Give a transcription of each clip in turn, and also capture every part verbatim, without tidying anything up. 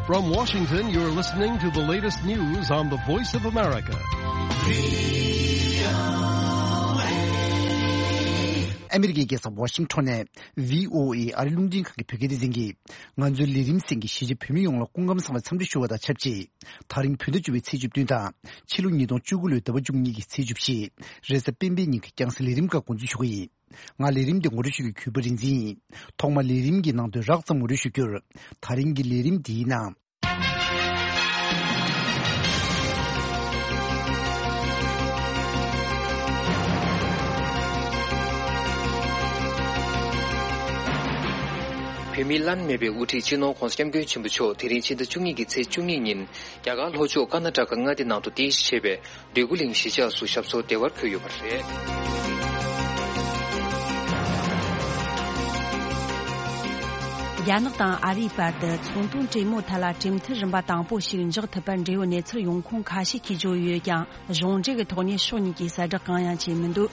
From Washington, you're listening to the latest news on the Voice of America. ཨ་མི་རི་ཀའི་རྒྱལ་ས་ཝ་ཤིང་ཊོན་ནས་བྷི་ཨོ་ཨེ་ཨ་རི་རླུང་འཕྲིན་ཁང་གི་བོད་སྐད་སྡེ་ཚན་གྱིས། ང་ཚོའི་ལས་རིམ་གསན་མཁན་གཞིས་བྱེས་བོད་མི་ཡོངས་ལ་སྐུ་ཁམས་བཟང་བའི་འཚམས་འདྲི་ཞུ་བ་དང་ཆབས་ཅིག་དེ་རིང་བོད་ཟླ་བཅུ་པའི་ཚེས་བཅུ་བདུན་དང་ཕྱི་ལོ་ཉིས་སྟོང་བཅུ་དགུ་ལོའི་ཟླ་བ་བཅུ་གཉིས་ཀྱི་ཚེས་བཅུ་བཞི། རེས་གཟའ་སྤེན་པའི་ཉིན་གྱི་རྐྱང་གཟའ་ལས་རིམ་ཁག་འགོ་འཛུགས་ཞུ་གི་ཡིན། ང་ལས་རིམ་འདི་ངོ་སྤྲོད་ཞུ་རྒྱུའི་གུས་པ་རིག་འཛིན་ཡིན། ཐོག་མར་ལས་རིམ་གྱི་ནང་དོན་རགས་ཙམ་ངོ་སྤྲོད་ཞུ་རྒྱུར། དེ་རིང་གི་ལས་རིམ་འདིའི་ནང་། བོད་མིའི་བླ་ན་མེད་པའི་དབུ་ཁྲིད་སྤྱི་ནོར་༧གོང་ས་༧སྐྱབས་མགོན་ཆེན་པོ་མཆོག་དེ་རིང་ཕྱི་ཟླ་བཅུ་གཉིས་ཀྱི་ཚེས་བཅུ་གཉིས་ཉིན་རྒྱ་གར་ལྷོ་ཕྱོགས་ཀར་ན་ཊ་ཀ་མངའ་སྡེ་ནང་དུ་རྟེན་གཞི་བྱས་པའི་འདོད་རྒུ་གླིང་གཞིས་ཆགས་སུ་ཞབས་སོར་བདེ་བར་འཁོད་ཡོད་པ་རེད། རྒྱ་ནག་དང་ཨ་རིའི་བར་དུ་ཚོང་དོན་གྲོས་མོལ་ཐད་ལ་གྲོས་མཐུན་རིམ་པ་དང་པོ་ཞིག་འཇོག་ཐུབ་པར་འབྲེལ་ཡོད་གནས་ཚུལ་ཡོང་ཁུངས་ཁ་ཤས་ཀྱིས་བརྗོད་ཡོད་ཀྱང་། གཞུང་འབྲེལ་གྱི་ཐོག་ནས་ཕྱོགས་གཉིས་ཀྱིས་གསལ་བསྒྲགས་གང་ཡང་བྱས་མི་འདུག་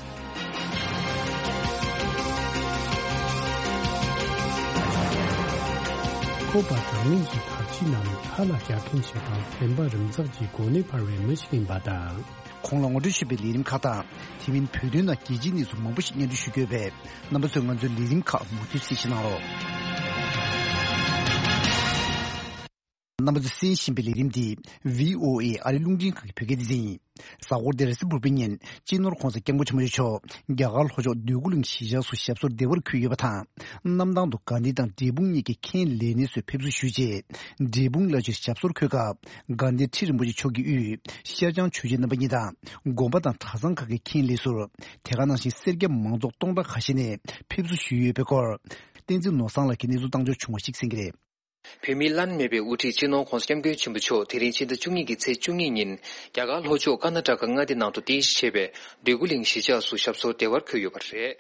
ཁོ་པ་དྲང་ངེས་ཀྱི་བར་ཆད་རྣམས་ཁ་ལ་བཞག་མཁན་ཞིག་དང་བདེན་པ་རིམ་འཛེགས་ཀྱི་སྒོ་ནས་འཕར་བའི་མི་ཞིག་ཡིན་པ་དང་། གོང་ལ་ངོ་སྤྲོད་ཞུས་པའི་ལས་རིམ་ཁག་དང་། དེ་མིན་བོད་དོན་ནང་རྒྱལ་སྤྱིའི་གནས་ཚུལ་མང་པོ་ཞིག་སྙན་སྒྲོན་ཞུ་གི་ཡོད་པས། རྣམ་པ་ཚོས་ང་ཚོའི་ལས་རིམ་ཁག་མུ་མཐུད་གསན་བཞེས་གནང་རོགས། རྣམ་པ་ཚོས་གསན་བཞིན་པའི་ལས་རིམ་འདི་བྷི་ཨོ་ཨེ་ཨ་རི་རླུང་འཕྲིན་ཁང་གི་བོད་སྐད་སྡེ་ཚན་ཡིན། གཟའ་འཁོར་འདིར་རེས་གཟའ་ཕུར་བུའི་ཉིན་སྤྱི་ནོར་༧གོང་ས་༧སྐྱབས་མགོན་ཆེན་པོ་མཆོག་རྒྱ་གར་ལྷོ་ཕྱོགས་འདོད་རྒུ་གླིང་གཞིས་ཆགས་སུ་ཞབས་སོར་བདེ་བར་འཁོད་ཡོད་པ་དང་། གནམ་ཐང་དུ་དགའ་ལྡན་དང་འབྲས་སྤུངས་གཉིས་ཀྱི་མཁན་ལས་སྣེ་ཚོས་ཕེབས་བསུ་ཞུས་རྗེས། འབྲས་སྤུངས་བླ་སྤྱིར་ཞབས་སོར་འཁོད་སྐབས། དགའ་ལྡན་ཁྲི་རིན་པོ་ཆེ་མཆོག་གི་དབུས་ཤར་བྱང་ཆོས་རྗེ་རྣམ་པ་གཉིས་དང་། དགོན་པ་དང་གྲྭ་ཚང་ཁག་གི་མཁན་ལས་ཟུར། དེ་ག་ནང་བཞིན་སེར་སྐྱ་མང་ཚོགས་སྟོང་ཕྲག་ཁ་ཤས་ནས་ཕེབས་བསུ་ཞུས་ཡོད་པའི་སྐོར། བསྟན་འཛིན་ནོར་བཟང་ལགས་ཀྱིས་གནས་ཚུལ་བཏང་འབྱོར་བྱུང་བ་ཞིག་གསན་གྱི་རེད། བོད་མིའི་བླ་ན་མེད་པའི་དབུ་ཁྲིད་སྤྱི་ནོར་༧གོང་ས་༧སྐྱབས་མགོན་ཆེན་པོ་མཆོག་དེ་རིང་ཕྱི་ཟླ་བཅུ་གཉིས་ཀྱི་ཚེས་བཅུ་གཉིས་ཉིན་རྒྱ་གར་ལྷོ་ཕྱོགས་ཀར་ན་ཊ་ཀ་མངའ་སྡེ་ནང་དུ་རྟེན་གཞི་བྱས་པའི་འདོད་རྒུ་གླིང་གཞིས་ཆགས་སུ་ཞབས་སོར་བདེ་བར་འཁོད་ཡོད་པ་རེད།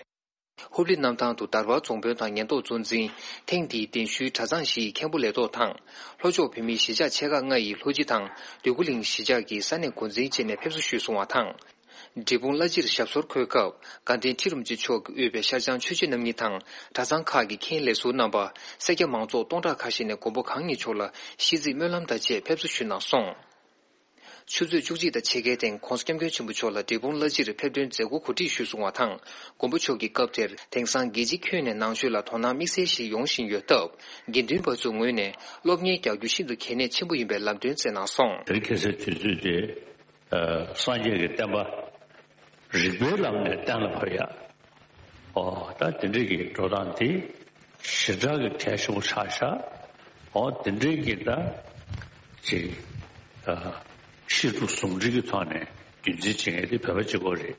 ཧུབ་ལི་གནམ་ཐང་དུ་དར་བར་རྫོང་དཔོན་དང་ཉེན་རྟོག་གཙོ་འཛིན། ཐེངས་འདིའི་གདན་ཞུའི་གྲྭ་ཚང་བཞིའི་མཁན་པོ་ལས་ཐོག་དང་། ལྷོ་ཕྱོགས་བོད་མིའི་གཞིས་ཆགས་ཆེ་ཁག་ལྔ་ཡི་ལྷོ་སྤྱི་དང་འདོད་རྒུ་གླིང་གཞིས་ཆགས་ཀྱི་ས་གནས་འགོ་འཛིན་བཅས་ནས་ཕེབས་བསུ་ཞུས་སོང་བ་དང་། འབྲས་སྤུངས་བླ་སྤྱིར་ཞབས་སོར་འཁོད་སྐབས། དགའ་ལྡན་ཁྲི་རིན་པོ་ཆེ་མཆོག་གིས་དབུས་པའི་ཤར་བྱང་ཆོས་རྗེ་རྣམ་གཉིས་དང་། གྲྭ་ཚང་ཁག་གི་མཁན་ལས་ཟུར་རྣམ་པ། སེར་སྐྱ་མང་ཚོགས་སྟོང་ཕྲག་ཁ་ཤས་ནས་མགོན་པོ་གང་ཉིད་མཆོག་ལ་ཤིས་ཚིག་སྨོན་ལམ་དང་བཅས་ཕེབས་བསུ་ཞུས་གནང་སོང་། ཆུ་ཚོད་བཅུ་གཅིག་དང་ཕྱེད་ཀའི་སྟེང་༧གོང་ས་༧སྐྱབས་མགོན་ཆེན་པོ་མཆོག་ལ་འབྲས་སྤུངས་བླ་སྤྱིར་ཕེབས་ཐོན་མཛད་སྒོ་གོ་སྒྲིག་ཞུས་སོང་བ་དང་། མགོན་པོ་མཆོག་གིས་སྐབས་དེར་དེང་སང་རྒྱལ་སྤྱི་ཁྱོན་ནས་ནང་ཆོས་ལ་དོ་སྣང་དམིགས་བསལ་ཞིག་ཡོང་བཞིན་ཡོད་སྟབས། དགེ་འདུན་པ་ཚོའི་ངོས་ནས་སློབ་གཉེར་རྒྱག་རྒྱུ་ཤིན་ཏུ་གལ་གནད་ཆེན་པོ་ཡིན་པའི་ལམ་སྟོན་བསྩལ་གནང་སོང་། དེ་རིང་ཁ་སང་དུས་ཚོད་དེ། ཨ། སངས་རྒྱས་ཀྱི་བསྟན་པ་རིགས་པའི་ལམ་ནས་གཏན་ལ་ཕབ་ཡ། ཨོ། ད་དེ་འདྲའི་གི་འགྲོ་སྟངས་དེ་ཞེ་དྲག་གི་གལ་ཆེན་པོ་ཆགས་ཤག་ཨོ། དེ་འདྲའི་གི་ད་ཅིག་ཨ། ཤེས་དྲུག་ཟུང་འབྲེལ་གྱི་ཐོག་ནས་རྒྱུན་འཛིན་བྱེད་མཁན་དེ་བོད་པ་གཅིག་པོ་རེད།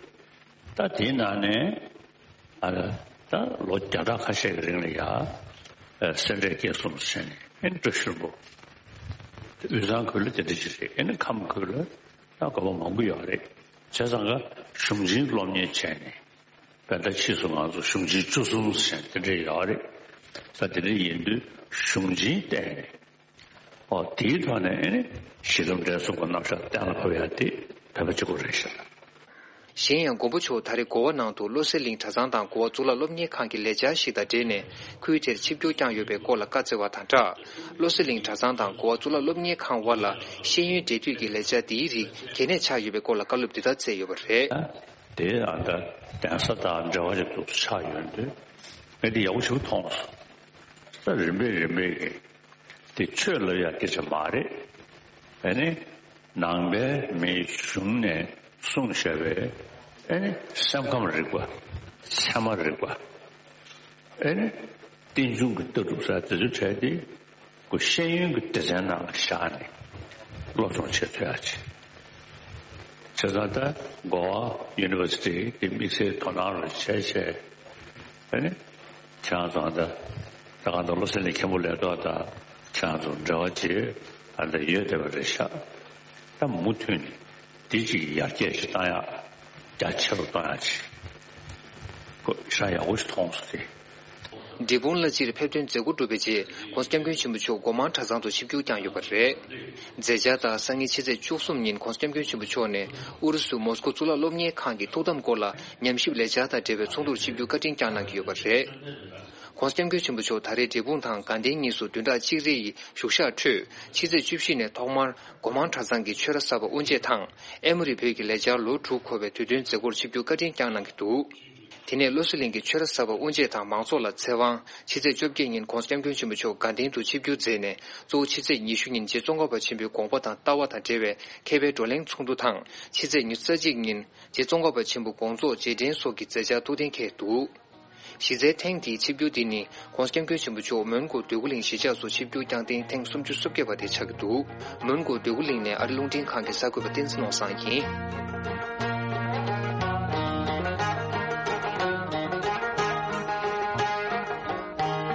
ད་དེའི་ནང་ནས་ཨ། ད་ལོ་བརྒྱ་ཕྲག་ཁ་ཤས་ཀྱི་རིང་ལ་ཡ། ཨ། སེ་འབྲས་དགེ་གསུམ་ཟེར་ནས་ཨེ་ནི་བཀྲ་ཤིས་ལྷུན་པོ། དབུས་གཙང་ཁུལ་ལ་དེ་འདྲ་ཅིག་རེད། ཨེ་ནི་ཁམས་ཁུལ་ལ། ད་དགོན་པ་མང་པོ་ཡོད་རེད། བྱས་ཙང་ཀ་གཞུང་ཆེན་སློབ་གཉེར་བྱས་ནས། དཔེར་ན་ཕྱིས་སུ་ང་ཚོ་གཞུང་ཆེན་བཅུ་གསུམ་ཟེར་དེ་འདྲ་ཡོད་རེད། ད་དེ་འདྲ་ཡིན་དུས་གཞུང་ཆེན་བསྟན་ནས། ཨོ། དེའི་ཐོག་ནས་ཨེ་ནི་གཞི་ལམ་འབྲས་གསུམ་གྱི་རྣམ་གཞག་གཏན་ལ་ཕབ་ཡ་དེ་བོད་པ་གཅིག་པོ་རེད་ཤག་གཞན་ཡང་མགོན་པོ་མཆོག་ད་རེས་གོ་བ་ནང་དུ་བློ་གསལ་གླིང་གྲྭ་ཚང་དང་གོ་བ་གཙུག་ལག་སློབ་གཉེར་ཁང་གི་ལས་འཆར་ཞིག་དང་འབྲེལ་ནས་ཁུལ་དེར་ཆིབས་བསྒྱུར་བསྐྱངས་ཡོད་པའི་སྐོར་ལ་བཀའ་སྩལ་བ་དང་སྦྲགས། བློ་གསལ་གླིང་གྲྭ་ཚང་དང་གོ་བ་གཙུག་ལག་སློབ་གཉེར་ཁང་དབར་ལ་ཤེས་ཡོན་འབྲེལ་མཐུད་ཀྱི་ལས་འཆར་འདིའི་རིགས་གལ་གནད་ཆགས་ཡོད་པའི་སྐོར་ལ་བཀའ་སློབ་འདི་ལྟར་སྩལ་ཡོད་པ་རེད། དེ་ཨ་ད་གདན་ས་དང་འབྲེལ་བ་ཞིག་ཏུ་ཆགས་ཡོད་དུས་ངས་འདི་ཡག་པོ་ཞིག་མཐོང་སོང་། ད་རིམ་པས་རིམ་པས་ཀྱིས། དེ་ཆོས་ལབ་ཡ་སྐད་ཆ་མ་རེད། ཨ་ནི་ནང་པའི་མིའི་གཞུང་ནས་གསུངས་བཞག་པའི་ཨ་ནི་སེམས་ཁམས་རིག་པ། ཚད་མ་རིག་པ། ཨ་ནི་རྟེན་འབྱུང་གི་ལྟ་གྲུབ་ཟེར་དེ་ཚོའི་གྲས་དེ་ཁོ་ཤེས་ཡོན་གྱི་སྡེ་ཚན་ནང་ལ་བཞག་ནས་སློབ་སྦྱོང་བྱེད་ཐུབ་ཡ་ཅིག་བྱས་ཙང་ད་གོ་བ་ཡུ་ནི་ཝར་སི་ཊི་དེ་དམིགས་བསལ་དོ་སྣང་རུ་བྱས་བྱས། ཨ་ནི། ཁྱེད་རང་ཚོ་ད་ལྟ་ད་གང་ལྟར་བློ་གསལ་གླིང་མཁན་པོ་ལས་ཐོག་དང་ཁྱེད་རང་ཚོ་འབྲེལ་བ་བྱེད་ཨ་ད་ཡོད་བསྡད་པ་རེད་ཤག་ད་མུ་མཐུད་ནས་འདི་ཅིག་ཡར་རྒྱས་ཤིག་བཏང་ཡག་རྒྱ་ཆེ་རུ་གཏོང་ཡག་ཅིག་ཁོ་ཤ་ཡག་པོ་ཞིག་མཐོང་སོང་སྟེ། འབྲས་སྤུངས་བླ་སྤྱིར་ཕེབས་ཐོན་མཛད་སྒོ་གྲུབ་པའི་རྗེས་༧གོང་ས་༧སྐྱབས་མགོན་ཆེན་པོ་མཆོག་སྒོ་མང་གྲྭ་ཚང་དུ་ཆིབས་བསྒྱུར་བསྐྱངས་ཡོད་པ་རེད། མཛད་འཆར་ལྟར་སང་ཉིན་ཕྱི་ཚེས་བཅུ་གསུམ་ཉིན་༧གོང་ས་༧སྐྱབས་མགོན་ཆེན་པོ་མཆོག་ནས་ཨུ་རུ་སུ་མོ་སི་ཀོ་གཙུག་ལག་སློབ་གཉེར་ཁང་གི་ཐུགས་དམ་སྐོར་ལ་ཉམས་ཞིབ་ལས་འཆར་དང་འབྲེལ་བའི་ཚོགས་འདུར་ཆིབས་བསྒྱུར་བཀའ་དྲིན་བསྐྱངས་གནང་གི་ཡོད་པ་རེད། ༸གོང་ས་༸སྐྱབས་མགོན་ཆེན་པོ་མཆོག་ད་རེས་འབྲས་སྤུངས་དང་དགའ་ལྡན་གཉིས་སུ་བདུན་ཕྲག་གཅིག་རེ་ཡི་བཞུགས་ཞག་ཁྲོད། ཕྱི་ཚེས་བཅུ་བཞི་ནས་ཐོག་མར་སྒོ་མང་གྲྭ་ཚང་གི་ཆོས་ར་གསར་པ་དབུ་འབྱེད་དང་། ཨེ་མོ་རི་བོད་ཀྱི་ལས་འཆར་ལོ་དྲུག་འཁོར་བའི་དུས་སྟོན་མཛད་སྒོར་ཆིབས་བསྒྱུར་བཀའ་དྲིན་བསྐྱངས་གནང་གི་འདུག་དེ་ནས་བློ་གསལ་གླིང་གི་ཆོས་ར་གསར་པ་དབུ་འབྱེད་དང་མང་ཚོགས་ལ་ཚེ་དབང་། ཕྱི་ཚེས་བཅོ་བརྒྱད་ཉིན་༸གོང་ས་༸སྐྱབས་མགོན་ཆེན་པོ་མཆོག་དགའ་ལྡན་དུ་ཆིབས་བསྒྱུར་མཛད་ནས། གཙོ་བོ་ཕྱི་ཚེས་ཉི་ཤུ་ཉིན་རྗེ་ཙོང་ཁ་པ་ཆེན་པོའི་དགོངས་པ་དང་ལྟ་བ་དང་འབྲེལ་བའི་མཁས་པའི་བགྲོ་གླེང་ཚོགས་འདུ་དང་། ཕྱི་ཚེས་ཉི་ཤུ་རྩ་གཅིག་ཉིན་རྗེ་ཙོང་ཁ་པ་ཆེན་པོའི་དགོངས་རྫོགས་རྗེས་དྲན་སོགས་ཀྱི་མཛད་འཆར་ཐུགས་གཏན་འཁེལ་འདུག་གཞི་རྩའི་ཐེངས་འདིའི་ཆིབས་བསྒྱུར་འདི་ནི་༸གོང་ས་༸སྐྱབས་མགོན་ཆེན་པོ་མཆོག་མོན་གྷོ་འདོད་རྒུ་གླིང་གཞིས་ཆགས་སུ་ཆིབས་བསྒྱུར་བསྐྱངས་ཐེངས་ཐེངས་སུམ་ཅུ་སོ་བརྒྱད་པ་དེ་ཆགས་ཀྱི་འདུག་མོན་གྷོ་འདོད་རྒུ་གླིང་ནས་ཨ་རི་རླུང་འཕྲིན་ཁང་གི་གསར་འགོད་པ་བསྟན་འཛིན་ནོར་བཟང་ཡིན།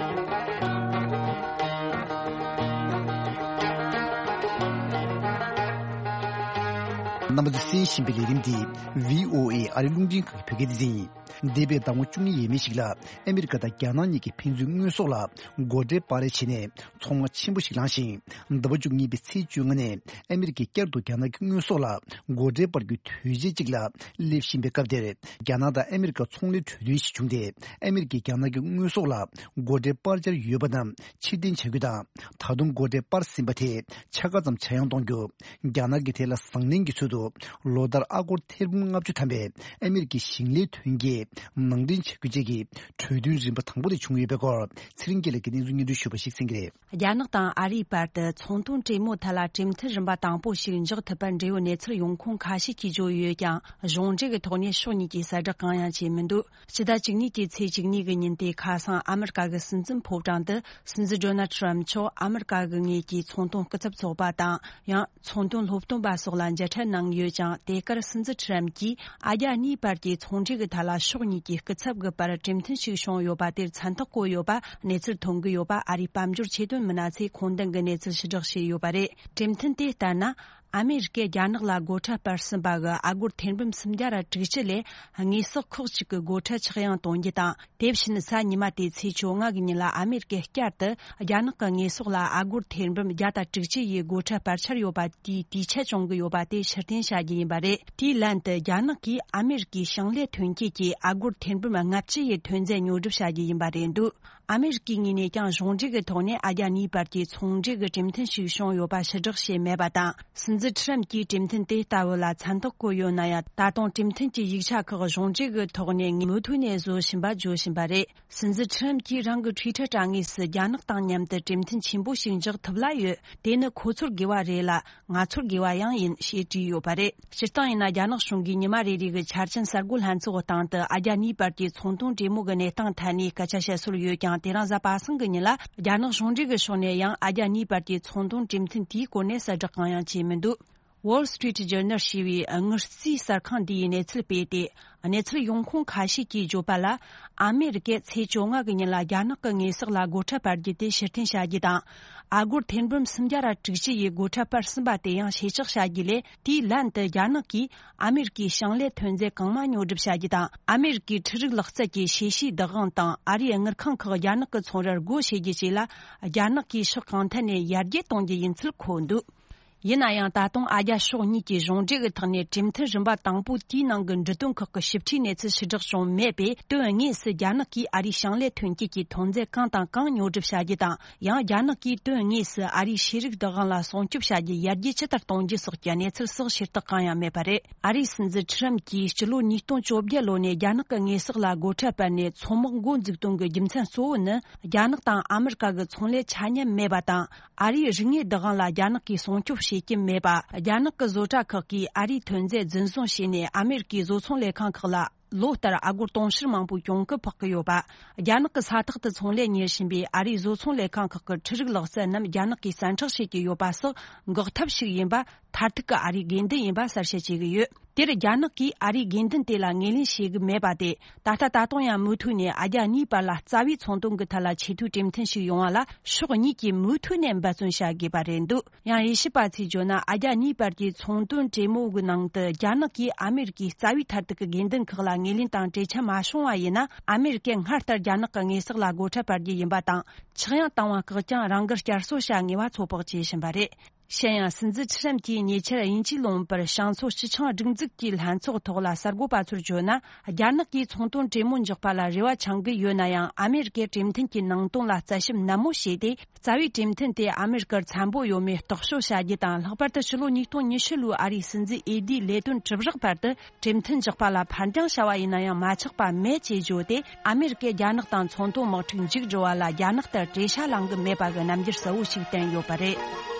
རྣམ་པ་ཚོས་གསན་བཞིན་པའི་ལས་རིམ་འདི་བྷི་ཨོ་ཨེ་ཨ་རི་རླུང་འཕྲིན་ཁང་གི་བོད་སྐད་སྡེ་ཚན་ཡིན། འདས་པའི་ཟླ་ངོ་བཅུ་གཉིས་ཡས་མས་ཤིག་ལ་ཨ་མི་རི་ཀ་དང་རྒྱ་ནག་གཉིས་ཀྱིས་ཕན་ཚུན་དངོས་ཟོག་ལ་སྒོ་ཁྲལ་སྤར་རེས་བྱས་ནས་ཚོང་ར་ཆེན་པོ་ཞིག་བླངས་ཤིང་། ཟླ་བ་བཅུ་གཉིས་པའི་ཚེས་བཅོ་ལྔ་ནས་ཨ་མི་རི་ཀས་བསྐྱར་དུ་རྒྱ་ནག་གི་དངོས་ཟོག་ལ་སྒོ་ཁྲལ་སྤར་རྒྱུའི་དུས་ཆེན་གཅིག་ལ་སླེབས་བཞིན་པའི་སྐབས་དེར། རྒྱ་ནག་དང་ཨ་མི་རི་ཀ་ཚོང་ལས་གྲོས་མཐུན་ཞིག་བྱུང་སྟེ། ཨ་མི་རི་ཀས་རྒྱ་ནག་གི་དངོས་ཟོག་ལ་སྒོ་ཁྲལ་སྤར་འཆར་ཡོད་པ་རྣམས་ཕྱིར་འཐེན་བྱ་རྒྱུ་དང་། ད་དུང་སྒོ་ཁྲལ་སྤར་ཟིན་པ་དེ་ཆ་ཚང་ཙམ་ཆག་ཡང་གཏོང་རྒྱུ། རྒྱ་ནག་གིས་དེ་ལ་བཟང་ལན་གྱི་ཚུལ་དུ་ལོ་ལྟར་ཨ་སྒོར་ཐེར་འབུམ་ལྔ་བཅུ་ཐམ་པའི་ཨ་མི་རི་ཀའི་ཞིང་ལས་ཐོན་སྐྱེད་ནང་འདྲེན་བྱ་རྒྱུ་བཅས་ཀྱི་གྲོས་མཐུན་རིམ་པ་དང་པོ་དེ་བྱུང་ཡོད་པའི་སྐོར། ཚེ་རིང་སྐྱིད་ལགས་ཀྱིས་གནས་ཚུལ་སྙན་སྒྲོན་ཞུས་པ་ཞིག་གསན་གྱི་རེད། རྒྱ་ནག་དང་ཨ་རིའི་བར་དུ་ཚོང་དོན་གྲོས་མོལ་ཐད་ལ་གྲོས་མཐུན་རིམ་པ་དང་པོ་ཞིག་འཇོག་ཐུབ་པར་འབྲེལ་ཡོད་གནས་ཚུལ་ཡོང་ཁུངས་ཁ་ཤས་ཀྱིས་བརྗོད་ཡོད་ཀྱང་། གཞུང་འབྲེལ་གྱི་ཐོག་ནས་ཕྱོགས་གཉིས་ཀྱིས་གསལ་བསྒྲགས་གང་ཡང་བྱས་མི་འདུག་སྤྱི་ཟླ་བཅུ་གཉིས་ཀྱི་ཚེས་བཅུ་གཉིས་ཀྱི་ཉིན་དེ་ཁ་སང་ཨ་མི་རི་ཀ་གི་སྲིད་འཛིན་ཕོ་བྲང་དུ་སྲིད་འཛིན་ཌོ་ནལ་ཁྲམ་མཆོག་ཨ་མི་རི་ཀ་གི་ངོས་ཀྱི་ཚོང་དོན་སྐུ་ཚབ་ཚོགས་པ་དང་ཡང་། ཚོང་དོན་སློབ་སྟོན་པ་སོགས་ལ་མཇལ་འཕྲད་གནང་ཡོད་ཀྱང་། དེ་གར་སྲིད་འཛིན་ཁྲམ་གྱིས་ཨ་རྒྱ་གཉིས་བར་གྱི་ཚོང་འབྲེལ་གྱི་ཐད་ལ་ཕྱོགས་གཉིས་ཀྱི་སྐུ་ཚབ་ཀྱི་བར་གྲོས་མཐུན་ཞིག་བྱུང་ཡོད་པ་དེར་མཚན་རྟགས་བཀོད་ཡོད་པ་གནས་ཚུལ་ཐོན་གྱི་ཡོད་པ་ཨ་རིའི་དཔལ་འབྱོར་ཆེད་དོན་མི་སྣ་ཚོས་ཁུངས་ལྡན་གྱི་གནས་ཚུལ་ཕྱིར་བསྒྲགས་བྱས་ཡོད་པ་རེད། གྲོས་མཐུན་དེ་ལྟར་ན། ཨ་མེ་རི་ཀས་རྒྱ་ནག་ལ་སྒོ་ཁྲལ་སྤར་ཟིན་པ་གི་ཨ་སྒོར་ཐེར་འབུམ་སུམ་བརྒྱ་དྲུག་ཅུ་ལས་དངོས་ཟོག་ཁག་ཅིག་གི་སྒོ་ཁྲལ་ཆག་ཡང་གཏོང་རྒྱུ་དང་། དེ་བཞིན་གཟའ་ཉི་མ་སྟེ་ཚེས་བཅོ་ལྔ་གི་ཉིན་ལ་ཨ་མེ་རི་ཀས་བསྐྱར་དུ་རྒྱ་ནག་གི་དངོས་ཟོག་ལ་ཨ་སྒོར་ཐེར་འབུམ་བརྒྱ་དང་དྲུག་ཅུ་ཡི་སྒོ་ཁྲལ་སྤར་འཆར་ཡོད་པ་དེའི་དུས་ཆད་བཅོ་གི་ཡོད་པ་དེ་ཕྱིར་འཐེན་བྱ་རྒྱུ་ཡིན་པ་རེད། དེའི་ལན་དུ་རྒྱ་ནག་གིས་ཨ་མེ་རི་ཀའི་ཞིང་ལས་ཐོན་སྐྱེད་ཀྱི་ཨ་སྒོར་ཐེར་འབུམ་ལྔ་བཅུ་ཡི་ཐོན་རྫས་ཉོ་སྒྲུབ་བྱ་རྒྱུ་ཡིན་པ་རེད་འདུག་ཨ་མེ་རི་ཀའི་ངོས་ནས་ཀྱང་གཞུང་འབྲེལ་གྱི་ཐོག་ནས་ཨ་རྒྱ་གཉིས་བར་གྱི་ཚོང་འབྲེལ་གྱི་གྲོས་མཐུན་ཞིག་བྱུང་ཡོད་པ་ཕྱིར་བསྒྲགས་བྱས་མེད་པ་དང་། སྲིད་འཛིན་ཁྲམ་གྱིས་གྲོས་མཐུན་དེ་ལྟ་བུ་ལ་མཚན་རྟགས་བཀོད་ཡོད་ན་ཡང་། ད་དུང་གྲོས་མཐུན་གྱི་ཡིག་ཆ་ཁག་གཞུང་འབྲེལ་གྱི་ཐོག་ནས་མུ་མཐུད་ནས་བཟོ་བཞིན་པ་བརྗོད་བཞིན་པ་རེད། སྲིད་འཛིན་ཁྲམ་གྱིས་རང་གི་ཊུའི་ཊར་དྲ་ངོས་སུ། རྒྱ་ནག་དང་མཉམ་དུ་གྲོས་མཐུན་ཆེན་པོ་ཞིག་འཇོག་ཐུབ་ལ་ཡོད། དེ་ནི་ཁོ་ཚོར་དགེ་བ་རེད་ལ། ང་ཚོར་དགེ་བ་ཡང་ཡིན་ཞེས་བྲིས་ཡོད་པ་རེད། སྤྱིར་བཏང་ཡིན་ན། རྒྱ་ནག་གཞུང་གིས་ཉི་མ་རེ་རེ་གི་འཆར་ཅན་གསར་འགོད་ལྷན་ཚོགས་སྟེང་དུ་ཨ་རྒྱ་གཉིས་བར་གྱི་ཚོང་དོན་གྲོས་མོལ་གྱི་གནས་སྟངས་ཐད་ནས་སྐད་ཆ་བཤད་སྲོལ་ཡོད་ཀྱང་། དེ་རིང་གཟའ་པ་སངས་ཀྱི་ཉིན་ལ་རྒྱ་ནག་གཞུང་འབྲེལ་གྱི་ཕྱོགས་ནས་ཡང་ཨ་རྒྱ་གཉིས་བར་གྱི་ཚོང་དོན་གྲོས་མཐུན་དེའི་སྐོར་ནས་གསལ་བསྒྲགས་གང་ཡང་བྱས་མི་འདུག Wall Street Journal ཞེས་པའི་དངུལ་རྩིས་གསར་ཁང་འདིའི་གནས་ཚུལ་སྤེལ་ཏེ། གནས་ཚུལ་ཡོང་ཁུངས་ཁ་ཤས་ཀྱིས་བརྗོད་པ་ལ། ཨ་མེ་རི་ཀས་ཚེས་བཅོ་ལྔ་གི་ཉིན་ལ་རྒྱ་ནག་གི་དངོས་ཟོག་ལ་སྒོ་ཁྲལ་སྤར་རྒྱུ་དེ་ཕྱིར་འཐེན་བྱ་རྒྱུ་དང་། ཨ་སྒོར་ཐེར་འབུམ་སུམ་བརྒྱ་ར་དྲུག་ཅུ་ཡི་སྒོ་ཁྲལ་སྤར་ཟིན་པ་དེ་ཡང་ཕྱིར་ཆག་བྱ་རྒྱུ་ལས། དེའི་ལན་དུ་རྒྱ་ནག་གིས་ཨ་མེ་རི་ཀའི་ཞིང་ལས་ཐོན་རྫས་གང་མང་ཉོ་སྒྲུབ་བྱ་རྒྱུ་དང་། ཨ་མེ་རི་ཀའི་འཕྲུལ་རིག་ལག་རྩལ་གྱི་ཤེས་བྱའི་བདག་དབང་དང་། ཨ་རིའི་དངུལ་ཁང་ཁག་རྒྱ་ནག་གི་ཚོང་རར་སྒོ་ཕྱེ་རྒྱུ་བཅས་ལ། རྒྱ་ནག་གིས་ཕྱོགས་གང་ཐད་ནས་ཡར་རྒྱས་གཏོང་རྒྱུ་ཡིན་ཚུལ་འཁོད་འདུག་ཡིན་ན་ཡང་། ད་དུང་ཨ་རྒྱ་ཕྱོགས་གཉིས་ཀྱིས་གཞུང་འབྲེལ་གྱི་ཐོག་ནས་གྲོས་མཐུན་རིམ་པ་དང་པོ་དེའི་ནང་གི་འབྲི་དོན་ཁག་གི་ཞིབ་ཕྲའི་གནས་ཚུལ་ཕྱིར་བསྒྲགས་བྱུང་མེད་པས། དོན་དངོས་སུ་རྒྱ་ནག་གིས་ཨ་རིའི་ཞིང་ལས་ཐོན་སྐྱེད་ཀྱི་ཐོན་རྫས་གང་དང་གང་ཉོ་སྒྲུབ་བྱ་རྒྱུ་དང་། ཡང་རྒྱ་ནག་གིས་དོན་དངོས་སུ་ཨ་རིའི་ཤེས་རིག་བདག་དབང་ལ་སྲུང་སྐྱོབ་བྱ་རྒྱུ་ཡར་རྒྱས་ཇི་ལྟར་གཏོང་རྒྱུ་སོགས་ཀྱི་གནས་ཚུལ་སོགས་ཕྱིར་བསྒྲགས་གང་ཡང་མེད་པ་རེད། ཨ་རིའི་སྲིད་འཛིན་ཁྲམ་གྱིས་སྤྱི་ལོ་ཉིས་སྟོང་བཅོ་བརྒྱད་ལོ་ནས་རྒྱ་ནག་གི་དངོས་ཟོག་ལ་སྒོ་ཁྲལ་སྤར་ནས་མཚོ་དམག་འགོ་འཛུགས་དོན་གྱི་རྒྱུ་མཚན་གཙོ་བོ་ནི། རྒྱ་ནག་དང་ཨ་མི་རི་ཀ་གི་ཚོང་ལས་ཆ་མཉམ་མེད་པ་དང་། ཨ་རིའི་རིག་དངོས་བདག་དབང་ལ་རྒྱ་ནག་གིས་སྲུང་སྐྱོབ་བྱེད་ཀྱི་མེད་པ། རྒྱ་ནག་གི་བཟོ་གྲྭ་ཁག་གིས་ཨ་རིའི་ཐོན་རྫས་རྫུན་བཟུང་བྱས་ནས་ཨ་མེ་རི་ཀའི་བཟོ་ཚོང་ལས་ཁང་ཁག་ལ་ལོ་ལྟར་ཨ་སྒོར་དུང་ཕྱུར་མང་པོའི་གྱོང་གུན་ཕོག་གི་ཡོད་པ། རྒྱ་ནག་གི་ས་ཐག་ཏུ་ཚོང་ལས་གཉེར་བཞིན་པའི་ཨ་རིའི་བཟོ་ཚོང་ལས་ཁང་ཁག་གི་འཕྲུལ་རིག་ལག་རྩལ་རྣམས་རྒྱ་ནག་གིས་བཙན་འཕྲོག་བྱེད་ཀྱི་ཡོད་པ་སོགས་འགོག་ཐབས་ཤིག་ཡིན་པ། མཐར་ཐུག་གི་ཨ་རིའི་དགོས་འདུན་ཡིན་པ་གསལ་བཤད་བྱེད་ཀྱི་ཡོད། དེར་རྒྱ་ནག་གིས་ཨ་རིའི་དགོས་འདུན་དེ་ལ་ངོས་ལེན་བྱེད་ཀྱི་མེད་པ་དེ། ད་ལྟ་ད་དུང་ཡང་མུ་མཐུད་ནས་ཨ་རྒྱ་གཉིས་བར་ལ་རྩ་བའི་ཚོང་དོན་གྱི་ཐད་ལ་ཆེས་མཐོའི་གྲོས་མཐུན་ཞིག་ཡོང་བ་ལ་ཕྱོགས་གཉིས་ཀྱིས་མུ་མཐུད་ནས་འབད་བརྩོན་བྱ་དགོས་པ་རེད་འདུག་ཡང་དབྱེ་ཞིབ་པ་ཚོས་བརྗོད་ན། ཨ་རྒྱ་གཉིས་བར་གྱི་ཚོང་དོན་གྲོས་མོལ་གྱི་ནང་དུ་རྒྱ་ནག་གིས་ཨ་མེ་རི་ཀའི་རྩ་བའི་མཐར་ཐུག་གི་དགོས་འདུན་ཁག་ལ་ངོས་ལེན་དང་འབྲེལ་ཆ་མ་བྱུང་བ་ཡིན་ན། ཨ་མེ་རི་ཀས་སྔར་ལྟར་རྒྱ་ནག་གི་དངོས་ཟོག་ལ་སྒོ་ཁྲལ་སྤར་རྒྱུ་ཡིན་པ་དང་། ཆག་ཡང་བཏང་བ་བཀག་ཀྱང་རང་འགུལ་བསྐྱར་གསོ་བྱ་ངེས་པ་ཚོད་དཔག་བྱེད་བཞིན་པ་རེད། གཞན་ཡང་། སྲིད་འཛིན་ཁྲི་རམ་གྱིས་ཉེ་ཆར་དབྱིན་ཇིའི་ལུང་པར་བྱང་མཚོ་སྤྱི་ཆིངས་སྒྲིག་འཛུགས་ཀྱི་ལྷན་ཚོགས་ཐོག་ལ་གསར་འགོད་པ་ཚོར་བརྗོད་ན། རྒྱ་ནག་གིས་ཚོང་དོན་གྲོས་མོལ་འཇོག་པ་ལ་རེ་བ་འཆང་གི་ཡོད་ན་ཡང་། ཨ་མེ་རི་ཀའི་གྲོས་མཐུན་གྱི་ནང་དོན་ལ་བརྩི་ཞིབ་ནན་མོ་བྱས་ཏེ། རྩ་བའི་གྲོས་མཐུན་དེ་ཨ་མེ་རི་ཀར་འཚམ་པོ་ཡོད་མེད་རྟོག་དཔྱོད་བྱ་རྒྱུ་དང་། ལྷག་པར་དུ་ཕྱི་ལོ་ཉིས་སྟོང་ཉི་ཤུ་ལོའི་ཨ་རིའི་སྲིད་འཛིན་འོས་བསྡུའི་ལས་དོན་གྲུབ་རགས་བར་དུ། གྲོས་མཐུན་འཇོག་པ་ལ་ཕར་འགྱངས་བྱ་བ་ཡིན་ན་ཡང་མ་ཆག་པ་མེད་ཅེས་བརྗོད་དེ། ཨ་མེ་རི་ཀས་རྒྱ་ནག་དང་ཚོང་དོན་དམག་འཁྲུག་མཇུག་སྒྲིལ་བ་ལ་རྒྱ་ནག་ལྟར་བྲེལ་ཤ་ལངས་གི་མེད་པ་གི་རྣམ་འགྱུར་གསལ་བོ་ཞིག་བསྟན་ཡོད་པ་རེད།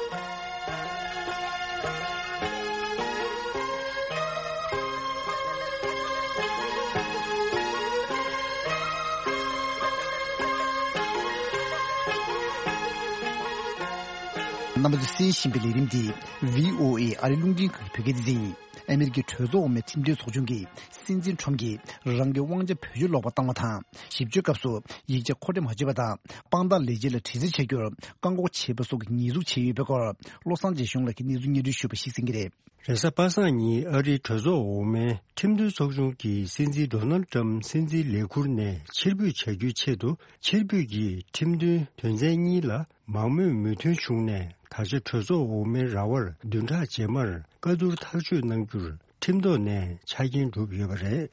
རྣམ་པ་ཚོས་གསན་བཞིན་པའི་ལས་རིམ་འདི་བྷི་ཨོ་ཨེ་ཨ་རི་རླུང་འཕྲིན་ཁང་གི་བོད་སྐད་སྡེ་ཚན་ཡིན། ཨ་མེ་རི་ཀའི་གྲོས་ཚོགས་འོག་མའི་ཁྲིམས་དོན་ཚོགས་ཆུང་གིས་སྲིད་འཛིན་ཁྲོམ་གྱིས་རང་གི་དབང་ཆ་བེད་སྤྱོད་ལོག་པར་བཏང་བ་དང་། ཞིབ་དཔྱོད་སྐབས་སུ་ཡིག་ཆ་མཁོ་སྤྲོད་མ་བྱས་པ་དང་། དཔང་རྟགས་ལས་བྱེད་ལ་དྲི་རྩད་བྱ་རྒྱུར་བཀག་འགོག་བྱས་པ་སོགས་ཀྱི་ཉེས་འཛུགས་བྱས་ཡོད་པའི་སྐོར། བློ་བཟང་རྗེ་གཞུང་ལགས་ཀྱིས་གནས་ཚུལ་སྙན་སྒྲོན་ཞུས་པ་ཞིག་གསན་གྱི་རེད། རེས་གཟའ་པ་སངས་ཉིན་ཨ་རིའི་གྲོས་ཚོགས་འོག་མའི་ཁྲིམས་དོན་ཚོགས་ཆུང་གིས་སྲིད་འཛིན་ཌོ་ནལ་ཊམ་སྲིད་འཛིན་ལས་ཁུར་ནས་ཕྱིར་འབུད་བྱ་རྒྱུའི་ཆེད་དུ། ཕྱིར་འབུད་ཀྱི་ཁྲིམས་མཐུན་དོན་ཚན་གཉིས་ལ་མང་མོས་མོས་མཐུན་བྱུང་ནས། ད་ཆ་གྲོས་ཚོགས་འོག་མའི་ར་བར་བདུན་ཕྲག་རྗེས་མར་བཀའ་བསྡུར་ཐག་གཅོད་གནང་རྒྱུར་ཁྲིམས་ཐོག་ནས་ཆ་རྐྱེན་གྲུབ་ཡོད་པ་རེད།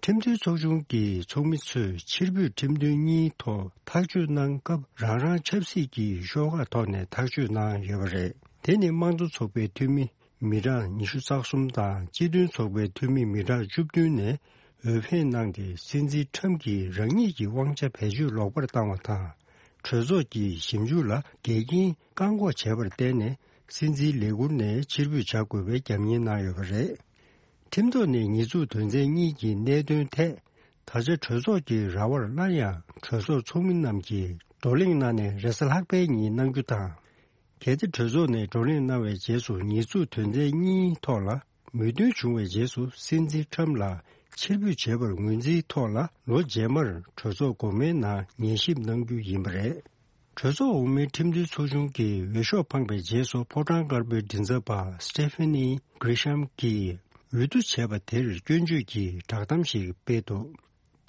ཁྲིམས་མཐུན་ཚོགས་ཆུང་གི་ཚོགས་མི་ཚོས་ཕྱིར་འབུད་ཁྲིམས་དོན་གཉིས་ཐོག་ཐག་གཅོད་གནང་སྐབས། རང་རང་ཆབ་སྲིད་ཀྱི་ཤོག་ཁག་ཐོག་ནས་ཐག་གཅོད་གནང་ཡོད་པ་རེད། དེ་ནི་དམངས་གཙོ་ཚོགས་པའི་འཐུས་མི་མི་གྲངས་ཉི་ཤུ་རྩ་གསུམ་དང་། སྤྱི་མཐུན་ཚོགས་པའི་འཐུས་མི་མི་གྲངས་བཅུ་བདུན་ནས་འོས་འཕེན་གནང་སྟེ། སྲིད་འཛིན་ཁྲམ་གྱིས་རང་ཉིད་ཀྱི་དབང་ཆ་བེད་སྤྱོད་ལོག་པར་བཏང་བ་དང་། གྲོས་ཚོགས་ཀྱི་ཞིབ་འཇུག་ལ་འགལ་རྐྱེན་བཀག་འགོག་བྱས་པར་བརྟེན་ནས། སྲིད་འཛིན་ལས་ཁུར་ནས་ཕྱིར་འབུད་བྱ་དགོས་པའི་རྒྱབ་གཉེར་གནང་ཡོད་པ་རེད། ཁྲིམས་ཐོག་ནས་ཉེས་འཛུགས་དོན་ཚན་གཉིས་ཀྱི་གནད་དོན་ཐད། ད་ཆ་གྲོས་ཚོགས་ཀྱི་ར་བར་སླར་ཡང་གྲོས་ཚོགས་ཚོགས་མི་རྣམས་ཀྱིས་བགྲོ་གླེང་གནང་ནས་རེས་གཟའ་ལྷག་པའི་ཉིན་གནང་རྒྱུ་དང་། གལ་ཏེ་གྲོས་ཚོགས་ནས་བགྲོ་གླེང་གནང་བའི་རྗེས་སུ། ཉེས་འཛུགས་དོན་ཚན་གཉིས་ཐོག་ལ་མོས་མཐུན་བྱུང་བའི་རྗེས་སུ། སྲིད་འཛིན་ཁྲམ་ལ་ཕྱིར་འབུད་བྱས་པར་ངོས་འཛིན་ཐོག་ལ། ལོ་རྗེས་མར་གྲོས་ཚོགས་འགོ་མའི་ནང་ཉན་ཞིབ་གནང་རྒྱུ་ཡིན་པ་རེད། གྲོས་ཚོགས་འོག་མའི་ཁྲིམས་མཐུན་ཚོགས་ཆུང་གི་འོས་ཤོག་འཕངས་པའི་རྗེས་སུ། ཕོ་བྲང་དཀར་པོའི་མགྲིན་ཚབ་པ་སི་ཊེ་ཕེ་ནི་གྷི་རི་ཤམ་གྱིས་འོས་བསྡུ་བྱས་པ་དེར་སྐྱོན་བརྗོད་ཀྱི་བསྒྲགས་གཏམ་ཞིག་སྤེལ་འདུག་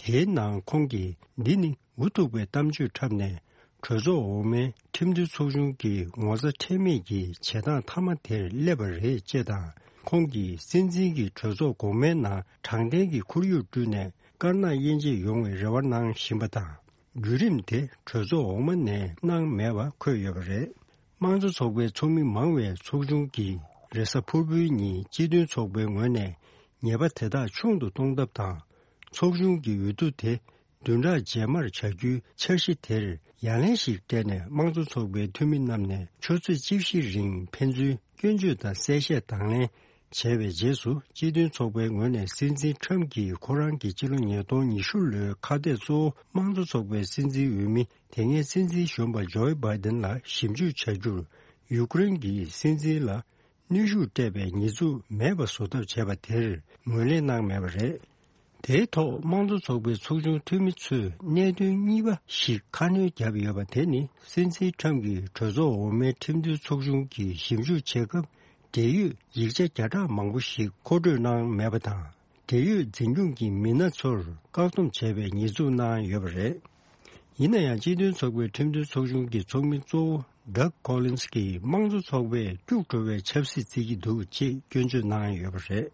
དེའི་ནང་ཁོང་གིས། འདི་ནི་འུ་ཐུག་པའི་གཏམ་བརྗོད་འཁྲབ་ནས། གྲོས་ཚོགས་འོག་མའི་ཁྲིམས་མཐུན་ཚོགས་ཆུང་གི་ངོ་ཚ་ཁྲེལ་མེད་ཀྱི་བྱེད་སྟངས་མཐའ་མ་དེར་སླེབས་པ་རེད། ཅེས་དང་། ཁོང་གིས་སྲིད་འཛིན་གྱིས་གྲོས་ཚོགས་འགོ་མའི་ནང་དྲང་བདེན་གྱི་ཁོར་ཡུག་བསྐྲུན་ནས། དཀར་ནག་དབྱེ་འབྱེད་ཡོང་བའི་རེ་བ་གནང་བཞིན་པ་དང་། བརྒྱུད་རིམ་དེ་གྲོས་ཚོགས་འོག་མ་ནས་གནང་མེད་པ་འཁོད་ཡོད་པ་རེད། དམངས་གཙོ་ཚོགས་པའི་ཚོགས་མི་མང་བའི་ཚོགས་ཆུང་གིས་རེས་གཟའ་ཕུར་བུའི་ཉིན་སྤྱི་མཐུན་ཚོགས་པའི་ངོས་ནས་ཉེས་པ་དེ་དག་ཆུང་དུ་གཏོང་ཐབས་དང་། ཚོགས་ཆུང་གི་འོས་བསྡུ་དེ་བདུན་ཕྲག་རྗེས་མར་བྱ་རྒྱུའི་འཆར་གཞི་དེར་ཡ་ལན་ཞིག་སྤྲད་ནས། དམངས་གཙོ་ཚོགས་པའི་འཐུས་མི་རྣམས་ནས་ཆུ་ཚོད་བཅུ་བཞི་རིང་ཕན་ཚུན་སྐྱོན་བརྗོད་དང་གསལ་བཤད་དང་ལེན་བྱས་པའི་རྗེས་སུ། སྤྱི་མཐུན་ཚོགས་པའི་ངོས་ནས་སྲིད་འཛིན་ཁྲམ་གྱིས་ཁོ་རང་གི་སྤྱི་ལོ་ཉིས་སྟོང་ཉི་ཤུ་ལོའི་ཁ་གཏད་གཙོ་བོ་དམངས་གཙོ་ཚོགས་པའི་སྲིད་འཛིན་འོས་མི། དེ་སྔའི་སྲིད་འཛིན་གཞོན་པ་ཇོ་བྷའི་ཏིན་ལ་ཞིབ་འཇུག་བྱ་རྒྱུར། ཡུཀ་རེན་གྱི་སྲིད་འཛིན་ལ་གནོན་ཤུགས་སྤྲད་པའི་ཉེས་འཛུགས་མེད་པ་བཟོ་ཐབས་བྱས་པ་དེར་ངོས་ལེན་གནང་མེད་པ་རེད། དེའི་ཐོག་དམངས་གཙོ་ཚོགས་པའི་ཚོགས་ཆུང་འཐུས་མི་ཚོས་གནད་དོན་གཉིས་པ་ཞིག་ཁ་སྣོན་བརྒྱབ་ཡོད་པ། དེ་ནི་སྲིད་འཛིན་ཁྲམ་གྱིས་གྲོས་ཚོགས་འོག་མའི་ཁྲིམས་མཐུན་ཚོགས་ཆུང་གིས་ཞིབ་འཇུག་བྱེད་སྐབས། འབྲེལ་ཡོད་ཡིག་ཆ་བརྒྱ་ཕྲག་མང་པོ་ཞིག་མཁོ་སྤྲོད་གནང་མེད་པ་དང་། འབྲེལ་ཡོད་འཛིན་སྐྱོང་གི་མི་སྣ་ཚོར་བཀག་སྡོམ་བྱས་པའི་ཉེས་འཛུགས་གནང་ཡོད་པ་རེད། ཡིན་ན་ཡང་། སྤྱི་མཐུན་ཚོགས་པའི་ཁྲིམས་མཐུན་ཚོགས་ཆུང་གི་ཚོགས་མི་གཙོ་བོ་ཌག་ཀོ་ལིན་སི་གིས། དམངས་གཙོ་ཚོགས་པས་སྐྱུག་བྲོ་བའི་ཆབ་སྲིད་བརྩི་གི་འདུག་ཅེས་སྐྱོན་བརྗོད་གནང་ཡོད་པ་རེད།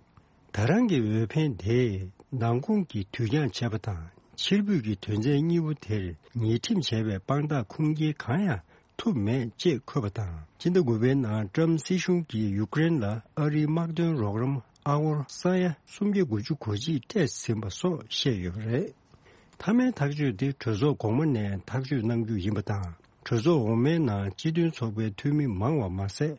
ད་རང་གི་འོས་འཕེན་དེས་མདང་དགོང་གི་དུས་འགྱངས་བྱས་པ་དང་། ཕྱིར་འབུད་ཀྱི་དོན་ཚན་གཉིས་པོ་དེར་ཉེས་ཁྲིམས་བྱས་པའི་དཔང་རྟགས་ཁུངས་སྐྱེལ་གང་ཡང་ཐུབ་མེད་ཅེས་འཁོད་པ་དང་། སྤྱི་ཟླ་དགུ་པའི་ནང་ཀྲམ་སྲིད་གཞུང་གིས་ཡུཀ་རེན་ལ་ཨ་རིའི་དམག་དོན་རོགས་རམ་ཨ་སྒོར་ས་ཡ་སུམ་བརྒྱ་དགུ་བཅུ་གོ་གཅིག་སྤྲད་ཟིན་པ་སོགས་བཤད་ཡོད་པ་རེད། མཐའ་མའི་ཐག་གཅོད་དེ་གྲོས་ཚོགས་གོང་མ་ནས་ཐག་གཅོད་གནང་རྒྱུ་ཡིན་པ་དང་། གྲོས་ཚོགས་འོག་མའི་ནང་སྤྱི་མཐུན་ཚོགས་པའི་འཐུས་མི་མང་བ་མ་ཟད།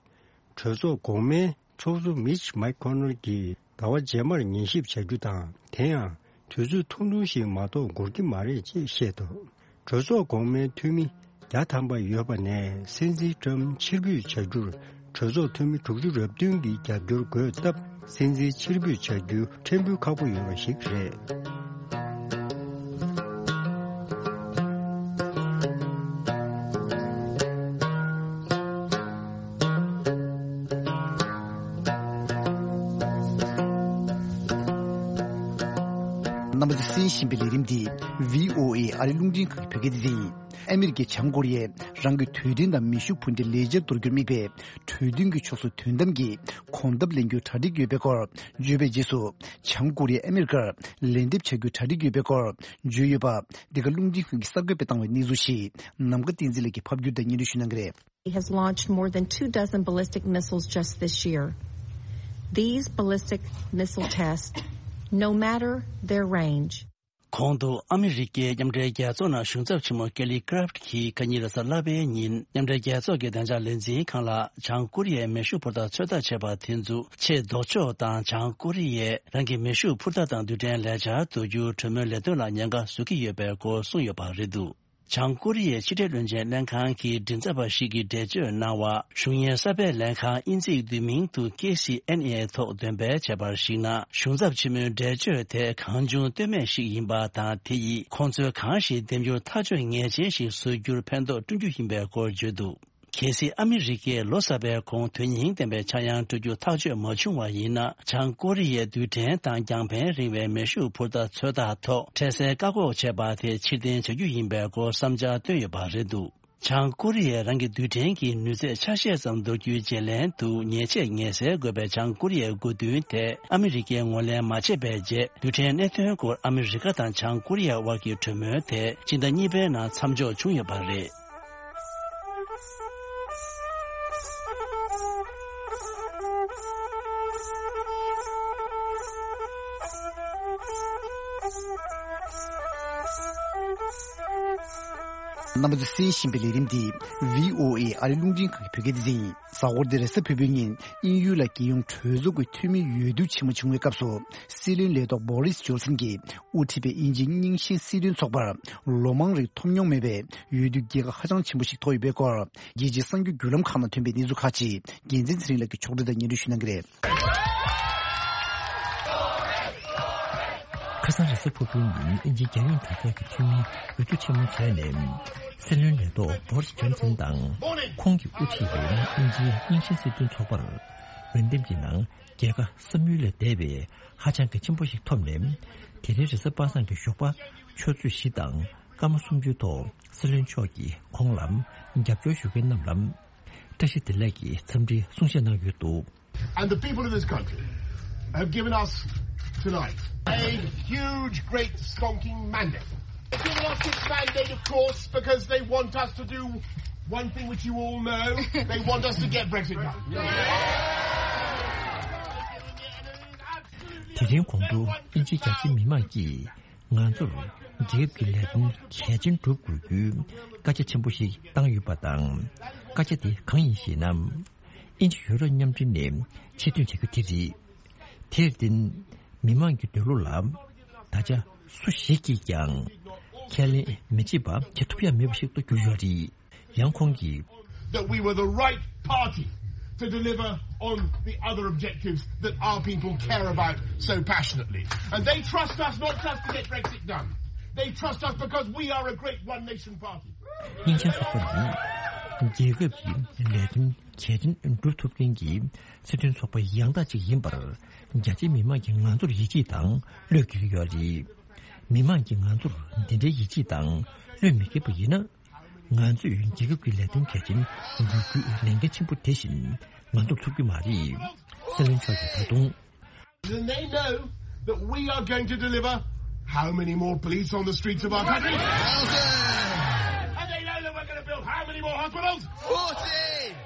གྲོས་ཚོགས་གོང་མའི་ཚོགས་གཙོ་མིཆ་མེག་ཁོ་ནལ་གྱིས་ཟླ་བ་རྗེས་མར་ཉན་ཞིབ་བྱ་རྒྱུ་དང་། དེ་ཡང་དུས་ཚོད་ཐུང་ཐུང་ཞིག་མ་གཏོགས་འགོར་གྱི་མ་རེད་ཅེས་བཤད་འདུག་གྲོས་ཚོགས་གོང་མའི་འཐུས་མི་བརྒྱ་ཐམ་པ་ཡོད་པ་ནས། སྲིད་འཛིན་ཀྲམ་ཕྱིར་འབུད་བྱ་རྒྱུར་གྲོས་ཚོགས་འཐུས་མི་དྲུག་ཅུ་རེ་བདུན་གྱི་རྒྱབ་སྐྱོར་དགོས་སྟབས། སྲིད་འཛིན་ཕྱིར་འབུད་བྱ་རྒྱུ་ཕྲན་བུ་ཁག་པོ་ཡོད་པ་ཞིག་རེད། རྣམ་པ་ཚོས་གསན་བཞིན་པའི་ལས་རིམ་འདི་བྷི་ཨོ་ཨེ་ཨ་རི་རླུང་འཕྲིན་ཁང་གི་བོད་སྐད་སྡེ་ཚན་ཡིན། ཨ་མི་རི་ཀས་བྱང་ཀོ་རི་ཡས་རང་གི་དུས་མཐུན་དང་མེ་ཤུགས་འཕུར་མདེལ་ལེགས་ཆར་གཏོར་རྒྱུར་དམིགས་པའི་གྲོས་མཐུན་གྱི་ཕྱོགས་སུ་དོན་དམ་གྱི་གོམ་སྟབས་ལེན་རྒྱུའི་གྲ་སྒྲིག་ཡོད་པའི་སྐོར་བརྗོད་པའི་རྗེས་སུ། བྱང་ཀོ་རི་ཡས་ཨ་མི་རི་ཀར་ལན་འདེབས་བྱ་རྒྱུའི་གྲ་སྒྲིག་ཡོད་པའི་སྐོར་བརྗོད་ཡོད་པ། འདི་ག་རླུང་འཕྲིན་ཁང་གིས་གསར་འགོད་པས་བཏང་བའི་གནས་ཚུལ་ཞིག་ནམ་མཁའ་བསྟན་འཛིན་ལགས་ཀྱིས་ཕབ་སྒྱུར་དང་སྙན་སྒྲོན་ཞུ་གནང་གི་རེད། He has launched more than two dozen ballistic missiles just this year. These ballistic missile tests, no matter their range, གོང་དུ་ཨ་མི་རི་ཀའི་མཉམ་འབྲེལ་རྒྱལ་ཚོགས་ནང་གཞུང་ཚབ་ཆེན་མོ་ཀེ་ལི་ཀ་རབ་ཀྱིས་ཁ་ཉིན་རེས་གཟའ་ལྷག་པའི་ཉིན་མཉམ་འབྲེལ་རྒྱལ་ཚོགས་ཀྱི་བདེ་འཇགས་ལས་འཛིན་ཁང་ལ་བྱང་ཀོ་རི་ཡས་མེ་ཤུགས་འཕུར་མདའ་ཚོད་ལྟ་བྱས་པ་དེ་ཚོ་ཆེས་ལྡོག་ཕྱོགས་དང་། བྱང་ཀོ་རི་ཡས་རང་གི་མེ་ཤུགས་འཕུར་མདའ་དང་རྡུལ་ཕྲན་ལེགས་ཆར་གཏོར་རྒྱུའི་གྲོས་མོལ་ལས་དོན་ལ་ཉེན་ཁ་བཟོ་གི་ཡོད་པའི་སྐོར་གསུངས་ཡོད་པ་རེད་འདུག་བྱང་ཀོ་རི་ཡའི་ཕྱི་འབྲེལ་བློན་ཆེན་ལྷན་ཁང་གི་མགྲིན་ཚབ་པ་ཞིག་གིས་འགྲེལ་བརྗོད་གནང་བར། གཞུང་གཉེར་གསར་པའི་ལྷན་ཁང་དབྱིན་ཚིག་བསྡུས་མིང་དུ་ཀེ་སི་ཨེན་ཨེ་ཐོག་འདོན་སྤེལ་བྱས་པར་གཞིགས་ན། གཞུང་ཚབ་ཆེན་མོའི་འགྲེལ་བརྗོད་དེ་གང་བྱུང་བཏོན་མེད་ཞིག་ཡིན་པ་དང་། དེ་ཡིས་ཁོང་ཚོས་གང་ཞིག་འདེམས་རྒྱུར་ཐག་གཅོད་ངེས་ཅན་ཞིག་བཟོ་རྒྱུར་ཕན་ཐོགས་བསྐྲུན་རྒྱུ་ཡིན་པའི་སྐོར་བརྗོད་འདུག་གལ་སྲིད་ཨ་མི་རི་ཀས་ལོ་གསར་པའི་གོང་དོན་སྙིང་ལྡན་པའི་ཆག་ཡང་སྤྲོད་རྒྱུ་ཐག་གཅོད་མ་བྱུང་བ་ཡིན་ན། བྱང་ཀོ་རི་ཡས་རྡུལ་ཕྲན་དང་རྒྱང་ཕན་རིང་བའི་མེ་ཤུགས་འཕུར་མདའ་ཚོད་ལྟ་ཐོག་འཕྲལ་སེལ་བཀག་འགོག་བྱས་པ་དེ་ཕྱིར་འཐེན་བྱ་རྒྱུ་ཡིན་པའི་སྐོར་བསམ་འཆར་བཏོན་ཡོད་པ་རེད་འདུག་བྱང་ཀོ་རི་ཡས་རང་གི་རྡུལ་ཕྲན་གྱི་ནུས་ཚད་ཆ་ཤས་ཙམ་འདོར་རྒྱུའི་བརྗེ་ལེན་དུ་ཉེས་ཆད་ངེས་སེལ་དགོས་པའི་བྱང་ཀོ་རི་ཡའི་དགོས་འདུན་དེ་ཨ་མི་རི་ཀས་ངོས་ལེན་མ་བྱས་པའི་རྗེས། རྡུལ་ཕྲན་གནད་དོན་སྐོར་ཨ་མི་རི་ཀ་དང་བྱང་ཀོ་རི་ཡ་དབར་གྱི་གྲོས་མོལ་དེ་སྤྱི་ཟླ་གཉིས་པའི་ནང་མཚམས་འཇོག་བྱུང་ཡོད་པ་རེད། རྣམ་པ་ཚོས་གསན་བཞིན་པའི་ལས་རིམ་འདི་བྷི་ཨོ་ཨེ་ཨ་རི་རླུང་འཕྲིན་ཁང་གི་བོད་སྐད་སྡེ་ཚན་ཡིན། གཟའ་འཁོར་འདིར་གཟའ་ཕུར་བུའི་ཉིན་དབྱིན་ཡུལ་ལ་རྒྱལ་ཡོངས་གྲོས་ཚོགས་ཀྱི་འཐུས་མི་འོས་བསྡུ་ཆེན་མོ་བྱུང་བའི་སྐབས་སུ། སྲིད་བློན་ལས་ཐོག་བྷོ་རིས་ཇོན་སན་གྱིས་དབུ་ཁྲིད་པའི་དབྱིན་ཇིའི་རྙིང་ཞེན་སྲིད་དོན་ཚོགས་པར་ལོ་མང་རིང་ཐོབ་མྱོང་མེད་པའི་འོས་བསྡུ་རྒྱལ་ཁ་ཧ་ཅང་ཆེན་པོ་ཞིག་ཐོབ་ཡོད་པའི་སྐོར། རྒྱལ་སྤྱིའི་གསར་འགྱུར་བརྒྱུད་ལམ་ཁག་ནང་ཐོན་པའི་གནས་ཚུལ་ཁག་ཅིག་རྒྱལ་མཚན་ཚེ་རིང་ལགས་ཀྱིས་ཕྱོགས་སྒྲིག་དང་སྙན་སྒྲོན་ཞུ་གནང་གི་རེད། ཁ་སང་རེས་གཟའ་ཕུར་བུའི་ཉིན་དབྱིན་ཇིའི་རྒྱལ་ཡོངས་གྲོས་ཚོགས་ཀྱི་འཐུས་མིའི་འོས་བསྡུ་ཆེན་མོ་བྱས་ནས། སྲིད་བློན་ལས་ཐོག་བྷོ་རིས་ཇོན་སན་དང་། ཁོང་གིས་དབུ་ཁྲིད་པའི་དབྱིན་ཇིའི་རྙིང་ཞེན་སྲིད་དོན་ཚོགས་པར། འོས་འདེམས་ཀྱི་ནང་རྒྱལ་ཁ་བསམ་ཡུལ་ལས་འདས་པའི་ཧ་ཅང་གི་ཆེན་པོ་ཞིག་ཐོབ་ནས། དེ་རིང་རེས་གཟའ་པ་སངས་ཀྱི་ཞོགས་པ་ཆུ་ཚོད་བཞི་དང་སྐར་མ་སུམ་ཅུའི་ཐོག་སྲིད་བློན་མཆོག་གིས་ཁོང་ལ་རྒྱབ་སྐྱོར་ཞུ་མཁན་རྣམས་ལ་བཀྲ་ཤིས་བདེ་ལེགས་ཀྱི་འཚམས་འདྲིའི་གསུང་བཤད་གནང་ཡོད་འདུག And the people of this country have given us tonight a huge, great, stonking mandate. They've given us this mandate, of course, because they want us to do one thing which you all know. They want us to get Brexit done. དེ་རིང་གོང་དུ་དབྱིན་ཇིའི་རྒྱ་ཆེ་མི་མང་གིས། ང་ཚོར་རྒྱལ་ཁབ་ཀྱི་ལས་དོན་གལ་ཆེན་སྒྲུབ་དགོས་རྒྱུའི་བཀའ་རྒྱ་ཆེན་པོ་ཞིག་བཏང་ཡོད་པ་དང་། བཀའ་རྒྱ་དེ་གང་ཡིན་ཞེ་ན། དབྱིན་ཇི་ཡུ་རོབ་མཉམ་འབྲེལ་ནས་ཕྱིར་ཐོན་བྱ་རྒྱུ་དེ་རེད། དེར་བརྟེན། མི་མང་གི་འདོད་བློ་ལ་ད་ཆ་སུ་ཞིག་གིས་ཀྱང་ཁས་ལེན་མི་བྱེད་པ་བྱེད་ཐུབ་ཡ་མེད་པ་ཞིག་ཏུ་གྱུར་ཡོད་རེད། ཡང་ཁོང་གིས། That we were the right party to deliver on the other objectives that our people care about so passionately. And they trust us not just to get Brexit done. They trust us because we are a great one nation party. སྙིང་རྗེ་ཚོགས་པ་ནི་རྒྱལ་ཁབ་ཀྱི་ལས་དོན་གལ་ཆེན་སྒྲུབ་ཐུབ་མཁན་གྱི་སྲིད་དོན་ཚོགས་པ་ཡང་དག་ཅིག་ཡིན་པར་རྒྱ་ཆེའི་མི་མང་གིས་ང་ཚོར་ཡིད་ཆེས་དང་བློས་འགེལ་གྱི་ཡོད་རེད། མི་མང་གིས་ང་ཚོར་འདི་འདྲའི་ཡིད་ཆེས་དང་བློས་མི་འགེལ་པ་ཡིན་ན། ང་ཚོས་རྒྱལ་ཁབ་ཀྱི་ལས་དོན་གལ་ཆེན་སྒྲུབ་རྒྱུའི་ལས་འགན་ཆེན་པོ་དེ་བཞིན་ང་ཚོར་ཐུབ་ཀྱི་མ་རེད། སྲིད་བློན་མཆོག་གིས་ད་དུང་། Then they know that we are going to deliver how many more police on the streets of our country? And they know that we're going to build how many more hospitals?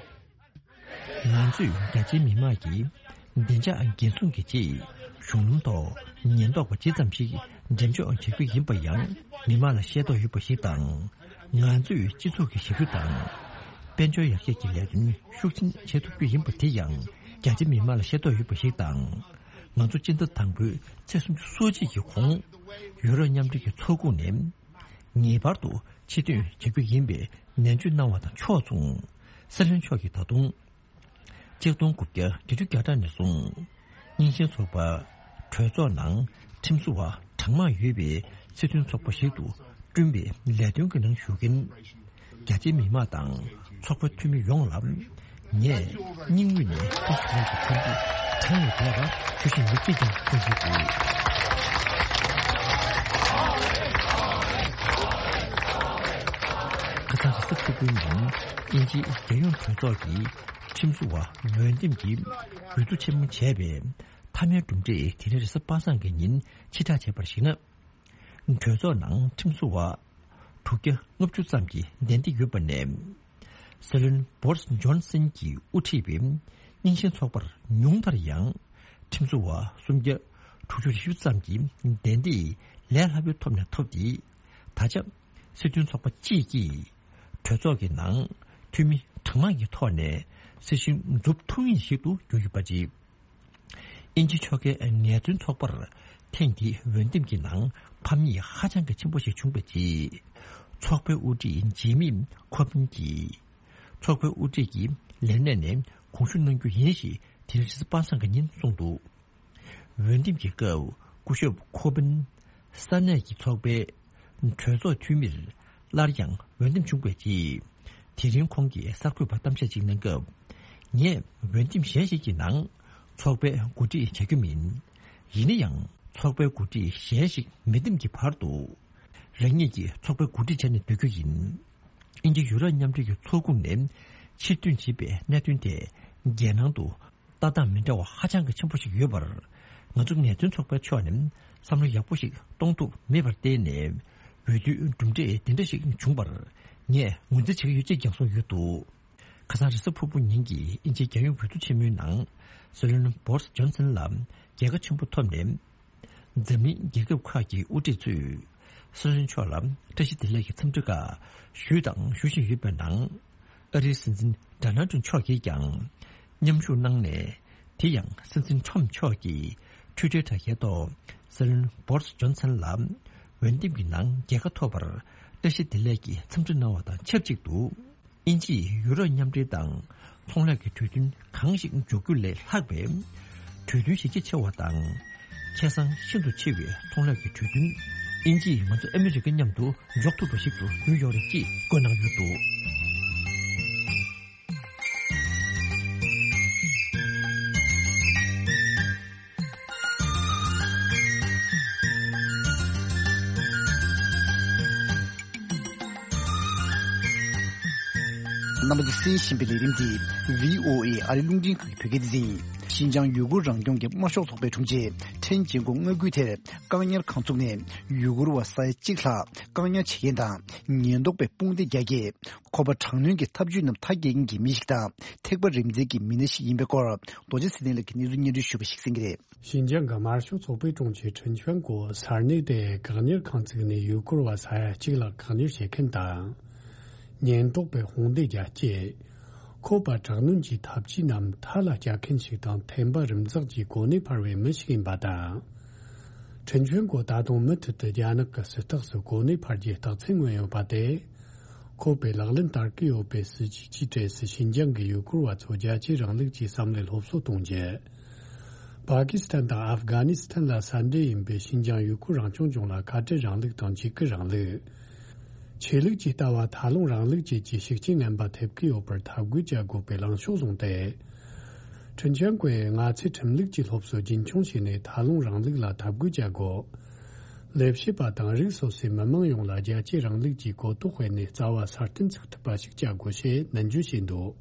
ང་ཚོས་རྒྱ་ཆེའི་མི་མང་གིས་བདེ་འཇགས་འགན་སྲུང་གི་ཆེད་གཞུང་ལམ་ཐོག་ཉེན་རྟོག་པ་ཇི་ཙམ་ཞིག་འགྲེམས་འཇོག་བྱེད་རྒྱུ་ཡིན་པ་ཡང་མི་མང་ལ་ཤེས་རྟོགས་ཡོད་པ་ཞིག་དང་། ང་ཚོས་སྤྱི་ཚོགས་ཀྱི་ཞབས་ཞུ་དང་། དཔལ་འབྱོར་ཡར་རྒྱས་ཀྱི་ལས་དོན་ཤུགས་ཆེན་བྱེད་ཐུབ་རྒྱུ་ཡིན་པ་དེ་ཡང་རྒྱ་ཆེ་མི་མང་ལ་ཤེས་རྟོགས་ཡོད་པ་ཞིག་དང་། ང་ཚོ་སྤྱི་ཟླ་དང་པོའི་ཚེས་སུམ་ཅུ་སོ་གཅིག་གི་གོང་ཡུ་རོབ་མཉམ་འབྲེལ་གྱི་ཚོགས་ཁོངས་ནས་ངེས་པར་དུ་ཕྱིར་ཐོན་བྱེད་རྒྱུ་ཡིན་པའི་ནན་བརྗོད་གནང་བ་དང་ཕྱོགས་མཚུངས། སྲིད་བློན་མཆོག་གིས་ད་དུང་། ཆིག་སྟོང་དགུ་བརྒྱ་བརྒྱད་ཅུ་གྱ་གྲངས་ནས་བཟུང་། རྙིང་ཞེན་ཚོགས་པ་གྲོས་ཚོགས་ནང་ཁྲིམས་བཟོ་བ་གྲངས་མང་ཡོད་པའི་སྲིད་དོན་ཚོགས་པ་ཞིག་ཏུ་བསྐྲུན་པའི་ལས་དོན་གྱི་ནང་ཞུགས་མཁན་རྒྱ་ཆེའི་མི་མང་དང་ཚོགས་པའི་འཐུས་མི་ཡོངས་ལ་ངས་སྙིང་དབུས་ནས་བཀྲ་ཤིས་བདེ་ལེགས་ཀྱི་འཚམས་འདྲི་གྲངས་ལས་འདས་པ་ཞུ་བཞིན་ཡིན་ཞེས་ཀྱང་གསུངས་ཡོད་འདུག། ཁ་སང་རེས་གཟའ་ཕུར་བུའི་ཉིན་དབྱིན་ཇིའི་རྒྱལ་ཡོངས་གྲོས་ཚོགས་ཀྱི་ཁྲིམས་བཟོ་བ་འོས་འདེམས་ཀྱི་འོས་བསྡུ་ཆེན་མོ་བྱས་པའི་མཐའ་མའི་གྲུབ་འབྲས་དེ་རིང་རེས་གཟའ་པ་སངས་ཀྱི་ཉིན་ཕྱིར་བསྒྲགས་བྱས་པར་གཞིགས་ན། གྲོས་ཚོགས་ནང་ཁྲིམས་བཟོ་བ་དྲུག་བརྒྱ་ལྔ་བཅུ་ཙམ་གྱིས་གདན་འདྲེན་ཡོད་པ་ནས། སྲིད་བློན་བོ་རིས་ཇོན་སན་གྱིས་དབུ་ཁྲིད་པའི་རྙིང་ཞེན་ཚོགས་པར་ཉུང་མཐར་ཡང་ཁྲིམས་བཟོ་བ་སུམ་བརྒྱ་དྲུག་ཅུ་རེ་བཞི་ཙམ་གྱིས་གདན་འདྲེན་ལས་སླ་པོའི་ཐོག་ནས་ཐོབ་སྟེ། ད་ཆ་སྲིད་དོན་ཚོགས་པ་གཅིག་གིས་གྲོས་ཚོགས་ཀྱི་ནང་འཐུས་མི་གྲངས་མང་གི་ཐོག་ནས་སྲིད་བྱུས་འཛུགས་ཐུབ་ངེས་ཤིག་ཏུ་གྱུར་ཡོད་པ་རེད། དབྱིན་ཇི་ཕྱོགས་འགལ་ངལ་རྩོལ་ཚོགས་པར་ཐེངས་འདིའི་འོས་འདེམས་ཀྱི་ནང་ཕམ་ཉེས་ཧ་ཅང་གི་ཆེན་པོ་ཞིག་བྱུང་བའི་རྗེས། ཚོགས་པའི་དབུ་ཁྲིད་ཇི་མི་ཁོ་བིན་གྱིས་ཚོགས་པའི་དབུ་ཁྲིད་ཀྱི་ལས་གནས་ནས་དགོངས་ཞུ་གནང་རྒྱུ་ཡིན་ཞེས་དེ་རིང་རེས་གཟའ་པ་སངས་ཀྱི་ཉིན་གསུངས་འདུག་འོས་འདེམས་ཀྱི་སྐབས་སྐུ་ཞབས་ཁོ་བིན་ས་གནས་ཀྱི་ཚོགས་པའི་གྲོས་ཚོགས་འཐུས་མིར་སླར་ཡང་འོས་འདེམས་བྱུང་བའི་རྗེས། དེ་རིང་ཁོང་གིས་གསར་འགོད་པར་གཏམ་བཤད་ཅིག་གནང་སྐབས། ངས་འོས་འདེམས་གཞན་ཞིག་གི་ནང་ཚོགས་པའི་འགོ་ཁྲིད་བྱ་རྒྱུ་མིན། ཡིན་ན་ཡང་ཚོགས་པའི་འགོ་ཁྲིད་གཞན་ཞིག་མི་འདེམས་ཀྱི་བར་དུ། རང་ཉིད་ཀྱིས་ཚོགས་པའི་འགོ་ཁྲིད་བྱས་ནས་སྡོད་རྒྱུ་ཡིན། དབྱིན་ཇི་ཡུ་རོབ་མཉམ་འབྲེལ་གྱི་ཚོགས་ཁོངས་ནས་ཕྱིར་ཐོན་བྱས་པའི་གནད་དོན་དེ་རྒྱལ་ནང་དུ་ལྟ་སྟངས་མི་འདྲ་བ་ཧ་ཅང་གི་ཆེན་པོ་ཞིག་ཡོད་པར། ང་ཚོ་ངལ་རྩོལ་ཚོགས་པའི་ཕྱོགས་ནས་བསམ་བློ་ཡག་པོ་ཞིག་གཏོང་ཐུབ་མེད་པར་བརྟེན་ནས། འོས་བསྡུའི་གྲུབ་འབྲས་འདི་འདྲ་ཞིག་བྱུང་བར་ངས་ངོས་འཛིན་བྱེད་ཀྱི་ཡོད་ཅེས་ཀྱང་གསུངས་ཡོད་འདུག་ཁ་སང་རེས་གཟའ་ཕུར་བུ་ཉིན་གྱི་དབྱིན་ཇིའི་རྒྱལ་ཡོངས་འོས་བསྡུ་ཆེན་མོའི་ནང་། སྲིད་བློན་བོ་རིས་ཇོན་སན་ལ་རྒྱལ་ཁ་ཆེན་པོ་ཐོབ་ནས། འཛམ་གླིང་རྒྱལ་ཁབ་ཁག་གི་དབུ་ཁྲིད་ཚོས་སྲིད་བློན་མཆོག་ལ་བཀྲ་ཤིས་བདེ་ལེགས་ཀྱི་འཚམས་འདྲི་ཁག་ཞུས་དང་ཞུ་བཞིན་ཡོད་པའི་ནང་། ཨ་རིའི་སྲིད་འཛིན་ཌོ་ནལ་ཊམ་མཆོག་གིས་ཀྱང་མཉམ་ཞུགས་གནང་ནས། དེ་ཡང་སྲིད་འཛིན་ཊམ་མཆོག་གིས་ཊུའི་ཊར་དྲ་རྒྱའི་ཐོག་སྲིད་བློན་བོ་རིས་ཇོན་སན་ལ་འོས་འདེམས་ཀྱི་ནང་རྒྱལ་ཁ་ཐོབ་པར་བཀྲ་ཤིས་བདེ་ལེགས་ཀྱི་འཚམས་འདྲི་གནང་བ་དང་ཆབས་ཅིག་ཏུ། དབྱིན་ཇིས་ཡུ་རོབ་མཉམ་འབྲེལ་དང་ཚོང་ལས་ཀྱི་གྲོས་མཐུན་གང་ཞིག་འཇོག་རྒྱུ་ལས་ལྷག་པའི་གྲོས་མཐུན་གཞི་རྒྱ་ཆེ་བ་དང་། ཁེ་བཟང་ཤིན་ཏུ་ཆེ་བའི་ཚོང་ལས་ཀྱི་གྲོས་མཐུན་དབྱིན་ཇིས་ང་ཚོ་ཨ་མི་རི་ཀ་མཉམ་དུ་འཇོག་ཐུབ་པ་ཞིག་ཏུ་འགྱུར་ཡོང་རེད་ཅེས་བཀོད་གནང་ཡོད་འདུག་རྣམ་པ་ཚོས་གསན་བཞིན་པའི་ལས་རིམ་འདི་བྷི་ཨོ་ཨེ་ཨ་རིའི་རླུང་འཕྲིན་ཁང་གི་བོད་སྐད་སྡེ་ཚན་ཡིན། ཤིན་ཅང་ཡུ་གུར་རང་སྐྱོང་གི་དམར་ཤོག་ཚོགས་པའི་དྲུང་ཆེ་ཁྲེན་ཅིང་ཀོ་མངའ་ཁུལ་དེར་བཀག་ཉར་ཁང་བཙུགས་ནས་ཡུ་གུར་བ་ས་ཡ་གཅིག་ལྷག་བཀག་ཉར་བྱེད་མཁན་དང་ཉེན་རྟོག་པས་དཔུང་སྡེ་རྒྱག་སྐད། ཁོ་པ་དྲག་གནོན་གྱི་ཐབས་ཇུས་རྣམས་མཐའ་སྐྱེལ་མཁན་གྱི་མི་ཞིག་དང་ཐེག་པ་རིམ་འཛིན་གྱི་མི་སྣ་ཞིག་ཡིན་པའི་སྐོར་རྡོ་རྗེ་ཚེ་བརྟན་ལགས་ཀྱིས་གནས་ཚུལ་སྙན་སྒྲོན་ཞུས་པ་ཞིག་གསན་གྱི་རེད། ཞིན་ཅང་གི་དམར་ཤོག་ཚོགས་པའི་དྲུང་ཆེ་ཁྲིན་ཆོན་གོ་ས་གནས་དེའི་བཀག་ཉར་ཁང་བཙུགས་ནས་ཡུ་གུར་བ་ས་ཡ་གཅིག་ལྷག་བཀག་ཉར་བྱེད་མཁན་དང་། ཉེན་རྟོག་པས་དཔུང་སྡེ་རྒྱག་སྐད། ཁོ་པ་དྲག་གནོན་གྱི་ཐབས་ཇུས་རྣམས་མཐའ་ལ་སྐྱེལ་མཁན་ཞིག་དང་ཐེག་པ་རིམ་འཛེགས་ཀྱི་གོ་གནས་འཕར་བའི་མི་ཞིག་ཡིན་པ་དང་། ཁྲིན་ཆོན་གོ་ད་དུང་མུ་མཐུད་དུ་རྒྱ་ནག་གི་སྲིད་ཐག་སུ་གོ་གནས་འཕར་རྒྱུའི་རྟགས་མཚན་མངོན་ཡོད་པ་དེ། ཁོ་པས་ལག་ལེན་བསྟར་གྱི་ཡོད་པའི་སྲིད་ཇུས་ཀྱི་གྲས་སུ་ཤིན་ཅང་གི་ཡུ་གུར་བ་ཚོ་རྒྱལ་གཅེས་རིང་ལུགས་ཀྱི་བསམ་བློའི་སློབ་གསོ་གཏོང་རྒྱུ། པ་ཀི་སི་ཐན་དང་ཨབ་གྷ་ནི་སི་ཐན་ལ་ས་འབྲེལ་ཡིན་པའི་ཤིན་ཅང་ཡུ་གུར་རང་སྐྱོང་ལྗོངས་ལ་ཁ་བྲལ་རིང་ལུགས་དང་འཇིགས་སྐུལ་རིང་ལུགས། ཆོས་ལུགས་ཀྱི་ལྟ་བ་ཐ་ལུང་རིང་ལུགས་བཅས་ཀྱི་ཤུགས་རྐྱེན་ངན་པ་ཐེབས་ཀྱི་ཡོད་པར་འཐབ་རྒོལ་བྱ་དགོས་པའི་ལངས་ཕྱོགས་བཟུང་སྟེ། ཁྲིན་ཆོན་གོས་ང་ཚོས་ཁྲིམས་ལུགས་ཀྱི་སློབ་གསོ་རྒྱུན་འཁྱོངས་བྱས་ནས་ཐ་ལུང་རིང་ལུགས་ལ་འཐབ་རྒོལ་བྱ་དགོས། ལས་བྱེད་པ་དང་རིགས་སོ་སོའི་མི་མང་ཡོངས་ལ་རྒྱལ་གཅེས་རིང་ལུགས་ཀྱི་གོ་རྟོགས་སྤེལ་ནས་རྩ་བ་སྲ་བརྟན་ཚུགས་ཐུབ་པ་ཞིག་བྱ་དགོས་ཞེས་ནན་བརྗོད་བྱས་འདུག་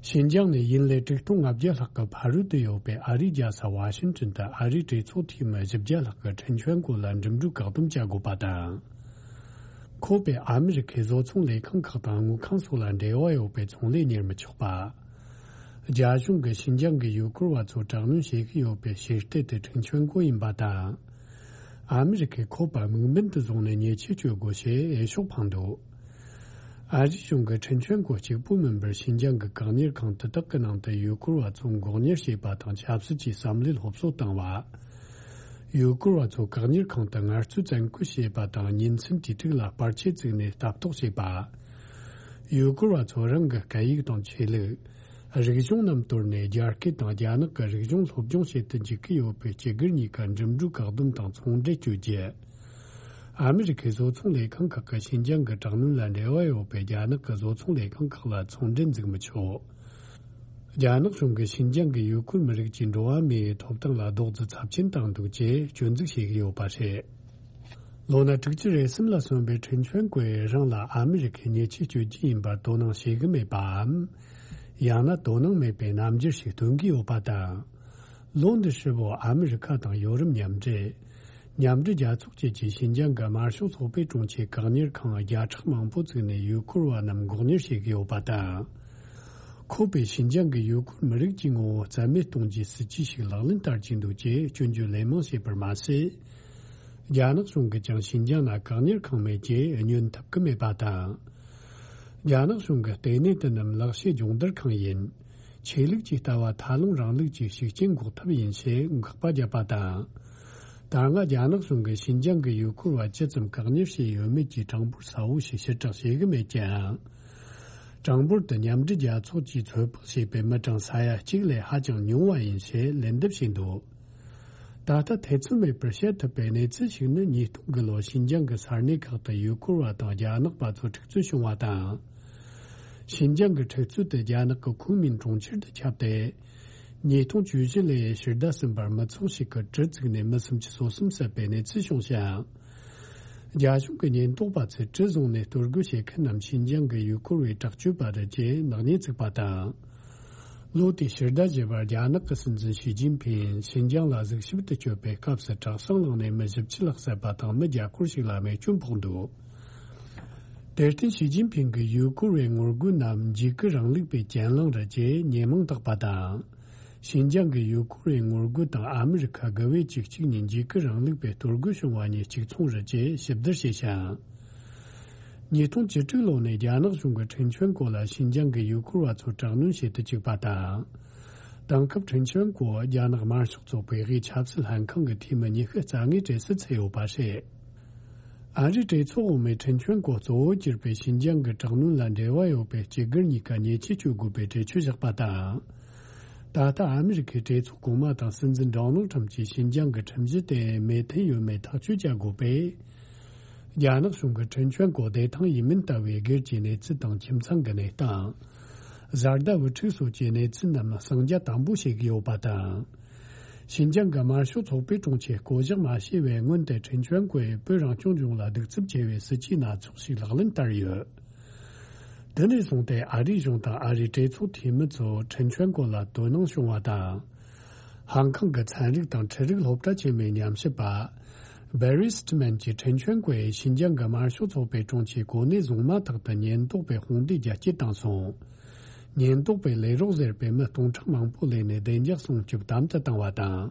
ཤིན་ཅང་ནས་ཡུན་ལས་དྲུག་སྟོང་ལྔ་བརྒྱ་ལྷག་གི་ཕ་རོལ་ཏུ་ཡོད་པའི་ཨ་རིའི་རྒྱལ་ས་ཝ་ཤིང་ཏོན་དུ་ཨ་རིའི་གྲོས་ཚོགས་འཐུས་མི་བཞི་བརྒྱ་ལྷག་གིས་ཁྲིན་ཆོན་གོ་ལ་འགྲིམ་འགྲུལ་བཀག་སྡོམ་བྱ་དགོས་པ་དང་། ཁོ་པས་ཨ་མི་རི་ཁའི་བཟོ་ཚོང་ལས་ཁང་ཁག་དང་དངུལ་ཁང་སོགས་ལ་འབྲེལ་བ་ཡོད་པའི་ཚོང་ལས་གཉེར་མི་ཆོག་པ། རྒྱ་གཞུང་གིས་ཤིན་ཅང་གི་ཡུ་གུར་བ་ཚོ་དྲག་གནོན་བྱེད་ཀྱི་ཡོད་པའི་ཕྱིར་ལྟས་དེ་ཁྲིན་ཆོན་གོ་ཡིན་པ་དང་། ཨ་མི་རི་ཁས་ཁོ་པ་དམིགས་འབེན་དུ་བཟུང་ནས་ཉེས་ཆད་གཅོད་དགོས་ཞེས་འོས་ཤོག་འཕངས་འདུག་ཨ་རིའི་གཞུང་གིས་ཁྲིན་ཆོན་གོ་གཅིག་པུ་མིན་པར་ཤིན་ཅང་གི་བཀག་ཉར་ཁང་དེ་དག་གི་ནང་དུ་ཡུ་གུར་བ་ཚོ་འགོག་ཉར་བྱེད་པ་དང་ཆབ་སྲིད་ཀྱི་བསམ་བློའི་སློབ་གསོ་བཏང་བ། ཡུ་གུར་བ་ཚོ་བཀག་ཉར་ཁང་དུ་ངལ་རྩོལ་བཙན་སྐུལ་བྱེད་པ་དང་ཉིན་མཚན་དུས་དྲུག་ལ་པར་ཆས་བཙུགས་ནས་ལྟ་རྟོག་བྱེད་པ། ཡུ་གུར་བ་ཚོ་རང་གི་སྐད་ཡིག་དང་ཆོས་ལུགས། རིག་གཞུང་རྣམས་དོར་ནས་རྒྱ་སྐད་དང་རྒྱ་ནག་གི་རིག་གཞུང་སློབ་སྦྱོང་བྱེད་དུ་འཇུག་གི་ཡོད་པའི་སྤྱི་སྒེར་གཉིས་ཀ་འགྲིམ་འགྲུལ་བཀག་སྡོམ་དང་ཚོང་འབྲེལ་གཅོད་རྒྱུ། ཨ་མི་རི་ཁའི་བཟོ་ཚོང་ལས་ཁང་ཁག་གིས་ཤིན་ཅང་གི་དྲག་གནོན་ལ་འབྲེལ་བ་ཡོད་པའི་རྒྱ་ནག་གི་བཟོ་ཚོང་ལས་ཁང་ཁག་ལ་ཚོང་འབྲེལ་འཛུགས་མི་ཆོག་རྒྱ་ནག་གཞུང་གིས་ཤིན་ཅང་གི་ཡུ་གུར་མི་རིགས་ཀྱི་འགྲོ་བ་མིའི་ཐོབ་ཐང་ལ་རྡོག་རྫིས་ཚབས་ཆེན་བཏང་འདུག་ཅེས་སྐྱོན་འཛུགས་བྱེད་ཀྱི་ཡོད་པ་རེད། ལོ་ན་དྲུག་ཅུ་རེ་གསུམ་ལ་སོན་པའི་ཁྲིན་ཆོན་ཀོས་རང་ལ་ཨ་མི་རི་ཁའི་ཉེས་ཆད་གཅོད་རྒྱུ་ཡིན་པར་དོ་སྣང་བྱེད་ཀྱི་མེད་པའམ། ཡང་ན་དོ་སྣང་མེད་པའི་རྣམ་འགྱུར་ཞིག་སྟོན་གྱི་ཡོད་པ་དང་། ལོ་འདི་ཧྲིལ་པོ་ཨ་མི་རི་ཁ་དང་ཡོ་རོབ་མཉམ་འབྲེལ། མཉམ་འབྲེལ་རྒྱལ་ཚོགས་བཅས་ཀྱིས་ཤིན་ཅང་གི་དམར་ཤོག་ཚོགས་པའི་དྲུང་ཆེ་བཀག་ཉར་ཁང་བརྒྱ་ཕྲག་མང་པོ་བཙུགས་ནས་ཡུལ་སྐོར་བ་རྣམས་འགོག་ཉར་བྱེད་ཀྱི་ཡོད་པ་དང་། ཁོ་པས་ཤིན་ཅང་གི་ཡུལ་སྐོར་མི་རིགས་ཀྱི་ངོ་བོ་རྩ་མེད་གཏོང་རྒྱུའི་སྲིད་ཇུས་ཤིག་ལག་ལེན་བསྟར་གྱི་འདུག་ཅེས་སྐྱོན་བརྗོད་ལན་མང་བྱས་པར་མ་ཟད། རྒྱ་ནག་གཞུང་གིས་ཀྱང་ཤིན་ཅང་ལ་བཀག་ཉར་ཁང་མེད་ཅེས་བསྙོན་ཐུབ་ཀྱི་མེད་པ་དང་། རྒྱ་ནག་གཞུང་གིས་ལྟེ་གནས་དེ་རྣམས་ལག་ཤེས་སྦྱོང་བརྡར་ཁང་ཡིན། ཆོས་ལུགས་ཀྱི་ལྟ་བ་མཐའ་ལྷུང་རིང་ལུགས་ཀྱི་ཤུགས་རྐྱེན་འགོག་ཐབས་ཡིན་ཞེས་དགག་པ་བརྒྱབ་པ་དང་། ད་སྔ་རྒྱ་ནག་གཞུང་གིས་ཤིན་ཅང་གི་ཡུལ་སྐོར་བ་ཇི་ཙམ་བཀག་ཉར་བྱས་ཡོད་མེད་ཀྱི་གྲངས་འབོར་གསལ་བོ་ཞིག་ཕྱིར་བསྒྲགས་བྱེད་ཀྱི་མེད་ཀྱང་། གྲངས་འབོར་དེ་མཉམ་འབྲེལ་རྒྱལ་ཚོགས་ཀྱིས་ཚོད་དཔག་བྱས་པའི་མི་གྲངས་ས་ཡ་གཅིག་ལས་ཧ་ཅང་ཉུང་བ་ཡིན་ཞེས་ལན་འདེབས་བྱས་འདུག་ད་ལྟ་ཐེ་ཚོམ་མེད་པར་བཤད་ཐུབ་པའི་གནས་ཚུལ་ཞིག་ནི། ཉིས་སྟོང་དགུ་ལོར་ཤིན་ཅང་གི་ས་གནས་ཁག་ཏུ་ཡུལ་སྐོར་བ་དང་རྒྱ་ནག་པ་ཚོ་འཁྲུག་རྩོད་བྱུང་བ་དང་། ཤིན་ཅང་གི་འཁྲུག་རྩོད་དེ་རྒྱ་ནག་གི་ཁུན་མིན་གྲོང་ཁྱེར་དུ་ཁྱབ་སྟེ། ཉིས་སྟོང་བཅུ་བཞི་ལོའི་ཕྱི་ཟླ་གསུམ་པར་མི་ཚོགས་ཤིག་གིས་གྲི་བཙུགས་ནས་མི་སུམ་ཅུ་སོ་གསུམ་བསད་པའི་གནས་ཚུལ་བྱུང་ཞིང་། རྒྱ་གཞུང་གི་ཉེན་རྟོག་པ་ཚོས་གྲི་བཟུང་ནས་གཏོར་རྒོལ་བྱེད་མཁན་རྣམས་ཤིན་ཅང་གི་ཡུལ་སྐོར་བའི་དྲག་སྤྱོད་པ་རེད་ཅེས་ནག་ཉེས་བཙུགས་པ་དང་། ལོ་དེའི་ཕྱི་ཟླ་བཞི་པར་རྒྱ་ནག་གི་སྲིད་འཛིན་ཞི་ཅིན་ཕིང་ཤིན་ཅང་ལ་གཟིགས་ཞིབ་ཏུ་བསྐྱོད་པའི་སྐབས་སུ་དྲག་ཟིང་བསླངས་ནས་མི་བཞི་བཅུ་ལྷག་བསད་པ་དང་མི་བརྒྱ་སྐོར་ཞིག་ལ་རྨས་སྐྱོན་ཕོག་འདུག་དེར་བརྟེན་ཞི་ཅིན་ཕིང་གིས་ཡུལ་སྐོར་བའི་ངོ་རྒོལ་རྣམས་འཇིགས་སྐུལ་རིང་ལུགས་པའི་གྱེན་ལངས་རེད་ཅེས་ཉེས་མིང་བཏགས་པ་དང་། ཤིན་ཅང་གི་ཡུལ་སྐོར་བའི་ངོ་རྒོལ་དང་ཨ་མི་རི་ཁ་དགུ་པའི་བཅུ་གཅིག་ཉིན་འཇིགས་སྐུལ་རིང་ལུགས་པའི་གཏོར་རྒོལ་བྱུང་བ་གཉིས་གཅིག་མཚུངས་རེད་ཅེས་ཞིབ་བསྡུར་བྱས་ཤིང་། ཉིས་སྟོང་བཅུ་དྲུག་ལོ་ནས་རྒྱ་ནག་གཞུང་གིས་ཁྲིན་ཆོན་ཀོ་ལ་ཤིན་ཅང་གི་ཡུལ་སྐོར་བ་ཚོར་དྲག་གནོན་བྱེད་དུ་བཅུག་པ་དང་། དེང་སྐབས་ཁྲིན་ཆོན་ཀོ་རྒྱ་ནག་དམར་ཤོག་ཚོགས་པའི་དབུས་ཆབ་སྲིད་ལྷན་ཁང་གི་འཐུས་མི་ཉི་ཤུ་རྩ་ལྔའི་གྲས་སུ་ཚུད་ཡོད་པ་རེད། ཨ་རིའི་གྲོས་ཚོགས་འོག་མས་ཁྲིན་ཆོན་ཀོ་གཙོ་བོ་གྱུར་པའི་ཤིན་ཅང་གི་དྲག་གནོན་ལ་འབྲེལ་བ་ཡོད་པའི་སྤྱི་སྒེར་གཉིས་ཀ་ཉེས་ཆད་གཅོད་དགོས་པའི་གྲོས་ཆོད་བཞག་པ་དང་། ད་ལྟ་ཨ་མི་རི་ཁའི་གྲོས་ཚོགས་གོང་མ་དང་སྲིད་འཛིན་ཌོ་ནལ་ཁྲམ་གྱིས་ཤིན་ཅང་གི་ཁྲིམས་གཞི་དེ་མོས་མཐུན་ཡོད་མེད་ཐག་གཅོད་བྱ་དགོས་པས། རྒྱ་ནག་གཞུང་གིས་ཁྲིན་ཆོན་ཀོ་བདེ་ཐང་ཡིན་མིན་ལྟ་བུའི་སྒེར་གྱི་གནས་ཚུལ་དང་ཁྱིམ་ཚང་གི་གནས་སྟངས། བཟའ་ཟླ་བུ་ཕྲུག་སོགས་ཀྱི་གནས་ཚུལ་རྣམས་གསང་རྒྱ་དམ་པོ་བྱེད་ཀྱི་ཡོད་པ་དང་། ཤིན་ཅང་གི་དམར་ཤོག་ཚོགས་པའི་དྲུང་ཆེས་བསྐོ་གཞག་མ་བྱས་པའི་སྔོན་དུ་ཁྲིན་ཆོན་ཀོས་བོད་རང་སྐྱོང་ལྗོངས་ལ་གདུག་རྩུབ་ཆེ་བའི་སྲིད་ཇུས་སྣ་ཚོགས་ཤིག་ལག་ལེན་བསྟར་ཡོད། དེ་ནས་བཟུང་སྟེ་ཨ་རིའི་གཞུང་དང་ཨ་རིའི་གྲོས་ཚོགས་འཐུས་མི་ཚོ་ཁྲིན་ཆོན་ཀོ་ལ་དོ་སྣང་བྱུང་བ་དང་། ཧང་ཀང་གི་ཚན་རིག་དང་འཕྲུལ་རིག་སློབ་གྲྭ་ཆེན་མོའི་ཉམས་ཞིབ་པ། བེ་རི་སི་ཏི་མན་གྱིས་ཁྲིན་ཆོན་ཀོས་ཤིན་ཅང་གི་དམར་ཤོག་ཚོགས་པའི་དྲུང་ཆེའི་གོ་གནས་བཟུང་མ་ཐག་ཏུ་ཉེན་རྟོག་པས་དཔུང་སྡེ་རྒྱ་སྐྱེད་བཏང་སོང་། ཉེན་རྟོག་པས་ལས་རོགས་ཟེར་བའི་མི་སྟོང་ཕྲག་མང་པོ་ལས་ནས་བདེ་འཇགས་སྲུང་སྐྱོབ་དམ་དུ་བཏང་བ་དང་།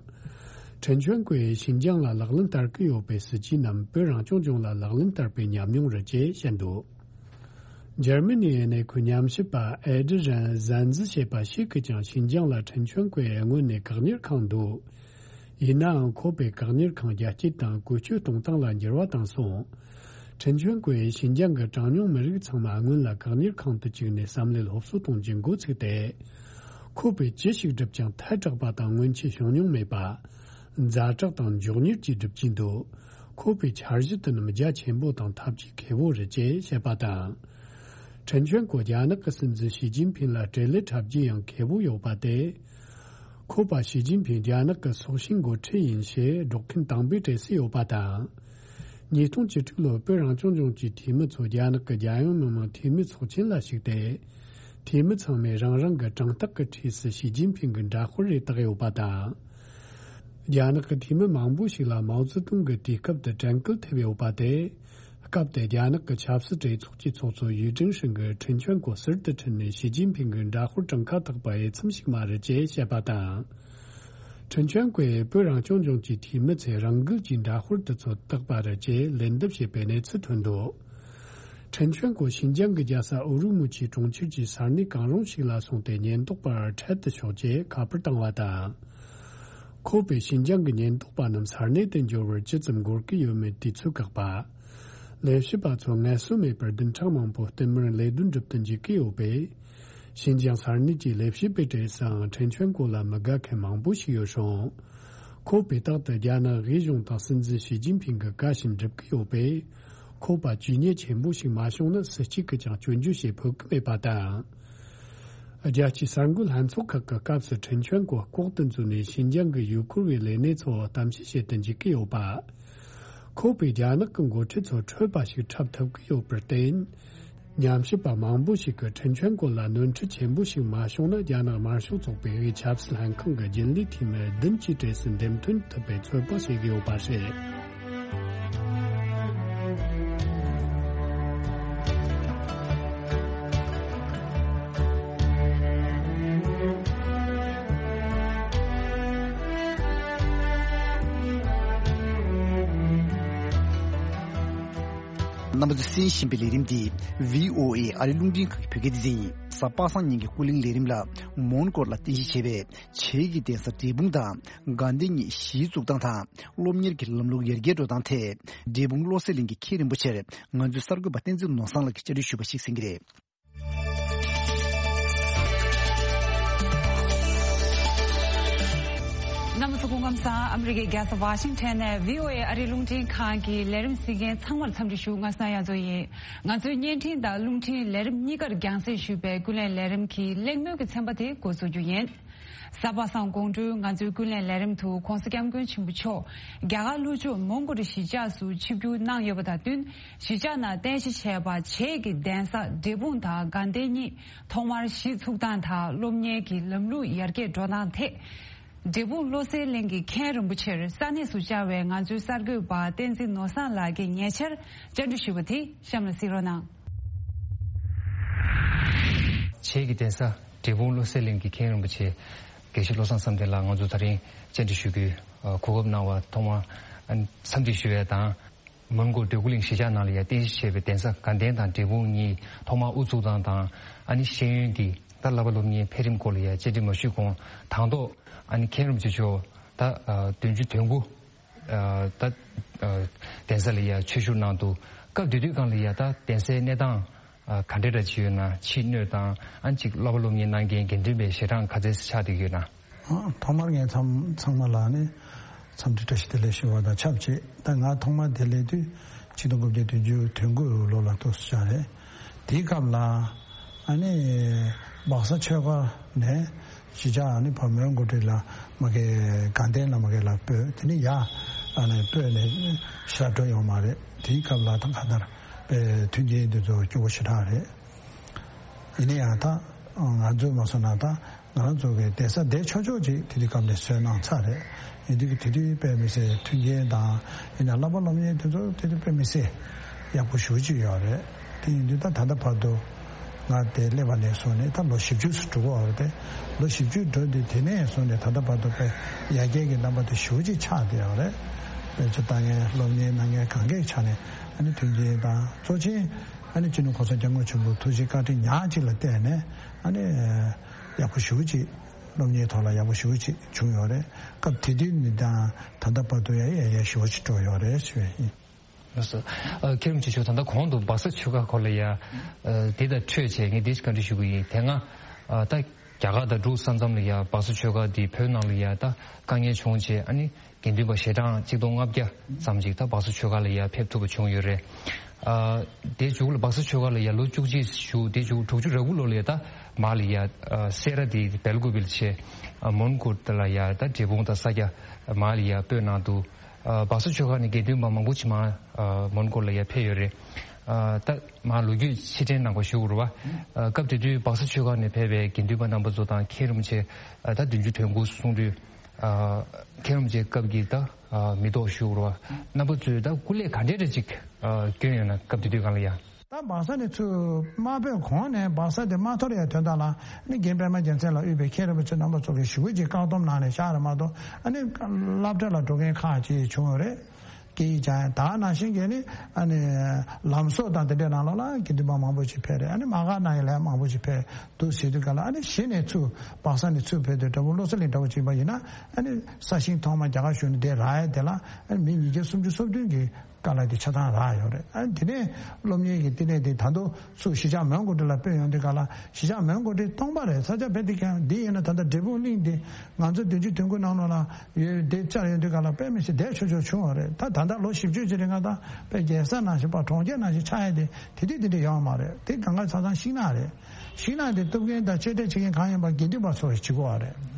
ཁྲིན་ཆོན་ཀོས་ཤིན་ཅང་ལ་ལག་ལེན་བསྟར་གྱི་ཡོད་པའི་སྲིད་ཇུས་རྣམས་བོད་རང་སྐྱོང་ལྗོངས་ལ་ལག་ལེན་བསྟར་བའི་ཉམས་མྱོང་རེད་ཅེས་བཤད་འདུག་འཇར་མ་ནིའི་གནས་འཁོད་ཉམས་ཞིབ་པ་ཨེ་ཌི་རན་ཟན་ཛི་ཞེས་པ་ཞིག་གིས་ཀྱང་ཤིན་ཅང་ལ་ཁྲིན་ཆོན་ཀོས་སྔོན་ནས་བཀག་ཉར་ཁང་འདུག་ཡིན་ནའང་ཁོ་པས་བཀག་ཉར་ཁང་རྒྱ་སྐྱེད་དང་བཀོལ་སྤྱོད་གཏོང་སྟངས་ལ་འགྱུར་བ་བཏང་སོང་། ཁྲིན་ཆོན་ཀོས་ཤིན་ཅང་གི་གྲངས་ཉུང་མི་རིགས་ཚང་མ་སྔོན་ལ་བཀག་ཉར་ཁང་དུ་བཅུག་ནས་བསམ་བློའི་སློབ་གསོ་གཏོང་རྒྱུ་འགོ་ཚུགས་ཏེ། ཁོ་པས་ཅི་ཞིག་བསྒྲུབས་ཀྱང་ཐལ་དྲགས་པ་དང་སྔོན་ཆད་བྱུང་མྱོང་མེད་པ། ཛ་དྲག་དང་མགྱོགས་མྱུར་གྱིས་སྒྲུབ་ཀྱིན་འདུག་ཁོ་པའི་འཆར་གཞི་དེ་རྣམས་རྒྱ་ཆེན་པོ་དང་ཐབས་ཇུས་མཁས་པོ་རེད་ཅེས་བཤད་པ་དང་། ཁྲིན་ཆོན་ཀོ་རྒྱ་ནག་གི་སྲིད་འཛིན་ཞི་ཅིན་ཕིང་ལ་འབྲེལ་ལས་འཁྲབ་རྒྱུ་ཡང་མཁས་པོ་ཡོད་པ་སྟེ། ཁོ་པ་ཞི་ཅིན་ཕིང་རྒྱ་ནག་གི་སྲོག་ཤིང་འགོ་ཁྲིད་ཡིན་ཞེས་སྒྲོག་མཁན་དང་པོའི་གྲས་སུ་ཡོད་པ་དང་། ཉིས་སྟོང་བཅུ་དྲུག་ལོར་བོད་རང་སྐྱོང་ལྗོངས་ཀྱི་འཐུས་མི་ཚོ་རྒྱ་ནག་གི་རྒྱལ་ཡོངས་མི་དམངས་འཐུས་མི་ཚོགས་ཆེན་ལ་ཞུགས་ཏེ། འཐུས་མི་ཚང་མས་རང་རང་གི་གྲངས་རྟགས་ཀྱི་འཁྲིས་སུ་ཞི་ཅིན་ཕིང་གི་འདྲ་དཔར་རེ་བཏགས་ཡོད་པ་དང་། རྒྱ་ནག་གི་འཐུས་མི་མང་པོ་ཞིག་ལ་མའོ་ཙེ་ཏུང་གི་དུས་སྐབས་དེ་དྲན་སྐུལ་ཐེབས་ཡོད་པ་དེ། སྐབས་དེ་རྒྱ་ནག་གི་ཆབ་སྲིད་གྲོས་ཚོགས་ཀྱི་ཚོགས་གཙོ་ཡུས་ཀྲིན་ཧྲིན་གྱིས་ཁྲིན་ཆོན་ཀོ་ཟུར་དུ་ཁྲིད་ནས་ཞི་ཅིན་ཕིང་གི་འདྲ་དཔར་གྲངས་ཀ་བཏགས་པ་འོས་འཚམ་ཞིག་མ་རེད་ཅེས་བཤད་པ་དང་། ཁྲིན་ཆོན་ཀོས་བོད་རང་སྐྱོང་ལྗོངས་ཀྱི་འཐུས་མི་ཚོས་རང་འགུལ་གྱིས་འདྲ་དཔར་དེ་ཚོ་བཏགས་པ་རེད་ཅེས་ལན་འདེབས་བྱས་པའི་གནས་ཚུལ་ཐོན་འདུག་ཁྲིན་ཆོན་ཀོ་ཤིན་ཅང་གི་རྒྱལ་ས་ཨུ་རུ་མུ་ཆིའི་གྲོང་ཁྱེར་གྱི་ས་གནས་གང་རུང་ཞིག་ལ་སོང་སྟེ་ཉེན་རྟོག་པར་འཕྲད་དུ་ཤོག་ཅེས་ཁ་པར་བཏང་བ་དང་། ཁོ་པས་ཤིན་ཅང་གི་ཉེན་རྟོག་པ་རྣམས་ས་གནས་དེ་འབྱོར་བར་ཇི་ཙམ་འགོར་གྱི་ཡོད་མེད་དུས་ཚོད་བཀག་པ། ལས་བྱེད་པ་ཚོ་ངལ་གསོ་མེད་པར་བདུན་ཕྲག་མང་པོ་བསྟུད་མར་ལས་དོན་སྒྲུབ་ཏུ་འཇུག་གི་ཡོད་པས། ཤིན་ཅང་ས་གནས་ཀྱི་ལས་བྱེད་པའི་གྲས་སུའང་ཁྲིན་ཆོན་ཀོ་ལ་མི་དགའ་མཁན་མང་པོ་ཞིག་ཡོད་རུང་། ཁོ་པས་རྟག་ཏུ་རྒྱ་ནག་དབུས་གཞུང་དང་སྲིད་འཛིན་ཞི་ཅིན་ཕིང་གི་བཀའ་བཞིན་སྒྲུབ་ཀྱི་ཡོད་པས། ཁོ་པ་ཇུས་ཉེས་ཆེན་པོ་ཞིག་མ་བྱུང་ན་སུ་གཅིག་གིས་ཀྱང་སྐྱོན་བརྗོད་བྱེད་ཕོད་ཀྱི་མེད་པ་དང་། རྒྱལ་སྤྱིའི་གསར་འགོད་ལྷན་ཚོགས་ཁག་གི་སྐབས་སུ་ཁྲིན་ཆོན་ཀོ་ལྐོག་ཏུ་འཛུལ་ནས་ཤིན་ཅང་གི་ཡུལ་སྐོར་བའི་ལས་གནས་ཚོ་གཏམ་བཤད་བྱེད་དུ་འཇུག་གི་ཡོད་པ། ཁོ་པས་རྒྱ་ནག་གི་འགོ་ཁྲིད་ཚོ་འཕྲོད་པ་ཞིག་འཁྲབ་ཐུབ་ཀྱི་ཡོད་པར་བརྟེན། ཉམས་ཞིབ་པ་མང་པོ་ཞིག་གིས་ཁྲིན་ཆན་ཀོ་ལ་ནོར་འཁྲུལ་ཆེན་པོ་ཞིག་མ་བྱུང་ན། རྒྱ་ནག་དམར་ཤོག་ཚོགས་པའི་ཆབ་སྲིད་ལྷན་ཁང་གི་རྒྱུན་ལས་འཐུས་མི་བདུན་གྱི་གྲས་སུ་འདེམས་ཐོན་ཐུབ་པའི་ཚོད་དཔག་བྱེད་ཀྱི་ཡོད་པ་རེད། རྣམ་པ་ཚོས་གསན་བཞིན་པའི་ལས་རིམ་འདི་བྷི་ཨོ་ཨེ་ཨ་རིའི་རླུང་འཕྲིན་ཁང་གི་བོད་སྐད་སྡེ་ཚན་ཡིན། གཟའ་པ་སངས་ཉིན་གྱི་ཀུན་གླེང་ལས་རིམ་ལ་མོན་གྷོ་ལ་རྟེན་གཞི་བྱས་པའི་བྱེས་ཀྱི་གདན་ས་འབྲས་སྤུངས་དང་དགའ་ལྡན་གཉིས་གཞིས་བཙུགས་སྟངས་དང་། སློབ་གཉེར་གྱི་ལམ་ལུགས་ཡར་རྒྱས་འགྲོ་སྟངས་ཐད། འབྲས་སྤུངས་བློ་གསལ་གླིང་གི་མཁན་རིན་པོ་ཆེར་ང་ཚོའི་གསར་འགོད་པ་བསྟན་འཛིན་ནོར་བཟང་ལགས་ཀྱིས་བཅར་འདྲི་ཞུས་པ་ཞིག་གསན་གྱི་རེད། རྣམ་པ་ཚོ་སྐུ་ཁམས་བཟང་། ཨ་མི་རི་ཀའི་རྒྱལ་ས་ཝ་ཤིང་ཊོན་ནས་བྷི་ཨོ་ཨེ་ཨ་རིའི་རླུང་འཕྲིན་ཁང་གི་ལས་རིམ་གཟིགས་མཁན་ཚང་མར་འཚམས་འདྲི་ཞུ། ང་སྣང་ཡ་མཚོ་ཡིན། ང་ཚོའི་བརྙན་འཕྲིན་དང་རླུང་འཕྲིན་ལས་རིམ་གཉིས་ཀར་རྒྱང་སྲིང་ཞུས་པའི་ཀུན་གླེང་ལས་རིམ་གྱི་གླེང་མོལ་གྱི་ཚན་པ་དེ་འགོ་འཛུགས་རྒྱུ་ཡིན། གཟའ་པ་སངས་དགོང་དྲོའི་ང་ཚོའི་ཀུན་གླེང་ལས་རིམ་དུ་༧གོང་ས་༧སྐྱབས་མགོན་ཆེན་པོ་མཆོག་རྒྱ་གར་ལྷོ་ཕྱོགས་མོན་གྷོ་རི་གཞིས་ཆགས་སུ་ཆིབས་བསྒྱུར་གནང་ཡོད་པ་དང་བསྟུན། གཞིས་ཆགས་ནང་རྟེན་གཞི་བྱས་པ་བྱེས་ཀྱི་གདན་ས་འབྲས་སྤུངས་དང་དགའ་ལྡན་གཉིས་ཐོག་མར་གཞིས་ཚུགས་སྟངས་དང་སློབ་གཉེར་གྱི་ལམ་ལུགས་ཡར་རྒྱས་འགྲོ་སྟངས་ཐད། འབྲས་སྤུངས་བློ་གསལ་གླིང་གི་མཁན་རིན་པོ་ཆེར་ས་གནས་སུ་བཅར་བའི་ང་ཚོའི་གསར་འགོད་པ་བསྟན་འཛིན་ནོར་བཟང་ལགས་ཀྱིས་ཉེ་ཆར་བཅར་འདྲི་ཞུས་པ་དེ་གཤམ་ལ་གཟིགས་རོགས་གནང་། བྱེས་ཀྱི་གདན་ས་འབྲས་སྤུངས་བློ་གསལ་གླིང་གི་མཁན་རིན་པོ་ཆེ་དགེ་བཤེས་བློ་བཟང་བསམ་གཏན་ལགས་ང་ཚོ་ད་རིང་བཅར་འདྲི་ཞུ་རྒྱུའི་གོ་སྐབས་གནང་བར་ཐོག་མར་འཚམས་འདྲི་ཞུ་ཡས་དང་། མོན་གྷོ་འབྲས་སྤུངས་གླིང་གཞིས་ཆགས་ནང་ལ་ཡང་རྟེན་གཞི་བྱས་པའི་གདན་ས་དགའ་ལྡན་དང་འབྲས་སྤུངས་གཉིས་ཐོག་མར་དབུ་བཙུགས་སྟངས་དང་། ཨ་ནི་ཤེས་ཡོན་གྱི་ད་བསླབ་པ་སློབ་གཉེར་འཕེལ་རིམ་སྐོར་ལ་ཡང་བཅར་འདྲི་མ་ཞུས་གོང་དང་ཐོག་ཨ་ནི་མཁན་རིན་པོ་ཆེ་མཆོག་ད་བདུན་ཅུ་དོན་དགུ་ད་གདན་ས་ལ་ཡང་ཆོས་ཞུགས་གནང་འདུག་སྐབས་དེ་དུས་སྒང་ལ་ཡང་ད་གདན་སའི་གནས་སྟངས་ག་འདྲ་འདྲ་ཅིག་ཡོད་ན། ཕྱི་སྣོད་དང་ཨ་ནི་ཅིག་བསླབ་པ་སློབ་གཉེར་གནང་མཁན་དགེ་འདུན་པའི་ཞལ་གྲངས་ག་ཚད་ཆགས་བསྡད་ཀྱི་ཡོད་ན། ཨ། ཐོག་མར་ངས་ཚང་ཚང་མ་ལ་ནི་འཚམས་འདྲི་བཀྲ་ཤིས་བདེ་ལེགས་ཞུ་བ་དང་ཆབས་ཅིག་ད་ང་ཐོག་མར་དེ་སླེབས་དུས་ཆིག་སྟོང་དགུ་བརྒྱ་བདུན་ཅུ་དོན་དགུ་ལོ་ལ་ཐུག་སོང་རེད། དེའི་སྐབས་ལ་ཨ་ནི་སྦག་ས་ཆོས་སྒར་ནས་གཞིས་ཆགས་ཨ་ནི་ཕ་མོན་གྷོ་ཊི་ལ་མ་གི་དགའ་ལྡན་ལ་མ་གི་ལ་སྤོས། དེ་ནི་ཡ་ཨ་ནི་སྤོས་ནས་ཤར་འགྲོ་ཡོང་མ་རེད། དེའི་སྐབས་ལ་ད་ག་ནར་པའི་མཐུན་རྐྱེན་དེ་ཚོ་སྐྱོ་བོ་ཞེ་དྲག་རེད། ཡིན་ན་ཡང་ད་ང་ཚོས་མ་སོང་ན་ད་ང་རང་ཚོ་གི་གདན་ས་བསྡད་ཆོག་ཆོག་ཅིག་དེ་དུས་སྐབས་ནས་བཟོས་གནང་ཚར་རེད། ཡིན་དུས་ཀྱི་དེ་དུས་དཔེ་མི་སྲིད་མཐུན་རྐྱེན་དང་ཡིན་ན་བསླབ་པ་སློབ་གཉེར་དེ་ཚོ་དེ་དུས་དཔེ་མི་སྲིད་ཡག་པོ་ཞེ་པོ་ཅིག་ཡོད་རེད། དེ་ཡིན་དུས་ད་ད་ལྟ་བར་དུ་ང་དེ་སླེབས་པ་ནས་བཟུང་ནས་ད་ལོ་བཞི་བཅུ་ཙམ་འགྲོ་གི་ཡོད་རེད་དེ། ལོ་བཞི་བཅུ་འགྲོ་དུས་དེ་ནས་བཟུང་ནས་ད་ལྟ་བར་དུ་དཔེ་ཡར་རྒྱས་ཀྱི་རྣམ་པ་དེ་ཞེ་པོ་ཅིག་ཆགས་བསྡད་ཡོད་རེད། དཔེ་ཆ་ལྟ་མཁན་སློབ་གཉེར་གནང་མཁན་གང་གའི་ཆ་ནས་ཨ་ནི་མཐུན་རྐྱེན་དང་གཙོ་ཆེན་ཨ་ནི་སྤྱི་ནོར་གོང་ས་སྐྱབས་མགོན་ཆེན་པོའི་ཐུགས་རྗེ་བཀའ་དྲིན་ཉག་གཅིག་ལ་བརྟེན་ནས་ཨ་ནི་ཡག་པོ་ཞེ་པོ་ཅིག་སློབ་གཉེར་ཐོག་ལ་ཡག་པོ་ཞེ་པོ་ཅིག་བྱུང་ཡོད་རེད། སྐབས་དེ་དུས་ནས་དང་ད་ལྟ་བར་དུ་ཡང་ཡར་རྒྱས་ཞེ་པོ་ཅིག་འགྲོ་ཡོད་རེད་ཞུ་ཡས་ཡིན། ལགས་སོ། ཨ། མཁན་རིན་པོ་ཆེ་མཆོག་ད་ལྟ་གོང་དུ་སྦག་ས་ཆོས་སྒར་སྐོར་ལ་ཡ། ཨ། དེ་དང་འཕྲོས་བྱས་ངས་འདི་ཞིག་བཀའ་འདྲི་ཞུ་གི་ཡིན། དེ་སྔ་ཨ་ད་རྒྱ་གར་དང་འབྲུག་ས་མཚམས་ལ་ཡ་སྦག་ས་ཆོས་སྒར་འདི་བོད་ནང་ལ་ཡ་ད་དཀའ་ངལ་བྱུང་བྱས་ཨ་ནི་དགེ་འདུན་པ་ཞལ་གྲངས་ཆིག་སྟོང་ལྔ་བརྒྱ་ཙམ་ཅིག་ད་སྦག་ས་ཆོས་སྒར་ལ་ཡ་ཕེབས་ཐུབ་པ་བྱུང་ཡོད་རེད། ཨ། དེའི་མཇུག་ལ་སྦག་ས་ཆོས་སྒར་ལ་ཡ་ལོ་བཅུ་གཅིག་བཞུགས། དེའི་མཇུག་དྲུག་ཅུ་རེ་དགུ་ལོ་ལ་ཡ་ད་མར་ལ་ཡ་ཨ་སེ་ར་དེ་སྦེལ་ཀོབ་ལ་བྱས། ཨ། མོན་གྷོ་ལ་ཡ་ད་འབྲས་སྤུངས་དང་ས་སྐྱ་མར་ལ་ཡ་སྤོས་གནང་འདུག་ཨ། སྦག་ས་ཆོས་སྒར་ནས་དགེ་འདུན་པ་མང་པོ་ཅིག་མར་ཨ་མོན་གྷོ་ལ་ཡ་ཕེབས་ཡོད་རེད། ཨ། ད་མར་ལོ་རྒྱུས་ཕྱིར་དྲན་གནང་དགོས་ཞུ་དགོས་རེད་བ། ཨ། སྐབས་དེ་དུས་སྦག་ས་ཆོས་སྒར་ནས་ཕེབས་པའི་དགེ་འདུན་པ་རྣམ་པ་ཚོ་དང་མཁན་རིན་པོ་ཆེ་ཨ་ད་བདུན་ཅུ་དོན་དགུ་གསུང་དུས། ཨ། མཁན་རིན་པོ་ཆེ་སྐབས་ཀྱི་ད་ཨ་མི་ཐོག་ཞུ་དགོས་རེད་བ། རྣམ་པ་ཚོས་ད་སྐུ་ལས་ག་འདྲས་འདྲ་ཅིག་ཨ་བསྐྱོན་ཡོད་ན་སྐབས་དེ་དུས་སྒང་ལ་ཡ། ད་སྦག་ས་ནས་ཚུར་མ་སྤོས་གོང་ནས་སྦག་ས་དེ་མ་འཐོར་ཡ་དོན་དག་ལ་ནི་རྒན་པད་མ་རྒྱལ་མཚན་ལ་དབུས་པའི་མཁན་རིན་པོ་ཆེ་རྣམ་པ་ཚོ་གིས་ཞེ་པོ་ཅིག་བཀག་སྡོམ་གནང་ནས་བཞག་རེད་མ་གཏོགས་ཨ་ནི་སློབ་གྲྭ་ལ་འགྲོ་མཁན་ཁག་ཅིག་བྱུང་ཡོད་རེད། སྐད་ཡིག་སྦྱང་ཡ་ད་ནང་བཞིན་གྱི་ནི་ཨ་ནི་ལམ་བཟོ་དང་དེ་འདྲའི་ནང་ལོགས་ལ་དགེ་འདུན་པ་མང་པོ་ཅིག་ཕེབས་རེད། ཨ་ནི་མ་ག་ནང་ཡ་ལས་མང་པོ་ཅིག་ཕེབས་འདུག་ཟེར་དུས་ག་ལ་ཨ་ནི་གཞི་ནས་ཚུར་སྦག་ས་ནས་ཚུར་ཕེབས་དུས་འདྲ་པོ་བློ་གསལ་གླིང་འདྲ་པོ་ཅིག་ཡིན་པ་ཡིན་ན་ཨ་ནི་ས་ཞིང་ཐོག་མ་རྒྱ་གར་གཞུང་ནས་དེ་རག་ཡ་དེ་ལ་ཨ་ནི་མི་ཉིས་བརྒྱ་སུམ་ཅུ་སོ་བདུན་གྱི་དཀའ་ལས་དེ་ཆ་ཚང་རག་ཡོད་རེད། ཨ་ནི་དེ་ནས་སློབ་གཉེར་གྱི་བསྟི་གནས་དེ་ད་དུང་ཚུར་གཞིས་ཆགས་མོན་གྷོ་ཊི་ལ་སྤོས་ཡོང་དུས་ག་ལ་གཞིས་ཆགས་མོན་གྷོ་ཊི་སྟོང་པ་རེད། ས་ཆ་དཔེ་དེ་གང་འདི་ཡིན་ན་ད་ལྟ་འབྲས་སྤུངས་གླིང་འདི་ང་ཚོ་བདུན་ཅུ་དོན་དགུ་ནང་ལོགས་ལ་ཡོད་དེ་བཅར་ཡོང་དུས་ག་ལ་དཔེ་མི་སྲིད་བསྡད་ཆོག་ཆོག་བྱུང་བ་རེད། ད་ད་ལྟ་ལོ་བཞི་བཅུ་ཅིག་རིང་ང་ད་དཔེ་རྒྱལ་ས་ནང་བཞིན་པ་གྲོང་ཁྱེར་ནང་བཞིན་ཆགས་ཡ་དེ་དེ་དུས་དེ་འདྲ་ཡོང་བ་མ་རེད། དེ་གང་ག་ཆ་ཚང་ཤིང་ནགས་རེད། ཤིང་ནགས་དེ་གཏུབ་མཁན་དང་གཅོད་འབྲེག་བྱེད་མཁན་གང་ཡིན་པ་དགེ་འདུན་པ་ཚོ་བྱེད་དགོས་བ་རེད།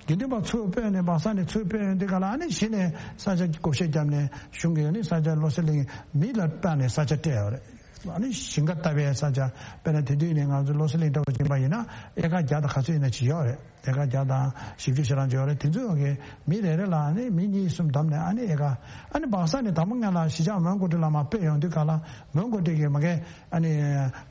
དགེ་འདུན་པ་ཚུར་སྤོས་ནས་སྦག་ས་ནས་ཚུར་སྤོས་ཡོང་དུས་ག་ལ། ཨ་ནི་གཞི་ནས་ས་ཆ་བགོ་བཤའ་བརྒྱབ་ནས་གཞུང་གིས་ཨ་ནི་ས་ཆ་བློ་གསལ་གླིང་མི་ལ་སྤྲད་ནས་ས་ཆ་སྤྲད་ཡོད་རེད། ཨ་ནི་ཞིང་ཁ་བཏབ་པའི་ས་ཆ། དཔེར་ན་དེ་དུས་ནས་ང་ཚོ་བློ་གསལ་གླིང་འདྲ་བོ་ཡིན་པ་ཡིན་ན་ཨེ་ཀར་བརྒྱ་དང་ག་ཚོད་ཡིན་ན་ཅིག་ཡོད་རེད། ཨེ་ཀར་བརྒྱ་དང་བཞི་བཅུ་ཞེ་གྲངས་ཅིག་ཡོད་རེད། དེ་ཚོའི་འོག་གི་མི་རེ་རེ་ལ་ཨ་ནི་མི་གཉིས་གསུམ་བསྡོམས་ནས་ཨ་ནི་ཨེ་ཀར། ཨ་ནི་སྦག་ས་ནས་དང་པོ་ཉིད་ལ་གཞིས་ཆགས་མོན་གྷོ་ཊི་ལ་མར་སྤོས་ཡོང་དུས་ག་ལ། མོན་གྷོ་ཊི་གི་མ་གི་ཨ་ནི་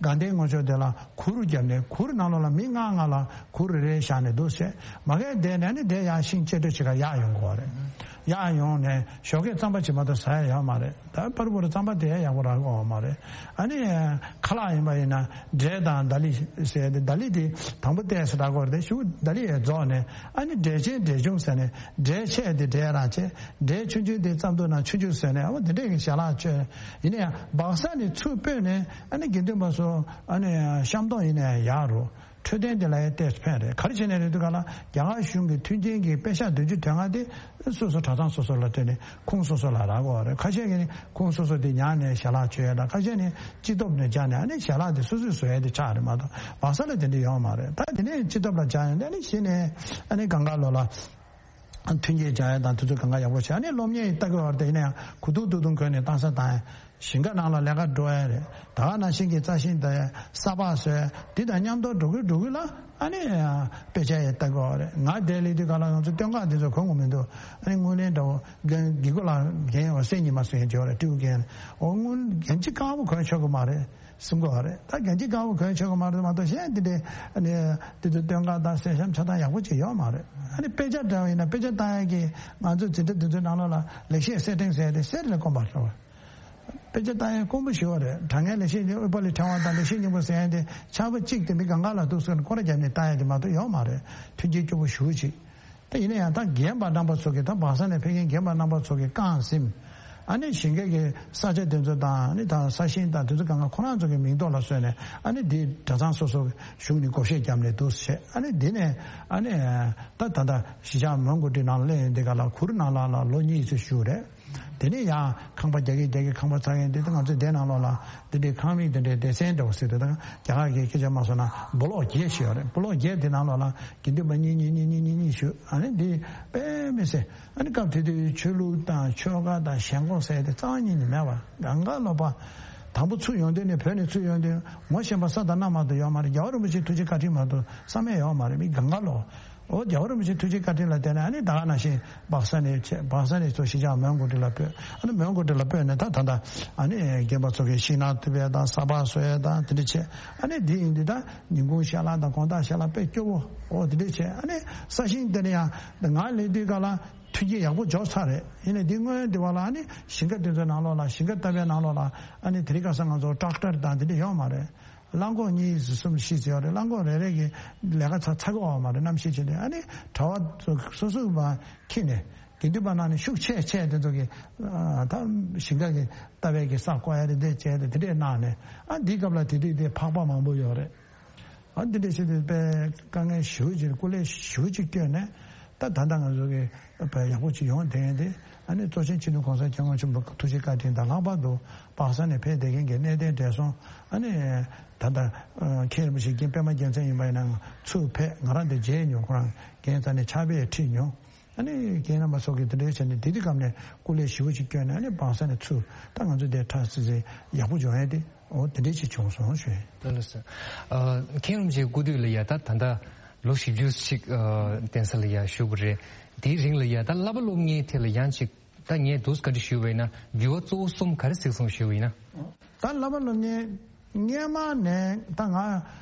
དགའ་ལྡན་ངོ་ཕྱོགས་དེ་ལ་གུར་བརྒྱབ་ནས། གུར་ནང་ལོགས་ལ་མི་ལྔ་ལྔ་ལ་གུར་རེ་རེ་བཞག་ནས་འདུག་ཟེར། མ་གི་དེ་ནས་ཨ་ནི་དེ་ཡར་ཤིང་གཅལ་འགྲོ་བྱེད་གར་ཡར་ཡོང་དགོས་རེད། ཡར་ཡོང་ནས་ཞོགས་ཀས་རྩམ་པ་ཅིག་མ་གཏོགས་ཟ་ཡ་ཡོད་མ་རེད། ད་པར་པོར་རྩམ་པ་དེ་ཡག་པོ་རག་གི་ཡོད་མ་རེད། ཨ་ནི་ཁ་ལག་ཡིན་པ་ཡིན་ན་འབྲས་དང་དྷ་ལི་ཟེར་ཏེ། དྷ་ལི་དེ་དང་པོ་ཏོག་ཙམ་རག་གི་ཡོད་རེད། དེ་གཞུག་དྷ་ལི་ཡང་རྫོགས་ནས། ཨ་ནི་འབྲས་ཆེ་འབྲས་ཆུང་ཟེར་ནས། འབྲས་ཆེ་དེ་འབྲས་རང་བྱས། འབྲས་ཆུང་ཆུང་དེ་རྩམ་ཐུག་ནང་ཆུང་ཆུང་བཟོས་ནས། འོ་དེ་འདྲས་ཀྱི་ཞལ་ལག་མཆོད། ཡིན་ན་ཡང་སྦག་ས་ནས་ཚུར་སྤོས་ནས་ཨ་ནི་དགེ་འདུན་པ་ཚོ་ཨ་ནི་ཤམ་སྟོང་ཡིན་ན་ཡང་ཡག་རུ། འཕྲོད་བསྟེན་དེ་ལ་ཡང་ཏོག་ཙམ་ཕན་རེད། ག་རེ་བྱས་ནས་རེད་འདུག་ག་ལ། རྒྱ་གར་གཞུང་གི་མཐུན་རྐྱེན་གྱི་པེ་ཤག་བདུན་ཅུ་དོན་ལྔ་དེ་སོ་སོ་གྲྭ་ཚང་སོ་སོ་ལ་སྤྲད་ནས་ཁོངས་སོ་སོ་ལ་རག་གི་ཡོད་རེད། ཁ་ཤས་ཀྱིས་ནི་ཁོངས་སོ་སོ་དེ་ཉར་ནས་ཞལ་ལག་མཆོད་ཡ་དང་། ཁ་ཤས་ནི་སྤྱི་ཐོག་ནས་སྦྱར་ནས་ཨ་ནི་ཞལ་ལག་དེ་སོ་སོས་བཟོ་ཡ་དེ་ཆགས་རེད་མ་གཏོགས། སྦག་ས་ལ་དེ་འདྲ་ཡོད་མ་རེད། ད་དེ་ནས་སྤྱི་ཐོག་ལ་སྦྱར་ཡ་དེ་ཨ་ནི་གཞི་ནས་ཨ་ནི་གང་ག་ལོ་ལ། མཐུན་རྐྱེན་སྦྱར་ཡ་དང་དེ་ཚོ་གང་ག་ཡག་པོ་བྱས། ཨ་ནི་སློབ་གཉེར་ལྟ་གི་ཡོད་རེད། དེ་ཡིན་ན་ཡང་གུ་ཐུག་ཐུག་ཐུག་གོན་ནས་བཏང་ས་བཏང་ཡ། ཞིང་ཁ་ནང་ལ་ལས་ཀ་འགྲོ་ཡ་རེད། ད་ག་ནང་བཞིན་གྱི་རྩྭ་ཤིང་དང་ས་ཕག་བཟོས། དེ་དང་མཉམ་དུ་འགྲོ་གི་འགྲོ་གི་ལ་ཨ་ནི་དཔེ་ཆ་ཡང་ལྟ་གི་ཡོད་རེད། ང་དེ་སླེབས་དུས་ག་ལ་ང་ཚོ་སྟོད་འགག་དེ་ཚོ་གོན་དགོས་མི་འདུག་ཨ་ནི་དངུལ་ལེན་འདྲ་བོ་རྒན་དགེ་སྐོས་ལགས་རྒན་ཡོད་སེམས་ཉི་མ་ཟེར་མཁན་ཅིག་ཡོད་རེད། སྤྲེའུ་རྒན། འོ་དངུལ་རྒན་གཅིག་དཀར་པོ་གོན་ཆོག་གི་མ་རེད། གསུང་གི་ཡོད་རེད། ད་རྒན་གཅིག་དཀར་པོ་གོན་ཆོག་གི་མ་རེད་མ་གཏོགས། གཞན་དེ་འདྲའི་ཨ་ནི་དེ་ཚོ་སྟོད་འགག་དང་གསེར་ཤམ་ཆ་ཚང་ཡག་པོ་ཅིག་ཡོད་མ་རེད། ཨ་ནི་དཔེ་ཆ་འདྲ་བ་ཡིན་ན་དཔེ་ཆ་ལྟ་ཡ་གི་ང་ཚོ་འཛིན་གྲྭ་དེ་ཚོའི་ནང་ལོགས་ལ་ལེགས་བཤད་གསེར་ཕྲེང་ཟེར་ཏེ་གསེར་ལས་དཀོན་པ་རེད་བ། དཔེ་ཆ་ལྟ་ཡ་དཀོན་པོ་ཞེ་པོ་རེད། དྲང་ངེས་ལེགས་བཤད་ཨུཏྤ་ལའི་ཕྲེང་བ་དང་ལེགས་བཤད་སྙིང་པོ་ཟེར་ཡ་དེ་ཆར་པ་གཅིག་དེ་མི་གང་ག་ལ་འདུག་ཟེར་ནས་སྐོར་ར་བརྒྱབ་ནས་ལྟ་ཡ་དེ་མ་གཏོགས་ཡོད་མ་རེད། མཐུན་རྐྱེན་སྐྱོ་པོ་ཞེ་པོ་ཅིག་ད་ཡིན་ན་ཡང་ད་རྒན་པ་རྣམ་པ་ཚོ་གིས། ད་སྦག་ས་ནས་ཕེབས་མཁན་རྒན་པ་རྣམ་པ་ཚོ་གིས་རྐང་ཟིན། ཨ་ནི་ཞིང་ཁའི་གི་ས་ཆ་དེ་ཚོ་དང་། ཨ་ནི་ད་ས་ཞིང་དང་དེ་ཚོ་གང་ག་ཁོ་རང་ཚོ་གི་མིང་ཐོག་ལ་བཟོས་ནས། ཨ་ནི་འདི་གྲྭ་ཚང་སོ་སོ་གཞུང་ནས་བགོ་བཤའ་བརྒྱབ་ནས་འདུག་བྱས། ཨ་ནི་འདི་ནས་ཨ་ནི་ད་ད་ལྟ་གཞིས་ཆགས་མོན་གྷོ་ཊི་ནང་ལ་སླེབས་ཡོང་དུས་ག་ལ་གུར་ནང་ལ་ལ་ལོ་གཉིས་ཙམ་བཞུགས་རེད། དེ་ནས་ཡང་ཁང་པ་རྒྱག་གིན་རྒྱག་གིན་ཁང་པ་ཚར་ཡོང་དུས། ད་ང་ཚོའི་སྡེ་ནང་ལོགས་ལ་འདི་འདྲའི་ཁང་མིག་འདི་འདྲའི་སྡེ་ཚན་འདྲ་བོ་ཟེར་དུས། ད་རྒྱ་གར་གྱི་སྐད་ཆ་མ་སོང་ན་སྦོ་ལོག་བརྒྱད་ཞིག་ཡོད་རེད། སྦོ་ལོག་བརྒྱད་དེ་ནང་ལོགས་ལ་དགེ་འདུན་པ་གཉིས་གཉིས་གཉིས་གཉིས་གཉིས་གཉིས་བཞུགས། ཨ་ནི་འདི་དཔེ་མི་སྲིད། ཨ་ནི་སྐབས་དེ་དུས་ཆོས་ལུགས་དང་ཆོལ་ཁ་དང་ཞེན་ཁོག་ཟེར་དེ་རྩ་བ་ཉིད་ནས་མེད་པ། གང་ག་ལོག་པ། དང་པོ་ཚུར་ཡོང་དུས་ནས། བོད་ནས་ཚུར་ཡོང་དུས་ངོ་ཤེས་པ་ས་དང་གནམ་མ་གཏོགས་ཡོད་མ་རེད། རྒྱལ་བ་རིན་པོ་ཆེའི་ཐུགས་རྗེ་བཀའ་དྲིན་མ་གཏོགས་བསམ་ཡས་ཡོད་མ་རེད། མི་གང་ག་ལོག་འོ་རྒྱལ་བ་རིན་པོ་ཆེའི་ཐུགས་རྗེ་བཀའ་དྲིན་ལ་བརྟེན་ནས། ཨ་ནི་ད་ག་ནང་བཞིན་སྦག་ས་ནས་བྱས། སྦག་ས་ནས་ཚུར་གཞིས་ཆགས་མོན་གྷོ་ཊི་ལ་སྤོས། ཨ་ནི་མོན་གྷོ་ཊི་ལ་སྤོས་ནས་ད་ད་ལྟ་ཨ་ནི་རྒན་པ་ཚོ་གིས་ཤིང་ནགས་གཏུབ་ཡས་དང་ས་ཕག་བཟོ་ཡས་དང་དེ་འདྲ་བྱས། ཨ་ནི་འདི་ཡིན་དུས་ད་ཉིན་གུང་ཞལ་ལག་དང་དགོང་དག་ཞལ་ལག་དཔེ་སྐྱོ་བོ། འོ་དེ་འདྲ་བྱས། ཨ་ནི་ས་ཞིང་དེ་ནས་ཡང་ང་སླེབས་དུས་ག་ལ་མཐུན་རྐྱེན་ཡག་པོ་འཇོག་ཚར་རེད། ཡིན་ནའི་འདི་སྔོན་དེ་བ་ལ་ཨ་ནི་ཞིང་ཁ་དེ་ཚོའི་ནང་ལོགས་ལ། ཞིང་ཁ་བཏབ་པའི་ནང་ལོགས་ལ་ཨ་ནི་དེ་རིང་ཁ་སང་ང་ཚོ་ཊེག་ཊར་དང་དེ་འདྲ་ཡོད་མ་རེད། རླངས་འཁོར་གཉིས་གསུམ་བཞི་ཙམ་ཡོད་རེད། རླངས་འཁོར་རེ་རེ་གིས་ལས་ཀ་ཚར་ཚར་གི་ཡོད་མ་རེད། གནམ་གཤིས་ཆེ་དུས། ཨ་ནི་གྲྭ་པ་ཚོ་སོ་སོ་མར་འཁྱེར་ནས། དགེ་འདུན་པ་ནང་ནས་ཤུགས་ཆེ་ཆེ་དེ་ཚོ་གིས་ཨ་ད་ཞིང་ཁ་གི་ལྟ་བའི་གི་ས་བརྐོ་ཡ་རེད། དེ་བྱས་ཏེ་དེ་འདྲས་གནང་ནས། ཨ་འདིའི་སྐབས་ལ་དེ་དུས་དེ་ཕག་པ་མང་པོ་ཡོད་རེད། ཨ་འདི་འདྲས་བྱས་ཏེ་དཔེ་དཀའ་ངལ་ཞེ་པོ་ཅིག་སྐུ་ལས་ཞེ་པོ་ཅིག་བསྐྱོན་ནས། ད་ད་ལྟ་ང་ཚོ་གི་དཔེ་ཡག་པོ་ཅིག་ཡོང་བསྡད་མཁན་དེ། ཨ་ནི་གཙོ་ཆེན་སྤྱི་ནོར་༸གོང་ས་༸སྐྱབས་མགོན་ཆེན་པོའི་ཐུགས་རྗེ་བཀའ་དྲིན་དང་། ལྷག་པར་དུ་སྦག་ས་ནས་ཕེབས་བསྡད་མཁན་གྱི་གནས་བརྟན་བགྲེས་སོང་། ཨ་ནི་ད་ལྟ་མཁན་རིན་པོ་ཆེ་རྒན་པད་མ་རྒྱལ་མཚན་ཡིན་པ་ཡིན་ན་ཚུར་ཕེབས། ང་རང་དེ་མཇལ་མྱོང་། ཁོ་རང་རྒན་རྩ་ནས་ཕྱག་དཔེ་ཁྲིད་མྱོང་། ཨ་ནི་རྒན་རྣམ་པ་ཚོ་གིས་དེ་འདྲའི་བྱས་ནས་དེ་དུས་སྐབས་ནས་སྐུ་ལས་ཞེ་པོ་ཅིག་བསྐྱོན་ནས། ཨ་ནི་སྦག་ས་ནས་ཚུར་ད་ང་ཚོ་དེ་ཁྲ་སིལ་སིལ་ཡག་པོ་བྱུང་ཡ་དེ། འོ་དེ་འདྲའི་ཅིག་བྱུང་སོང་ཞུ་ཡིན། ལགས་སོ། ཨ་མཁན་རིན་པོ་ཆེའི་སྐུ་དུས་ལ་ཡ་ད་ད་ལྟ་ལོ་བཞི་བཅུ་ཞིག་ཨ་གདན་ས་ལ་ཡ་བཞུགས་པ་རེད། དེའི་རིང་ལ་ཡ་ད་བསླབ་པ་སློབ་གཉེར་ཐད་ལ་ཡང་ཅིག་ད་ངས་འདུག་བཀའ་འདྲི་ཞུས་པ་ཡིན་ན། འགྱུར་བ་གཙོ་བོ་གསུམ་ག་རེ་གཟིགས་སོང་ཞུས་པ་ཡིན་ན། ད་བསླབ་པ་སློབ་གཉེར་སྔས་མ་ནས་ད་ང་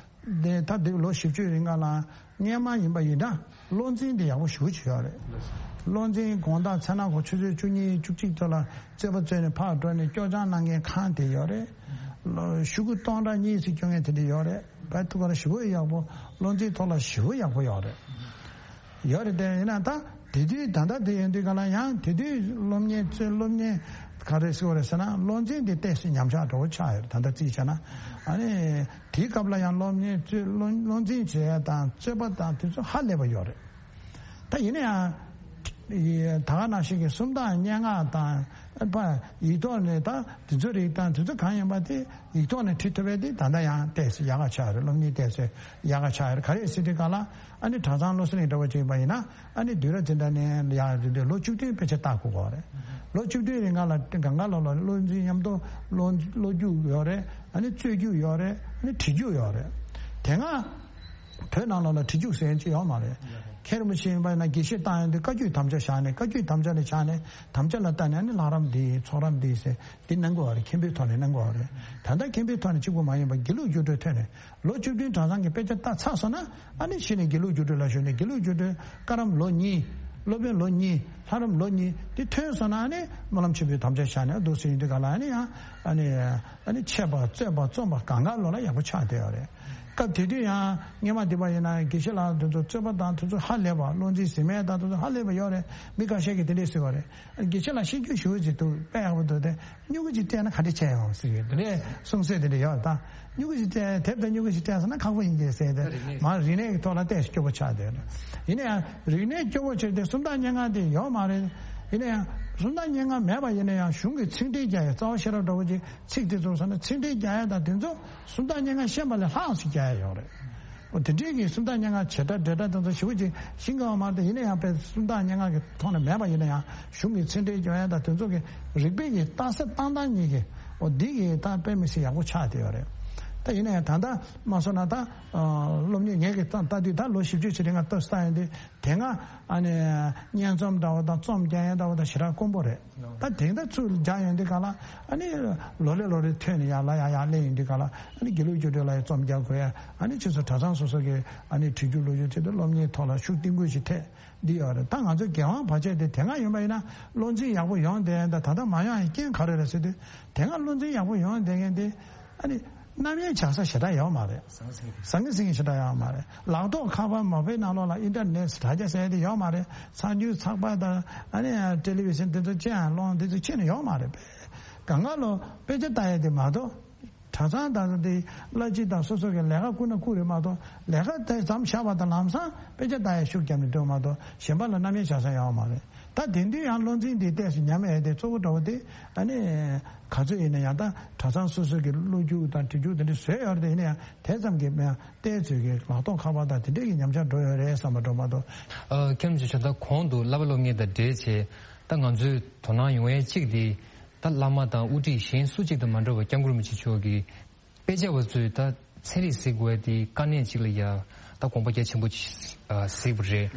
དེ་ད་དེ་ལོ་བཞི་བཅུའི་རིང་ག་ལ་སྔས་མ་ཡིན་པ་ཡིན་ན། བློ་འཛིན་དེ་ཡག་པོ་ཞེ་པོ་ཅིག་ཡོད་རེད། བློ་འཛིན་དགོང་དག་མཚན་ནག་གོ་ཆུ་ཚོད་བཅུ་གཉིས་བཅུ་གཅིག་ཙམ་ལ་རྩོད་པ་རྩོད་ནས་ཕར་འགྲོ་ནས་སྐྱོར་སྦྱང་གནང་མཁན་ཁང་དེ་ཡོད་རེད། ལོ་ཤོག་གུ་སྟོང་ཕྲག་གཉིས་ཙམ་སྐྱོར་མཁན་དེ་འདྲ་ཡོད་རེད། བལ་ཐུག་ག་ལ་ཞེ་པོ་ཡག་པོ། བློ་འཛིན་ཐོག་ལ་ཞེ་པོ་ཡག་པོ་ཡོད་རེད། ཡོད་རེད་དེ། ཡིན་ན་ད་དེ་དུས་ད་ལྟ་དེ་ཡིན་དུས་ག་ལ་ཡང་དེ་དུས་སློབ་གཉེར་རྩོད། སློབ་གཉེར་ག་རེ་ཟེར་བ་རེད་ཟེར་ན། བློ་འཛིན་དེ་ཏོག་ཙམ་ཉམས་ཆག་འགྲོ་ཆགས་ཡོད་རེད། ད་ལྟ་རྩིས་བྱས་ན། ཨ་ནི་དེའི་སྐབས་ལ་ཡང་སློབ་གཉེར་རྩོད། བློ་བློ་འཛིན་བྱེད་ཡ་དང་རྩོད་པ་དང་དེ་ཚོ་ཧ་ལས་པ་ཡོད་རེད། ད་ཡིན་ན་ཡང་ད་ག་ནང་བཞིན་གྱི་སུམ་རྟགས་སྙན་ངག་དང་ པ་ཡིག་ཐོག་ནས་ད་དེ་ཚོ་རིགས་དང་དེ་ཚོ་གང་ཡིན་པ་དེ་ཡིག་ཐོག་ནས་བྲིས་ཐུབ་པ་དེ་ད་ལྟ་ཡང་ཏོག་ཙམ་ཡག་ག་ཆགས་རེད། སློབ་གཉེར་ཏོག་ཙམ་ཡག་ག་ཆགས་རེད། ག་རེ་ཟེར་དུས་ག་ལ་ཨ་ནི་གྲྭ་ཚང་བློ་གསལ་གླིང་འདྲ་བོ་ཅིག་ཡིན་པ་ཡིན་ན་ཨ་ནི་དུས་རབས་འཛིན་གྲྭ་ནས་ཡར་དེ་འདྲའི་ལོ་བཅུ་བདུན་དཔེ་ཆ་ལྟ་དགོས་ཀྱི་རེད། ལོ་བཅུ་བདུན་རིང་ག་ལ་གང་ག་ལོ་ལ་བློ་འཛིན་མཉམ་དུ་བློ་བློ་རྒྱུགས་ཡོད་རེད། ཨ་ནི་རྩོད་རྒྱུགས་ཡོད་རེད། ཨ་ནི་བྲིས་རྒྱུགས་ཡོད་རེད། དེ་སྔ་བོད་ནང་ལོགས་ལ་བྲིས་རྒྱུགས་ཟེར་མཁན་ཅིག་ཡོད་མ་རེད། མཁན་རིན་པོ་ཆེ་ཡིན་པ་ཡིན་ན་དགེ་བཤེས་བཏང་ཡོང་དུས་བཀའ་བརྒྱུད་དམ་བཅའ་བཞག་ནས། བཀའ་བརྒྱུད་དམ་བཅའ་ལ་བཞག་ནས། དམ་བཅའ་ལ་བལྟས་ནས་ཨ་ནི་ལྷ་རམས་འདི་ཚོགས་རམས་འདི་ཟེར་འདི་གནང་དགོས་པ་རེད། མཁན་པོའི་ཐོག་ནས་གནང་དགོས་པ་རེད། ད་ལྟ་མཁན་པོའི་ཐོག་ནས་གཅིག་པུ་མ་ཡིན་པར་དགེ་ལུགས་རྒྱུགས་སྤྲོད་ཐོག་ནས་ལོ་བཅུ་བདུན་གྲྭ་ཚང་གི་དཔེ་ཆ་ལྟ་ཚར་སོང་ན་ཨ་ནི་གཞི་ནས་དགེ་ལུགས་རྒྱུགས་སྤྲོད་ལ་ཞུགས་ནས། དགེ་ལུགས་རྒྱུགས་སྤྲོད་བཀའ་རམས་ལོ་གཉིས། སློབ་དཔོན་ལོ་གཉིས། ལྷ་རམས་ལོ་གཉིས་འདི་ཐོན་སོང་ན་ཨ་ནི་སྨོན་ལམ་ཆེན་པོའི་དམ་བཅའ་བཞག་ནས་འདུག་སེ་ཡིན་དུས་ག་ལ་ཨ་ནི་ཡང་ཨ་ནི་ཨ་ནི་འཆད་པ་རྩོད་པ་རྩོམ་པ་གང་ག་ལོ་ལ་ཡག་པོ་ཆགས་བསྡད་ཡོད་རེད། སྐབས་དེ་དུས་ཡང་སྔོན་མ་དེ་པ་ཡིན་ན་དགེ་བཤེས་ལགས་དེ་ཚོ་རྩོད་པ་དང་དེ་ཚོ་ཧ་ལས་པ། བློ་འཛིན་ཟིན་མེད་དང་དེ་ཚོ་ཧ་ལས་པ་ཡོད་རེད། མི་ཁ་ཤས་ཀྱིས་དེ་འདྲས་ཟེར་བ་རེད། དགེ་བཤེས་ལགས་ཤེས་རྒྱུ་ཞེ་པོ་ཅིག་འདུག་དཔེ་ཡག་པོ་འདུག་སྟེ། སྨྱུ་གུ་ཅིག་སྤྲད་ན་ག་འདྲ་བྱས་ཡོང་ཟེར་གྱི་དེ་འདྲས་གསུང་སྲོལ་དེ་འདྲ་ཡོད། ད་སྨྱུ་གུ་ཅིག་སྤྲད། དེབ་དང་སྨྱུ་གུ་ཅིག་སྤྲད་སོང་ན་ཁག་པོ་ཡིན་གྱི་ཟེར་ཏེ། མར་རིག་གནས་ཀྱི་ཐོག་ལ་ཏོག་ཙམ་སྐྱོ་པོ་ཆགས་བསྡད་ཡོད། ཡིན་ན་ཡང་རིག་གནས་སྐྱོ་པོ་བྱས་ཏེ་སུམ་རྟགས་སྙན་ངག་དེ་ཡོད་མ་རེད། ཡིན་ན་ཡང་སུམ་རྟགས་སྙན་ངག་མེད་པ་ཡིན་ན་ཡང་གཞུང་གི་ཚིག་འགྲེལ་རྒྱག་ཡ། རྩ་བ་ཤེས་རབ་འདྲ་བོ་ཅིག་ཚིག་དེ་ཚོ་སོང་ན་ཚིག་འགྲེལ་རྒྱག་ཡ་དང་དེ་ཚོ་སུམ་རྟགས་སྙན་ངག་ཤེས་པ་ལས་ལྷག་ཙམ་རྒྱག་ཡ་ཡོད་རེད། འོ་དེ་འདྲའི་གི་སུམ་རྟགས་སྙན་ངག་བྱེད་སྒྲ་འགྲེལ་སྒྲ་དེ་ཚོ་ཞེ་པོ་ཅིག་ཤེས་ཀྱི་ཡོད་མ་རེད། ཡིན་ན་ཡང་དཔེ་སུམ་རྟགས་སྙན་ངག་གི་ཐོག་ནས་མེད་པ་ཡིན་ན་ཡང་གཞུང་གི་ཚིག་འགྲེལ་སྐྱོན་ཡ་དང་དེ་ཚོ་གི་རིག་པའི་གི་རྟགས་གསལ་བཏང་སྟངས་གཉིས་ཀྱི་འོ་འདི་གི་ད་དཔེ་མི་སྲིད་ཡག་པོ་ཆགས་བསྡད་ཡོད་རེད། ད་ཡིན་ན་ཡང་ད་ལྟ་མ་སོང་ན་ད་སློབ་གཉེར་ངས་གི་ལྟ་ལྟ་དུས་ད་ལོ་བཞི་བཅུ་ཞིག་རིང་ང་ལྟ་ལྟ་ཡོང་དུས་དེ་སྔ་ཨ་ནི་སྙན་རྩོམ་འདྲ་བོ་དང་རྩོམ་རྒྱག་ཡ་འདྲ་བོ་དང་ཞེ་དྲག་དཀོན་པོ་རེད། ད་དེང་ད་ཚུར་རྒྱག་ཡོང་དུས་ག་ལ་ཨ་ནི་ལོ་རེ་ལོ་རེ་ཐོན་ནས་ཡར་ལ་ཡར་ཡར་སླེབས་ཡོང་དུས་ག་ལ་ཨ་ནི་དགེ་ལུགས་རྒྱུགས་སྤྲོད་ལ་ཡང་རྩོམ་རྒྱག་དགོས་ཡ། ཨ་ནི་ཁྱེད་ཚོ་གྲྭ་ཚང་སོ་སོ་གི་ཨ་ནི་བྲིས་རྒྱུགས་ཀློག་རྒྱུགས་ཆེད་དུ་སློབ་གཉེར་ཐོག་ལ་ཤུགས་བཏིང་དགོས་ཞིག་ཐེབས་འདི་ཡོད་རེད། ད་ང་ཚོ་རྒྱལ་དབང་བར་ཆད་དེ་དེ་སྔ་ཡིན་པ་ཡིན་ན་བློ་འཛིན་ཡག་པོ་ཡོང་བསྡད་ཡོད། ད་ད་ལྟ་མ་ཡོང་ཡ་རྐྱེན་ག་རེ་རེད་ཟེར་དུས་དེ་སྔ་བློ་འཛིན་ཡག་པོ་ཡོང་བསྡད་མཁན་དེ་ཨ་ནི་རྣམ་གཡེང་བྱ་ས་ཞེ་དྲག་ཡོད་མ་རེད། ཟང་ངེ་ཟིང་ངེ་ཞེ་དྲག་ཡོད་མ་རེད། ལག་ཐོག་ཁ་པར་མོ་བེལ་ནང་ལོགས་ལ་ཨིན་ཊར་ནེཊ་དྲ་རྒྱ་ཟེར་ཡ་དེ་ཡོད་མ་རེད། ཚགས་འཇུག་ཚགས་པར་དང་ཨ་ནི་ཊེ་ལི་བི་ཤན་དེ་ཚོ་ཅི་ཡང་སློང་དེ་ཚོ་ཁྱེར་ནས་ཡོད་མ་རེད། པས་གང་ག་ལོ་དཔེ་ཆ་ལྟ་ཡ་དེ་མ་གཏོགས། གྲྭ་ཚང་དང་དེ་བླ་སྤྱི་དང་སོ་སོ་གི་ལས་ཀ་བསྐུར་ན་བསྐུར་རེད་མ་གཏོགས། ལས་ཀ་དེ་མཚམས་བཞག་པ་དང་ལམ་སང་དཔེ་ཆ་ལྟ་ཡ་ཤུགས་བརྒྱབ་ནས་འགྲོ་མ་གཏོགས་གཞན་པ་ལ་རྣམ་གཡེང་བྱ་ས་ཡོད་མ་རེད། ད་དེང་དུས་ཡང་བློ་འཛིན་འདི་ཏོག་ཙམ་ཉམས་ཡས་དེ་གཙོ་བོ་འདྲ་བོ་དེ་ཨ་ནི་ག་ཚོད་ཡིན་ན་ཡང་ད་གྲྭ་ཚང་སོ་སོ་གི་གློག་རྒྱུག་དང་བྲིས་རྒྱུག་དེ་འདྲ་བཟོས་ཡོད་རེད། དེ་ཡིན་ན་ཡང་དེ་ཙམ་གྱིས་མེད་ཡང་ཏོག་ཙམ་གྱི་ལག་ཐོག་ཁ་པར་དང་དེ་འདྲས་ཀྱི་ཉམས་ཆག་འགྲོ་ཡོད་རེད་བསམ་པ་འགྲོ་མ་གཏོགས། ཨ། ཁྱེད་རྣམ་ཚོས་ད་གོང་དུ་བསླབ་པ་སློབ་གཉེར་དང་འབྲེལ་བྱས་ད་ང་ཚོའི་དོ་སྣང་ཡོང་ཡས་གཅིག་དེ། ད་བླ་མ་དང་དབུ་ཁྲིད་གཞན་སུ་གཅིག་དང་མ་འདྲ་བར་སྐྱབས་མགོན་རིན་པོ་ཆེ་མཆོག་གིས་དཔེ་ཆ་བ་ཚོས་ད་ཚན་རིག་གཟིགས་དགོས་དེ་དཀའ་གནད་ཅིག་ལ་ཡ་ད་དགོངས་པ་རྒྱ་ཆེན་པོ་ཅིག་ཨ་གཟིགས་པ་རེད།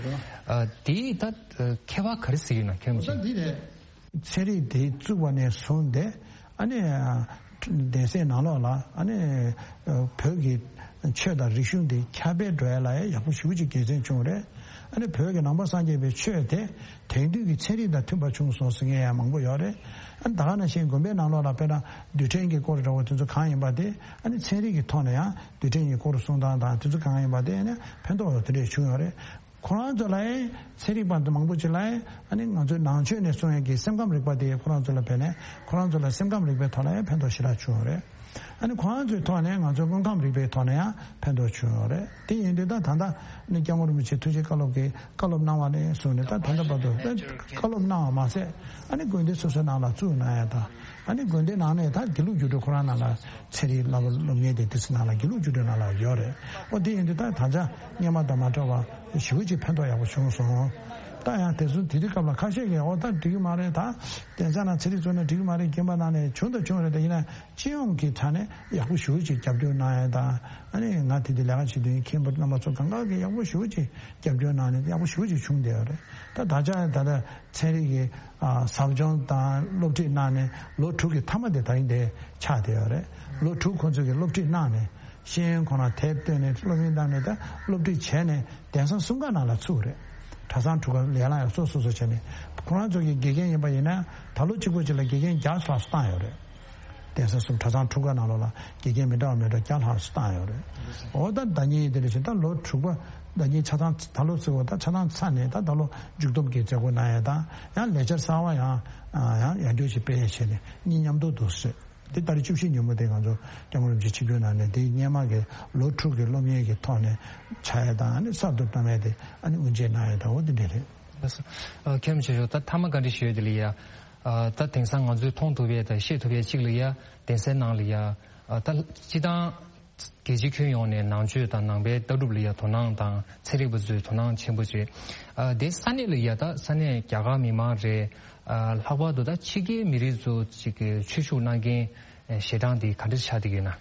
ཨ་དེས་ད་ཁྱད་པར་ག་རེ་གཟིགས་ཡོད་ན་ཁྱོད་རང་ཚོས། འོ་ད་འདི་རེད། ཚན་རིག་དེ་བཙུགས་པ་ནས་བཟུང་སྟེ་ཨ་ནི་གདན་སའི་ནང་ལོགས་ལ་ཨ་ནི་བོད་ཀྱི་ཆོས་དང་རིག་གཞུང་དེ་ཁྱབ་སྤེལ་འགྲོ་ཡ་ལ་ཡ་ཡག་པོ་ཞེ་པོ་ཅིག་དགེ་མཚན་བྱུང་རེད། ཨ་ནི་བོད་ཀྱི་ནང་པ་སངས་རྒྱས་པའི་ཆོས་དེ་དེང་དུས་ཀྱི་ཚན་རིག་དང་མཐུན་པ་བྱུང་སོང་ཟེར་མཁན་ཡང་མང་པོ་ཡོད་རེད། ཨ་ནི་ད་ག་ནང་བཞིན་དགོན་པའི་ནང་ལོགས་ལ་དཔེར་ན་རྡུལ་ཕྲན་གྱི་སྐོར་འདྲ་བོ་དེ་ཚོ་གང་ཡིན་པ་དེ་ཨ་ནི་ཚན་རིག་གི་ཐོག་ནས་ཡང་རྡུལ་ཕྲན་གྱི་སྐོར་གསུང་སྟངས་དང་དེ་ཚོ་གང་ཡིན་པ་དེ་ཨ་ནི་ཕན་ཐོགས་དེ་འདྲས་བྱུང་ཡོད་རེད། ཁོ་རང་ཚོ་ལ་ཡང་ཚན་རིག་པ་མང་པོ་ཅིག་ལ་ཡང་ཨ་ནི་ང་ཚོའི་ནང་ཆོས་ནས་གསུང་ཡག་གི་སེམས་ཁམས་རིག་པ་དེ་ཁོ་རང་ཚོ་ལ་ཕན་ནས་ཁོ་རང་ཚོ་ལ་སེམས་ཁམས་རིག་པའི་ཐོག་ལ་ཡང་ཕན་ཐོགས་ཞེ་དྲག་བྱུང་ཡོད་རེད། ཨ་ནི་ཁོ་རང་ཚོའི་ཐོག་ནས་ང་ཚོའི་དངོས་ཁམས་རིག་པའི་ཐོག་ནས་ཡང་ཕན་ཐོགས་བྱུང་ཡོད་རེད། དེ་ཡིན་དུས་ད་ད་ལྟ་ནི་སྐྱབས་མགོན་རིན་པོ་ཆེ་ཐུགས་རྗེ་བཀའ་སློབ་ཀྱི་བཀའ་སློབ་གནང་བ་ནས་བཟུང་ནས་ད་ད་ལྟ་བར་དུ་བཀའ་སློབ་གནང་བ་མ་ཟད་ཨ་ནི་དགོན་སྡེ་སོ་སོའི་ནང་ལ་བཙུགས་གནང་ཡ་དང་། ཨ་ནི་དགོན་སྡེ་ནང་ནས་ད་དགེ་ལུགས་རྒྱུགས་སྤྲོད་ཁོ་རང་ནང་ལ་ཚན་རིག་བསླབ་པ་སློབ་གཉེར་དེ་དེ་ཚོ་ནང་ལ་དགེ་ལུགས་རྒྱུགས་སྤྲོད་ནང་ལ་ཡོད་རེད། ཨོ་དེ་ཡིན་དུས་ད་ད་ཆ་སྔོན་མ་དང་མ་འདྲ་བ་ཞེ་པོ་ཅིག་ཕན་ཐོགས་ཡག་པོ་བྱུང་སོང་། ད་ཡང་དེ་ཚོ་དེ་དུས་སྐབས་ལ་ཁ་ཤས་ཀྱིས་ཨོ་ད་འགྲིག་གི་མ་རེད། ད་གདན་ས་ནང་ཚན་རིག་བཙུགས་ན་འགྲིག་གི་མ་རེད། རྒན་པ་ནང་ནས་བྱུང་དང་བྱུང་རེད། ད་ཡིན་ན་སྤྱི་ཡོངས་ཀྱི་ཆ་ནས་ཡག་པོ་ཞེ་པོ་ཅིག་རྒྱབ་སྐྱོར་གནང་ཡ་དང་། ཨ་ནི་ང་དེ་དུས་ལས་ཀ་བྱེད་དུས་མཁན་པོ་རྣམ་པ་ཚོ་གང་ག་གིས་ཡག་པོ་ཞེ་པོ་ཅིག་རྒྱབ་སྐྱོར་གནང་ནས་ཡག་པོ་ཞེ་པོ་ཅིག་བྱུང་བསྡད་ཡོད་རེད། ད་ད་ཆ་ད་ལྟ་ཚན་རིག་གི་ཨ་ཟབ་སྦྱོང་དང་སློབ་ཁྲིད་གནང་ནས་ལོ་དྲུག་གི་མཐའ་མ་དེ་ད་རིང་དེ་ཆགས་བསྡད་ཡོད་རེད། ལོ་དྲུག་ཁོང་ཚོས་ཀྱི་སློབ་ཁྲིད་གནང་ནས་ཤེས་ཡོན་ཁོ་ན་དེབ་བཏོན་ནས་སློབ་ཡོན་བཏང་ནས་ད་སློབ་ཁྲིད་བྱས་ནས་གདན་ས་གསུམ་ཀ་ནང་ལ་ཚུགས་རེད། གྲྭ་ཚང་དྲུག་ཀ་ལས་སླ་ཡག་སོ་སོ་སོ་བྱས་ནས་ཁོ་རང་ཚོ་གི་དགེ་རྒན་ཡིན་པ་ཡིན་ན་ད་ལོ་གཅིག་པོ་གཅིག་ལ་དགེ་རྒན་བརྒྱ་ལྷག་ཙམ་བཏང་ཡོད་རེད། གདན་ས་གསུམ་གྲྭ་ཚང་དྲུག་ཀ་ནང་ལོགས་ལ་དགེ་རྒན་མི་འདྲ་བ་མི་འདྲ་བརྒྱ་ལྷག་ཙམ་བཏང་ཡོད་རེད། འོ་ད་ཟླ་ཉིན་དེ་འདྲ་བཞིན་ད་ལོ་དྲུག་པ་ཟླ་ཉིན་ཆ་ཚང་ད་ལོ་ཚུགས་པ་ད་ཆ་ཚང་ཚར་ནས་ད་ད་ལོ་མཇུག་བསྡོམས་ཀྱི་མཛད་སྒོ་གནང་ཡས་དང་ཡང་ལས་འཆར་གསར་བ་ཡང་ཡང་ཡང་བསྐྱར་ཅིག་སྤེལ་ཡས་བྱས་ནས་གཉིས་མཉམ་དུ་འདུག་སེ། དེ་ཏ་རིག་བཅུ་བཞི་ཉིན་མོ་དེ་ང་ཚོ་སྐྱབས་མགོན་རིན་པོ་ཆེ་ཆིབས་བསྒྱུར་གནང་ནས་དེའི་སྔོན་མ་གི་ལོ་དྲུག་གི་སློབ་གཉེར་གྱི་ཐོག་ནས་ཕྱག་ཡས་དང་ཨ་ནི་གསར་དུ་བཏང་ཡས་དེ་ཨ་ནི་དབུ་འབྱེད་གནང་ཡས་དང་འོ་དེ་འདྲ་རེད། ལགས་སོ། ཨ། མཁན་རིན་པོ་ཆེ་མཆོག་ད་མཐའ་མ་བཀའ་འདྲི་ཞུ་ཡས་དེ་ལ་ཡ། ཨ་ད་དེང་སང་ང་ཚོས་མཐོང་ཐུབ་པའི་དང་ཤེས་ཐུབ་པའི་གཅིག་ལ་ཡ་གདན་སའི་ནང་ལ་ཡ་ཨ་ད་སྤྱི་བཏང་རྒྱལ་སྤྱིའི་ཁྱོན་ཡོངས་ནས་ནང་ཆོས་དང་ནང་པའི་ལྟ་གྲུབ་ལ་ཡ་དོ་སྣང་དང་ཚན་རིག་པ་ཚོས་དོ་སྣང་ཆེན་པོ་བྱེད། ཨ་དེ་ས་གནས་ལ་ཡ་ད་ས་གནས་རྒྱ་གར་མི་མང་རེད། ཨ་ལྷག་པར་དུ་ད་ཕྱི་རྒྱལ་མི་རིགས་ཚོ་ཅིག་གི་ཆོས་ཞུགས་གནང་མཁན་ཞལ་གྲངས་དེ་ག་འདྲ་ཆགས་བསྡད་ཡོད་ན།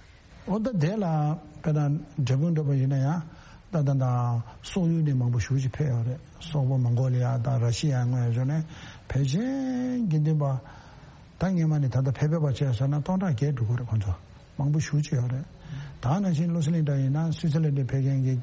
འོ་ད་དེ་ལ་དཔེར་ན་འབྲས་སྤུངས་འདྲ་པོ་ཡིན་ན་ཡང་ད་ད་ད་སོག་ཡུལ་ནས་མང་པོ་ཞེ་ཅིག་ཕེབས་ཡོད་རེད། སོག་པོ་མོང་གོ་ལི་ཡ་དང་ར་ཤི་ཡ་སྔོན་ཡོད་ནས་ཕལ་ཆེར་དགེ་འདུན་པ་ད་སྔོན་མ་ནས་ད་ལྟ་ཕེབས་ཕེབས་པ་བྱས་ཟེར་ན་སྟོང་ཕྲག་བརྒྱད་འགྲོ་གི་རེད། ཁོང་ཚོ་མང་པོ་ཞེ་ཅིག་ཡོད་རེད། ད་ནང་བཞིན་བློ་གསལ་གླིང་འདྲ་ཡིན་ན་སུའི་ཙི་ལན་ནས་ཕེབས་མཁན་གྱི་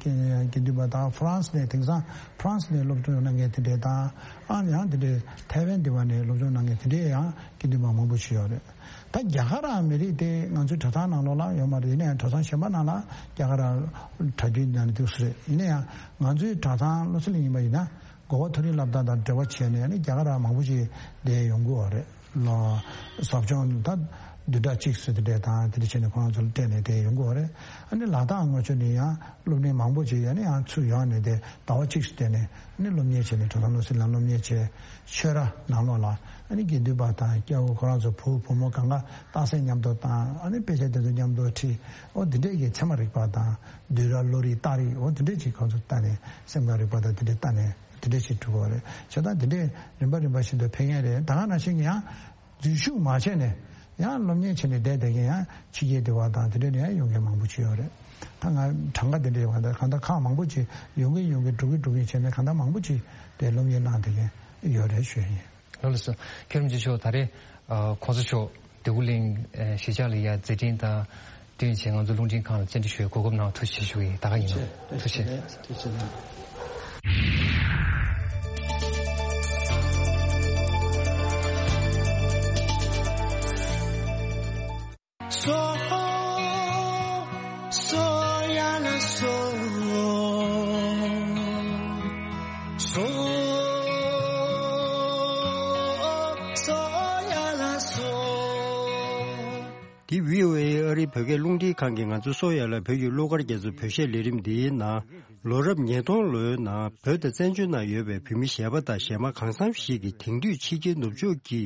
དགེ་འདུན་པ་དང་ཧྥ་རན་སི་ནས་དེང་སང་ཧྥ་རན་སི་ནས་སློབ་སྦྱོང་གནང་མཁན་དེ་འདྲས་དང་ཨ་ཡང་དེ་འདྲས་ཐའེ་ཝན་དེ་བ་ནས་སློབ་སྦྱོང་གནང་མཁན་དེ་འདྲས་ཡང་དགེ་འདུན་པ་མང་པོ་ཞིག་ཡོད་རེད། ད་རྒྱ་གར་ར་མི་རིགས་དེ་ང་ཚོའི་གྲྭ་ཚང་ནང་ལོགས་ལ་ཡོད་མ་རེད། ཡིན་ན་ཡང་གྲྭ་ཚང་གཞན་པ་ནང་ལ་རྒྱ་གར་ར་གྲྭ་རྒྱུན་ནང་ནས་འདུག་སེ་རེད། ཡིན་ན་ཡང་ང་ཚོའི་གྲྭ་ཚང་བློ་གསལ་གླིང་ཡིན་པ་ཡིན་ན་གོ་བ་མཐོ་རིམ་སློབ་གྲྭ་དང་འབྲེལ་བ་བྱས་ནས་ནི་རྒྱ་གར་ར་མང་པོ་ཞིག་བསྡད་ཡོང་གི་ཡོད་རེད། ལོ་ཟབ་སྦྱོང་ད་བདུན་ཕྲག་གཅིག་ཙམ་དེ་འདྲས་དང་དེ་འདྲ་བྱས་ནས་ཁོ་རང་ཚོ་ལ་སྤྲད་ནས་བསྡད་ཡོང་གི་ཡོད་རེད། ཨ་ནི་ལ་དྭགས་ངོས་ཕྱོགས་ནས་ཡང་སློབ་གྲྭ་མང་པོ་ཞིག་ཡང་ནི་ཡང་ཚུར་ཡོང་ནས་དེ་ཟླ་བ་གཅིག་ཙམ་བསྡད་ནས་ནི་སློབ་གཉེར་བྱས་ནས་གྲྭ་ཚང་བློ་གསལ་གླིང་སློབ་གཉེར་བྱས། ཆོས་ར་ནང་ལོགས་ལ་ཨ་ནི་དགེ་འདུན་པ་དང་སྐྱ་བོ་ཁོ་རང་ཚོ་བུ་བུ་མོ་གང་ག་རྟགས་གསལ་མཉམ་དུ་བཏང་། ཨ་ནི་དཔེ་ཆ་དེ་ཚོ་མཉམ་དུ་ཁྲིད། འོ་འདི་འདྲས་ཀྱི་ཚད་མ་རིག་པ་དང་བསྡུས་གྲྭ་བློ་རིག་རྟགས་རིགས་འོ་འདི་འདྲས་ཀྱི་ཁོང་ཚོ་ལྟ་ནས་སེམས་ཁམས་རིག་པ་དང་འདི་འདྲས་ལྟ་ནས་འདི་འདྲས་ཞིག་གྲུབ་པ་རེད། བྱས་ཙང་འདི་འདྲས་རིམ་པ་རིམ་པ་བཞིན་དུ་འཕེལ་མཁན་རེད། ད་ག་ནང་བཞིན་གྱི་ཡང་འཛུལ་ཞུགས་མ་བྱས་ནས་ཡང་སློབ་གཉེར་བྱས་ནས་བསྡད་བསྡད་མཁན་ཡང་ཕྱི་རྒྱལ་དེ་བ་དང་དེ་འདྲས་ནས་ཡང་ཡོང་མཁན་མང་པོ་ཅིག་ཡོད་རེད། ད་ང་གྲངས་ཀ་དེ་འདྲས་ཡོད་པ་དང་གང་ལྟར་ཁག་མང་པོ་ཅིག་ཡོང་གིན་ཡོང་གིན་འགྲོ་གིན་འགྲོ་གིན་བྱས་ནས་གང་ལྟར་མང་པོ་ཅིག་དེ་སློབ་གཉེར་གནང་བསྡད་མཁན་ཡོད་རེད་ཞུ་ཡིན། ལགས་སོ། མཁན་རིན་པོ་ཆེ་མཆོག་ད་རེས་ཨ་གོང་ས་མཆོག་འདོད་རྒུ་གླིང་ཨ་གཞིས་ཆགས་ལ་ཡ་མཛད་འཕྲིན་དང་བསྟུན་བྱས་ང་ཚོ་རླུང་འཕྲིན་ཁང་ལ་བཅར་འདྲི་ཞུ་བའི་གོ་སྐབས་གནང་བ་ཐུགས་རྗེ་ཆེ་ཞུ་གི་ཡིན། ད་ག་ཡིན་ནོ། ཐུགས་རྗེ་ཆེ། ཐུགས་རྗེ་ཆེ། སོ། སོ་ཡ་ལ་སོ། སོ། སོ་ཡ་ལ་སོ། འདི་བྷི་ཨོ་ཨེ་ཨ་རིའི་བོད་སྐད་རླུང་འཕྲིན་ཁང་གིས་ང་ཚོ་གསོ་ཡ་ལ་བོད་ཀྱི་གླུ་གར་རྒྱ་མཚོ་བོད་གཞས་ལས་རིམ་འདིའི་ནང་ལོ་རབས་ཉིས་སྟོང་ལོའི་ནང་བོད་དང་བཙན་བྱོལ་ནང་ཡོད་པའི་བོད་མི་གཞས་པ་དང་གཞས་མ་གང་འཚམ་ཞིག་གིས་དེང་དུས་ཕྱི་རྒྱལ་ནུབ་ཕྱོགས་ཀྱི་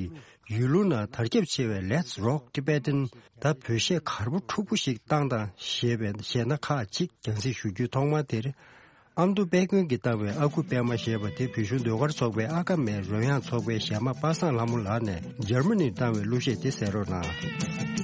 ཡུལ་ལུང་ནང་དར་ཁྱབ་ཆེ་བའི་Let's Rock Tibetan ད་བོད་གཞས་གར་པོ་འཁྲུག་པོ་ཞིག་བཏང་དང་ཞེས་པའི་གཞས་སྣ་ཁག་ཅིག་རྒྱང་སྲིང་ཞུ་རྒྱུའི་ཐོག་མ་དེར། ཨ་མདོ་དཔལ་མགོན་གྱིས་བཏང་བའི་ཨ་ཁུ་པད་མ་ཞེས་པ་དེ་བོད་གཞུང་ཟློས་གར་ཚོགས་པའི་ཨ་ཀ་མའི་རོལ་དབྱངས་ཚོགས་པའི་གཞས་མ་པ་སངས་ལྷ་མོ་ལགས་ནས་འཇར་མ་ནིར་བཏང་བའི་གླུ་གཞས་དེ་གསན་རོགས་གནང་།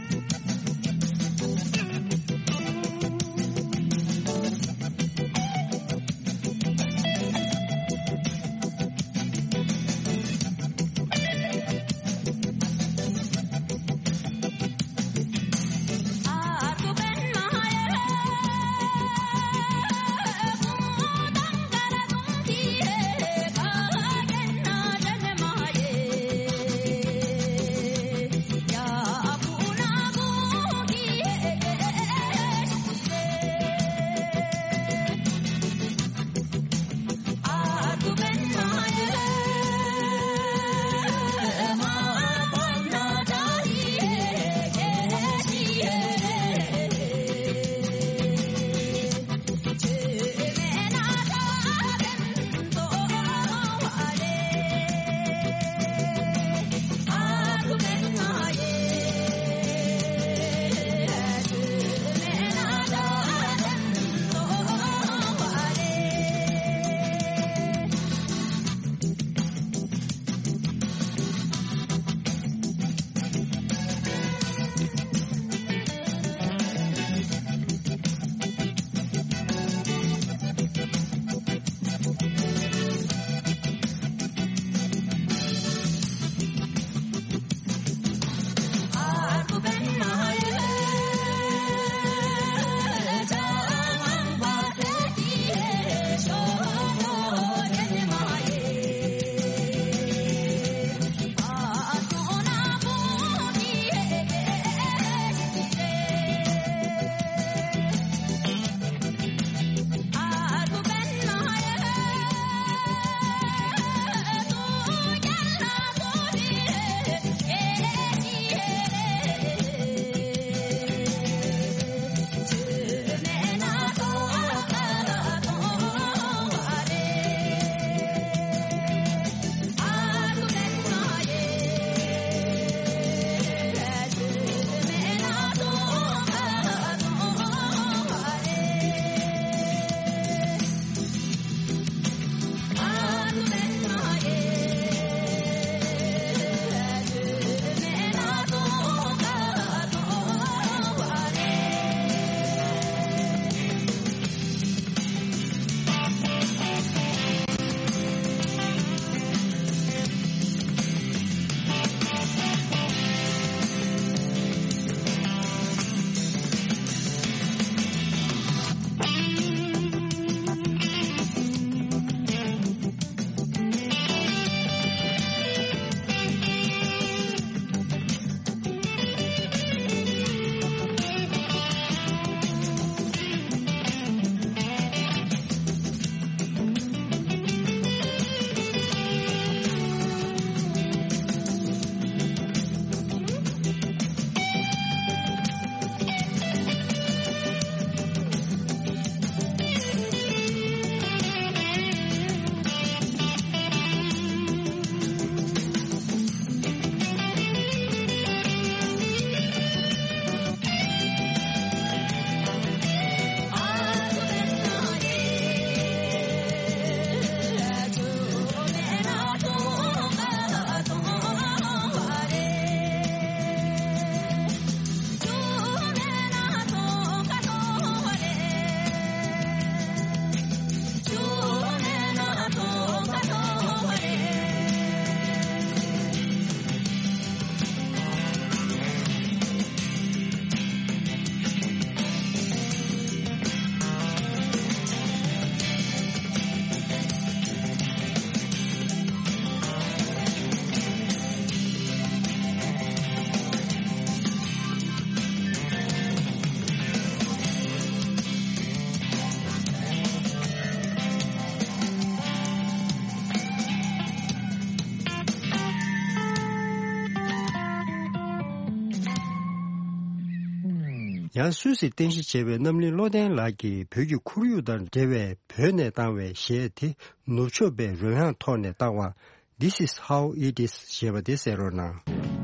ཡང་སུད་སིར་རྟེན་གཞི་བྱས་པའི་རྣམ་གླིང་བློ་ལྡན་ལགས་ཀྱིས་བོད་ཀྱི་ཁོར་ཡུག་དང་འབྲེལ་བའི་བོད་ནས་བཏང་བའི་གཞས་དེ་ནུབ་ཕྱོགས་པའི་རོལ་དབྱངས་ཐོག་ནས་བཏང་བ། This is how it is ཞེས་པ་དེ་གསན་རོགས་གནང་།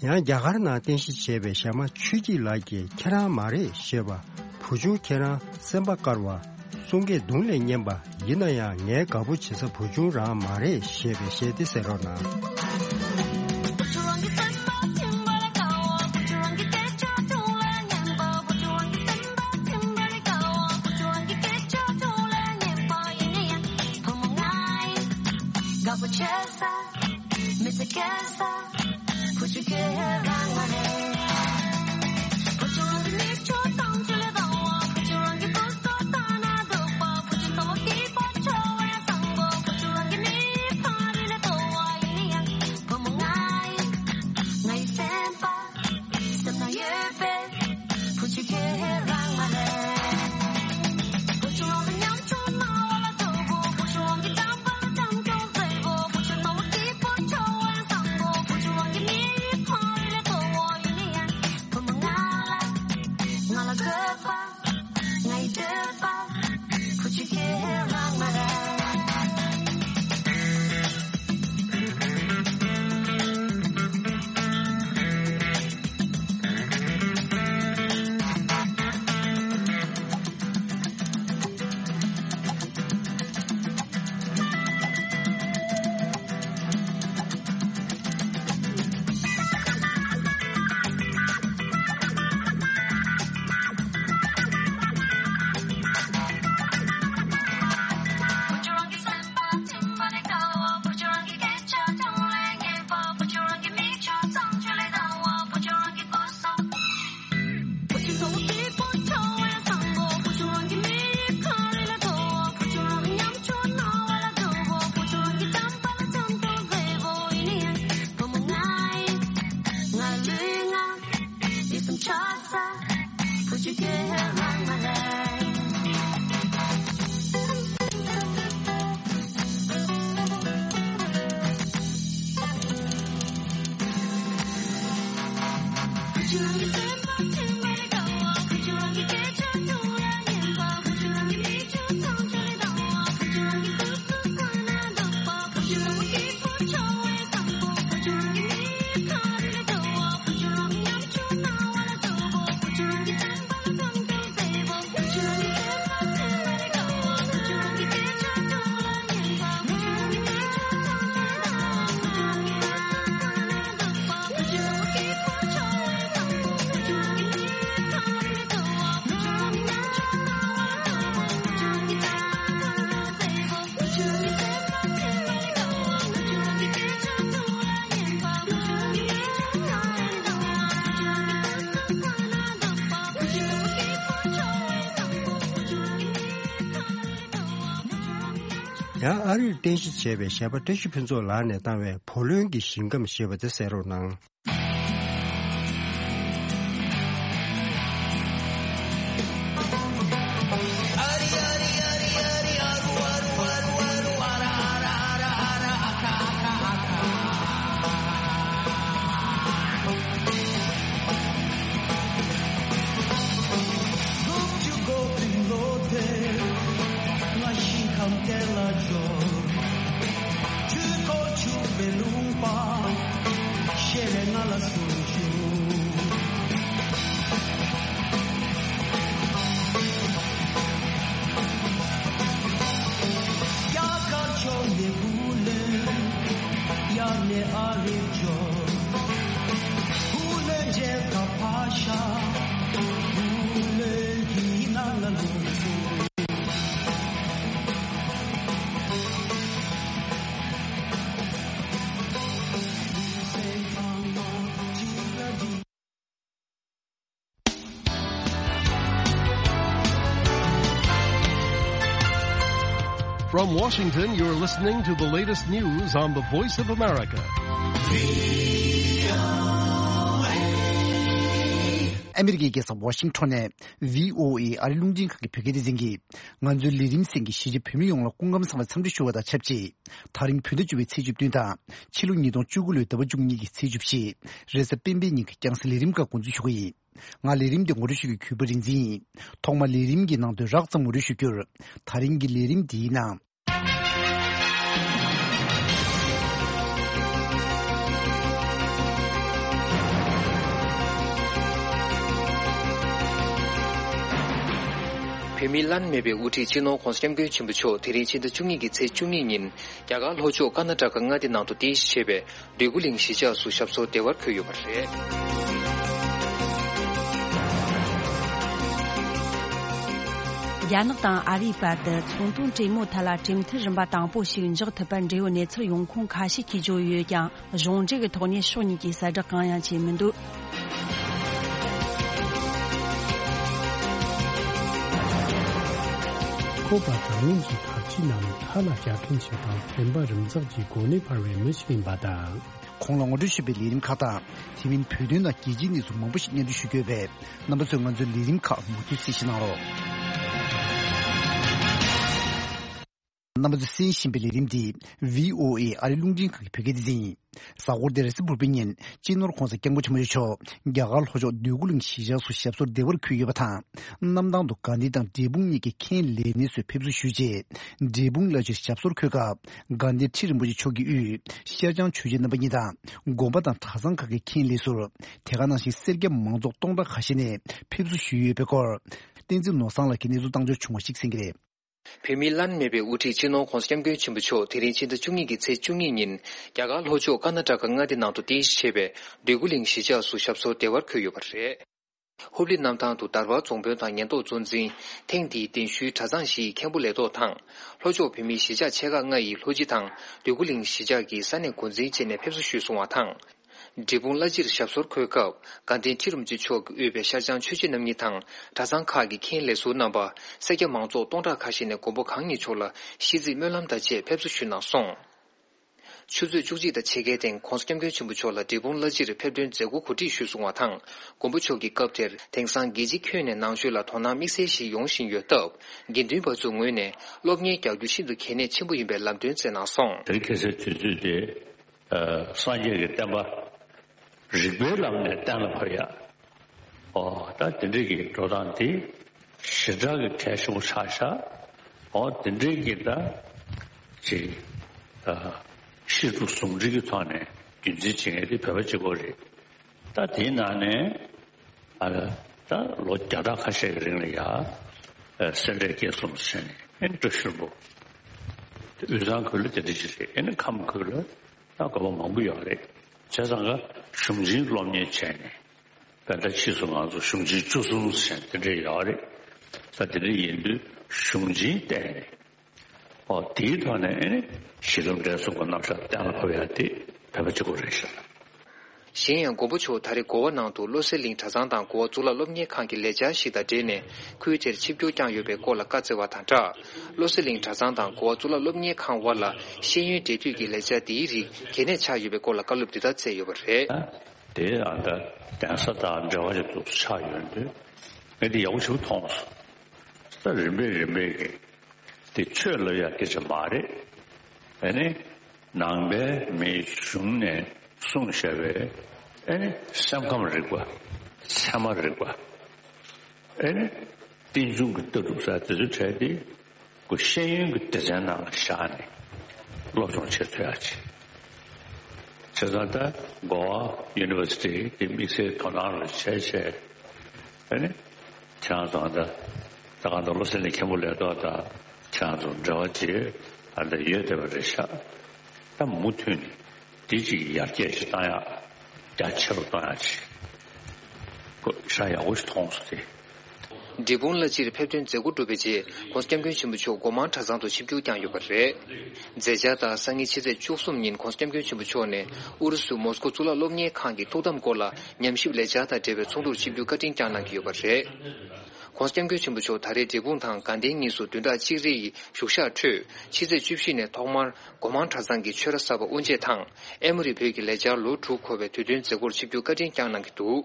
ཡང་རྒྱ་གར་ནང་རྟེན་གཞི་བྱས་པའི་གཞས་མ་ཆོས་སྐྱིད་ལགས་ཀྱིས་ཁྱེད་རང་མ་རེད་ཞེས་པ། བུ་ཆུང་ཁྱེད་རང་སེམས་པ་དཀར་བ། གསུང་སྐད་གདུང་ལས་སྙན་པ། ཡིན་ན་ཡང་ངའི་དགའ་པོ་བྱེད་ས་བུ་ཆུང་རང་མ་རེད་ཞེས་པའི་གཞས་དེ་གསན་རོགས་གནང་། ཡང་ཨ་རིར་རྟེན་གཞི་བྱས་པའི་གཞས་པ་བཀྲ་ཤིས་ཕུན་ཚོགས་ལགས་ནས་བཏང་བའི་བུ་ལོན་གྱི་ཞིང་ཁམས་ཞེས་པ་དེ་གསན་རོགས་གནང་། From Washington, you're listening to the latest news on the Voice of America. ཨ་མི་རི་ཀའི་རྒྱལ་ས་ཝ་ཤིང་ཊོན་ནས་བྷི་ཨོ་ཨེ་ཨ་རི་རླུང་འཕྲིན་ཁང་གི་བོད་སྐད་སྡེ་ཚན་གྱིས། ང་ཚོའི་ལས་རིམ་གསན་མཁན་གཞིས་བྱེས་བོད་མི་ཡོངས་ལ་སྐུ་ཁམས་བཟང་བའི་འཚམས་འདྲི་ཞུ་བ་དང་ཆབས་ཅིག་དེ་རིང་བོད་ཟླ་བཅུ་པའི་ཚེས་བཅུ་བདུན་དང་ཕྱི་ལོ་ཉིས་སྟོང་བཅུ་དགུ་ལོའི་ཟླ་བ་བཅུ་གཉིས་ཀྱི་ཚེས་བཅུ་བཞི། རེས་གཟའ་སྤེན་པའི་ཉིན་གྱི་རྒྱང་སྲིང་ལས་རིམ་ཁག་འགོ་འཛུགས་ཞུ་གི་ཡིན། ང་ལས་རིམ་འདི་ངོ་སྤྲོད་ཞུ་རྒྱུའི་གུས་པ་རིག་འཛིན་ཡིན། ཐོག་མར་ལས་རིམ་གྱི་ནང་དོན་རགས་ཙམ་ངོ་སྤྲོད་ཞུ་རྒྱུར། དེ་རིང་གི་ལས་རིམ་འདིའི་ནང་། བོད་མིའི་བླ་ན་མེད་པའི་དབུ་ཁྲིད་སྤྱི་ནོར་༧གོང་ས་༧སྐྱབས་མགོན་ཆེན་པོ་མཆོག་དེ་རིང་ཕྱི་ཟླ་བཅུ་གཉིས་ཀྱི་ཚེས་བཅུ་གཉིས་ཉིན་རྒྱ་གར་ལྷོ་ཕྱོགས་ཀར་ན་ཊ་ཀ་མངའ་སྡེ་ནང་དུ་རྟེན་གཞི་བྱས་པའི་འདོད་རྒུ་གླིང་གཞིས་ཆགས་སུ་ཞབས་སོར་བདེ་བར་འཁོད་ཡོད་པ་རེད། རྒྱ་ནག་དང་ཨ་རིའི་བར་དུ་ཚོང་དོན་གྲོས་མོལ་ཐད་ལ་གྲོས་མཐུན་རིམ་པ་དང་པོ་ཞིག་འཇོག་ཐུབ་པར་འབྲེལ་ཡོད་གནས་ཚུལ་ཡོང་ཁུངས་ཁ་ཤས་ཀྱིས་བརྗོད་ཡོད་ཀྱང་། གཞུང་འབྲེལ་གྱི་ཐོག་ནས་ཕྱོགས་གཉིས་ཀྱིས་གསལ་བསྒྲགས་གང་ཡང་བྱས་མི་འདུག་ཁོ་པ་ད་ལུང་གི་ཐབས་ཇུས་ནང་མཐའ་ལ་རྒྱག་མཁན་ཞིག་དང་། བདེན་པ་རིམ་འཛེགས་ཀྱི་སྒོ་ནས་འཕར་བའི་མི་ཞིག་ཡིན་པ་དང་། གོང་ལ་ངོ་སྤྲོད་ཞུས་པའི་ལས་རིམ་ཁག་དང་། དེ་མིན་བོད་དོན་དང་རྒྱལ་སྤྱིའི་གནས་ཚུལ་མང་པོ་ཞིག་སྙན་སྒྲོན་ཞུ་རྒྱུ་ཡོད་པས། རྣམ་པ་ཚོས་ང་ཚོའི་ལས་རིམ་ཁག་མུ་མཐུད་གཟིགས་གནང་རོགས། རྣམ་པ་ཚོས་གསན་བཞིན་པའི་ལས་རིམ་འདི་བྷི་ཨོ་ཨེ་ཨ་རི་རླུང་འཕྲིན་ཁང་གི་བོད་སྐད་སྡེ་ཚན་ཡིན། གཟའ་འཁོར་འདིར་སི་བུར་པའི་ཉིན་སྤྱི་ནོར་༧གོང་ས་༧སྐྱབས་མགོན་ཆེན་པོ་མཆོག་རྒྱ་གར་ལྷོ་ཕྱོགས་འདོད་རྒུ་གླིང་གཞིས་ཆགས་སུ་ཞབས་སོར་བདེ་བར་འཁོད་ཡོད་པ་དང་། གནམ་ཐང་དུ་དགའ་ལྡན་དང་འབྲས་སྤུངས་གཉིས་ཀྱི་མཁན་ལས་སྣེ་ཚོས་ཕེབས་བསུ་ཞུས་རྗེས། འབྲས་སྤུངས་བླ་སྤྱིར་ཞབས་སོར་འཁོད་སྐབས། དགའ་ལྡན་ཁྲི་རིན་པོ་ཆེ་མཆོག་གིས་དབུས་ཤར་བྱང་ཆོས་རྗེ་རྣམ་པ་གཉིས་དང་། དགོན་པ་དང་གྲྭ་ཚང་ཁག་གི་མཁན་ལས་ཟུར། དེ་ག་ནང་བཞིན་སེར་སྐྱ་མང་ཚོགས་སྟོང་ཕྲག་ཁ་ཤས་ནས་ཕེབས་བསུ་ཞུས་ཡོད་པའི་སྐོར། བསྟན་འཛིན་ནོར་བཟང་ལགས་ཀྱིས་གནས་ཚུལ་བཏང་འབྱོར་བྱུང་བ་ཞིག་གསན་གྱི་རེད། བོད་མིའི་བླ་ན་མེད་པའི་དབུ་ཁྲིད་སྤྱི་ནོར་༧གོང་ས་༧སྐྱབས་མགོན་ཆེན་པོ་མཆོག་དེ་རིང་ཕྱི་ཟླ་བཅུ་གཉིས་ཀྱི་ཚེས་བཅུ་གཉིས་ཉིན་རྒྱ་གར་ལྷོ་ཕྱོགས་ཀར་ན་ཊ་ཀ་མངའ་སྡེ་ནང་དུ་རྟེན་གཞི་བྱས་པའི་འདོད་རྒུ་གླིང་གཞིས་ཆགས་སུ་ཞབས་སོར་བདེ་བར་འཁོད་ཡོད་པ་རེད། ཧུབ་ལི་གནམ་ཐང་དུ་དར་བར་རྫོང་དཔོན་དང་ཉེན་རྟོག་གཙོ་འཛིན། ཐེངས་འདིའི་གདན་ཞུའི་གྲྭ་ཚང་བཞིའི་མཁན་པོ་ལས་ཐོག་དང་། ལྷོ་ཕྱོགས་བོད་མིའི་གཞིས་ཆགས་ཆེ་ཁག་ལྔ་ཡི་ལྷོ་སྤྱི་དང་འདོད་རྒུ་གླིང་གཞིས་ཆགས་ཀྱི་ས་གནས་འགོ་འཛིན་བཅས་ནས་ཕེབས་བསུ་ཞུས་སོང་བ་དང་། འབྲས་སྤུངས་བླ་སྤྱིར་ཞབས་སོར་འཁོད་སྐབས། དགའ་ལྡན་ཁྲི་རིན་པོ་ཆེ་མཆོག་གིས་དབུས་པའི་ཤར་བྱང་ཆོས་རྗེ་རྣམ་གཉིས་དང་། གྲྭ་ཚང་ཁག་གི་མཁན་ལས་ཟུར་རྣམ་པ། སེར་སྐྱ་མང་ཚོགས་སྟོང་ཕྲག་ཁ་ཤས་ནས་མགོན་པོ་གང་ཉིད་མཆོག་ལ་ཤིས་ཚིག་སྨོན་ལམ་དང་བཅས་ཕེབས་བསུ་ཞུས་གནང་སོང་། ཆུ་ཚོད་བཅུ་གཅིག་དང་ཕྱེད་ཀའི་སྟེང་༧གོང་ས་༧སྐྱབས་མགོན་ཆེན་པོ་མཆོག་ལ་འབྲས་སྤུངས་བླ་སྤྱིར་ཕེབས་ཐོན་མཛད་སྒོ་གོ་སྒྲིག་ཞུས་སོང་བ་དང་། མགོན་པོ་མཆོག་གིས་སྐབས་དེར་དེང་སང་རྒྱལ་སྤྱི་ཁྱོན་ནས་ནང་ཆོས་ལ་དོ་སྣང་དམིགས་བསལ་ཞིག་ཡོང་བཞིན་ཡོད་སྟབས། དགེ་འདུན་པ་ཚོའི་ངོས་ནས་སློབ་གཉེར་རྒྱག་རྒྱུ་ཤིན་ཏུ་གལ་གནད་ཆེན་པོ་ཡིན་པའི་ལམ་སྟོན་བསྩལ་གནང་སོང་། དེ་རིང་ཁ་སང་དུས་ཚོད་དེ། ཨ། སངས་རྒྱས་ཀྱི་བསྟན་པ་རིག་པའི་ལམ་ནས་གཏན་ལ་ཕབ་ཡ། ཨོ། ད་དེ་འདྲའི་གི་འགྲོ་སྟངས་དེ་ཞེ་དྲག་གི་གལ་ཆེན་པོ་ཆགས་ཤག་ཨོ། དེ་འདྲའི་གི་ད་ཅིག་ཨ། ཤེས་དྲུག་ཟུང་འབྲེལ་གྱི་ཐོག་ནས་རྒྱུན་འཛིན་བྱེད་མཁན་དེ་བོད་པ་གཅིག་པོ་རེད། ད་དེའི་ནང་ནས་ཨ། ད་ལོ་བརྒྱ་ཕྲག་ཁ་ཤས་ཀྱི་རིང་ལ་ཡ། ཨ། སེ་འབྲས་དགེ་གསུམ་ཟེར་ནས་ཨེ་བཀྲ་ཤིས་ལྷུན་པོ། དབུས་གཙང་ཁུལ་ལ་དེ་འདྲ་ཅིག་རེད། ཨེ་ནི་ཁམས་ཁུལ་ལ་ད་དགོན་པ་མང་པོ་ཡོད་རེད། བྱས་ཙང་ཀ་གཞུང་ཆེན་སློབ་གཉེར་བྱས་ནས། དཔེར་ན་ཕྱིས་སུ་ང་ཚོ་གཞུང་ཆེན་བཅུ་གསུམ་ཟེར་དེ་འདྲ་ཡོད་རེད། ས་དེ་འདྲ་ཡིན་དུས་གཞུང་ཆེན་བསྟན་ནས། ཨོ། དེའི་ཐོག་ནས་ཨེ་ནི་གཞི་ལམ་འབྲས་གསུམ་གྱི་རྣམ་གཞག་གཏན་ལ་ཕབ་ཡ་དེ་བོད་པ་གཅིག་པོ་རེད་ཤག་གཞན་ཡང་མགོན་པོ་མཆོག་ད་རེས་གོ་བ་ནང་དུ་བློ་གསལ་གླིང་གྲྭ་ཚང་དང་གོ་བ་གཙུག་ལག་སློབ་གཉེར་ཁང་གི་ལས་འཆར་ཞིག་དང་འབྲེལ་ནས་ཁུལ་དེར་ཆིབས་བསྒྱུར་བསྐྱངས་ཡོད་པའི་སྐོར་ལ་བཀའ་སྩལ་བ་དང་སྦྲགས། བློ་གསལ་གླིང་གྲྭ་ཚང་དང་གོ་བ་གཙུག་ལག་སློབ་གཉེར་ཁང་དབར་ལ་ཤེས་ཡོན་འབྲེལ་མཐུད་ཀྱི་ལས་འཆར་འདིའི་རིགས་གལ་གནད་ཆགས་ཡོད་པའི་སྐོར་ལ་བཀའ་སློབ་འདི་ལྟར་སྩལ་ཡོད་པ་རེད། དེ་ཨ་ད་གདན་ས་དང་འབྲེལ་བ་ཅིག་ཏུ་ཆགས་ཡོད་དུས་ངས་འདི་ཡག་པོ་ཞིག་མཐོང་སོང་། ད་རིམ་པས་རིམ་པས་ཀྱི་དེ་ཆོས་ལབ་ཡག་སྐད་ཆ་མ་རེད། ཨ་ནི་ནང་པའི་མིའི་གཞུང་ནས་གསུངས་བཞག་པའི་ཨ་ནི་སེམས་ཁམས་རིག་པ། ཚད་མ་རིག་པ། ཨ་ནི་རྟེན་འབྱུང་གི་ལྟ་གྲུབ་ས་དེ་ཚོའི་གྲས་དེ་ཁོ་ཤེས་ཡོན་གྱི་སྡེ་ཚན་ནང་ལ་བཞག་ནས་སློབ་སྦྱོང་བྱེད་ཐུབ་ཡག་ཅིག་བྱས་ཙང་ད་གོ་བ་ཡུ་ནི་ཝར་སི་ཊི་དེ་དམིགས་བསལ་དོ་སྣང་རེ་བྱས་བྱས། ཨ་ནི་ཁྱེད་རང་ཚོ་ད་ད་གང་ལྟར་བློ་གསལ་གླིང་མཁན་པོ་ལས་ཐོག་ད་ཁྱེད་རང་ཚོ་འབྲེལ་བ་བྱེད་ཨ་ད་ཡོད་བསྡད་པ་རེད་ཤག་ད་མུ་མཐུད་ནས་དེ་ཅིག་ཡར་རྒྱས་ཤིག་བཏང་ཡག་རྒྱ་ཆེ་རུ་གཏོང་ཡག་ཅིག་ཁོ་ཤ་ཡག་པོ་ཞིག་མཐོང་སོང་སྟེ། འབྲས་སྤུངས་ལ་སྤྱིར་ཕེབས་ཐོན་མཛད་སྒོ་གྲུབ་པའི་རྗེས་༸གོང་ས་༸སྐྱབས་མགོན་ཆེན་པོ་མཆོག་སྒོ་མང་གྲྭ་ཚང་དུ་ཆིབས་བསྒྱུར་བསྐྱངས་ཡོད་པ་རེད། མཛད་འཆར་ལྟར་སང་ཉིན་ཕྱི་ཚེས་བཅུ་གསུམ་ཉིན་༸གོང་ས་༸སྐྱབས་མགོན་ཆེན་པོ་མཆོག་ནས་ཨུ་རུ་སུ་མོ་སི་ཀོ་གཙུག་ལག་སློབ་གཉེར་ཁང་གི་ཐུགས་དམ་སྐོར་ལ་ཉམས་ཞིབ་ལས་འཆར་དང་འབྲེལ་བའི་ཚོགས་འདུར་ཆིབས་བསྒྱུར་བཀའ་དྲིན་བསྐྱངས་གནང་གི་ཡོད་པ་རེད།༸གོང་ས་༸སྐྱབས་མགོན་ཆེན་པོ་མཆོག་ད་རེས་འབྲས་སྤུངས་དང་དགའ་ལྡན་གཉིས་སུ་བདུན་ཕྲག་གཅིག་རེ་ཡི་བཞུགས་ཞག་ཁྲོད་ཕྱི་ཚེས་བཅུ་བཞི་ནས་ཐོག་མར་སྒོ་མང་གྲྭ་ཚང་གི་ཆོས་ར་གསར་པ་དབུ་འབྱེད་དང་ཨེ་མོ་རི་བོད་ཀྱི་ལས་འཆར་ལོ་དྲུག་འཁོར་བའི་དུས་སྟོན་མཛད་སྒོར་ཆིབས་བསྒྱུར་བཀའ་དྲིན་བསྐྱངས་གནང་གི་འདུག་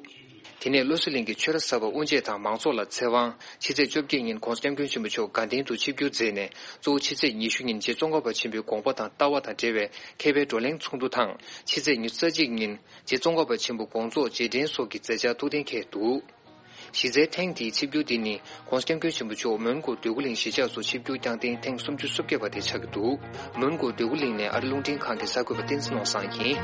དེ་ནས་བློ་གསལ་གླིང་གི་ཆོས་ར་གསར་པ་དབུ་འབྱེད་དང་མང་ཚོགས་ལ་ཚེ་དབང་། ཕྱི་ཚེས་བཅོ་བརྒྱད་ཉིན་༸གོང་ས་༸སྐྱབས་མགོན་ཆེན་པོ་མཆོག་དགའ་ལྡན་དུ་ཆིབས་བསྒྱུར་མཛད་ནས་གཙོ་བོ་ཕྱི་ཚེས་ཉི་ཤུ་ཉིན་རྗེ་ཙོང་ཁ་པ་ཆེན་པོའི་དགོངས་པ་དང་ལྟ་བ་དང་འབྲེལ་བའི་མཁས་པའི་བགྲོ་གླེང་ཚོགས་འདུ་དང་ཕྱི་ཚེས་ཉི་ཤུ་རྩ་གཅིག་ཉིན་རྗེ་ཙོང་ཁ་པ་ཆེན་པོ་དགོངས་རྫོགས་རྗེས་དྲན་སོགས་ཀྱི་མཛད་འཆར་ཐུགས་གཏན་འཁེལ་འདུག་གཞི་རྩའི་ཐེངས་འདིའི་ཆིབས་བསྒྱུར་འདི་ནི་༸གོང་ས་༸སྐྱབས་མགོན་ཆེན་པོ་མཆོག་མོན་གྷོ་འདོད་རྒུ་གླིང་གཞིས་ཆགས་སུ་ཆིབས་བསྒྱུར་བསྐྱངས་ཐེངས་ཐེངས་སུམ་ཅུ་སོ་བརྒྱད་པ་དེ་ཆགས་ཀྱི་འདུག་མོན་གྷོ་འདོད་རྒུ་གླིང་ནས་ཨ་རི་རླུང་འཕྲིན་ཁང་གི་གསར་འགོད་པ་བསྟན་འཛིན་ནོར་བཟང་ཡིན།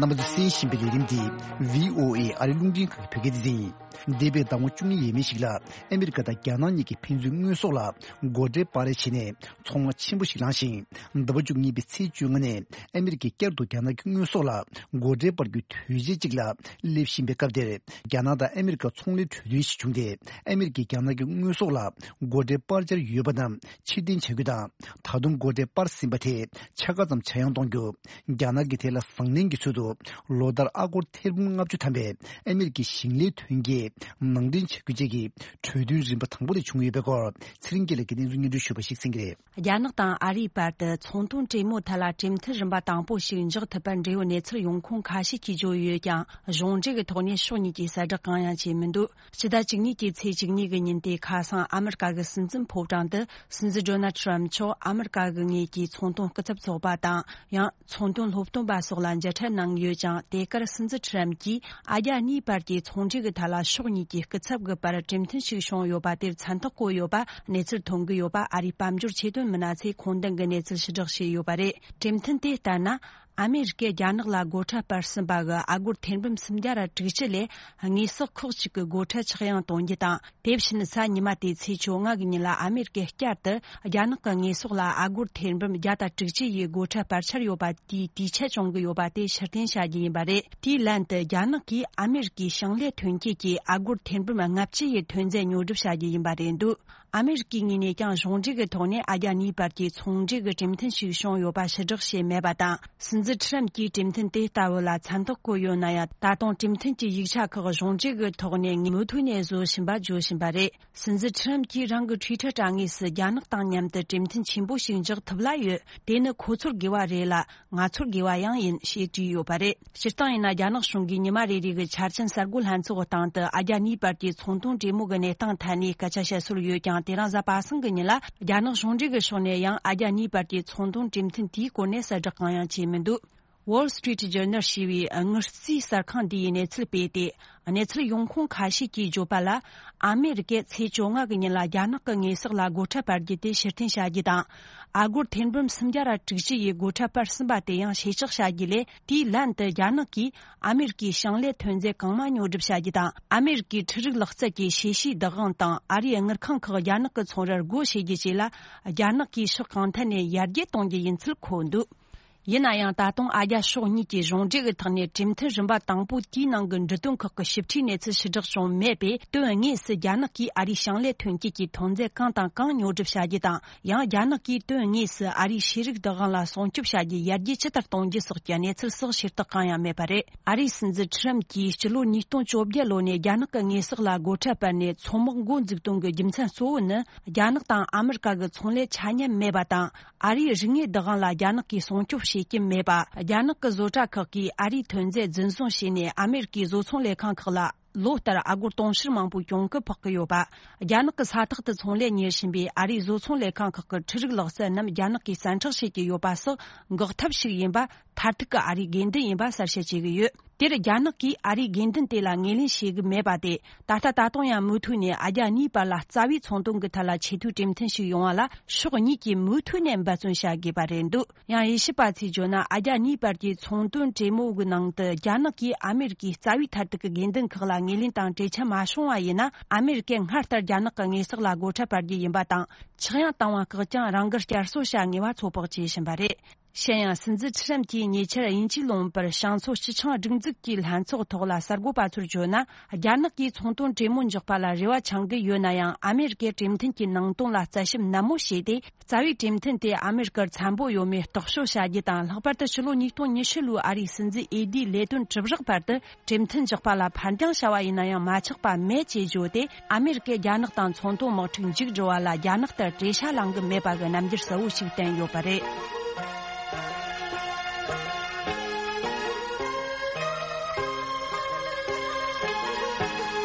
རྣམ་པ་ཚོས་གསན་བཞིན་པའི་ལས་རིམ་འདི་བྷི་ཨོ་ཨེ་ཨ་རི་རླུང་འཕྲིན་ཁང་གི་བོད་སྐད་སྡེ་ཚན་ཡིན། འདས་པའི་ཟླ་ངོ་བཅུ་གཉིས་ཡས་མས་ཤིག་ལ་ཨ་མི་རི་ཀ་དང་རྒྱ་ནག་གཉིས་ཀྱིས་ཕན་ཚུན་དངོས་ཟོག་ལ་སྒོ་ཁྲལ་སྤར་རེས་བྱས་ནས་ཚོང་ར་ཆེན་པོ་ཞིག་ལངས་ཤིང་། ཟླ་བ་བཅུ་གཉིས་པའི་ཚེས་བཅོ་ལྔ་ནས་ཨ་མི་རི་ཀས་བསྐྱར་དུ་རྒྱ་ནག་གི་དངོས་ཟོག་ལ་སྒོ་ཁྲལ་སྤར་རྒྱུའི་དུས་ཆེན་གཅིག་ལ་སླེབས་བཞིན་པའི་སྐབས་དེར། རྒྱ་ནག་དང་ཨ་མི་རི་ཀ་ཚོང་ལས་གྲོས་མཐུན་ཞིག་བྱུང་སྟེ། ཨ་མི་རི་ཀས་རྒྱ་ནག་གི་དངོས་ཟོག་ལ་སྒོ་ཁྲལ་སྤར་འཆར་ཡོད་པ་རྣམས་ཕྱིར་འཐེན་བྱ་རྒྱུ་དང་། ད་དུང་སྒོ་ཁྲལ་སྤར་ཟིན་པ་དེ་ཕྱེད་ཀ་ཙམ་ཇེ་ཡང་གཏོང་རྒྱུ། རྒྱ་ནག་གིས་དེ་ལ་བཟང་ལན་གྱི་ཚུལ་དུ་ལོ་ལྟར་ཨ་སྒོར་ཐེར་འབུམ་ལྔ་བཅུ་ཐམ་པའི་ཨ་མི་རི་ཀའི་ཞིང་ལས་ཐོན་སྐྱེད་ནང་འདྲེན་བྱ་རྒྱུ་བཅས་ཀྱི་གྲོས་མཐུན་རིམ་པ་དང་པོ་དེ་བྱུང་ཡོད་པའི་སྐོར་ཚེ་རིང་སྐྱིད་ལགས་ཀྱིས་གནས་ཚུལ་སྙན་སྒྲོན་ཞུས་པ་ཞིག་གསན་གྱི་རེད། རྒྱ་ནག་དང་ཨ་རིའི་བར་དུ་ཚོང་དོན་གྲོས་མོལ་ཐད་ལ་གྲོས་མཐུན་རིམ་པ་དང་པོ་ཞིག་འཇོག་ཐུབ་པར་འབྲེལ་ཡོད་གནས་ཚུལ་ཡོང་ཁུངས་ཁ་ཤས་ཀྱིས་བརྗོད་ཡོད་ཀྱང་། གཞུང་འབྲེལ་གྱི་ཐོག་ནས་ཕྱོགས་གཉིས་ཀྱིས་གསལ་བསྒྲགས་གང་ཡང་བྱས་མི་འདུག་སྤྱི་ཟླ་བཅུ་གཉིས་ཀྱི་ཚེས་བཅུ་གཉིས་ཀྱི་ཉིན་དེ་ཁ་སང་ཨ་མི་རི་ཀ་གི་སྲིད་འཛིན་ཕོ་བྲང་དུ་སྲིད་འཛིན་ཌོ་ནལ་ཁྲམ་མཆོག་ཨ་མི་རི་ཀ་གི་ངོས་ཀྱི་ཚོང་དོན་སྐུ་ཚབ་ཚོགས་པ་དང་ཡང་ཚོང་དོན་སློབ་སྟོན་པ་སོགས་ལ་མཇལ་འཕྲད་གནང་ཡོད་ཅིང་། དེ་གར་སྲིད་འཛིན་ཁྲམ་གྱིས་ཨ་རྒྱ་གཉིས་བར་གྱི་ཚོང་འབྲེལ་གྱི་ཐད་ལ་ཕྱོགས་གཉིས་ཀྱི་སྐུ་ཚབ་ཀྱི་བར་གྲོས་མཐུན་ཞིག་བྱུང་ཡོད་པ་དེར་མཚན་རྟགས་བཀོད་ཡོད་པ་གནས་ཚུལ་ཐོན་གྱི་ཡོད་པ་ཨ་རིའི་དཔལ་འབྱོར་ཆེད་དོན་མི་སྣ་ཚོས་ཁུངས་ལྡན་གྱི་གནས་ཚུལ་ཕྱིར་བསྒྲགས་བྱས་ཡོད་པ་རེད། གྲོས་མཐུན་དེ་ལྟར་ན། ཨ་མེ་རི་ཀས་རྒྱ་ནག་ལ་སྒོ་ཁྲལ་སྤར་ཟིན་པ་གི་ཨ་སྒོར་ཐེར་འབུམ་སུམ་བརྒྱ་ར་དྲུག་ཅུ་ལས་དངོས་ཟོག་ཁག་ཅིག་གི་སྒོ་ཁྲལ་ཆག་ཡང་གཏོང་རྒྱུ་དང་། དེ་བཞིན་གཟའ་ཉི་མ་སྟེ་ཚེས་བཅོ་ལྔ་གི་ཉིན་ལ་ཨ་མེ་རི་ཀས་བསྐྱར་དུ་རྒྱ་ནག་གི་དངོས་ཟོག་ལ་ཨ་སྒོར་ཐེར་འབུམ་བརྒྱ་དང་དྲུག་ཅུ་ཡི་སྒོ་ཁྲལ་སྤར་འཆར་ཡོད་པ་དེའི་དུས་ཆད་བྱུང་གི་ཡོད་པ་དེ་ཕྱིར་འཐེན་བྱ་རྒྱུ་ཡིན་པ་རེད། དེའི་ལན་དུ་རྒྱ་ནག་གིས་ཨ་མེ་རི་ཀའི་ཞིང་ལས་ཐོན་སྐྱེད་ཀྱི་ཨ་སྒོར་ཐེར་འབུམ་ལྔ་བཅུ་ཡི་ཐོན་རྫས་ཉོ་སྒྲུབ་བྱ་རྒྱུ་ཡིན་པ་རེད་འདུག་ཨ་མེ་རི་ཀའི་ངོས་ནས་ཀྱང་གཞུང་འབྲེལ་གྱི་ཐོག་ནས་ཨ་རྒྱ་གཉིས་བར་གྱི་ཚོང་འབྲེལ་གྱི་གྲོས་མཐུན་ཞིག་བྱུང་ཡོད་པ་ཕྱིར་བསྒྲགས་བྱས་མེད་པ་དང་། སྲིད་འཛིན་ཁྲམ་གྱིས་གྲོས་མཐུན་དེ་ལྟ་བུ་ལ་མཚན་རྟགས་བཀོད་ཡོད་ན་ཡང་། ད་དུང་གྲོས་མཐུན་གྱི་ཡིག་ཆ་ཁག་གཞུང་འབྲེལ་གྱི་ཐོག་ནས་མུ་མཐུད་ནས་བཟོ་བཞིན་པ་བརྗོད་བཞིན་པ་རེད། སྲིད་འཛིན་ཁྲམ་གྱིས་རང་གི་ཊུའི་ཊར་དྲ་ངོས་སུ། རྒྱ་ནག་དང་མཉམ་དུ་གྲོས་མཐུན་ཆེན་པོ་ཞིག་འཇོག་ཐུབ་ལ་ཡོད། དེ་ནི་ཁོ་ཚོར་དགེ་བ་རེད་ལ། ང་ཚོར་དགེ་བ་ཡང་ཡིན། ཞེས་བྲིས་ཡོད་པ་རེད། སྤྱིར་བཏང་ཡིན་ན། རྒྱ་ནག་གཞུང་གིས་ཉི་མ་རེ་རེ་གི་འཆར་ཅན་གསར་འགོད་ལྷན་ཚོགས་སྟེང་དུ་ཨ་རྒྱ་གཉིས་བར་གྱི་ཚོང་དོན་གྲོས་མོལ་གྱི་གནས་སྟངས་ཐད་ནས་སྐད་ཆ་བཤད་སྲོལ་ཡོད་ཀྱང་། དེ་རིང་གཟའ་པ་སངས་ཀྱི་ཉིན་ལ་རྒྱ་ནག་གཞུང་འབྲེལ་གྱི་ཕྱོགས་ནས་ཡང་ཨ་རྒྱ་གཉིས་བར་གྱི་ཚོང་དོན་གྲོས་མཐུན་དེའི་སྐོར་ནས་གསལ་བསྒྲགས་གང་ཡང་བྱས་མི་འདུག Wall Street Journal ཞེས་པའི་དངུལ་རྩིས་གསར་ཁང་འདིས་གནས་ཚུལ་སྤེལ་ཏེ། གནས་ཚུལ་ཡོང་ཁུངས་ཁ་ཤས་ཀྱིས་བརྗོད་པ་ལ། ཨ་མེ་རི་ཀས་ཚེས་བཅོ་ལྔ་གི་ཉིན་ལ་རྒྱ་ནག་གི་དངོས་ཟོག་ལ་སྒོ་ཁྲལ་སྤར་རྒྱུ་དེ་ཕྱིར་འཐེན་བྱ་རྒྱུ་དང་། ཨ་སྒོར་ཐེར་འབུམ་སུམ་བརྒྱ་ར་དྲུག་ཅུ་ཡི་སྒོ་ཁྲལ་སྤར་ཟིན་པ་དེ་ཡང་ཕྱིར་བསྒྲགས་བྱ་རྒྱུ་ལས། དེའི་ལན་དུ་རྒྱ་ནག་གིས་ཨ་མེ་རི་ཀའི་ཞིང་ལས་ཐོན་རྫས་གང་མང་ཉོ་སྒྲུབ་བྱ་རྒྱུ་དང་། ཨ་མེ་རི་ཀའི་འཕྲུལ་རིག་ལག་རྩལ་གྱི་ཤེས་བྱའི་བདག་དབང་དང་། ཨ་རིའི་དངུལ་ཁང་ཁག་རྒྱ་ནག་གི་ཚོང་རར་སྒོ་ཕྱེ་རྒྱུ་བཅས་ལ། རྒྱ་ནག་གིས་ཕྱོགས་གང་ཐད་ནས་ཡར་རྒྱས་གཏོང་རྒྱུ་ཡིན་ཚུལ་འཁོད་འདུག་ཡིན་ན་ཡང་ད་དུང་ཨ་རྒྱ་ཕྱོགས་གཉིས་ཀྱི་གཞུང་འབྲེལ་གྱི་ཐོག་ནས་གྲོས་མཐུན་རིམ་པ་དང་པོ་དེའི་ནང་གི་འབྲི་དོན་ཁག་གི་ཞིབ་ཕྲའི་གནས་ཚུལ་ཕྱིར་བསྒྲགས་བྱུང་མེད་པས། དོན་དངོས་སུ་རྒྱ་ནག་གིས་ཨ་རིའི་ཞིང་ལས་ཐོན་སྐྱེད་ཀྱི་ཐོན་རྫས་གང་དང་གང་ཉོ་སྒྲུབ་བྱ་རྒྱུ་དང་། ཡང་རྒྱ་ནག་གིས་དོན་དངོས་སུ་ཨ་རིའི་ཤེས་རིག་བདག་དབང་ལ་སྲུང་སྐྱོབ་བྱ་རྒྱུའི་ཡར་རྒྱས་ཇི་ལྟར་གཏོང་རྒྱུ་སོགས་ཀྱི་གནས་ཚུལ་སོགས་ཤེས་རྟོགས་གང་ཡང་མེད་པ་རེད། ཨ་རིའི་སྲིད་འཛིན་ཁྲི་རམ་གྱིས་སྤྱི་ལོ་ཉིས་སྟོང་བཅོ་བརྒྱད་ལོ་ནས་རྒྱ་ནག་གི་དངོས་ཟོག་ལ་སྒོ་ཁྲལ་སྤར་ནས་མཚོ་དམག་འགོ་འཛུགས་དོན་གྱི་རྒྱུ་མཚན་གཙོ་བོ་ནི། རྒྱ་ནག་དང་ཨ་མི་རི་ཀ་གི་ཚོང་ལས་ཆ་མཉམ་མེད་པ་དང་། ཨ་རིའི་རིག་དངོས་བདག་དབང་ལ་རྒྱ་ནག་གིས་སྲུང་སྐྱོབ་བྱེད་ཀྱི་མེད་པ། རྒྱ་ནག་གི་བཟོ་གྲྭ་ཁག་གིས་ཨ་རིའི་ཐོན་རྫས་རྫུན་བཟུང་བྱས་ནས། ཨ་མི་རི་ཀའི་བཟོ་ཚོང་ལས་ཁང་ཁག་ལ་ལོ་ལྟར་ཨ་སྒོར་དུང་ཕྱུར་མང་པོའི་གྱོང་གུན་ཕོག་གི་ཡོད་པ། རྒྱ་ནག་གི་ས་ཐག་ཏུ་ཚོང་ལས་གཉེར་བཞིན་པའི་ཨ་རིའི་བཟོ་ཚོང་ལས་ཁང་ཁག་གི་འཕྲུལ་རིག་ལག་རྩལ་རྣམས་རྒྱ་ནག་གིས་བཙན་འཕྲོག་བྱེད་ཀྱི་ཡོད་པ་སོགས་འགོག་ཐབས་ཤིག་ཡིན་པ། མཐར་ཐུག་གི་ཨ་རིའི་དགོས་འདུན་ཡིན་པ་གསལ་བཤད་བྱེད་ཀྱི་ཡོད། དེར་རྒྱ་ནག་གིས་ཨ་རིའི་དགོས་འདུན་དེ་ལ་ངོས་ལེན་བྱེད་ཀྱི་མེད་པ་དེ། ད་ལྟ་ད་དུང་ཡང་མུ་མཐུད་ནས་ཨ་རྒྱ་གཉིས་བར་ལ་རྩ་བའི་ཚོང་དོན་གྱི་ཐད་ལ་ཆེས་མཐོའི་གྲོས་མཐུན་ཞིག་ཡོང་བ་ལ་ཕྱོགས་གཉིས་ཀྱིས་མུ་མཐུད་ནས་འབད་བརྩོན་བྱ་དགོས་པ་རེད་འདུག། ཡང་དབྱེ་ཞིབ་པ་ཚོས་བརྗོད་ན། ཨ་རྒྱ་གཉིས་བར་གྱི་ཚོང་དོན་གྲོས་མོལ་གྱི་ནང་དུ། རྒྱ་ནག་གིས་ཨ་མེ་རི་ཀའི་རྩ་བའི་མཐར་ཐུག་གི་དགོས་འདུན་ཁག་ལ་ངོས་ལེན་དང་གྲོས་འཆར་མ་བྱུང་བ་ཡིན་ན། ཨ་མེ་རི་ཀས་སྔར་ལྟར་རྒྱ་ནག་གི་དངོས་ཟོག་ལ་སྒོ་ཁྲལ་སྤར་རྒྱུ་ཡིན་པ་དང་། ཆག་ཡང་བཏང་བ་བཀག་ཀྱང་རང་འགུལ་བསྐྱར་གསོ་བྱ་ངེས་པ་ཚོད་དཔག་བྱེད་བཞིན་པ་རེད། གཞན་ཡང་། སྲིད་འཛིན་ཁྲི་རམ་གྱིས་ཉེ་ཆར་དབྱིན་ཇིའི་ལུང་པར་བྱང་མཚོ་སྤྱི་ཆིངས་སྒྲིག་འཛུགས་ཀྱི་ལྷན་ཚོགས་ཐོག་ལ་གསར་འགོད་པ་ཚོར་བརྗོད་ན། རྒྱ་ནག་གིས་ཚོང་དོན་གྲོས་མོལ་འཇོག་པ་ལ་རེ་བ་འཆང་གི་ཡོད་ན་ཡང་། ཨ་མེ་རི་ཀས་གྲོས་མཐུན་གྱི་ནང་དོན་ལ་རྩད་ཞིབ་ནན་མོ་བྱས་ཏེ། རྩ་བའི་གྲོས་མཐུན་དེ་ཨ་མེ་རི་ཀར་འཚམ་པོ་ཡོད་མེད་རྟོག་དཔྱོད་བྱ་རྒྱུ་དང་། ལྷག་པར་དུ་ཕྱི་ལོ་ཉིས་སྟོང་ཉི་ཤུ་ལོའི་ཨ་རིའི་སྲིད་འཛིན་འོས་བསྡུའི་ལས་དོན་གྲུབ་རག་བར་དུ་གྲོས་མཐུན་འཇོག་པ་ལ་ཕར་འགྱངས་བྱ་བ་ཡིན་ན་ཡང་མ་ཆག་པ་མེད་ཅེས་བརྗོད་དེ། ཨ་མེ་རི་ཀས་རྒྱ་ནག་དང་ཚོང་དོན་དམག་འཁྲུག་མཇུག་སྒྲིལ་བ་ལ་རྒྱ་ནག་ལྟར་བྲེལ་ཤ་ལངས་གི་མེད་པ་གི་རྣམ་འགྱུར་གསལ་བོ་ཞིག་བསྟན་ཡོད་པ་རེད།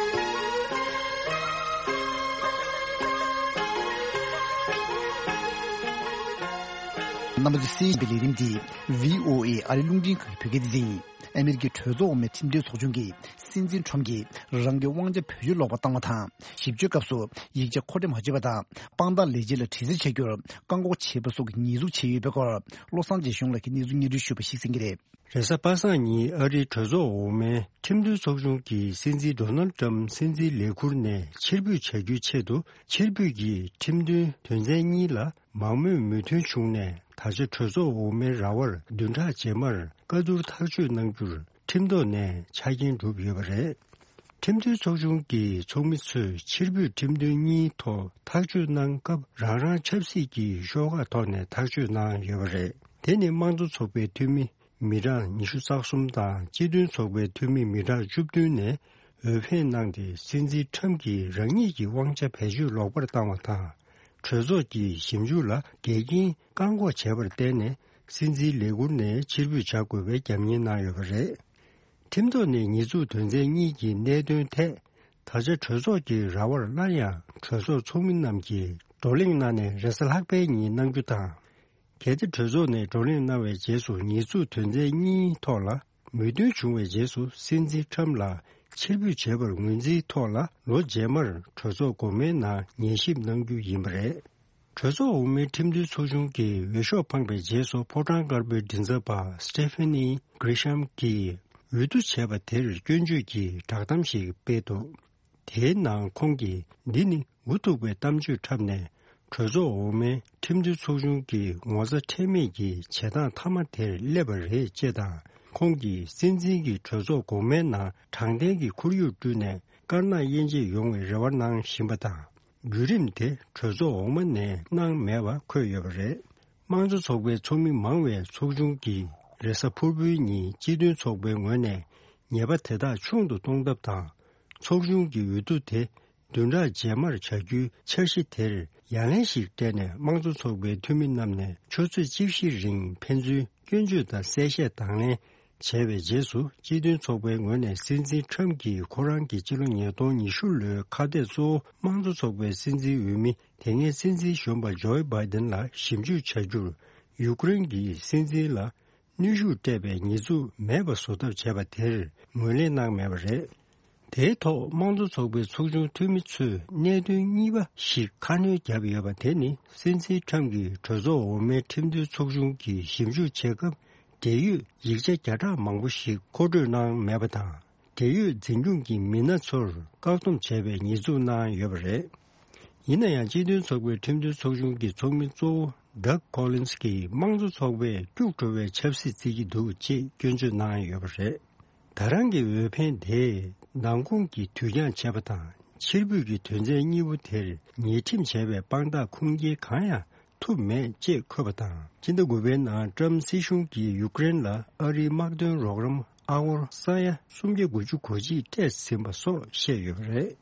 རྣམ་པ་ཚོས་གསན་པའི་ལས་རིམ་འདི་བྷི་ཨོ་ཨེ་ཨ་རི་རླུང་འཕྲིན་ཁང་གི་བོད་སྐད་སྡེ་ཚན་ཡིན། ཨ་མེ་རི་ཀའི་གྲོས་ཚོགས་འོག་མའི་ཁྲིམས་དོན་ཚོགས་ཆུང་གིས་སྲིད་འཛིན་ཁྲོམ་གྱིས་རང་གི་དབང་ཆ་བེད་སྤྱོད་ལོག་པར་བཏང་བ་དང་། ཞིབ་དཔྱོད་སྐབས་སུ་ཡིག་ཆ་མཁོ་སྤྲོད་མ་བྱས་པ་དང་། དཔང་རྟགས་ལས་བྱེད་ལ་དྲི་རྩད་བྱ་རྒྱུར་བཀག་འགོག་བྱས་པ་སོགས་ཀྱི་ཉེས་འཛུགས་བྱས་ཡོད་པའི་སྐོར། བློ་བཟང་རྗེ་གཞུང་ལགས་ཀྱིས་གནས་ཚུལ་སྙན་སྒྲོན་ཞུས་པ་ཞིག་གསན་གྱི་རེད། རེས་གཟའ་པ་སངས་ཉིན་ཨ་རིའི་གྲོས་ཚོགས་འོག་མའི་ཁྲིམས་དོན་ཚོགས་ཆུང་གིས་སྲིད་འཛིན་ཌོ་ནལ་ཊམ་སྲིད་འཛིན་ལས་ཁུར་ནས་ཕྱིར་འབུད་བྱ་རྒྱུའི་ཆེད་དུ། ཕྱིར་འབུད་ཀྱི་ཁྲིམས་མཐུན་དོན་ཚན་གཉིས་ལ་མང་མོས་མོས་མཐུན་བྱུང་ནས། ད་ཆ་གྲོས་ཚོགས་འོག་མའི་ར་བར་བདུན་ཕྲག་རྗེས་མར་བཀའ་བསྡུར་ཐག་གཅོད་གནང་རྒྱུར་ཁྲིམས་ཐོག་ནས་ཆ་རྐྱེན་གྲུབ་ཡོད་པ་རེད། ཁྲིམས་མཐུན་ཚོགས་ཆུང་གི་ཚོགས་མི་ཚོས་ཕྱིར་འབུད་ཁྲིམས་མཐུན་གཉིས་ཐོག་ཐག་གཅོད་གནང་སྐབས། རང་རང་ཆབ་སྲིད་ཀྱི་ཤོག་ཁག་ཐོག་ནས་ཐག་གཅོད་གནང་ཡོད་པ་རེད། དེ་ནི་དམངས་གཙོ་ཚོགས་པའི་འཐུས་མི་མི་གྲངས་ཉི་ཤུ་རྩ་གསུམ་དང་། སྤྱི་མཐུན་ཚོགས་པའི་འཐུས་མི་མི་གྲངས་བཅུ་བདུན་ནས་འོས་འཕེན་གནང་སྟེ། སྲིད་འཛིན་ཁྲམ་གྱིས་རང་ཉིད་ཀྱི་དབང་ཆ་བེད་སྤྱོད་ལོག་པར་བཏང་བ་དང་། གྲོས་ཚོགས་ཀྱི་ཞིབ་འཇུག་ལ་འགལ་རྐྱེན་བཀག་འགོག་བྱས་པར་བརྟེན་ནས། སྲིད་འཛིན་ལས་ཁུར་ནས་ཕྱིར་འབུད་བྱ་དགོས་པའི་རྒྱབ་གཉེར་གནང་ཡོད་པ་རེད། ཁྲིམས་ཐོག་ནས་ཉེས་འཛུགས་དོན་ཚན་གཉིས་ཀྱི་གནད་དོན་ཐད། ད་ཆ་གྲོས་ཚོགས་ཀྱི་ར་བར་སླར་ཡང་གྲོས་ཚོགས་ཚོགས་མི་རྣམས་ཀྱིས་བགྲོ་གླེང་གནང་ནས། རེས་གཟའ་ལྷག་པའི་ཉིན་གནང་རྒྱུ་དང་། གལ་ཏེ་གྲོས་ཚོགས་ནས་བགྲོ་གླེང་གནང་བའི་རྗེས་སུ། ཉེས་འཛུགས་དོན་ཚན་གཉིས་ཐོག་ལ་མོས་མཐུན་བྱུང་བའི་རྗེས་སུ། སྲིད་འཛིན་ཁྲམ་ལ་ཕྱིར་འབུད་བྱས་པར་ངོས་འཛིན་ཐོག་ལ། ལོ་རྗེས་མར་གྲོས་ཚོགས་འགོ་མའི་ནང་ཉན་ཞིབ་གནང་རྒྱུ་ཡིན་པ་རེད། གྲོས་ཚོགས་འོག་མའི་ཁྲིམས་མཐུན་ཚོགས་ཆུང་གིས་འོས་ཤོག་འཕངས་པའི་རྗེས་སུ། ཕོ་བྲང་དཀར་པོའི་མགྲིན་ཚབ་པ་སི་ཊེ་ཕེ་ནི་གྷི་རི་ཤམ་གྱིས་འོས་བསྡུ་བྱས་པ་དེར་སྐྱོན་བརྗོད་ཀྱི་བསྒྲགས་གཏམ་ཞིག་སྤེལ་འདུག། དེའི་ནང་ཁོང་གིས། འདི་ནི་འུ་ཐུག་པའི་གཏམ་བརྗོད་འཁྲབ་ནས། གྲོས་ཚོགས་འོག་མའི་ཁྲིམས་མཐུན་ཚོགས་ཆུང་གི་ངོ་ཚ་ཁྲེལ་མེད་ཀྱི་བྱེད་སྟངས་མཐའ་མ་དེར་སླེབས་པ་རེད་ཅེས་དང་། ཁོང་གིས་སྲིད་འཛིན་གྱིས་གྲོས་ཚོགས་འགོ་མའི་ནང་དྲང་བདེན་གྱི་ཁོར་ཡུག་བསྐྲུན་ནས། དཀར་ནག་དབྱེ་འབྱེད་ཡོང་བའི་རེ་བ་གནང་བཞིན་པ་དང་། བརྒྱུད་རིམ་དེ་གྲོས་ཚོགས་འོག་མ་ནས་གནང་མེད་པ་འཁོད་ཡོད་པ་རེད། དམངས་གཙོ་ཚོགས་པའི་ཚོགས་མི་མང་བའི་ཚོགས་ཆུང་གིས་རེས་གཟའ་ཕུར་བུའི་ཉིན་སྤྱི་མཐུན་ཚོགས་པའི་ངོས་ནས་ཉེས་པ་དེ་དག་ཆུང་དུ་གཏོང་ཐབས་དང་། ཚོགས་ཆུང་གི་འོས་བསྡུ་དེ་བདུན་ཕྲག་རྗེས་མར་བྱ་རྒྱུའི་འཆར་གཞི་དེར་ཡ་ལན་ཞིག་སྤྲད་ནས། དམངས་གཙོ་ཚོགས་པའི་འཐུས་མི་རྣམས་ནས་ཆུ་ཚོད་བཅུ་བཞི་རིང་ཕན་ཚུན་སྐྱོན་བརྗོད་དང་གསལ་བཤད་དང་ལེན་བྱས་པའི་རྗེས་སུ། སྤྱི་མཐུན་ཚོགས་པའི་ངོས་ནས་སྲིད་འཛིན་ཁྲམ་གྱིས་ཁོ་རང་གི་སྤྱི་ལོ་ཉིས་སྟོང་ཉི་ཤུ་ལོའི་ཁ་གཏད་གཙོ་བོ་དམངས་གཙོ་ཚོགས་པའི་སྲིད་འཛིན་འོས་མི། དེ་སྔའི་སྲིད་འཛིན་གཞོན་པ་ཇོ་བྷའི་ཌེན་ལ་ཞིབ་འཇུག་བྱ་རྒྱུར། ཡུཀ་རེན་གྱི་སྲིད་འཛིན་ལ་གནོན་ཤུགས་སྤྲད་པའི་ཉེས་འཛུགས་མེད་པ་བཟོ་ཐབས་བྱས་པ་དེར་ངོས་ལེན་གནང་མེད་པ་རེད། དེའི་ཐོག་དམངས་གཙོ་ཚོགས་པའི་ཚོགས་ཆུང་འཐུས་མི་ཚོས་གནད་དོན་གཉིས་པ་ཞིག་ཁ་སྣོན་བརྒྱབ་ཡོད་པ་དེ་ནི། སྲིད་འཛིན་ཁྲམ་གྱིས་གྲོས་ཚོགས་འོག་མའི་ཁྲིམས་མཐུན་ཚོགས་ཆུང་གིས་ཞིབ་འཇུག་བྱེད་སྐབས། འབྲེལ་ཡོད་ཡིག་ཆ་བརྒྱ་ཕྲག་མང་པོ་ཞིག་མཁོ་སྤྲོད་གནང་མེད་པ་དང་། འབྲེལ་ཡོད་འཛིན་སྐྱོང་གི་མི་སྣ་ཚོར་བཀག་སྡོམ་བྱས་པའི་ཉེས་འཛུགས་གནང་ཡོད་པ་རེད། ཡིན་ན་ཡང་སྤྱི་མཐུན་ཚོགས་པའི་ཁྲིམས་དོན་ཚོགས་ཆུང་གི་ཚོགས་མི་གཙོ་བོ་Doug Collins་གྱིས་དམངས་གཙོ་ཚོགས་པས་སྐྱུག་བྲོ་བའི་ཆབ་སྲིད་བརྩི་གི་འདུག་ཅེས་སྐྱོན་བརྗོད་གནང་ཡོད་པ་རེད། ད་རང་གི་འོས་འཕེན་དེས་མདང་དགོང་གི་དུས་འགྱངས་བྱས་པ་དང་ཕྱིར་འབུད་ཀྱི་དོན་ཚན་གཉིས་པོ་དེར་ཉེས་ཁྲིམས་བྱས་པའི་དཔང་རྟགས་ཁུངས་སྐྱེལ་གང་ཡང་ཐུབ་མེད་ཅེས་འཁོད་པ་དང་། ཕྱི་ཟླ་དགུ་པའི་ནང་ཀྲམ་སྲིད་གཞུང་གིས་ཡུཀ་རེན་ལ་ཨ་རིའི་དམག་དོན་རོགས་རམ་ཨ་སྒོར་ས་ཡ་སུམ་བརྒྱ་དགུ་བཅུ་གོ་གཅིག་སྤྲད་ཟིན་པ་སོགས་བཤད་ཡོད་པ་རེད།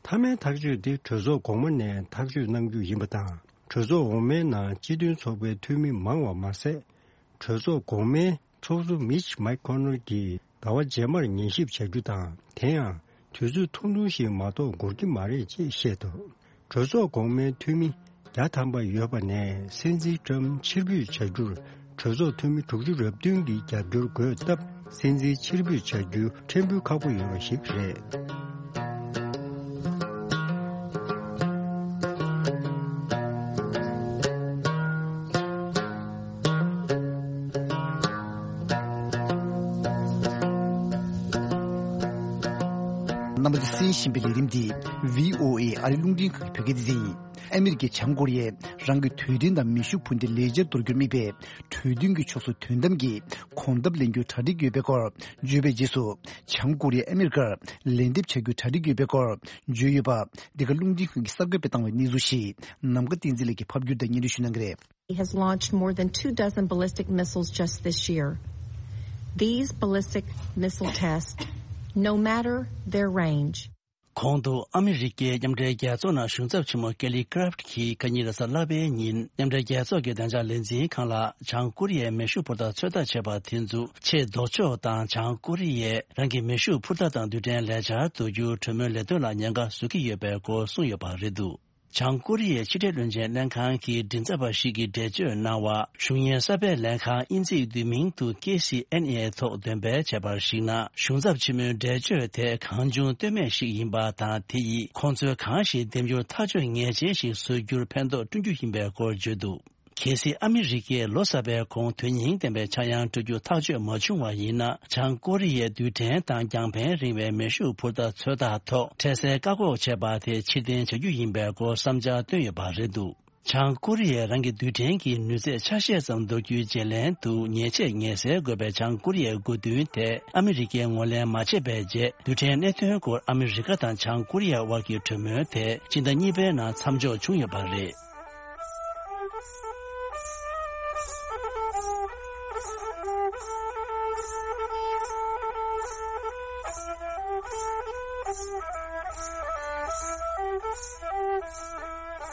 མཐའ་མའི་ཐག་གཅོད་དེ་གྲོས་ཚོགས་གོང་མ་ནས་ཐག་གཅོད་གནང་རྒྱུ་ཡིན་པ་དང་། གྲོས་ཚོགས་འོག་མའི་ནང་སྤྱི་མཐུན་ཚོགས་པའི་འཐུས་མི་མང་བ་མ་ཟད། གྲོས་ཚོགས་གོང་མའི་ཚོགས་གཙོ་མིཆ་མེག་ཁོ་ནལ་གྱིས་ཟླ་བ་རྗེས་མར་ཉན་ཞིབ་བྱ་རྒྱུ་དང་། དེ་ཡང་དུས་ཚོད་ཐུང་ཐུང་ཞིག་མ་གཏོགས་འགོར་གྱི་མ་རེད་ཅེས་བཤད་འདུག་གྲོས་ཚོགས་གོང་མའི་འཐུས་མི་བརྒྱ་ཐམ་པ་ཡོད་པ་ནས་སྲིད་འཛིན་ཀྲམ་ཕྱིར་འབུད་བྱ་རྒྱུར་གྲོས་ཚོགས་འཐུས་མི་དྲུག་ཅུ་རེ་བདུན་གྱི་རྒྱབ་སྐྱོར་དགོས་སྟབས། སྲིད་འཛིན་ཕྱིར་འབུད་བྱ་རྒྱུ་ཕྲན་བུ་ཁག་པོ་ཡོད་པ་ཞིག་རེད། རྣམ་པ་ཚོས་གསན་བཞིན་པའི་ལས་རིམ་འདི་བྷི་ཨོ་ཨེ་ཨ་རི་རླུང་འཕྲིན་ཁང་གི་བོད་སྐད་སྡེ་ཚན་ཡིན། ཨ་མི་རི་ཀས་བྱང་ཀོ་རི་ཡས་རང་གི་དུས་དྲན་དང་མེ་ཤུགས་འཕུར་མདེལ་ལེགས་ཆར་གཏོར་རྒྱུར་དམིགས་པའི་གྲོས་མཐུན་གྱི་ཕྱོགས་སུ་དོན་དམ་གྱི་གོམ་སྟབས་ལེན་རྒྱུའི་གྲ་སྒྲིག་ཡོད་པའི་སྐོར་བརྗོད་པའི་རྗེས་སུ། བྱང་ཀོ་རི་ཡས་ཨ་མི་རི་ཀར་ལན་འདེབས་བྱ་རྒྱུའི་གྲ་སྒྲིག་ཡོད་པའི་སྐོར་བརྗོད་ཡོད་པ། འདི་ག་རླུང་འཕྲིན་ཁང་གིས་གསར་འགོད་པས་བཏང་བའི་གནས་ཚུལ་ཞིག་ནམ་མཁའ་བསྟན་འཛིན་ལགས་ཀྱིས་ཕབ་བསྒྱུར་དང་སྙན་སྒྲོན་ཞུ་གནང་གི་རེད། Has launched more than two dozen ballistic missiles just this year. These ballistic missile tests, no matter their range, གོང་དུ་ཨ་མི་རི་ཀའི་མཉམ་འབྲེལ་རྒྱལ་ཚོགས་ནང་གཞུང་ཚབ་ཆེན་མོ་ཀེ་ལི་ཀ་རབ་ཀྱིས་ཁ་ཉིན་རེས་གཟའ་ལྷག་པའི་ཉིན་མཉམ་འབྲེལ་རྒྱལ་ཚོགས་ཀྱི་བདེ་འཇགས་ལས་འཛིན་ཁང་ལ་བྱང་ཀོ་རི་ཡས་མེ་ཤུགས་འཕུར་མདའ་ཚོད་ལྟ་བྱས་པ་དེ་ཚོ་ཆེས་ལྡོག་ཕྱོགས་དང་། བྱང་ཀོ་རི་ཡས་རང་གི་མེ་ཤུགས་འཕུར་མདའ་དང་རྡུལ་ཕྲན་ལེགས་ཆར་གཏོར་རྒྱུའི་གྲོས་མོལ་ལས་དོན་ལ་ཉེན་ཁ་བཟོ་གི་ཡོད་པའི་སྐོར་གསུངས་ཡོད་པ་རེད་འདུག་བྱང་ཀོ་རི་ཡའི་ཕྱི་འབྲེལ་བློན་ཆེན་ལྷན་ཁང་གི་མགྲིན་ཚབ་པ་ཞིག་གིས་འགྲེལ་བརྗོད་གནང་བར། གཞུང་གཉེར་གསར་པའི་ལྷན་ཁང་དབྱིན་ཚིག་བསྡུས་མིང་དུ་ཀེ་སི་ཨེན་ཨེ་ཐོག་འདོན་སྤེལ་བྱས་པར་གཞིགས་ན། གཞུང་ཚབ་ཆེན་མོའི་འགྲེལ་བརྗོད་དེ་གང་བྱུང་ལྟོས་མེད་ཞིག་ཡིན་པ་དང་། དེ་ཡིས་ཁོང་ཚོས་གང་ཞིག་འདེམས་རྒྱུར་ཐག་གཅོད་ངེས་ཅན་ཞིག་བཟོ་རྒྱུར་ཕན་ཐོགས་བསྐྲུན་རྒྱུ་ཡིན་པའི་སྐོར་བརྗོད་འདུག་གལ་སྲིད་ཨ་མི་རི་ཀས་ལོ་གསར་པའི་གོང་དོན་སྙིང་ལྡན་པའི་ཆག་ཡང་སྤྲོད་རྒྱུ་ཐག་གཅོད་མ་བྱུང་བ་ཡིན་ན། བྱང་ཀོ་རི་ཡའི་རྡུལ་ཕྲན་དང་རྒྱང་ཕན་རིང་བའི་མེ་ཤུགས་འཕུར་མདའ་ཚོད་ལྟ་ཐོག་འཕྲལ་སེལ་བཀག་འགོག་བྱས་པ་དེ་ཕྱིར་འཐེན་བྱ་རྒྱུ་ཡིན་པའི་སྐོར་བསམ་འཆར་བཏོན་ཡོད་པ་རེད་འདུག་བྱང་ཀོ་རི་ཡས་རང་གི་རྡུལ་ཕྲན་གྱི་ནུས་ཚད་ཆ་ཤས་ཙམ་འདོར་རྒྱུའི་བརྗེ་ལེན་དུ་ཉེས་ཆད་ངེས་སེལ་དགོས་པའི་བྱང་ཀོ་རི་ཡའི་དགོས་འདུན་དེ་ཨ་མི་རི་ཀས་ངོས་ལེན་མ་བྱས་པའི་རྗེས། རྡུལ་ཕྲན་གནད་དོན་སྐོར་ཨ་མི་རི་ཀ་དང་བྱང་ཀོ་རི་ཡའི་དབར་གྱི་གྲོས་མོལ་དེ་སྤྱི་ཟླ་གཉིས་པའི་ནང་མཚམས་འཇོག་བྱུང་ཡོད་པ་རེད།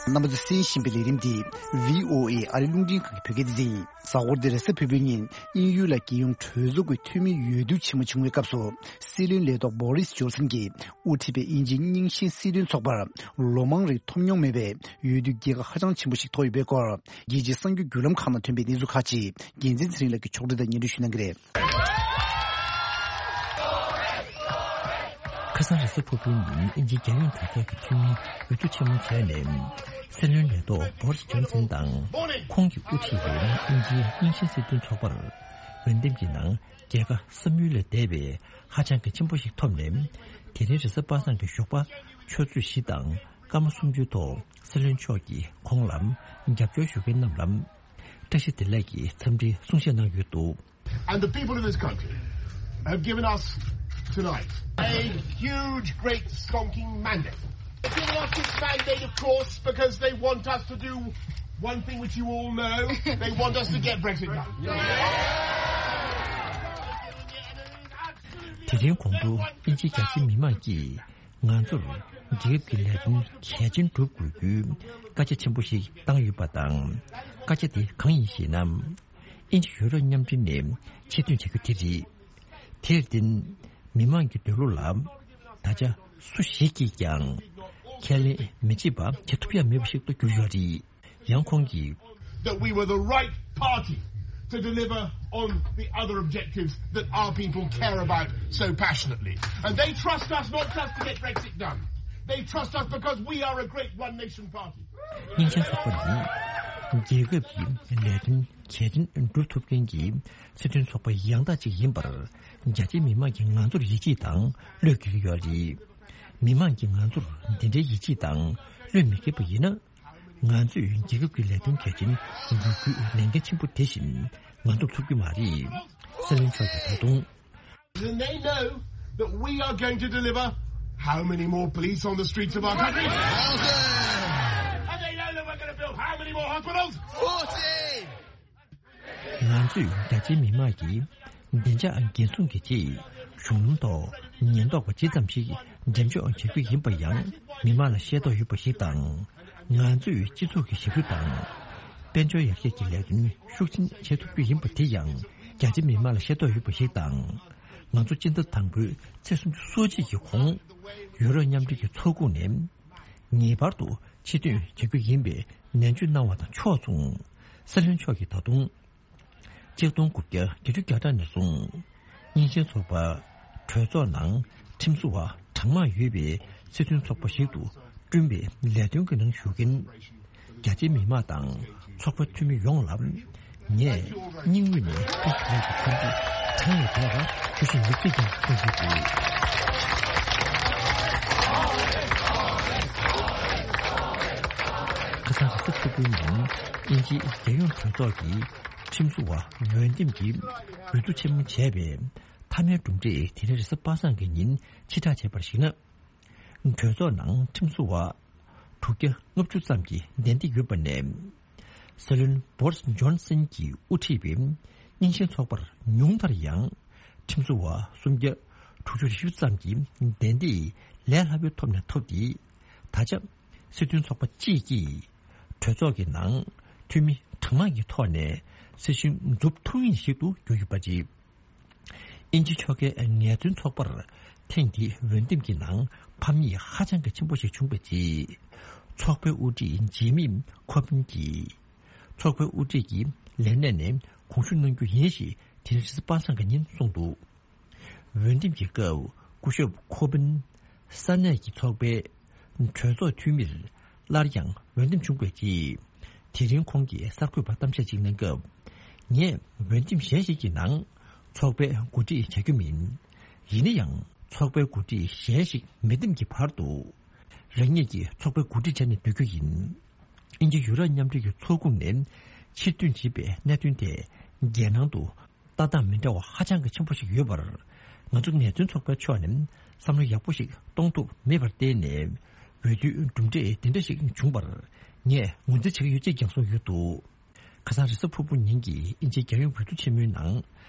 རྣམ་པ་ཚོས་གསན་བཞིན་པའི་ལས་རིམ་འདི་བྷི་ཨོ་ཨེ་ཨ་རི་རླུང་འཕྲིན་ཁང་གི་བོད་སྐད་སྡེ་ཚན་ཡིན། གཟའ་འཁོར་འདིར་གཟའ་ཕུར་བུའི་ཉིན་དབྱིན་ཡུལ་ལ་རྒྱལ་ཡོངས་གྲོས་ཚོགས་ཀྱི་འཐུས་མི་འོས་བསྡུ་ཆེན་མོ་བྱུང་བའི་སྐབས་སུ། སྲིད་བློན་ལས་ཐོག་བྷོ་རིས་ཇོན་སན་གྱིས་དབུ་ཁྲིད་པའི་དབྱིན་ཇིའི་རྙིང་ཞེན་སྲིད་དོན་ཚོགས་པར་ལོ་མང་རིང་ཐོབ་མྱོང་མེད་པའི་འོས་བསྡུའི་རྒྱལ་ཁ་ཧ་ཅང་ཆེན་པོ་ཞིག་ཐོབ་ཡོད་པའི་སྐོར། རྒྱལ་སྤྱིའི་གསར་འགྱུར་བརྒྱུད་ལམ་ཁག་ནང་ཐོན་པའི་གནས་ཚུལ་ཁག་ཅིག་རྒྱལ་མཚན་ཚེ་རིང་ལགས་ཀྱིས་ཕྱོགས་སྒྲིག་དང་སྙན་སྒྲོན་ཞུ་གནང་གི་རེད། ཁ་སང་རེས་གཟའ་ཕུར་བུའི་ཉིན་དབྱིན་ཇིའི་རྒྱལ་ཡོངས་གྲོས་ཚོགས་ཀྱི་འཐུས་མིའི་འོས་བསྡུ་ཆེན་མོ་བྱས་ནས། སྲིད་བློན་ལས་ཐོག་བྷོ་རིས་ཇོན་སན་དང་། ཁོང་གིས་དབུ་ཁྲིད་པའི་དབྱིན་ཇིའི་རྙིང་ཞེན་སྲིད་དོན་ཚོགས་པར། འོས་འདེམས་ཀྱི་ནང་རྒྱལ་ཁ་བསམ་ཡུལ་ལས་འདས་པའི་ཧ་ཅང་གལ་ཆེན་པོ་ཞིག་ཐོབ་ནས། དེ་རིང་རེས་གཟའ་པ་སངས་ཀྱི་ཞོགས་པ་ཆུ་ཚོད་བཞི་དང་སྐར་མ་སུམ་ཅུའི་ཐོག་སྲིད་བློན་མཆོག་གིས་ཁོང་ལ་རྒྱབ་སྐྱོར་ཞུ་མཁན་རྣམས་ལ་བཀྲ་ཤིས་བདེ་ལེགས་ཀྱི་འཚམས་འདྲི་གསུང་བཤད་གནང་ཡོད་འདུག And the people of this country have given us tonight a huge, great, stonking mandate. They've given us this mandate, of course, because they want us to do one thing which you all know. They want us to get Brexit done. དེ་རིང་གོང་དུ་དབྱིན་ཇིའི་རྒྱ་ཆེའི་མི་མང་གིས་ང་ཚོར་རྒྱལ་ཁབ་ཀྱི་ལས་དོན་གལ་ཆེན་སྒྲུབ་དགོས་རྒྱུའི་བཀའ་རྒྱ་ཆེན་པོ་ཞིག་བཏང་ཡོད་པ་དང་། བཀའ་རྒྱ་དེ་གང་ཡིན་ཞེ་ན། དབྱིན་ཇི་ཡོ་རོབ་མཉམ་འབྲེལ་ནས་ཕྱིར་ཐོན་བྱ་རྒྱུ་དེ་རེད། དེར་བརྟེན། མི་མང་གི་འདོད་བློ་ལ་ད་ཆ་སུ་ཞིག་གིས་ཀྱང་ཁས་ལེན་མི་བྱེད་པ་བྱེད་ཐུབ་ཡ་མེད་པ་ཞིག་ཏུ་གྱུར་ཡོད་རེད། ཡང་ཁོང་གིས། That we were the right party to deliver on the other objectives that our people care about so passionately. And they trust us not just to get Brexit done. They trust us because we are a great one nation party. སྙིང་རྗེ་ཚོགས་པ་ནི་རྒྱལ་ཁབ་ཀྱི་ལས་དོན་གལ་ཆེན་སྒྲུབ་ཐུབ་མཁན་གྱི་སྲིད་དོན་ཚོགས་པ་ཡང་དག་ཅིག་ཡིན་པར་རྒྱ་ཆེའི་མི་མང་གིས་ང་ཚོར་ཡིད་ཆེས་དང་བློས་འགེལ་གྱི་ཡོད་རེད། མི་མང་གིས་ང་ཚོར་འདི་འདྲའི་ཡིད་ཆེས་དང་བློས་ ལྷོད་མི་ཁེལ་པ་ཡིན་ན། ང་ཚོས་རྒྱལ་ཁབ་ཀྱི་ལས་དོན་གལ་ཆེན་འགུལ་སྐྱོད་ལས་འགན་ཆེན་པོ་དེ་བཞིན་ང་ཚོར་ཐུབ་ཀྱི་མ་རེད། སྲིད་བློན་མཆོག་གིས་ད་དུང་། And they know that we are going to deliver how many more police on the streets of our country? And they know that we're going to build how many more hospitals? ང་ཚོས་རྒྱ་ཆེའི་མི་མང་གི་བདེ་འཇགས་འགན་སྲུང་གི་ཆེད་གཞུང་ལམ་ཐོག་ཉེན་རྟོག་པ་ཇི་ཙམ་ཞིག་འགྲེམས་འཇོག་བྱེད་རྒྱུ་ཡིན་པ་ཡང་མི་མང་ལ་ཤེས་རྟོགས་ཡོད་པ་ཞིག་དང་། ང་ཚོས་སྤྱི་ཚོགས་ཀྱི་ཞབས་ཞུ་དང་། དཔལ་འབྱོར་ཡར་རྒྱས་ཀྱི་ལས་དོན་ཤུགས་ཆེན་བྱེད་ཐུབ་རྒྱུ་ཡིན་པ་དེ་ཡང་རྒྱ་ཆེ་མི་མང་ལ་ཤེས་རྟོགས་ཡོད་པ་ཞིག་དང་། ང་ཚོ་སྤྱི་ཟླ་དང་པོའི་ཚེས་སུམ་ཅུ་སོ་གཅིག་གི་གོང་ཡུ་རོབ་མཉམ་འབྲེལ་གྱི་ཚོགས་ཁོངས་ནས་ངེས་པར་དུ་ཕྱིར་ཐོན་བྱ་རྒྱུ་ཡིན་པའི་ནན་བརྗོད་གནང་བ་དང་ཕྱོགས་མཚུངས། སྲིད་བློན་མཆོག་གིས་ད་དུང་། ཆིག་སྟོང་དགུ་བརྒྱ་བརྒྱད་ཅུ་གྱ་གྲངས་ནས་བཟུང་། རྙིང་ཞེན་ཚོགས་པ་གྲོས་ཚོགས་ནང་ཁྲིམས་བཟོ་བ་གྲངས་མང་ཡོད་པའི་སྲིད་དོན་ཚོགས་པ་ཞིག་ཏུ་བསྐྲུན་པའི་ལས་དོན་གྱི་ནང་ཞུགས་མཁན་རྒྱ་ཆེའི་མི་མང་དང་ཚོགས་པའི་འཐུས་མི་ཡོངས་ལ་ངས་སྙིང་དབུས་ནས་ཐུགས་རྗེ་ཆེ་ཞུ་རྒྱུ་གྲངས་ལས་འདས་པ་ཞུ་བཞིན་ཡོད་ཅེས་ཀྱང་གསུངས་ཡོད་འདུག་ཁ་སང་རེས་གཟའ་ཕུར་བུའི་ཉིན་དབྱིན་ཇིའི་རྒྱལ་ཡོངས་གྲོས་ཚོགས་ཀྱི་ཁྲིམས་བཟོ་བ་འོས་འདེམས་ཀྱི་འོས་བསྡུ་ཆེན་མོ་བྱས་པའི་མཐའ་མའི་གྲུབ་འབྲས་དེ་རིང་རེས་གཟའ་པ་སངས་ཀྱི་ཉིན་ཕྱིར་བསྒྲགས་བྱས་པར་གཞིགས་ན། གྲོས་ཚོགས་ནང་ཁྲིམས་བཟོ་བ་དྲུག་བརྒྱ་ལྔ་བཅུ་ཙམ་གྱིས་གདན་འདྲེན་ཡོད་པ་ནས། སྲིད་བློན་བོ་རིས་ཇོན་སན་གྱིས་དབུ་ཁྲིད་པའི་རྙིང་ཞེན་ཚོགས་པར་ཉུང་མཐར་ཡང་ཁྲིམས་བཟོ་བ་སུམ་བརྒྱ་དྲུག་ཅུ་རེ་བཞི་ཙམ་གྱིས་གདན་འདྲེན་ལས་སླ་པོའི་ཐོག་ནས་ཐོབ་སྟེ། ད་ཆ། སྲིད་དོན་ཚོགས་པ་གཅིག་གིས་གྲོས་ཚོགས་ཀྱི་ནང་འཐུས་མི་གྲངས་མང་གི་ཐོག་ནས་སྲིད་གཞུང་འཛུགས་ཐུབ་མཁན་ཞིག་ཏུ་གྱུར་ཡོད་པ་རེད། དབྱིན་ཇི་ཕྱོགས་ཀྱི་ངལ་རྩོལ་ཚོགས་པར་ཐེངས་འདིའི་འོས་འདེམས་ཀྱི་ནང་ཕམ་ཉེས་ཧ་ཅང་གི་ཆེན་པོ་ཞིག་བྱུང་བའི་རྗེས། ཚོགས་པའི་དབུ་ཁྲིད་ཇི་མི་ཁོ་བིན་གྱིས། ཚོགས་པའི་དབུ་ཁྲིད་ཀྱི་ལས་གནས་ནས་དགོངས་ཞུ་གནང་རྒྱུ་ཡིན་ཞེས་དེ་རིང་རེས་གཟའ་པ་སངས་ཀྱི་ཉིན་གསུངས་འདུག་འོས་འདེམས་ཀྱི་སྐབས་སྐུ་ཞབས་ཁོ་བིན་ས་གནས་ཀྱི་ཚོགས་པའི་གྲོས་ཚོགས་འཐུས་མིར་སླར་ཡང་འོས་འདེམས་བྱུང་བའི་རྗེས། དེ་རིང་ཁོང་གིས་གསར་འགོད་པར་གཏམ་བཤད་ཅིག་གནང་སྐབས། ངས་འོས་འདེམས་གཞན་ཞིག་གི་ནང་ཚོགས་པའི་འགོ་ཁྲིད་བྱ་རྒྱུ་མིན། ཡིན་ན་ཡང་ཚོགས་པའི་འགོ་ཁྲིད་གཞན་ཞིག་མི་འདེམས་ཀྱི་བར་དུ། རང་ཉིད་ཀྱིས་ཚོགས་པའི་འགོ་ཁྲིད་བྱས་ནས་སྡོད་རྒྱུ་ཡིན། དབྱིན་ཇི་ཡུ་རོབ་མཉམ་འབྲེལ་གྱི་ཚོགས་ཁོངས་ནས་ཕྱིར་ཐོན་བྱས་པའི་གནད་དོན་དེ་རྒྱལ་ནང་དུ། ལྟ་སྟངས་མི་འདྲ་བ་ཧ་ཅང་གི་ཆེན་པོ་ཞིག་ཡོད་པར། ང་ཚོ་ངལ་རྩོལ་ཚོགས་པའི་ཕྱོགས་ནས་བསམ་བློ་ཡག་པོ་ཞིག་གཏོང་ཐུབ་མེད་པར་བརྟེན་ནས། འོས་བསྡུའི་གྲུབ་འབྲས་དེ་འདྲ་ཞིག་བྱུང་བར་ངས་ངོས་འཛིན་བྱེད་ཀྱི་ཡོད་ཅེས་ཀྱང་གསུངས་ཡོད་འདུག་ཁ་སང་རེས་གཟའ་ཕུར་བུ་ཉིན་གྱི་དབྱིན་ཇིའི་རྒྱལ་ཡོངས་འོས་བསྡུ་ཆེན་མོའི་ནང་།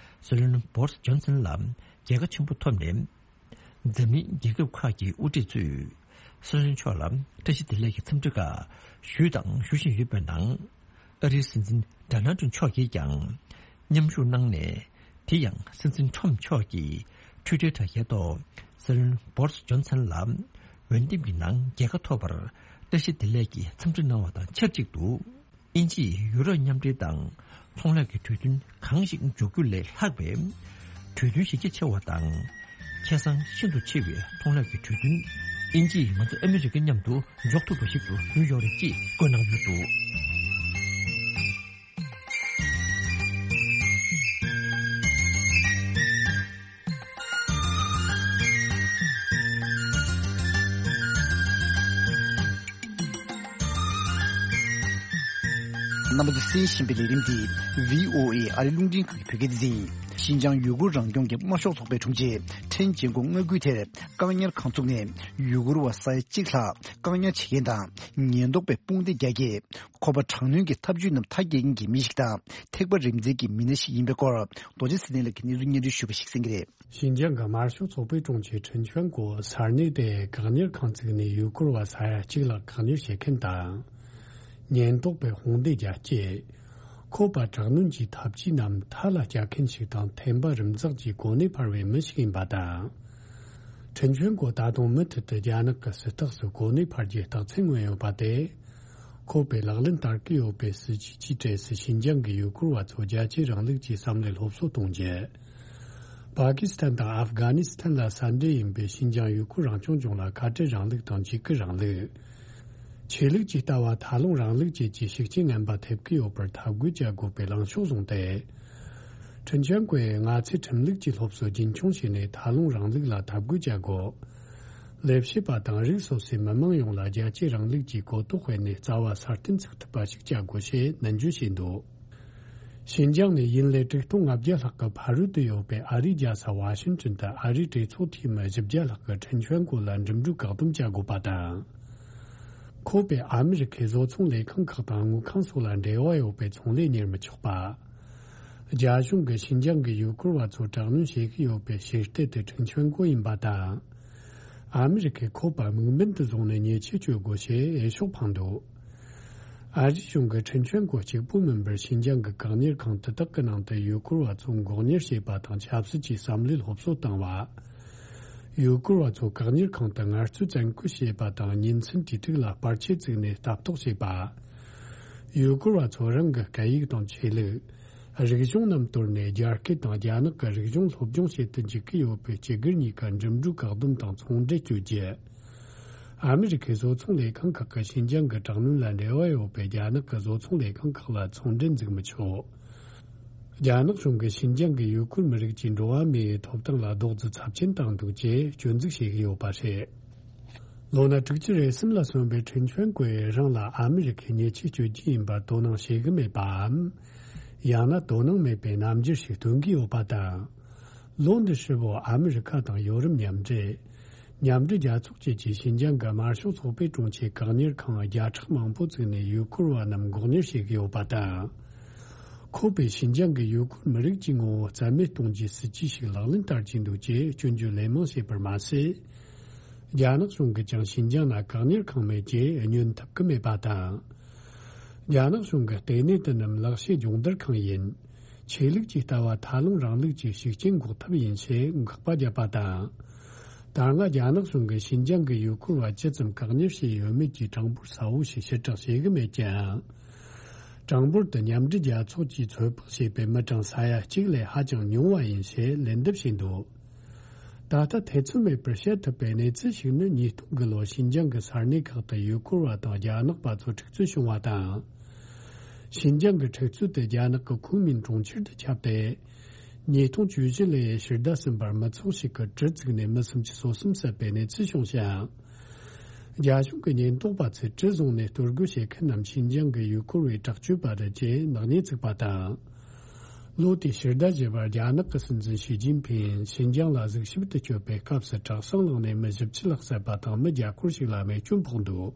སྲིད་བློན་བོ་རིས་ཇོན་སན་ལ་རྒྱལ་ཁ་ཆེན་པོ་ཐོབ་ནས། འཛམ་གླིང་རྒྱལ་ཁབ་ཁག་གི་དབུ་ཁྲིད་ཚོས་སྲིད་བློན་མཆོག་ལ་བཀྲ་ཤིས་བདེ་ལེགས་ཀྱི་འཚམས་འདྲི་ཁག་ཞུས་དང་ཞུ་བཞིན་ཡོད་པའི་ནང་། ཨ་རིའི་སྲིད་འཛིན་ཌོ་ནལ་ཏྲམ་མཆོག་གིས་ཀྱང་མཉམ་ཞུགས་གནང་ནས། དེ་ཡང་སྲིད་འཛིན་ཏྲམ་མཆོག་གིས་ཊུའི་ཊར་དྲ་རྒྱའི་ཐོག་སྲིད་བློན་བོ་རིས་ཇོན་སན་ལ་འོས་འདེམས་ཀྱི་ནང་རྒྱལ་ཁ་ཐོབ་པར་བཀྲ་ཤིས་བདེ་ལེགས་ཀྱི་འཚམས་འདྲི་གནང་བ་དང་ཆབས་ཅིག་ཏུ། དབྱིན་ཇིས་ཡུ་རོབ་མཉམ་འབྲེལ་དང་ཚོང་ལས་ཀྱི་གྲོས་མཐུན་གང་ཞིག་འཇོག་རྒྱུ་ལས་ལྷག་པའི་གྲོས་མཐུན་གཞི་རྒྱ་ཆེ་བ་དང་། ཁེ་བཟང་ཤིན་ཏུ་ཆེ་བའི་ཚོང་ལས་ཀྱི་གྲོས་མཐུན་དབྱིན་ཇིས་ང་ཚོ་ཨ་མི་རི་ཀ་མཉམ་དུ་འཇོག་ཐུབ་པ་ཞིག་ཏུ་འགྱུར་ཡོད་རེད་ཅེས་བཀོད་གནང་ཡོད་འདུག་རྣམ་པ་ཚོས་གསན་བཞིན་པའི་ལས་རིམ་འདི་བྷི་ཨོ་ཨེ་ཨ་རིའི་རླུང་འཕྲིན་ཁང་གི་བོད་སྐད་སྡེ་ཚན་ཡིན། ཤིན་ཅང་ཡུ་གུར་རང་སྐྱོང་གི་དམར་ཤོག་ཚོགས་པས་དྲུང་ཆེ་ཁྲེན་ཅིན་ཀོང་མངའ་ཁུལ་དེར་བཀག་ཉར་ཁང་བཙུགས་ནས་ཡུ་གུར་བ་ས་ཡ་གཅིག་ལྷག་བཀག་ཉར་བྱེད་མཁན་དང་ཉེན་རྟོག་པས་དཔུང་སྡེ་རྒྱག་སྐབས། ཁོ་པ་དྲག་གནོན་གྱི་ཐབས་ཇུས་རྣམས་མཐའ་སྐྱེལ་མཁན་གྱི་མི་ཞིག་དང་། ཐེག་པ་རིམ་འཛིན་གྱི་མི་སྣ་ཞིག་ཡིན་པའི་སྐོར། རྡོ་རྗེ་ཚེ་བརྟན་ལགས་ཀྱིས་གནས་ཚུལ་སྙན་སྒྲོན་ཞུས་པ་ཞིག་གསན་གྱི་རེད། ཞིན་ཅང་གི་དམར་ཤོག་ཚོགས་པའི་དྲུང་ཆེ་ཁྲིན་ཆོན་གོ་ས་གནས་དེའི་བཀག་ཉར་ཁང་བཙུགས་ནས་ཡུ་གུར་བ་ས་ཡ་གཅིག་ལྷག་བཀག་ཉར་བྱེད་མཁན་དང་། ཉེན་རྟོག་པས་དཔུང་སྡེ་རྒྱག་སྐབས། ཁོ་པ་དྲག་གནོན་གྱི་ཐབས་ཇུས་རྣམས་མཐའ་ལ་སྐྱེལ་མཁན་ཞིག་དང་། ཐེམ་པ་རིམ་འཛེགས་ཀྱིས་གོ་གནས་འཕར་བའི་མི་ཞིག་ཡིན་པ་དང་། ཁྲིན་ཆོན་གོ་ད་དུང་མུ་མཐུད་དུ་རྒྱ་ནག་གི་སྲིད་ཐག་སུ་གོ་གནས་འཕར་རྒྱུའི་རྟགས་མཚན་མངོན་ཡོད་པ་དེ། ཁོ་པས་ལག་ལེན་བསྟར་གྱི་ཡོད་པའི་སྲིད་ཇུས་ཀྱི་གྲས་སུ་ཤིན་ཅང་གི་ཡུ་གུར་བ་ཚོ་རྒྱལ་གཅེས་རིང་ལུགས་ཀྱི་བསམ་བློའི་སློབ་གསོ་གཏོང་རྒྱུ། པ་ཀི་སི་ཐན་དང་ཨབ་གྷ་ནི་སི་ཐན་ལ་ས་འབྲེལ་ཡིན་པའི་ཤིན་ཅང་ཡུ་གུར་རང་སྐྱོང་ལྗོངས་ལ་ཁ་བྲལ་རིང་ལུགས་དང་འཇིགས་སྐུལ་རིང་ལུགས། ཆོས་ལུགས་ཀྱི་ལྟ་བ་མཐའ་ལྷུང་རིང་ལུགས་བཅས་ཀྱི་ཤུགས་རྐྱེན་ངན་པ་ཐེབས་ཀྱི་ཡོད་པར་འཐབ་རྒོལ་བྱ་དགོས་པའི་ལངས་ཕྱོགས་བཟུང་སྟེ། ཁྲིན་ཆོན་གོས་ང་ཚོས་ཁྲིམས་ལུགས་ཀྱི་སློབ་གསོ་རྒྱུན་འཁྱོངས་བྱས་ནས་མཐའ་ལྷུང་རིང་ལུགས་ལ་འཐབ་རྒོལ་བྱ་དགོས། ལས་བྱེད་པ་དང་རིགས་སོ་སོའི་མི་མང་ཡོངས་ལ་རྒྱལ་གཅེས་རིང་ལུགས་ཀྱི་གོ་རྟོགས་སྤེལ་ནས་རྩ་བ་སྲ་བརྟན་ཚུགས་ཐུབ་པ་ཞིག་བྱ་དགོས་ཞེས་ནན་བརྗོད་བྱས་འདུག་ཞིན་ཅང་ནས་ཡུན་ལས་དྲུག་སྟོང་ལྔ་བརྒྱ་ལྷག་གི་ཕ་རོལ་ཏུ་ཡོད་པའི་ཨ་རིའི་རྒྱལ་ས་ཝ་ཤིང་ཏོན་དུ་ཨ་རིའི་གྲོས་ཚོགས་འཐུས་མི་བཞི་བརྒྱ་ལྷག་གིས་ཁྲིན་ཆོན་ཀོ་ལ་འགྲིམ་འགྲུལ་བཀག་སྡོམ་བྱ་དགོས་པ་དང་། ཁོ་པས་ཨ་མི་རི་ཁའི་བཟོ་ཚོང་ལས་ཁང་ཁག་དང་དངུལ་ཁང་སོགས་ལ་འབྲེལ་བ་ཡོད་པའི་ཚོང་ལས་གཉེར་མི་ཆོག་པ། རྒྱ་གཞུང་གིས་ཞིན་ཅང་གི་ཡུལ་སྐོར་བ་ཚོར་དྲག་གནོན་བྱེད་ཀྱི་ཡོད་པའི་ཞིག་སྟེ་དེ་ཁྲིན་ཆོན་ཀོ་ཡིན་པ་དང་། ཨ་མི་རི་ཁས་ཁོ་པ་དམིགས་འབེན་དུ་བཟུང་ནས་ཉེས་ཆད་གཅོད་དགོས་ཞེས་འོས་ཤོག་འཕངས་འདུག་ཨ་རིའི་གཞུང་གིས་ཁྲིན་ཆོན་ཀོ་གཅིག་པུ་མིན་པར་ཞིན་ཅང་གི་བཀག་ཉར་ཁང་དེ་དག་གི་ནང་དུ་ཡུལ་སྐོར་བ་ཚོ་འགོག་ཉར་བྱེད་པ་དང་ཆབ་སྲིད་ཀྱི་བསམ་བློའི་སློབ་གསོ་བཏང་བ། ཡུལ་སྐོར་བ་ཚོ་བཀག་ཉར་ཁང་དུ་ངལ་རྩོལ་བཙན་སྐུལ་བྱེད་པ་དང་ཉིན་མཚན་དུས་དྲུག་ལ་པར་ཆས་བཙུགས་ནས་ལྟ་རྟོག་བྱེད་པ། ཡུལ་སྐོར་བ་ཚོ་རང་གི་སྐད་ཡིག་དང་ཆོས་ལུགས། རིག་གཞུང་རྣམས་དོར་ནས་རྒྱ་སྐད་དང་རྒྱ་ནག་གི་རིག་གཞུང་སློབ་སྦྱོང་བྱེད་དུ་འཇུག་གི་ཡོད་པའི་སྤྱི་སྒེར་གཉིས་ཀ་འགྲིམ་འགྲུལ་བཀག་སྡོམ་དང་ཚོང་འབྲེལ་གཅོད་རྒྱུ། ཨ་མི་རི་ཁའི་བཟོ་ཚོང་ལས་ཁང་ཁག་གིས་ཞིན་ཅང་གི་དྲག་གནོན་ལ་འབྲེལ་བ་ཡོད་པའི་རྒྱ་ནག་གི་བཟོ་ཚོང་ལས་ཁང་ཁག་ལ་ཚོང་འབྲེལ་འཛུགས་མི་ཆོག་རྒྱ་ནག་གཞུང་གིས་ཞིན་ཅང་གི་ཡུལ་སྐོར་མི་རིགས་ཀྱི་འགྲོ་བ་མིའི་ཐོབ་ཐང་ལ་རྡོག་རྫིས་ཚབས་ཆེན་བཏང་འདུག་ཅེས་སྐྱོན་འཛུགས་བྱེད་ཀྱི་ཡོད་པ་རེད། ལོ་ན་དྲུག་ཅུ་རེ་གསུམ་ལ་སོན་པའི་ཁྲིན་ཆོན་ཀོས་རང་ལ་ཨ་མི་རི་ཁས་ཉེས་ཆད་གཅོད་རྒྱུ་ཡིན་པར་དོ་སྣང་བྱེད་ཀྱི་མེད་པའམ། ཡང་ན་དོ་སྣང་མེད་པའི་རྣམ་འགྱུར་ཞིག་སྟོན་གྱི་ཡོད་པ་དང་། ལོ་འདི་ཧྲིལ་བོ་ཨ་མི་རི་ཁ་དང་ཡོ་རོབ་མཉམ་འབྲེལ། མཉམ་འབྲེལ་རྒྱལ་ཚོགས་བཅས་ཀྱིས་ཞིན་ཅང་གི་དམར་ཤོག་ཚོགས་པའི་དྲུང་ཆེའི་བཀག་ཉར་ཁང་བརྒྱ་ཕྲག་མང་པོ་བཙུགས་ནས་ཡུལ་སྐོར་བ་རྣམས་འགོག་ཉར་བྱེད་ཀྱི་ཡོད་པ་དང་། ཁོ་པས་ཞིན་ཅང་གི་ཡུལ་སྐོར་མི་རིགས་ཀྱི་ངོ་བོ་རྩ་མེད་གཏོང་རྒྱུའི་སྲིད་ཇུས་ཤིག་ལག་ལེན་བསྟར་གྱི་འདུག་ཅེས་སྐྱོན་བརྗོད་ལན་མང་བྱས་པར་མ་ཟད། རྒྱ་ནག་གཞུང་གིས་ཀྱང་ཞིན་ཅང་ལ་བཀག་ཉར་ཁང་མེད་ཅེས་བསྙོན་ཐུབ་ཀྱི་མེད་པ་དང་། རྒྱ་ནག་གཞུང་གིས་ལྟེ་གནས་དེ་རྣམས་ལག་ཤེས་སྦྱོང་བརྡར་ཁང་ཡིན། ཆོས་ལུགས་ཀྱི་ལྟ་བ་ཐལ་རླུང་རིང་ལུགས་ཀྱི་ཤུགས་རྐྱེན་འགོག་ཐབས་ཡིན་ཞེས་དགག་པ་བརྒྱབ་པ་དང་། ད་སྔ་རྒྱ་ནག་གཞུང་གིས་ཞིན་ཅང་གི་ཡུལ་སྐོར་བ་ཇི་ཙམ་བཀག་ཉར་བྱས་ཡོད་མེད་ཀྱི་གྲངས་འབོར་གསལ་བོ་ཞིག་ཕྱིར་བསྒྲགས་བྱེད་ཀྱི་མེད་ཀྱང་། གྲངས་འབོར་དེ་མཉམ་འབྲེལ་རྒྱལ་ཚོགས་ཀྱིས་ཚོད་དཔག་བྱས་པའི་མི་གྲངས་ས་ཡ་གཅིག་ལས་ཧ་ཅང་ཉུང་བ་ཡིན་ཞེས་ལན་འདེབས་བྱས་འདུག་ད་ལྟ་ཐེ་ཚོམ་མེད་པར་བཤད་ཐུབ་པའི་གནས་ཚུལ་ཞིག་ནི། ཉིས་སྟོང་དགུ་ལོར་ཞིན་ཅང་གི་ས་གནས་ཁག་ཏུ་ཡུལ་སྐོར་བ་དང་རྒྱ་ནག་པ་ཚོ་འཁྲུག་རྩོད་བྱུང་བ་དང་། ཞིན་ཅང་གི་འཁྲུག་རྩོད་དེ་རྒྱ་ནག་གི་ཁུན་མིང་གྲོང་ཁྱེར་དུ་ཁྱབ་སྟེ། ཉིས་སྟོང་བཅུ་བཞི་ལོའི་ཕྱི་ཟླ་གསུམ་པར་མི་ཚོགས་ཤིག་གིས་གྲི་བཙུགས་ནས་མི་སུམ་ཅུ་སོ་གསུམ་བསད་པའི་གནས་ཚུལ་བྱུང་ཞིང་། རྒྱ་གཞུང་གི་ཉེན་རྟོག་པ་ཚོས་གྲི་བཟུང་ནས་གཏོར་རྒོལ་བྱེད་མཁན་རྣམས་ཞིན་ཅང་གི་ཡུལ་སྐོར་བའི་དྲག་སྤྱོད་པ་རེད་ཅེས་ནག་ཉེས་བཙུགས་པ་དང་། ལོ་དེའི་ཕྱི་ཟླ་བཞི་པར་རྒྱ་ནག་གི་སྲིད་འཛིན་ཞི་ཅིན་ཕིང་ཞིན་ཅང་ལ་གཟིགས་ཞིབ་ཏུ་བསྐྱོད་པའི་སྐབས་སུ་དྲག་ཟིང་བསླངས་ནས་མི་བཞི་བཅུ་ལྷག་བསད་པ་དང་མི་བརྒྱ་སྐོར་ཞིག་ལ་རྨས་སྐྱོན་ཕོག་འདུག་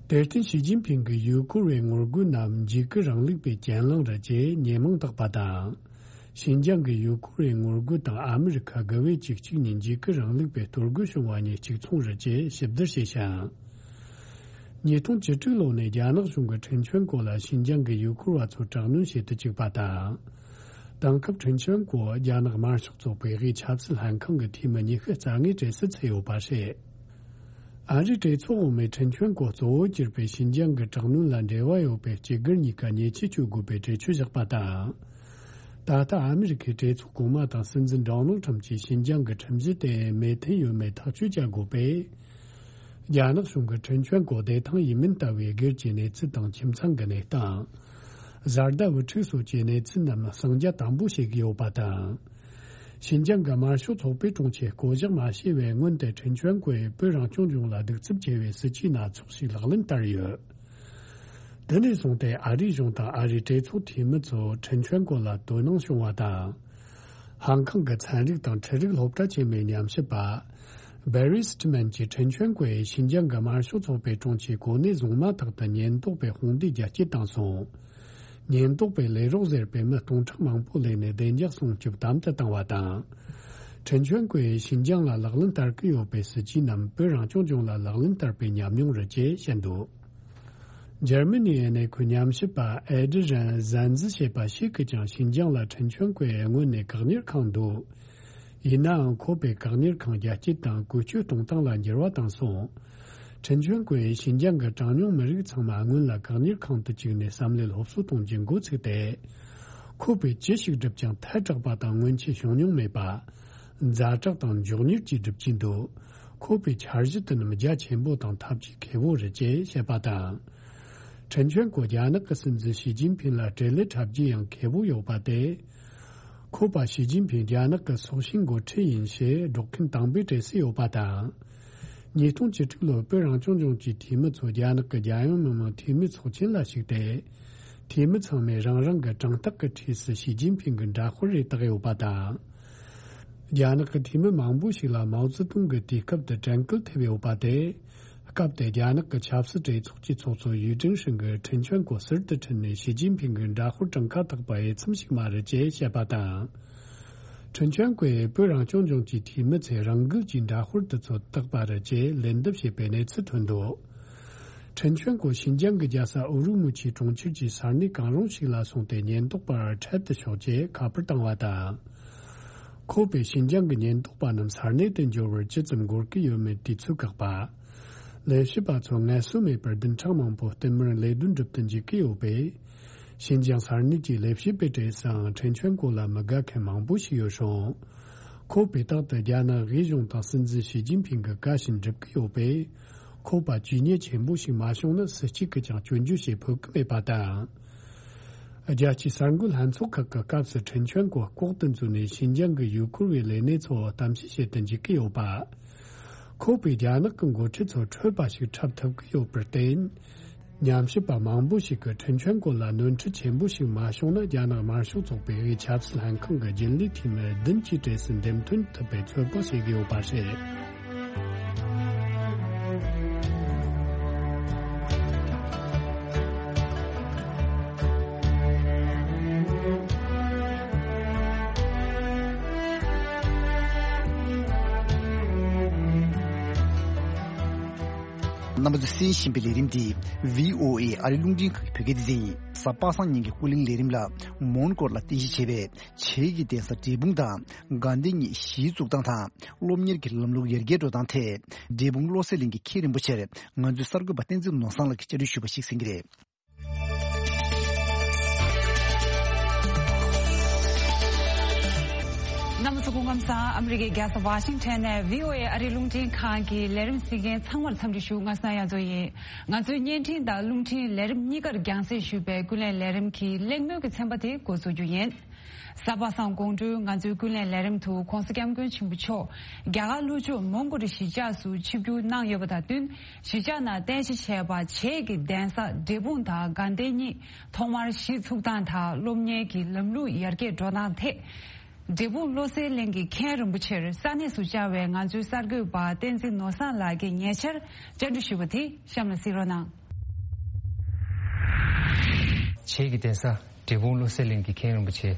དེར་བརྟེན་ཞི་ཅིན་ཕིང་གིས་ཡུལ་སྐོར་བའི་ངོ་རྒོལ་རྣམས་འཇིགས་སྐུལ་རིང་ལུགས་པའི་གྱེན་ལངས་རེད་ཅེས་ཉེས་མིང་བཏགས་པ་དང་། ཞིན་ཅང་གི་ཡུལ་སྐོར་བའི་ངོ་རྒོལ་དང་ཨ་མི་རི་ཁ་དགུ་བས་གཅིག་གཅིག་ནས་འཇིགས་སྐུལ་རིང་ལུགས་པའི་གཏོར་རྒོལ་བྱུང་བ་གཉིས་གཅིག་མཚུངས་རེད་ཅེས་ཞིབ་བསྡུར་བྱས་ཤིང་། ཉིས་སྟོང་བཅུ་དྲུག་ལོ་ནས་རྒྱ་ནག་གཞུང་གིས་ཁྲིན་ཆོན་ཀོ་ལ་ཞིན་ཅང་གི་ཡུལ་སྐོར་བ་ཚོར་དྲག་གནོན་བྱེད་དུ་བཅུག་པ་དང་། དེང་སྐབས་ཁྲིན་ཆོན་ཀོ་རྒྱ་ནག་དམར་ཤོག་ཚོགས་པའི་དབུས་ཆབ་སྲིད་ལྷན་ཁང་གི་འཐུས་མི་ཉི་ཤུ་རྩ་ལྔའི་གྲས་སུ་ཚུད་ཡོད་པ་རེད། ཨ་རིའི་གྲོས་ཚོགས་འོག་མས་ཁྲིན་ཆོན་ཀོ་གཙོ་བོ་གྱུར་པའི་ཞིན་ཅང་གི་དྲག་གནོན་ལ་འབྲེལ་བ་ཡོད་པའི་སྤྱི་སྒེར་གཉིས་ཀ་ཉེས་ཆད་གཅོད་དགོས་པའི་གྲོས་ཆོད་བཞག་པ་དང་། ད་ལྟ་ཨ་མི་རི་ཁའི་གྲོས་ཚོགས་གོང་མ་དང་སྲིད་འཛིན་ཌོ་ནལ་ཁྲམ་གྱིས་ཞིན་ཅང་གི་ཁྲིམས་གཞི་དེ་མོས་མཐུན་ཡོད་མེད་ཐག་གཅོད་བྱ་དགོས་པས། རྒྱ་ནག་གཞུང་གིས་ཁྲིན་ཆོན་ཀོ་བདེ་ཐང་ཡིན་མིན་ལྟ་བུའི་སྒེར་གྱི་གནས་ཚུལ་དང་ཁྱིམ་ཚང་གི་གནས་སྟངས། བཟའ་ཟླ་བུ་ཕྲུག་སོགས་ཀྱི་གནས་ཚུལ་རྣམས་གསང་རྒྱ་དམ་པོ་བྱེད་ཀྱི་ཡོད་པ་དང་། ཞིན་ཅང་གི་དམར་ཤོག་ཚོགས་པའི་དྲུང་ཆེས་བསྐོ་གཞག་མ་བྱས་པའི་སྔོན་དུ་ཁྲིན་ཆོན་ཀོས་བོད་རང་སྐྱོང་ལྗོངས་ལ་གདུག་རྩུབ་ཆེ་བའི་སྲིད་ཇུས་སྣ་ཚོགས་ཤིག་ལག་ལེན་བསྟར་ཡོད། དེ་ནས་བཟུང་སྟེ་ཨ་རིའི་གཞུང་དང་ཨ་རིའི་གྲོས་ཚོགས་འཐུས་མི་ཚོ་ཁྲིན་ཆོན་ཀོ་ལ་དོ་སྣང་བྱུང་བ་དང་། ཧང་ཀང་གི་ཚན་རིག་དང་འཕྲུལ་རིག་སློབ་གྲྭ་ཆེན་མོའི་ཉམས་ཞིབ་པ། བེ་རི་སི་ཏི་མན་གྱིས་ཁྲིན་ཆོན་ཀོས་ཞིན་ཅང་གི་དམར་ཤོག་ཚོགས་པའི་དྲུང་ཆེའི་གོ་གནས་བཟུང་མ་ཐག་ཏུ་ཉེན་རྟོག་པས་དཔུང་སྡེ་རྒྱ་སྐྱེད་བཏང་སོང་། ཉེན་རྟོག་པས་ལས་རོགས་ཟེར་བའི་མི་སྟོང་ཕྲག་མང་པོ་ལས་ནས་བདེ་འཇགས་སྲུང་སྐྱོབ་དམ་དུ་བཏང་བ་དང་། ཁྲིན་ཆོན་ཀོས་ཞིན་ཅང་ལ་ལག་ལེན་བསྟར་གྱི་ཡོད་པའི་སྲིད་ཇུས་རྣམས་བོད་རང་སྐྱོང་ལྗོངས་ལ་ལག་ལེན་བསྟར་བའི་ཉམས་མྱོང་རེད་ཅེས་བཤད་འདུག་འཇར་མ་ནིའི་གནས་ཁུལ་ཉམས་ཞིབ་པ་ཨེ་ཌི་རན་ཟན་ཛི་ཞེས་པ་ཞིག་གིས་ཀྱང་ཞིན་ཅང་ལ་ཁྲིན་ཆོན་ཀོས་སྔོན་ནས་བཀག་ཉར་ཁང་འདུག་ཡིན་ནའང་ཁོ་པས་བཀག་ཉར་ཁང་རྒྱ་སྐྱེད་དང་བཀོལ་སྤྱོད་གཏོང་སྟངས་ལ་འགྱུར་བ་བཏང་སོང་། ཁྲིན་ཆོན་ཀོས་ཞིན་ཅང་གི་གྲངས་ཉུང་མི་རིགས་ཚང་མ་སྔོན་ལ་བཀག་ཉར་ཁང་དུ་བཅུག་ནས་བསམ་བློའི་སློབ་གསོ་གཏོང་རྒྱུ་འགོ་ཚུགས་ཏེ། ཁོ་པས་ཅི་ཞིག་བསྒྲུབས་ཀྱང་ཐལ་དྲགས་པ་དང་སྔོན་ཆད་བྱུང་མྱོང་མེད་པ། ཛ་དྲག་དང་མགྱོགས་མྱུར་གྱིས་སྒྲུབ་ཀྱིན་འདུག་ཁོ་པའི་འཆར་གཞི་དེ་རྣམས་རྒྱ་ཆེན་པོ་དང་ཐབས་ཇུས་མཁས་པོ་རེད་ཅེས་བཤད་པ་དང་། ཁྲིན་ཆོན་ཀོ་རྒྱ་ནག་གི་སྲིད་འཛིན་ཞི་ཅིན་ཕིང་ལ་འབྲེལ་ལས་འཁྲབ་རྒྱུ་ཡང་མཁས་པོ་ཡོད་པ་སྟེ། ཁོ་པ་ཞི་ཅིན་ཕིང་རྒྱ་ནག་གི་སྲོག་ཤིང་འགོ་ཁྲིད་ཡིན་ཞེས་སྒྲོག་མཁན་དང་པོའི་གྲས་སུ་ཡོད་པ་དང་། ཉིས་སྟོང་བཅུ་དྲུག་ལོར་བོད་རང་སྐྱོང་ལྗོངས་ཀྱི་འཐུས་མི་ཚོ་རྒྱ་ནག་གི་རྒྱལ་ཡོངས་མི་དམངས་འཐུས་མི་ཚོགས་ཆེན་ལ་ཞུགས་ཏེ། འཐུས་མི་ཚང་མས་རང་རང་གི་དྲང་ཐག་གི་འཁྲིས་སུ་ཞི་ཅིན་ཕིང་གི་འདྲ་དཔར་རེ་བཏགས་ཡོད་པ་དང་། རྒྱ་ནག་གི་འཐུས་མི་མང་པོ་ཞིག་ལ་མའོ་ཙེ་ཏུང་གི་དུས་སྐབས་དེ་དྲན་སྐུལ་ཐེབས་ཡོད་པ་སྟེ། སྐབས་དེ་རྒྱ་ནག་གི་ཆབ་སྲིད་གྲོས་ཚོགས་ཀྱི་ཚོགས་གཙོ་ཡུས་ཀྲེང་ཧྲེང་གིས་ཁྲིན་ཆོན་ཀོ་ཟུར་དུ་ཁྲིད་ནས་ཞི་ཅིན་ཕིང་གི་འདྲ་དཔར་གྲངས་ཀ་བཏགས་པ་འོས་འཚམ་ཞིག་མ་རེད་ཅེས་བཤད་པ་དང་། ཁྲིན་ཆོན་ཀོས་བོད་རང་སྐྱོང་ལྗོངས་ཀྱི་འཐུས་མི་ཚོས་རང་འགུལ་གྱིས་འདྲ་དཔར་དེ་ཚོ་བཏགས་པ་རེད་ཅེས་ལན་འདེབས་བྱས་པའི་གནས་ཚུལ་ཐོན་འདུག་ཁྲིན་ཆོན་ཀོ་ཤིན་ཅང་གི་རྒྱལ་ས་ཨུ་རུ་མུ་ཆིའི་གྲོང་ཁྱེར་གྱི་ས་གནས་གང་རུང་ཞིག་ལ་སོང་སྟེ་ཉེན་རྟོག་པར་འཕྲལ་དུ་ཕྱོགས་རྗེས་ཁ་པར་བཏང་བ་དང་། ཁོ་པས་ཤིན་ཅང་གི་ཉེན་རྟོག་པ་རྣམས་ས་གནས་དེ་འབྱོར་བར་ཇི་ཙམ་འགོར་གྱི་ཡོད་མེད་དུས་ཚོད་བཀག་པ། ལས་བྱེད་པ་ཚོ་ངལ་གསོ་མེད་པར་བདུན་ཕྲག་མང་པོ་བསྟུད་མར་ལས་དོན་སྒྲུབ་ཏུ་འཇུག་གི་ཡོད་པས། ཤིན་ཅང་ས་གནས་ཀྱི་ལས་བྱེད་པའི་གྲས་སུའང་ཁྲིན་ཆོན་ཀོ་ལ་མི་དགའ་མཁན་མང་པོ་ཞིག་ཡོད་རུང་། ཁོ་པས་རྟག་ཏུ་རྒྱ་ནག་དབུས་གཞུང་དང་སྲིད་འཛིན་ཞི་ཅིན་ཕིང་གི་བཀའ་བཞིན་སྒྲུབ་ཀྱི་ཡོད་པས། ཁོ་པ་ཇུས་ཉེས་ཆེན་པོ་ཞིག་མ་བྱུང་ན་སུ་གཅིག་གིས་ཀྱང་སྐྱོན་བརྗོད་བྱེད་ཕོད་ཀྱི་མེད་པ་དང་། རྒྱལ་སྤྱིའི་གསར་འགོད་ལྷན་ཚོགས་ཁག་གི་སྐབས་སུ་ཁྲིན་ཆོན་ཀོ་ལྐོག་ཏུ་འཛུལ་ནས་ཤིན་ཅང་གི་ཡུལ་སྐོར་བའི་ལས་གནས་ཚོ་གཏམ་བཤད་བྱེད་དུ་འཇུག་གི་ཡོད་པ། ཁོ་པས་རྒྱ་ནག་གི་འགོ་ཁྲིད་ཚོ་འཕྲོད་པ་ཞིག་འཁྲབ་ཐུབ་ཀྱི་ཡོད་པར་བརྟེན། ཉམས་ཞིབ་པ་མང་པོ་ཞིག་གིས་ཁྲིན་ཆོན་ཀོ་ལ་ནོར་འཁྲུལ་ཆེན་པོ་ཞིག་མ་བྱུང་ན་རྒྱ་ནག་དམར་ཤོག་ཚོགས་པའི་དབུས་ཆབ་སྲིད་ལྷན་ཁང་གི་རྒྱུན་ལས་འཐུས་མི་བདུན་གྱི་གྲས་སུ་འདེམས་ཐོན་ཐུབ་པའི་ཚོད་དཔག་བྱེད་ཀྱི་ཡོད་པ་རེད། རྣམ་པ་ཚོས་གསན་བཞིན་པའི་ལས་རིམ་འདི་བྷི་ཨོ་ཨེ་ཨ་རིའི་རླུང་འཕྲིན་ཁང་གི་བོད་སྐད་སྡེ་ཚན་ཡིན། གཟའ་པ་སངས་ཉིན་གྱི་ཀུན་གླེང་ལས་རིམ་ལ་མོན་གྷོ་ལ་རྟེན་གཞི་བྱས་པའི་བྱེས་ཀྱི་གདན་ས་འབྲས་སྤུངས་དང་དགའ་ལྡན་གཉིས་གཞིས་བཙུགས་སྟངས་དང་སློབ་གཉེར་གྱི་ལམ་ལུགས་ཡར་རྒྱས་འགྲོ་སྟངས་ཐད་འབྲས་སྤུངས་བློ་གསལ་གླིང་གི་མཁན་རིན་པོ་ཆེར་ང་ཚོའི་གསར་འགོད་པ་བསྟན་འཛིན་ནོར་བཟང་ལགས་ཀྱིས་བཅར་འདྲི་ཞུས་པ་ཞིག་གསན་གྱི་རེད། རྣམ་པ་ཚོ་སྐུ་ཁམས་བཟང་། ཨ་མི་རི་ཀའི་རྒྱལ་ས་ཝ་ཤིང་ཊོན་ནས་བྷི་ཨོ་ཨེ་ཨ་རིའི་རླུང་འཕྲིན་ཁང་གི་ལས་རིམ་གཟིགས་མཁན་ཚང་མར་འཚམས་འདྲི་ཞུ། ང་སྣང་ཡང་ཚོ་ཡིན། ང་ཚོའི་བརྙན་འཕྲིན་དང་རླུང་འཕྲིན་ལས་རིམ་གཉིས་ཀར་རྒྱང་སྲིང་ཞུས་པའི་ཀུན་གླེང་ལས་རིམ་གྱི་གླེང་མོལ་གྱི་ཚན་པ་དེ་འགོ་འཛུགས་རྒྱུ་ཡིན། གཟའ་པ་སངས་དགོང་དྲོའི་ང་ཚོའི་ཀུན་གླེང་ལས་རིམ་དུ་༧གོང་ས་༧སྐྱབས་མགོན་ཆེན་པོ་མཆོག་རྒྱ་གར་ལྷོ་ཕྱོགས་མོན་གྷོ་རི་གཞིས་ཆགས་སུ་ཆིབས་བསྒྱུར་གནང་ཡོད་པ་དང་བསྟུན། གཞིས་ཆགས་ནང་རྟེན་གཞི་བྱས་པ་བྱེས་ཀྱི་གདན་ས་འབྲས་སྤུངས་དང་དགའ་ལྡན་གཉིས་ཐོག་མར་གཞིས་ཚུགས་སྟངས་དང་སློབ་གཉེར་གྱི་ལམ་ལུགས་ཡར་རྒྱས་འགྲོ་སྟངས་ཐད། འབྲས་སྤུངས་བློ་གསལ་གླིང་གི་མཁན་རིན་པོ་ཆེར་ས་གནས་སུ་བཅར་བའི་ང་ཚོའི་གསར་འགོད་པ་བསྟན་འཛིན་ནོར་བཟང་ལགས་ཀྱིས་ཉེ་ཆར་བཅར་འདྲི་ཞུས་པ་དེ་གཤམ་ལ་གཟིགས་རོགས་གནང་། བྱེས་ཀྱི་གདན་ས་འབྲས་སྤུངས་བློ་གསལ་གླིང་གི་མཁན་རིན་པོ་ཆེ་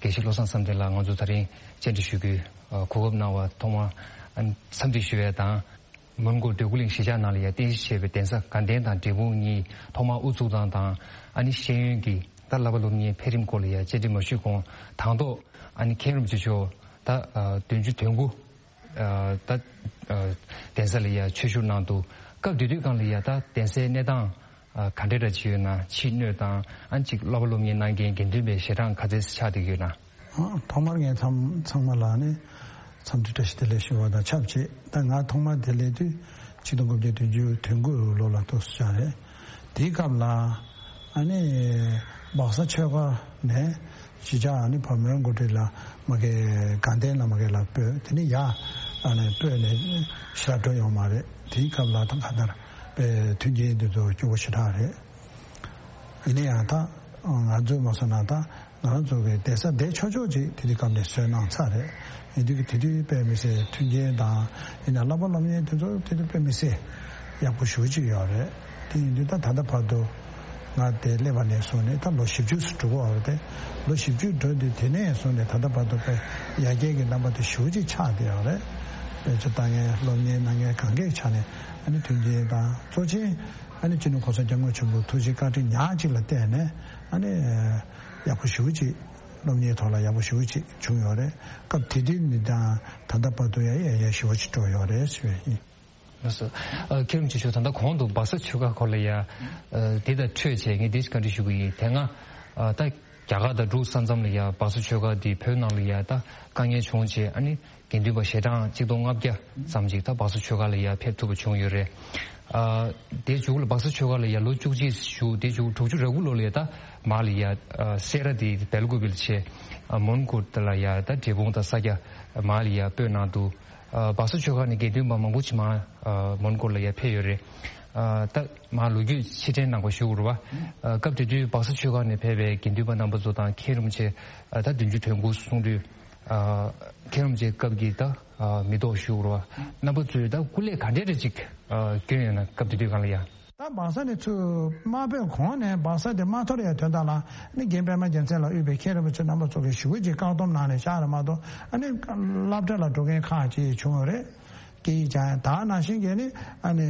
དགེ་བཤེས་བློ་བཟང་བསམ་གཏན་ལགས་ང་ཚོ་ད་རིང་བཅར་འདྲི་ཞུ་རྒྱུའི་གོ་སྐབས་གནང་བར་ཐོག་མར་འཚམས་འདྲི་ཞུ་ཡས་དང་། མོན་གྷོ་འདོད་རྒུ་གླིང་གཞིས་ཆགས་ནང་ལ་ཡང་རྟེན་གཞི་བྱས་པའི་གདན་ས་དགའ་ལྡན་དང་འབྲས་སྤུངས་གཉིས་ཐོག་མར་དབུ་བཙུགས་སྟངས་དང་ཨ་ནི་ཤེས་ཡོན་གྱི་ད་བསླབ་པ་སློབ་གཉེར་འཕེལ་རིམ་སྐོར་ལ་ཡང་བཅར་འདྲི་མ་ཞུས་གོང་དང་ཐོག་ཨ་ནི་མཁན་རིན་པོ་ཆེ་མཆོག་ད་བདུན་ཅུ་དོན་དགུ་ད་གདན་ས་ལ་ཡང་ཆོས་ཞུགས་གནང་འདུག་སྐབས་དེ་དུས་སྒང་ལ་ཡང་ད་གདན་སའི་གནས་སྟངས་ག་འདྲ་འདྲ་ཅིག་ཡོད་ན་ཕྱི་སྣོད་དང་ཨ་ནི་ཅིག་བསླབ་པ་སློབ་གཉེར་གནང་མཁན་དགེ་འདུན་པའི་ཞལ་གྲངས་ག་ཚད་ཆགས་བསྡད་ཀྱི་ཡོད་ན། ཨ། ཐོག་མར་ངས་ཚང་ཚང་མ་ལ་ནི་འཚམས་འདྲི་བཀྲ་ཤིས་བདེ་ལེགས་ཞུ་བ་དང་ཆབས་ཅིག་ད་ང་ཐོག་མར་དེ་སླེབས་དུས་ཆིག་སྟོང་དགུ་བརྒྱ་བདུན་ཅུ་དོན་དགུ་ལོ་ལ་ཐུག་སོང་རེད། དེའི་སྐབས་ལ་ཨ་ནི་སྦག་ས་ཆོས་སྒར་ནས་གཞིས་ཆགས་ཨ་ནི་བར་མོན་གྷོ་ཊི་ལ་མ་གི་དགའ་ལྡན་ལ་མ་གི་ལ་སྤོས་དེ་ནི་ཡ་ཨ་ནི་སྤོས་ནས་ཤར་འགྲོ་ཡོང་མ་རེད། དེའི་སྐབས་ལ་ད་ག་ནར་པའི་མཐུན་རྐྱེན་དེ་ཚོ་སྐྱོ་བོ་ཞེ་དྲག་རེད། ཡིན་ན་ཡང་ད་ང་ཚོས་མ་སོང་ན་ད་ང་རང་ཚོ་གི་གདན་ས་བསྡད་ཆོག་ཆོག་ཅིག་དེ་དུས་སྐབས་ནས་བཟོས་གནང་ཚར་རེད། ཡིན་དུས་ཀྱི་དེ་དུས་དཔེ་མི་སྲིད་མཐུན་རྐྱེན་དང་ཡིན་ན་བསླབ་པ་སློབ་གཉེར་དེ་ཚོ་དེ་དུས་དཔེ་མི་སྲིད་ཡག་པོ་ཞེ་པོ་ཅིག་ཡོད་རེད། དེ་ཡིན་དུས་ད་ད་ལྟ་བར་དུ་ང་དེ་སླེབས་པ་ནས་བཟུང་ནས་ད་ལོ་བཞི་བཅུ་ཙམ་འགྲོ་གི་ཡོད་རེད་དེ། ལོ་བཞི་བཅུ་འགྲོ་དུས་དེ་ནས་བཟུང་ནས་ད་ལྟ་བར་དུ་དཔེ་ཡར་རྒྱས་ཀྱི་རྣམ་པ་དེ་ཞེ་པོ་ཅིག་ཆགས་བསྡད་ཡོད་རེད། དཔེ་ཆ་ལྟ་མཁན་སློབ་གཉེར་གནང་མཁན་གང་གའི་ཆ་ནས་ཨ་ནི་མཐུན་རྐྱེན་དང་གཙོ་ཆེ་ཨ་ནི་སྤྱི་ནོར་གོང་ས་སྐྱབས་མགོན་ཆེན་པོའི་ཐུགས་རྗེ་བཀའ་དྲིན་ཉག་གཅིག་ལ་བརྟེན་ནས་ཨ་ནི་ཡག་པོ་ཞེ་པོ་ཅིག་སློབ་གཉེར་ཐོག་ལ་ཡག་པོ་ཞེ་པོ་ཅིག་བྱུང་ཡོད་རེད། སྐབས་དེ་དུས་ནས་དང་ད་ལྟ་བར་དུ་ཡང་ཡག་ཡག་ཞེ་པོ་ཅིག་འགྲོ་ཡོད་རེད་ཞུ་བ་ཡིན། ལགས་སོ། ཨ། མཁན་རིན་པོ་ཆེ་མཆོག་ད་ལྟ་གོང་དུ་སྦག་ས་ཆོས་སྒར་སྐོར་ལ་ཡ། ཨ། འདི་དང་འཕྲོས་བྱས་ངས་འདི་ཞིག་བཀའ་འདྲི་ཞུ་གི་ཡིན། དེ་སྔ་ཨ། ད་རྒྱ་གར་དང་འབྲུག་ས་མཚམས་ལ་ཡ་སྦག་ས་ཆོས་སྒར་འདི་བོད་ནང་ལ་ཡ་ད་དཀའ་ངལ་བྱུང་བྱས་ཨ་ནི་དགེ་འདུན་པ་ཞལ་གྲངས་གཅིག་སྟོང་ལྔ་བརྒྱ་ཙམ་ཅིག་ད་སྦག་ས་ཆོས་སྒར་ལ་ཡ་ཕེབས་ཐུབ་པ་བྱུང་ཡོད་རེད། ཨ་དེ་མཇུག་ལ་སྦག་ས་ཆོས་སྒར་ལ་ཡ་ལོ་བཅུ་གཅིག་བཞུགས། དེ་མཇུག་དྲུག་ཅུ་རེ་དགུ་ལོ་ལ་ཡ་ད་མར་ལ་ཡ་ཨ་སེ་ར་དེ་སྦེལ་ཀོབ་ལ་བྱས། ཨ་མོན་གྷོ་ལ་ཡ་ད་འབྲས་སྤུངས་དང་ས་སྐྱ་མར་ལ་ཡ་སྤོས་གནང་འདུག་ཨ་སྦག་ས་ཆོས་སྒར་ནས་དགེ་འདུན་པ་མང་པོ་ཅིག་མར་ཨ་མོན་གྷོ་ལ་ཡ་ཕེབས་ཡོད་རེད། ཨ་ད་མར་ལོ་རྒྱུས་ཕྱིར་དྲན་གནང་བ་ཞུ་དགོས་རེད་བ། ཨ་སྐབས་དེ་དུས་སྦག་ས་ཆོས་སྒར་ནས་ཕེབས་པའི་དགེ་འདུན་པ་རྣམ་པ་ཚོ་དང་མཁན་རིན་པོ་ཆེ་ཨ་ད་བདུན་ཅུ་དོན་དགུ་གསུང་དུས། ཨ་མཁན་རིན་པོ་ཆེའི་སྐབས་ཀྱི་ད་ཨ་མི་ཐོག་ཞུ་དགོས་རེད་བ། རྣམ་པ་ཚོས་ད་སྐུ་ལས་ག་འདྲ་རེ་ཅིག་ཨ་བསྐྱོན་ཡོད་ན། སྐབས་དེ་དུས་སྒང་ལ་ཡ། ད་སྦག་ས་ནས་ཚུར་དམར་པོའི་གོང་ནས་སྦག་ས་དེ་མ་འཐོར་ཡའི་དོན་དག་ལ་ནི་རྒན་པད་མ་རྒྱལ་མཚན་ལ་དབུས་པའི་མཁན་རིན་པོ་ཆེ་རྣམ་པ་ཚོ་གིས་ཞེ་པོ་ཅིག་བཀག་སྡོམ་གནང་ནས་བཞག་རེད་མ་གཏོགས། ཨ་ནི་སློབ་གྲྭ་ལ་འགྲོ་མཁན་ཁག་ཅིག་བྱུང་ཡོད་རེད། སྐད་ཡིག་སྦྱང་ཡ་དེ་ནང་བཞིན་གྱི་ནི་ཨ་ནི་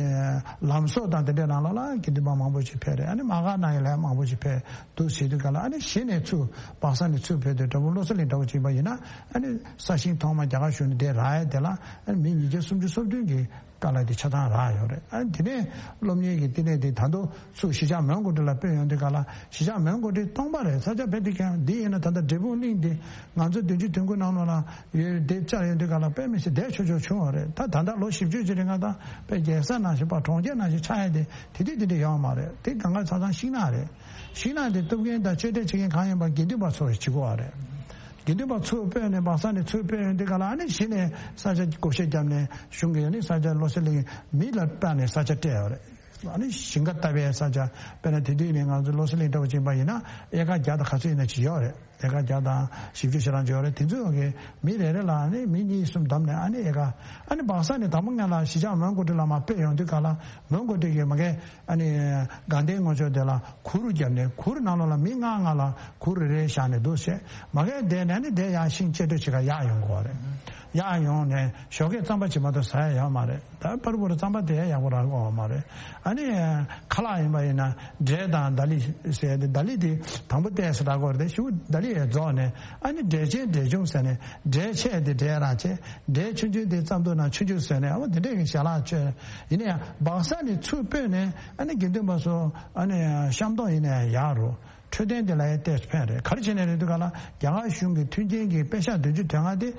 ལམ་བཟོ་དང་དེ་འདྲའི་ནང་ལོགས་ལ་དགེ་འདུན་པ་མང་པོ་ཅིག་ཕེབས་རེད། ཨ་ནི་མ་ག་ནང་ཡི་ལ་མང་པོ་ཅིག་ཕེབས་འདུག་ཟེར་དུས་ག་ལ། ཨ་ནི་གཞི་ནས་ཚུར་སྦག་ས་ནས་ཚུར་ཕེབས་དུས་འདྲ་པོ་བློ་གསལ་གླིང་འདྲ་པོ་ཅིག་ཡིན་པ་ཡིན་ན། ཨ་ནི་ས་ཞིང་ཐོག་མ་རྒྱ་གར་གཞུང་ནས་དེ་རག་ཡ་དེ་ལ་ཨ་ནི་མི་ཉིས་བརྒྱ་སུམ་ཅུ་སོ་བདུན་གྱི་དཀའ་ལས་དེ་ཆ་ཚང་རག་ཡོད་རེད། ཨ་ནི་དེ་ནས་སློབ་གཉེར་གྱི་བསྟི་གནས་དེ་ད་དུང་ཚུར་གཞིས་ཆགས་མོན་གྷོ་ཊི་ལ་སྤོས་ཡོང་དུས་ག་ལ། གཞིས་ཆགས་མོན་གྷོ་ཊི་སྟོང་པ་རེད། ས་ཆ་དཔེ་དེ་ཀྱང་འདི་ཡིན་ན་ད་ལྟ་འབྲས་སྤུངས་གླིང་དེ་ང་ཚོ་བདུན་ཅུ་དོན་དགུ་ནང་ལོགས་ལ་ཡོད་དེ་བཅར་ཡོང་དུས་ག་ལ་དཔེ་མི་སྲིད་བདེ་ཆོག་ཆོག་བྱུང་བ་རེད། ད་ད་ལྟ་ལོ་བཞི་བཅུ་ཅིག་རིང་ང་ད་དཔེ་རྒྱལ་ས་ནང་བཞིན་པ་གྲོང་ཁྱེར་ནང་བཞིན་ཆགས་ཡ་དེ་དེ་དུས་དེ་འདྲ་ཡོད་མ་རེད། དེ་གང་ག་ཆ་ཚང་ཤིང་ནགས་རེད། ཤིང་ནགས་དེ་གཏུབ་མཁན་དང་གཅོད་འབྲེག་བྱེད་མཁན་གང་ཡིན་པ་དགེ་འདུན་པ་ཚོ་བྱེད་དགོས་པ་རེད། དགེ་འདུན་པ་ཚུར་སྤོས་ནས་སྦག་ས་ནས་ཚུར་སྤོས་ཡོང་དུས་ག་ལ། ཨ་ནི་གཞི་ནས་ས་ཆ་བགོ་བཤའ་བརྒྱབ་ནས་གཞུང་གིས་ཨ་ནི་ས་ཆ་བློ་གསལ་གླིང་མི་ལ་སྤྲད་ནས་ས་ཆ་སྤྲད་ཡོད་རེད། ཨ་ནི་ཞིང་ཁ་བཏབ་པའི་ས་ཆ། དཔེར་ན་དེ་དུས་ནས་ང་ཚོ་བློ་གསལ་གླིང་འདྲ་པོ་ཅིག་ཡིན་པ་ཡིན་ན་ཨེ་ཀར་བརྒྱ་དང་ག་ཚོད་ཡིན་ན་ཅིག་ཡོད་རེད། ཨེ་ཀར་བརྒྱ་དང་བཞི་བཅུ་ཞེ་གྲངས་ཅིག་ཡོད་རེད། དེ་ཚོ་གི་མི་རེ་རེ་ལ་ཨ་ནི་མི་གཉིས་གསུམ་བདམས་ནས། ཨ་ནི་ཨེ་ཀར་ཨ་ནི་སྦག་ས་ནས་དང་པོ་ང་ལ་གཞིས་ཆགས་མོན་གྷོ་ཊི་ལ་མར་སྤོས་ཡོང་དུས་ག་ལ། མོན་གྷོ་ཊི་གི་མ་གི་ཨ་ནི་དགའ་ལྡན་ངོས་ཕྱོགས་དེ་ལ་གུར་བརྒྱབ་ནས། གུར་ནང་ལོགས་ལ་མི་ལྔ་ལྔ་ལ་གུར་རེ་རེ་བཞག་ནས་འདུག་བྱས། མ་གི་དེ་ནས་ཨ་ནི་དེ་ཡར་ཤིང་གཅོད་འབྲེག་བྱེད་གར་ཡར་ཡོང་དགོས་རེད། ཡར་ཡོང་ནས་ཞོགས་ཀས་རྩམ་པ་ཅིག་མ་གཏོགས་ཟ་ཡ་ཡོད་མ་རེད། ད་པར་པོ་ར་རྩམ་པ་དེ་ཡག་པོ་རག་གི་ཡོད་མ་རེད། ཨ་ནི་ཁ་ལག་ཡིན་པ་ཡིན་ན་འབྲས་དང་དྷ་ལི་ཟེར་ཏེ། དྷ་ལི་དེ་དང་པོ་ཏོག་ཙམ་རག་གི་ཡོད་རེད། དེ་གཞུག་དྷ་ལི་ཡར་རྫོགས་ནས། ཨ་ནི་འབྲས་ཆན་འབྲས་ཆུང་ཟེར་ནས། འབྲས་ཆེ་དེ་འབྲས་རང་ཆེ། འབྲས་ཆུང་ཆུང་དེ་རྩམ་ཐུག་ནང་ཆུང་ཆུང་ཟེར་ནས། ཨ་བ་དེ་འདྲས་ཀྱི་ཞལ་ལག་མཆོད། ཡིན་ན་ཡང་སྦག་ས་ནས་ཚུར་སྤོས་ནས་ཨ་ནི་དགེ་འདུན་པ་ཚོ་ཨ་ནི་ཤམ་སྟོང་ཡིན་ན་ཡང་ཡག་རུ། འཕྲོད་བསྟེན་དེ་ལ་ཡང་ཏོག་ཙམ་ཕན་རེད། ག་རེ་བྱས་ནས་རེད་འདུག་ག་ལ། རྒྱ་གར་གཞུང་གི་མཐུན་རྐྱེན་གྱི་པེ་ཤག་བདུན་ཅུ་དོན་ལྔ་དེ་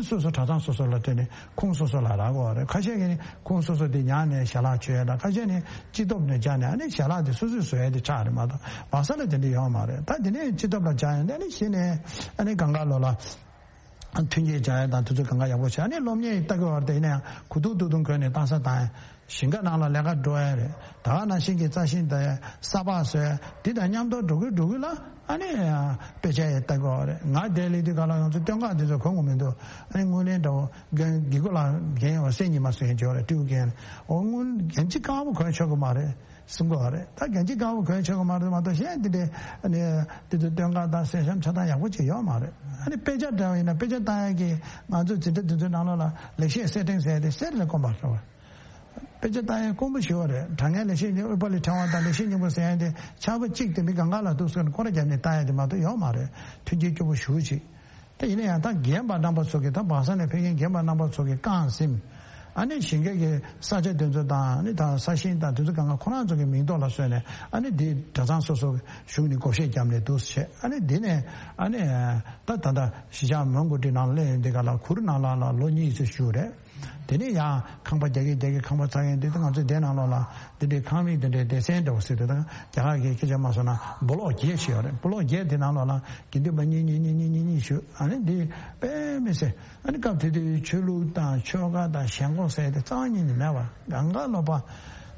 སོ་སོ་གྲྭ་ཚང་སོ་སོ་ལ་སྤྲད་ནས་ཁོངས་སོ་སོ་ལ་རག་གི་ཡོད་རེད། ཁ་ཤས་ཀྱིས་ནི་ཁོངས་སོ་སོ་དེ་ཉར་ནས་ཞལ་ལག་མཆོད་ཡ་དང་། ཁ་ཤས་ནི་སྤྱི་ཐོག་ནས་སྦྱར་ནས་ཨ་ནི་ཞལ་ལག་དེ་སོ་སོས་བཟོ་ཡ་དེ་ཆགས་རེད་མ་གཏོགས། སྦག་ས་ལ་དེ་འདྲ་ཡོད་མ་རེད། ད་དེ་ནས་སྤྱི་ཐོག་ལ་སྦྱར་ཡ་དེ་ནི་གཞི་ནས་ཨ་ནི་སྒང་ག་ལོགས་ལ་མཐུན་རྐྱེན་སྦྱར་ཡ་དང་དེ་ཚོ་སྒང་ག་ཡག་པོ་བྱས། ཨ་ནི་སློབ་གཉེར་ལྟ་གི་ཡོད་རེད། དེ་ཡིན་ན་ཡང་གུ་དུག་དུག་དུག་གོན་ནས་གཏམ་ས་བཏང་ཡ། ཞིང་ཁ་ནང་ལ་ལས་ཀ་འགྲོ་ཡ་རེད། ད་ག་ནང་བཞིན་གྱི་རྩྭ་ཤིང་དང་ས་སྤགས་བཟོ་ཡ་དེ་དང་མཉམ་དུ་འགྲོ་གི་འགྲོ་གི་ལ་ཨ་ནི་དཔེ་ཆ་ཡང་ལྟ་དགོས་རེད། ང་དེར་སླེབས་དུས་ག་ལ་ང་ཚོ་སྟོན་ཁ་དེ་ཚོ་གོན་དགོས་མི་འདུག་ཨ་ནི་དངུལ་ལེན་འདྲ་བོ་རྒན་དགེ་སྐོས་ལགས། རྒན་ཡོད་སེམས་ཉིད་མ་སོན་ཡོད་རེད། སྤྲེའུ་རྒན། འོ་དངུལ་རྒན་གཅིག་དཀར་པོ་གོན་ཆོག་གི་མ་རེད་གསུང་གི་ཡོད་རེད། ད་རྒན་གཅིག་དཀར་པོ་གོན་ཆོག་གི་མ་རེད་མ་གཏོགས། གཞན་དེ་འདྲའི་ཨ་ནི་དེ་ཚོ་སྟོན་ཁ་དང་གསེར་ཤམ་ཆ་ཚང་ཡག་པོ་ཅིག་ཡོད་མ་རེད། ཨ་ནི་དཔེ་ཆ་འདྲ་བ་ཡིན་ན་དཔེ་ཆ་ལྟ་ཡ་གི་ང་ཚོ་འཛིན་གྲྭ་དེ་ཚོའི་ནང་ལོགས་ལ་ལེགས་བཤད་གསེར་ཕྲེང་ཟེར་ཡ་དེ་གསེར་ལས་དཀོན་པ་རེད། དཔེ་ཆ་ལྟ་ཡ་དཀོན་པོ་ཞེ་པོ་རེད། དྲང་ངེས་ལེགས་བཤད་སྙིང་པོ་ལས་ཕྲེང་བ་དང་ལེགས་བཤད་སྙིང་པོ་ཟེར་ཡ་དེ་ཆར་པ་གཅིག་དེ་མི་སྒང་ག་ལ་འདུག་ཟེར་ནས་སྐོར་ར་བརྒྱབ་ནས་ལྟ་ཡ་དེ་མ་གཏོགས་ཡོད་མ་རེད། མཐུན་རྐྱེན་སྐྱོ་པོ་ཞེ་པོ་ཅིག་དེ་ཡིན་ན་ཡང་ད་རྒན་པ་རྣམ་པ་ཚོ་གིས། ད་སྦག་ས་ནས་ཕེབས་མཁན་རྒན་པ་རྣམ་པ་ཚོ་གིས་རྐང་ཟིན། ཨ་ནི་ཞིང་ཁའི་གི་ས་ཆ་དེ་ཚོ་དང་། ཨ་ནི་ད་ས་ཞིང་དང་དེ་ཚོ་སྒང་ག་ཁོ་རང་ཚོ་གི་མིང་ཐོག་ལ་བཟོས་ནས། ཨ་ནི་དེ་གྲྭ་ཚང་སོ་སོ་གཞུང་ནས་བགོ་བཤའ་བརྒྱབ་ནས་འདུག་བྱས། ཨ་ནི་དེ་ནས་ཨ་ནི་ད་ད་ལྟ་གཞིས་ཆགས་མོན་གྷོ་ཊི་ནང་སླེབས་ཡོང་དུས་ག་ལ་གུར་ནང་ལ་ལ་ལོ་གཉིས་ཙམ་བཞུགས་རེད། དེ་ནས་ཡང་ཁང་པ་རྒྱག་གིན་རྒྱག་གིན་ཁང་པ་ཚར་ཡོང་དུས། ང་ཚོའི་སྡེ་ནང་ལོགས་ལ་འདི་འདྲའི་ཁང་མིག་འདི་འདྲའི་སྡེ་ཚན་འདྲ་བོ་ཟེར་དུས། ད་རྒྱ་གར་གྱི་སྐད་ཆ་མ་སོང་ན་སྦོ་ལོག་བརྒྱད་ཞིག་ཡོད་རེད། སྦོ་ལོག་བརྒྱད་དེ་ནང་ལོགས་ལ་དགེ་འདུན་པ་གཉིས་གཉིས་གཉིས་གཉིས་གཉིས་བཞུགས། ཨ་ནི་འདི་དཔེ་མི་སྲིད། ཨ་ནི་སྐབས་དེ་དུས་ཆོས་ལུགས་དང་ཆོལ་ཁ་དང་ཞེན་ཁོག་ཟེར་དེ་རྩ་བ་ཉིད་ནས་མེད་པ། གང་ག་ལོག་པ།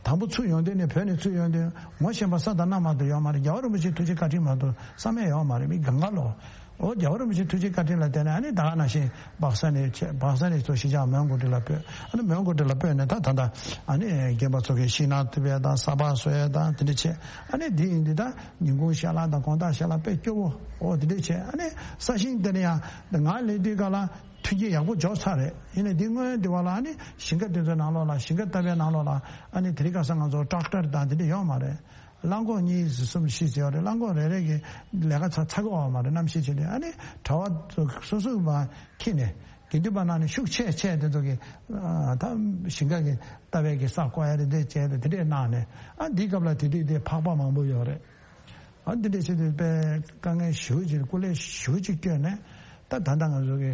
དང་པོ་ཚུར་ཡོང་དུས་ནས། བོད་ནས་ཚུར་ཡོང་དུས་ངོ་ཤེས་པ་ས་དང་གནམ་མ་གཏོགས་ཡོད་མ་རེད། རྒྱལ་བ་རིན་པོ་ཆེའི་ཐུགས་རྗེ་བཀའ་དྲིན་མ་གཏོགས་བསམ་ཡས་ཡོད་མ་རེད། མི་གང་ག་ལོག་འོ་རྒྱལ་བ་རིན་པོ་ཆེའི་ཐུགས་རྗེ་བཀའ་དྲིན་ལ་བརྟེན་ནས། ཨ་ནི་ད་ག་ནང་བཞིན་སྦག་ས་ནས་བྱས། སྦག་ས་ནས་ཚུར་གཞིས་ཆགས་མོན་གྷོ་ཊི་ལ་སྤོས། ཨ་ནི་མོན་གྷོ་ཊི་ལ་སྤོས་ནས་ད་ད་ལྟ་ཨ་ནི་རྒན་པ་ཚོ་གིས་ཤིང་ནགས་གཏུབ་ཡས་དང་ས་སྤགས་བཟོ་ཡས་དང་དེ་འདྲ་བྱས། ཨ་ནི་འདི་ཡིན་དུས་ད་ཉིན་གུང་ཞལ་ལག་དང་དགོང་དག་ཞལ་ལག་དཔེ་སྐྱོ་པོ། འོ་དེ་འདྲ་བྱས། ཨ་ནི་ས་ཞིང་དེ་ནས་ཡང་ང་སླེབས་དུས་ག་ལ་མཐུན་རྐྱེན་ཡག་པོ་འབྱོར་ཚར་རེད། ཡིན་ནའི་འདི་སྔོན་འདི་བ་ལ་ཨ་ནི་ཞིང་ཁ་དེ་ཚོའི་ནང་ལོགས་ལ། ཞིང་ཁ་བཏབ་པའི་ནང་ལོགས་ལ་ཨ་ནི་དེ་རིང་ཁ་སང་ང་ཚོ་ཊེག་ཊར་དང་དེ་འདྲ་ཡོད་མ་རེད། རླངས་འཁོར་གཉིས་གསུམ་བཞི་ཟེར་བ་རེད། རླངས་འཁོར་རེ་རེ་གིས་ལས་ཀ་ཚ་ཚ་གི་ཡོད་མ་རེད། གནམ་གཤིས་ཆེ་དུས། ཨ་ནི་གྲྭ་པ་ཚོ་སོ་སོ་མར་འཁྱེར་ནས། དགེ་འདུན་པ་ནང་ནས་ཤུགས་ཆེ་ཆེ་དེ་ཚོ་གིས་ཨ་ད་ཞིང་ཁ་གི་ལྟ་བའི་གི་ས་བརྐོ་ཡ་རེ་འདྲ་བྱས་ཏེ་དེ་འདྲས་གནང་ནས། ཨ་འདིའི་སྐབས་ལ་དེ་དུས་དེ་ཕག་པ་མང་པོ་ཡོད་རེད། ཨ་འདི་འདྲས་བྱས་དུས་དཔེ་དཀའ་ངལ་ཞེ་པོ་ཅིག་སྐུ་ལས་ཞེ་པོ་ཅིག་བསྐྱོན་ནས། ད་ད་ལྟ་ང་ཚོ་གི་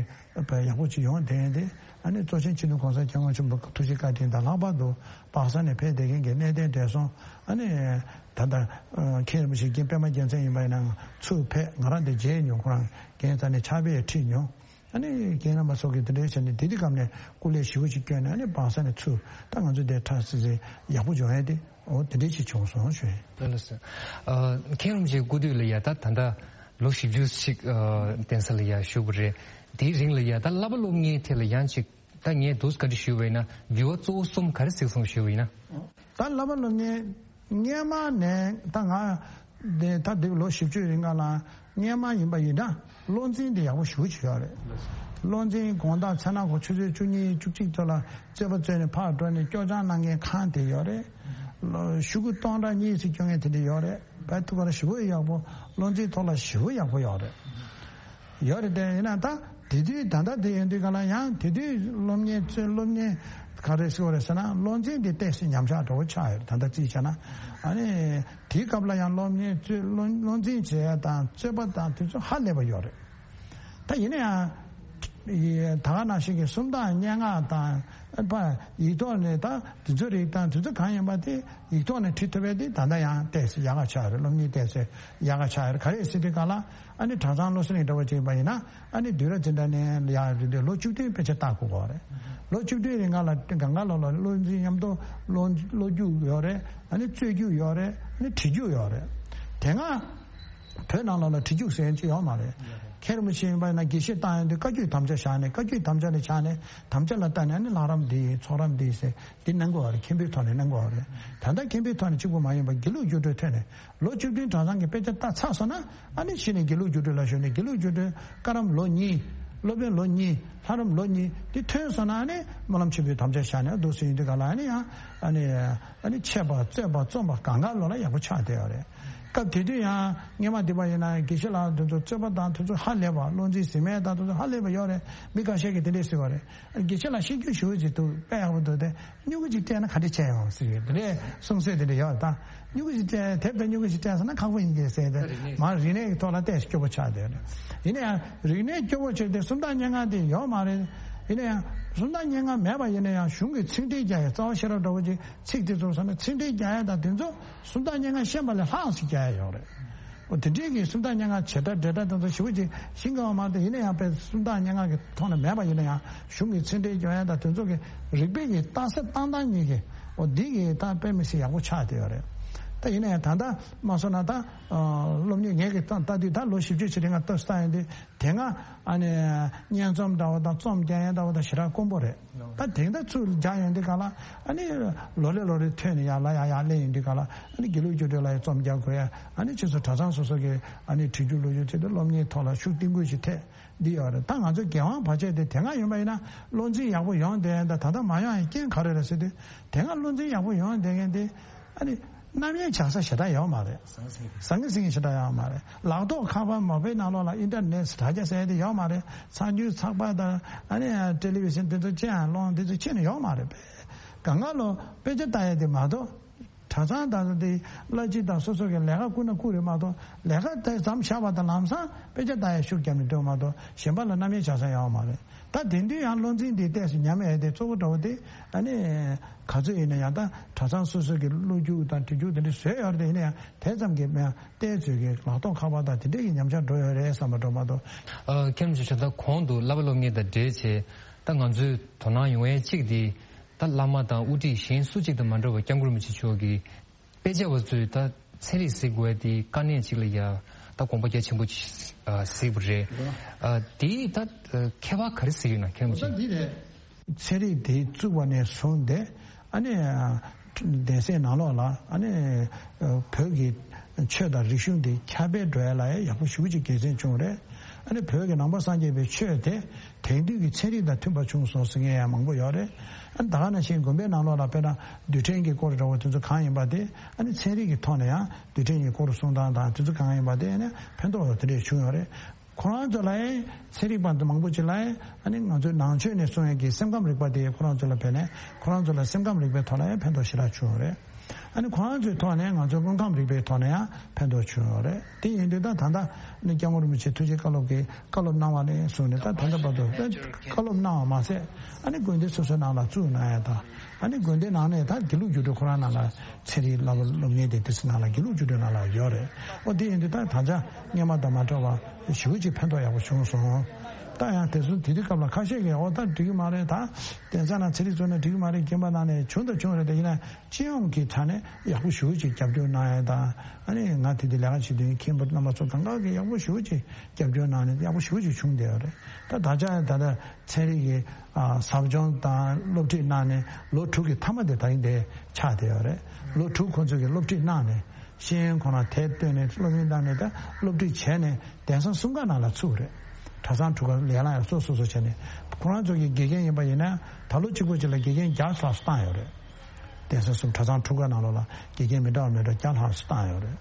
ཡག་པོ་ཅིག་ཡོང་བསྡད་ཡོད་དེ། ཨ་ནི་གཙོ་ཆེན་སྤྱི་ནོར་གོང་ས་སྐྱབས་མགོན་ཆེན་པོ་ཐུགས་རྗེ་བཀའ་དྲིན་དང་། ལྷག་པར་དུ་སྦག་ས་ནས་ཕེབས་བསྡད་མཁན་གྱི་གནས་བརྟན་བགྲེས་སོང་། ཨ་ནི་ད་ལྟ་མཁན་རིན་པོ་ཆེ་རྒན་པད་མ་རྒྱལ་མཚན་ཡིན་པ་ཡིན་ན་ཚུར་ཕེབས། ང་རང་དེ་མཇལ་མྱོང་། ཁོ་རང་རྒན་རྩ་ནས་ཕྱག་དཔེ་ཁྲིད་མྱོང་། ཨ་ནི་རྒན་རམས་པ་སོགས་ཀྱིས་དེ་འདྲའི་བྱས་ནས་དེ་དུས་སྐབས་ནས་སྐུ་ལས་ཞེ་པོ་ཅིག་བསྐྱོན་ནས། ཨ་ནི་སྦག་ས་ནས་ཚུར་ད་ང་ཚོ་དེ་ཁྲ་སིལ་སིལ་ཡག་པོ་བྱུང་ཡ་དེ། འོ་དེ་འདྲའི་ཅིག་བྱུང་སོང་ཞུ་ཡིན། ལགས་སོ། ཨ། མཁན་རིན་པོ་ཆེའི་སྐུ་དུས་ལ་ཡ་ད་ད་ལྟ་ལོ་བཞི་བཅུ་ཞིག་ཨ། བསྟེན་ས་ལ་ཡ་བཞུགས་པ་རེད། དེའི་རིང་ལ་ཡ་ད་བསླབ་པ་སློབ་གཉེར་ཐད་ལ་ཡང་ཅིག་ད་ངས་འདུག་བཀའ་འདྲི་ཞུས་པ་ཡིན་ན། འགྱུར་བ་གཙོ་བོ་གསུམ་ག་རེ་གཟིགས་སོང་ཞུས་པ་ཡིན་ན། ད་བསླབ་པ་སློབ་གཉེར་སྔས་མ་ནས་ད་ང་དེ་ད་དེ་ལོ་བཞི་བཅུའི་རིང་ག་ལ་སྔས་མ་ཡིན་པ་ཡིན་ན་བློ་འཛིན་དེ་ཡག་པོ་ཞེ་པོ་ཅིག་ཡོད་རེད། བློ་འཛིན་དགོང་དག་མཚན་ནག་གོ་ཆུ་ཚོད་བཅུ་གཉིས་བཅུ་གཅིག་ཙམ་ལ་རྩོད་པ་རྩོད་ནས་ཕར་འགྲོ་ནས་སྐྱོར་སྦྱང་གནང་མཁན་ཁང་དེ་ཡོད་རེད། ཤོག་གུ་སྟོང་ཕྲག་གཉིས་ཙམ་སྐྱོར་མཁན་དེ་འདྲ་ཡོད་རེད། བལ་ཐུག་པར་ཞེ་པོ་ཡག་པོ། བློ་འཛིན་ཐོག་ལ་ཞེ་པོ་ཡག་པོ་ཡོད་རེད། ཡོད་རེད་དེ། ཡིན་ན་ད་དེ་དུས་ད་ལྟ་དེ་ཡིན་དུས་ག་ལ་ཡང་དེ་དུས་སློབ་གཉེར་ཚོས་སློབ་གཉེར་ག་རེ་ཟེར་བ་རེད་ཟེར་ན། བློ་འཛིན་དེ་ཏོག་ཙམ་ཉམས་ཆག་འགྲོ་བོ་ཆགས་ཡོད་རེད། ད་ལྟ་རྩིས་བྱས་ན། ཨ་ནི་དེའི་སྐབས་ལ་ཡང་སློབ་གཉེར་ཚོས་བློ་བློ་འཛིན་བྱེད་ཡ་དང་རྩོད་པ་དང་དེ་ཚོ་ཧ་ལས་པ་ཡོད་རེད། ད་ཡིན་ན་ཡང་ད་ག་ནང་བཞིན་གྱི་སུམ་རྟགས་སྙན་ངག་དང་པ་ཡིག་ཐོག་ནས་ད་དེ་ཚོ་རིགས་དང་དེ་ཚོ་གང་ཡིན་པ་དེ་ཡིག་ཐོག་ནས་ཁྲིད་ཐུབ་པ་དེ་ད་ལྟ་ཡང་ཏོག་ཙམ་ཡག་ག་ཆགས་ཡོད་རེད། སློབ་གཉེར་ཏོག་ཙམ་ཡག་ག་ཆགས་ཡོད་རེད། ག་རེ་ཟེར་དུས་ག་ལ། ཨ་ནི་གྲྭ་ཚང་བློ་གསལ་གླིང་འདྲ་བོ་ཅིག་ཡིན་པ་ཡིན་ན། ཨ་ནི་དུས་རབས་འཛིན་གྲྭ་ནས་ཡར་རེད་དུས་ལོ་བཅུ་བདུན་དཔེ་ཆ་ལྟ་དགོས་ཀྱི་ཡོད་རེད། ལོ་བཅུ་བདུན་རིང་ག་ལ་གང་ག་ལོ་ལ་བློ་འཛིན་མཉམ་དུ་བློ་བློ་རྒྱུགས་ཡོད་རེད། ཨ་ནི་རྩོད་རྒྱུགས་ཡོད་རེད། ཨ་ནི་བྲིས་རྒྱུགས་ཡོད་རེད། དེ་སྔ་བོད་ནང་ལོགས་ལ་བྲིས་རྒྱུགས་ཟེར་མཁན་ཅིག་ཡོད་མ་རེད། མཁན་རིན་པོ་ཆེ་ཡིན་པ་ཡིན་ན་དགེ་བཤེས་བཏང་ཡོང་དུས་བཀའ་བརྒྱུད་དམ་བཅའ་བཞག་ནས། བཀའ་བརྒྱུད་དམ་བཅའ་ལ་བཞག་ནས། དམ་བཅའ་ལ་བལྟས་ནས། ཨ་ནི་ལྷ་རམས་འདི་ཡིན། ཚོགས་རམས་འདི་ཡིན་ཟེར་འདི་གནང་དགོས་པ་རེད། མཁན་པོའི་ཐོག་ནས་གནང་དགོས་པ་རེད། ད་ལྟ་མཁན་པོའི་ཐོག་ནས་གཅིག་པུ་མ་ཡིན་པར་དགེ་ལུགས་རྒྱུགས་སྤྲོད་ཐོག་ནས། ལོ་བཅུ་བདུན་གྲྭ་ཚང་གི་དཔེ་ཆ་ལྟ་ཚར་སོང་ན། ཨ་ནི་གཞི་ནས་དགེ་ལུགས་རྒྱུགས་སྤྲོད་ལ་ཞུགས་ནས། དགེ་ལུགས་རྒྱུགས་སྤྲོད་བཀའ་རམས་ལོ་གཉིས། སློབ་དཔོན་ལོ་གཉིས། ལྷ་རམས་ལོ་གཉིས་དེ་ཐོན་སོང་ན། ཨ་ནི་སྨོན་ལམ་ཆེན་པོའི་དམ་བཅའ་བཞག་ནས་འདུག་སེ་ཡིན་དུས་ག་ལ། ཨ་ནི་ཡང་ཨ་ནི་ཨ་ནི་འཆད་པ་རྩོད་པ་རྩོམ་པ་གང་ག་ལོ་ལ་ཡག་པོ་ཆགས་བསྡད་ཡོད་རེད། སྐབས་དེ་དུས་ཡང་སྔས་མ་འདི་པ་ཡིན་ན་དགེ་བཤེས་ལགས་དེ་ཚོ་རྩོད་པ་དང་དེ་ཚོ་ཧ་ལས་པ། བློ་འཛིན་ཟིན་མེད་དང་དེ་ཚོ་ཧ་ལས་པ་ཡོད་རེད། མི་ཁ་ཤས་ཀྱིས་དེ་འདྲས་ཟེར་བ་རེད། དགེ་བཤེས་ལགས་ཤེས་རྒྱུ་ཞེ་པོ་ཅིག་འདུག་དཔེ་ཡག་པོ་འདུག་སྟེ། སྨྱུ་གུ་ཅིག་སྤྲད་ན་ག་འདྲ་བྱས་ཡོང་ཟེར་གྱི་དེ་འདྲའི་གསུང་སྲོལ་དེ་འདྲ་ཡོད། ད་སྨྱུ་གུ་ཅིག་སྤྲད། དེབ་དང་སྨྱུ་གུ་ཅིག་སྤྲད་སོང་ན་ཁག་པོ་ཡིན་གྱི་ཟེར་ཏེ། རིག་གནས། མར་རིག་གནས་ཀྱི་ཐོག་ལ་ཏོག་ཙམ་སྐྱོ་པོ་ཆགས་བསྡད་ཡོད་རེད། ཡིན་ན་ཡང་རིག་གནས་སྐྱོ་པོ་བྱས་ཏེ་སུམ་རྟགས་སྙན་ངག་དེ་ཡོད་མ་རེད། ཡིན་ན་ཡང་སུམ་རྟགས་སྙན་ངག་མེད་པ་ཡིན་ན་ཡང་གཞུང་གི་ཚིག་འགྲེལ་རྒྱག་ཡ། རྩ་བ་ཤེས་རབ་འདྲ་བོ་ཅིག་ཚིག་དེ་ཚོ་སོང་ན་ཚིག་འགྲེལ་རྒྱག་ཡ་དང་དེ་ཚོ་སུམ་རྟགས་སྙན་ངག་ཤེས་པ་ལས་ལྷག་ཙམ་རྒྱག་ཡ་ཡོད་རེད། འོ་དེ་འདྲའི་གི་སུམ་རྟགས་སྙན་ངག་བྱེད་སྒྲ་འགྲེལ་སྒྲ་དེ་ཚོ་ཞེ་པོ་ཅིག་ཤེས་ཀྱི་ཡོད་མ་རེད། ཡིན་ན་ཡང་དཔེ་སུམ་རྟགས་སྙན་ངག་གི་ཐོག་ནས་མེད་པ་ཡིན་ན་ཡང་གཞུང་གི་ཚིག་འགྲེལ་སྐྱོན་ཡ་དང་དེ་ཚོ་གི་རིག་པའི་གི་རྟགས་གསལ་བཏང་སྟངས་གཉིས་ཀྱི། འོ་འདི་གི་ད་དཔེ་མི་སྲིད་ཡག་པོ་ཆགས་བསྡད་ཡོད་རེད། ད་ཡིན་ན་ཡང་ད་ལྟ་མ་སོང་ན་ད་སློབ་གཉེར་ངས་ཀྱི་ལྟ་ལྟ་དུས་ད་ལོ་བཞི་བཅུ་ཕྱིན་ནས་ང་ལྟ་སུ་ལྟ་ཡོང་དུས། དེ་སྔ་ཨ་ནི་སྙན་རྩོམ་འདྲ་བོ་དང་རྩོམ་རྒྱག་ཡ་འདྲ་བོ་དང་ཞེ་དྲག་དཀོན་པོ་རེད། ད་དེང་ད་ཚུར་རྒྱག་ཡོང་དུས་ག་ལ། ཨ་ནི་ལོ་རེ་ལོ་རེ་ཐོན་ནས་ཡར་ལ་ཡར་ཡར་སླེབས་ཡོང་དུས་ག་ལ། ཨ་ནི་དགེ་ལུགས་རྒྱུགས་སྤྲོད་ལ་ཡང་རྩོམ་རྒྱག་དགོས་ཡ། ཨ་ནི་ཕྱིས་སུ་གྲྭ་ཚང་སོ་སོ་གི་ཨ་ནི་བྲིས་རྒྱུགས་ཀློག་རྒྱུགས་བྱས་ཏེ་སློབ་གཉེར་ཐོག་ལ་ཤུགས་བསྟན་དགོས་ཞེས་ཐད་འདི་ཡོད་རེད། ད་ང་ཚོ་རྒྱལ་དབང་བར་ཆད་དེ་དེ་སྔ་ཡིན་པ་ཡིན་ན་བློ་འཛིན་ཡག་པོ་ཡོང་བསྡད་ཡ། ད་ད་ལྟ་མ་ཡོང་ཡ་རྐྱེན་ག་རེ་རེད་ཟེར་དུས། དེ་སྔ་བློ་འཛིན་ཡག་པོ་ཡོང་བསྡད་མཁན་དེ་ཨ་ནི་རྣམ་གཡེང་བྱ་ས་ཞེ་དྲག་ཡོད་མ་རེད། ཟང་ཟིང་ཟང་ངེ་ཟིང་ངེ་ཞེ་དྲག་ཡོད་མ་རེད། ལག་ཐོག་ཁ་པར་མ་དཔེ་ནང་ལོགས་ལ་ཨིན་ཊར་ནེཊ་དྲ་རྒྱ་ཟེར་ཡ་དེ་ཡོད་མ་རེད། ཚགས་འཇུག་ཚགས་པར་དང་ཨ་ནི་ཊེ་ལི་བི་ཤན་དེ་ཚོ་ཅི་ཡང་སློང་དེ་ཚོ་ཅི་ནས་ཡོད་མ་རེད་པས། གང་ག་ལོ་དཔེ་ཆ་ལྟ་ཡ་དེ་མ་གཏོགས། གྲྭ་ཚང་དང་དེ་བླ་སྤྱི་དང་སོ་སོ་གི་ལས་ཀ་བསྐུར་ན་བསྐུར་རེད་མ་གཏོགས། ལས་ཀ་དེ་མཚམས་བཞག་པ་དང་ལམ་སང་དཔེ་ཆ་ལྟ་ཡ་ཤུགས་བརྒྱབ་ནས་སྡོད་མ་གཏོགས། གཞན་པ་ལ་རྣམ་གཡེང་བྱ་ས་ཡོད་མ་རེད། ད་དེང་དུས་ཡང་བློ་འཛིན་འདི་ཏོག་ཙམ་ཉམས་ཡས་དེ་གཙོ་བོ་འདྲ་བོ་དེ། ཨ་ནི་ག་ཚོད་ཡིན་ན་ཡང་ད་གྲྭ་ཚང་སོ་སོ་གི་གློག་རྒྱུག་དང་བྲིས་རྒྱུག་དེ་འདྲ་བཟོས་ཡོད་རེད། ཡིན་ན་ཡང་དེ་ཙམ་གྱིས་མེད། ཏོག་ཙམ་གྱིས་ལག་ཐོག་ཁ་པར་དང་དེ་འདྲས་ཀྱི་ཉམས་ཆག་འགྲོ་ཡོད་རེད་བསམ་པ་འགྲོ་མ་གཏོགས། ཨ། མཁན་རིན་པོ་ཆེ། ད་གོང་དུ་བསླབ་པ་སློབ་གཉེར་དང་འབྲེལ་བྱས་ད་ང་ཚོས་དོ་སྣང་ཡོང་ཡས་གཅིག་དེ། ད་བླ་མ་དང་དབུ་ཁྲིད་གཞན་སུ་གཅིག་དང་མ་འདྲ་བར་སྐྱབས་མགོན་རིན་པོ་ཆེ་མཆོག་གིས་དཔེ་ཆ་བ་ཚོས་ད་ཚན་རིག་གཟིགས་དགོས་ཡ་དེ་དཀའ་གནད་ཅིག་ལ་ཡ་ད་དགོངས་པ་རྒྱ་ཆེན་པོ་ཅིག་ཨ། གཟིགས་པ་རེད། ཨ། དེའི་ད་ཨ། ཁྱད་པར་ག་རེ་གཟིགས་ཡོད་ན། མཁན་རིན་པོ་ཆེ། ད་འདི་རེད། ཚན་རིག་དེ་བཙུགས་པ་ནས་བཟུང་སྟེ། ཨ་ནི་གདན་སའི་ནང་ལོགས་ལ་ཨ་ནི་བོད་ཀྱི་ཆོས་དང་རིག་གཞུང་དེ་ཁྱབ་སྤེལ་འགྲོ་ཡ་ལ་ཡག་པོ་ཞེ་པོ་ཅིག་དགེ་མཚན་བྱུང་རེད། ཨ་ནི་བོད་ཀྱི་ནང་པ་སངས་རྒྱས་པའི་ཆོས་དེ་དེང་དུས་ཀྱི་ཚན་རིག་དང་མཐུན་པ་བྱུང་སོང་ཟེར་མཁན་ཡང་མང་པོ་ཡོད་རེད། ཨ་ནི་ད་ག་ནང་བཞིན་དགོན་པའི་ནང་ལོགས་ལ་དཔེར་ན་རྡུལ་ཕྲན་གྱི་སྐོར་འདྲ་བོ་དེ་ཚོ་གང་ཡིན་པ་དེ། ཨ་ནི་ཚན་རིག་གི་ཐོག་ནས་ཡང་རྡུལ་ཕྲན་གྱི་སྐོར་གསུང་སྟངས་དང་དེ་ཚོ་གང་ཡིན་པ་དེ། ཨ་ནི་ཕན་ཐོགས་དེ་འདྲས་བྱུང་ཡོད་རེད། ཁོ་རང་ཚོ་ལ་ཡང་ཚན་རིག་པ་མང་པོ་ཅིག་ལ་ཡང་ཨ་ནི་ང་ཚོའི་ནང་ཆོས་ནས་གསུང་ཡག་གི་སེམས་ཁམས་རིག་པ་དེ་ཁོ་རང་ཚོ་ལ་བས་ནས། ཁོ་རང་ཚོ་ལ་སེམས་ཁམས་རིག་པའི་ཐོག་ལ་ཡང་ཕན་ཐོགས་ཞེ་དྲག་བྱུང་ཡོད་རེད། ཨ་ནི་ཁོ་རང་ཚོའི་ཐོག་ནས་ང་ཚོའི་དངོས་ཁམས་རིག་པའི་ཐོག་ནས་ཡང་ཕན་ཐོགས་བྱུང་ཡོད་རེད། དེ་ཡིན་དུས་ད་ད་ལྟ་ནི་སྐྱབས་མགོན་རིན་པོ་ཆེ་ཐུགས་རྗེ་བཀའ་སློབ་ཀྱིས་བཀའ་སློབ་གནང་བ་ནས་བཟུང་ནས་ད་ད་ལྟ་བར་དུ་བཀའ་སློབ་གནང་བ་མ་ཟད། ཨ་ནི་དགོན་སྡེ་སོ་སོའི་ནང་ལ་བཙུགས་གནང་ཡ་དང་། ཨ་ནི་དགོན་སྡེ་ནང་ནས་ད་དགེ་ལུགས་རྒྱུགས་སྤྲོད་ཁོ་རང་ནང་ལ་ཚན་རིག་བསླབ་པ་སློབ་གཉེར་དེ་དེ་ཚོ་ནང་ལ་དགེ་ལུགས་རྒྱུགས་སྤྲོད་ནང་ལ་ཡོད་རེད། ཨོ་དེ་ཡིན་དུས་ད་ད་ཆ་སྔོན་མ་དང་མ་འདྲ་བ་ཞེ་པོ་ཅིག་ཕན་ཐོགས་ཡག་པོ་བྱུང་སོང་། ད་ཡང་དེ་ཚོ་དེ་དུས་སྐབས་ལ་ཁ་ཤས་ཀྱིས་ཨོ་ད་འགྲིག་གི་མ་རེད། ད་གདན་ས་ནང་ཚན་རིག་བཙུགས་ན་འགྲིག་གི་མ་རེད། རྒན་པ་ནང་ནས་བྱུང་དང་བྱུང་རེད། དེ་ཡིན་ན་སྤྱི་ཡོངས་ཀྱི་ཆ་ནས་ཡག་པོ་ཞེ་པོ་ཅིག་རྒྱབ་སྐྱོར་གནང་ཡ་དང་། ཨ་ནི་ང་དེ་དུས་ལས་ཀ་བྱེད་དུས་མཁན་པོ་རྣམ་པ་ཚོ་གང་ག་གིས་ཡག་པོ་ཞེ་པོ་ཅིག་རྒྱབ་སྐྱོར་གནང་ནས་ཡག་པོ་ཞེ་པོ་ཅིག་བྱུང་བསྡད་ཡོད་རེད། ད་ད་ཆ་ད་ལྟ་ཚན་རིག་གི་ཨ་ཟབ་སྦྱོང་དང་སློབ་ཁྲིད་གནང་ནས་ལོ་དྲུག་གི་མཐའ་མ་དེ་ད་རིང་དེ་ཆགས་བསྡད་ཡོད་རེད། ལོ་དྲུག་ཁོང་ཚོས་ཀྱི་སློབ་ཁྲིད་གནང་ནས་ཤེས་ཡོན་ཁོ་ན་དེབ་བཏོན་ནས་སློབ་ཡོན་བཏང་ནས་ད་སློབ་ཁྲིད་བྱས་ནས་གདན་ས་གསུམ་ཀ་ནང་ལ་ཚུགས་རེད། གྲྭ་ཚང་དྲུག་ཀ་ལས་ལ་ཡང་སོ་སོ་སོ་བྱས་ནས་ཁོ་རང་ཚོ་གི་དགེ་རྒན་ཡིན་པ་ཡིན་ན་ད་ལོ་གཅིག་པོ་གཅིག་ལ་དགེ་རྒན་བརྒྱ་ལྷག་བཏང་ཡོད་རེད། གདན་ས་གསུམ་གྲྭ་ཚང་དྲུག་ཀ་ནང་ལོགས་ལ་དགེ་རྒན་མི་འདྲ་བ་མི་འདྲ་བརྒྱ་ལྷག་བཏང་ཡོད་རེད།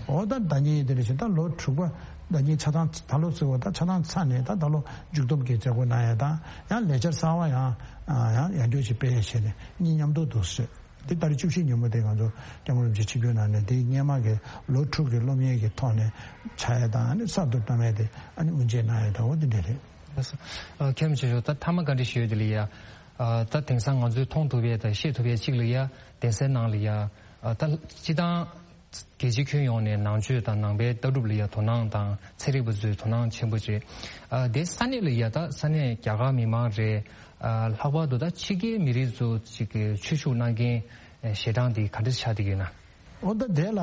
འོ་ད་ཟླ་ཉིན་དེ་འདྲ་བྱས་ད་ལོ་དྲུག་པ་ཟླ་ཉིན་ཆ་ཚང་ད་ལོ་བརྩི་བ་ད་ཆ་ཚང་ཚར་ནས་ད་ད་ལོ་མཇུག་སྡོམ་གྱི་མཛད་སྒོ་གནང་ཡ་དང་ཡང་ལས་འཆར་གསར་བ་ཡང་ཡང་ཡང་བསྐྱར་ཞིག་སྤེལ་ཡ་བྱས་ནས་གཉིས་མཉམ་དུ་འདུག་ཟེར། འདི་ལྟར་བཅུ་བཞི་ཉིན་མོ་དེ་ང་ཚོ་སྐྱབས་མགོན་རིན་པོ་ཆེ་ཆིབས་བསྒྱུར་གནང་ནས་འདི་སྔོན་མ་གི་ལོ་དྲུག་གི་སློབ་གཉེར་གྱི་ཐོག་ནས་ཆགས་ཡ་དང་ཨ་ནི་གསར་དུ་བཏང་ཡ་དེ་ཨ་ནི་དབུ་འབྱེད་གནང་ཡ་དང་འོ་འདི་འདྲ་རེད། ཨ་ཁྱེད་རང་ཆེ་ཤོས་ད་མཐའ་མ་བཀའ་འདྲི་ཞུ་ཡ་དེ་ལ་ཡ། ཨ་ད་དེང་སང་ང་ཚོས་མཐོང་ཐུབ་ཡ་དང་ཤེས་ཐུབ་ཡ་གཅིག་ལ་ཡ་གདན་སའི་ནང་ལ་ཡ། ཨ་ད་སྤྱི་བཏང་རྒྱལ་སྤྱི་ཁྱོན་ཡོངས་ནས་ནང་ཆོས་དང་ནང་པའི་ལྟ་གྲུབ་ལ་ཡ་དོ་སྣང་དང་ཚན་རིག་པ་ཚོས་དོ་སྣང་ཆེན་པོ་བྱེད། ཨ་དེ་ས་གནས་ལ་ཡ་ད་ས་གནས་རྒྱ་གར་མི་མང་རེད། ཨ་ལྷག་པར་དུ་ད་ཕྱི་རྒྱལ་མི་རིགས་ཚོ་ཅིག་གི་ཆོས་ཞུགས་གནང་མཁན་ཞལ་གྲངས་དེ་ག་འདྲ་ཆགས་བསྡད་ཡོད་ན། འོ་ད་དེ་ལ་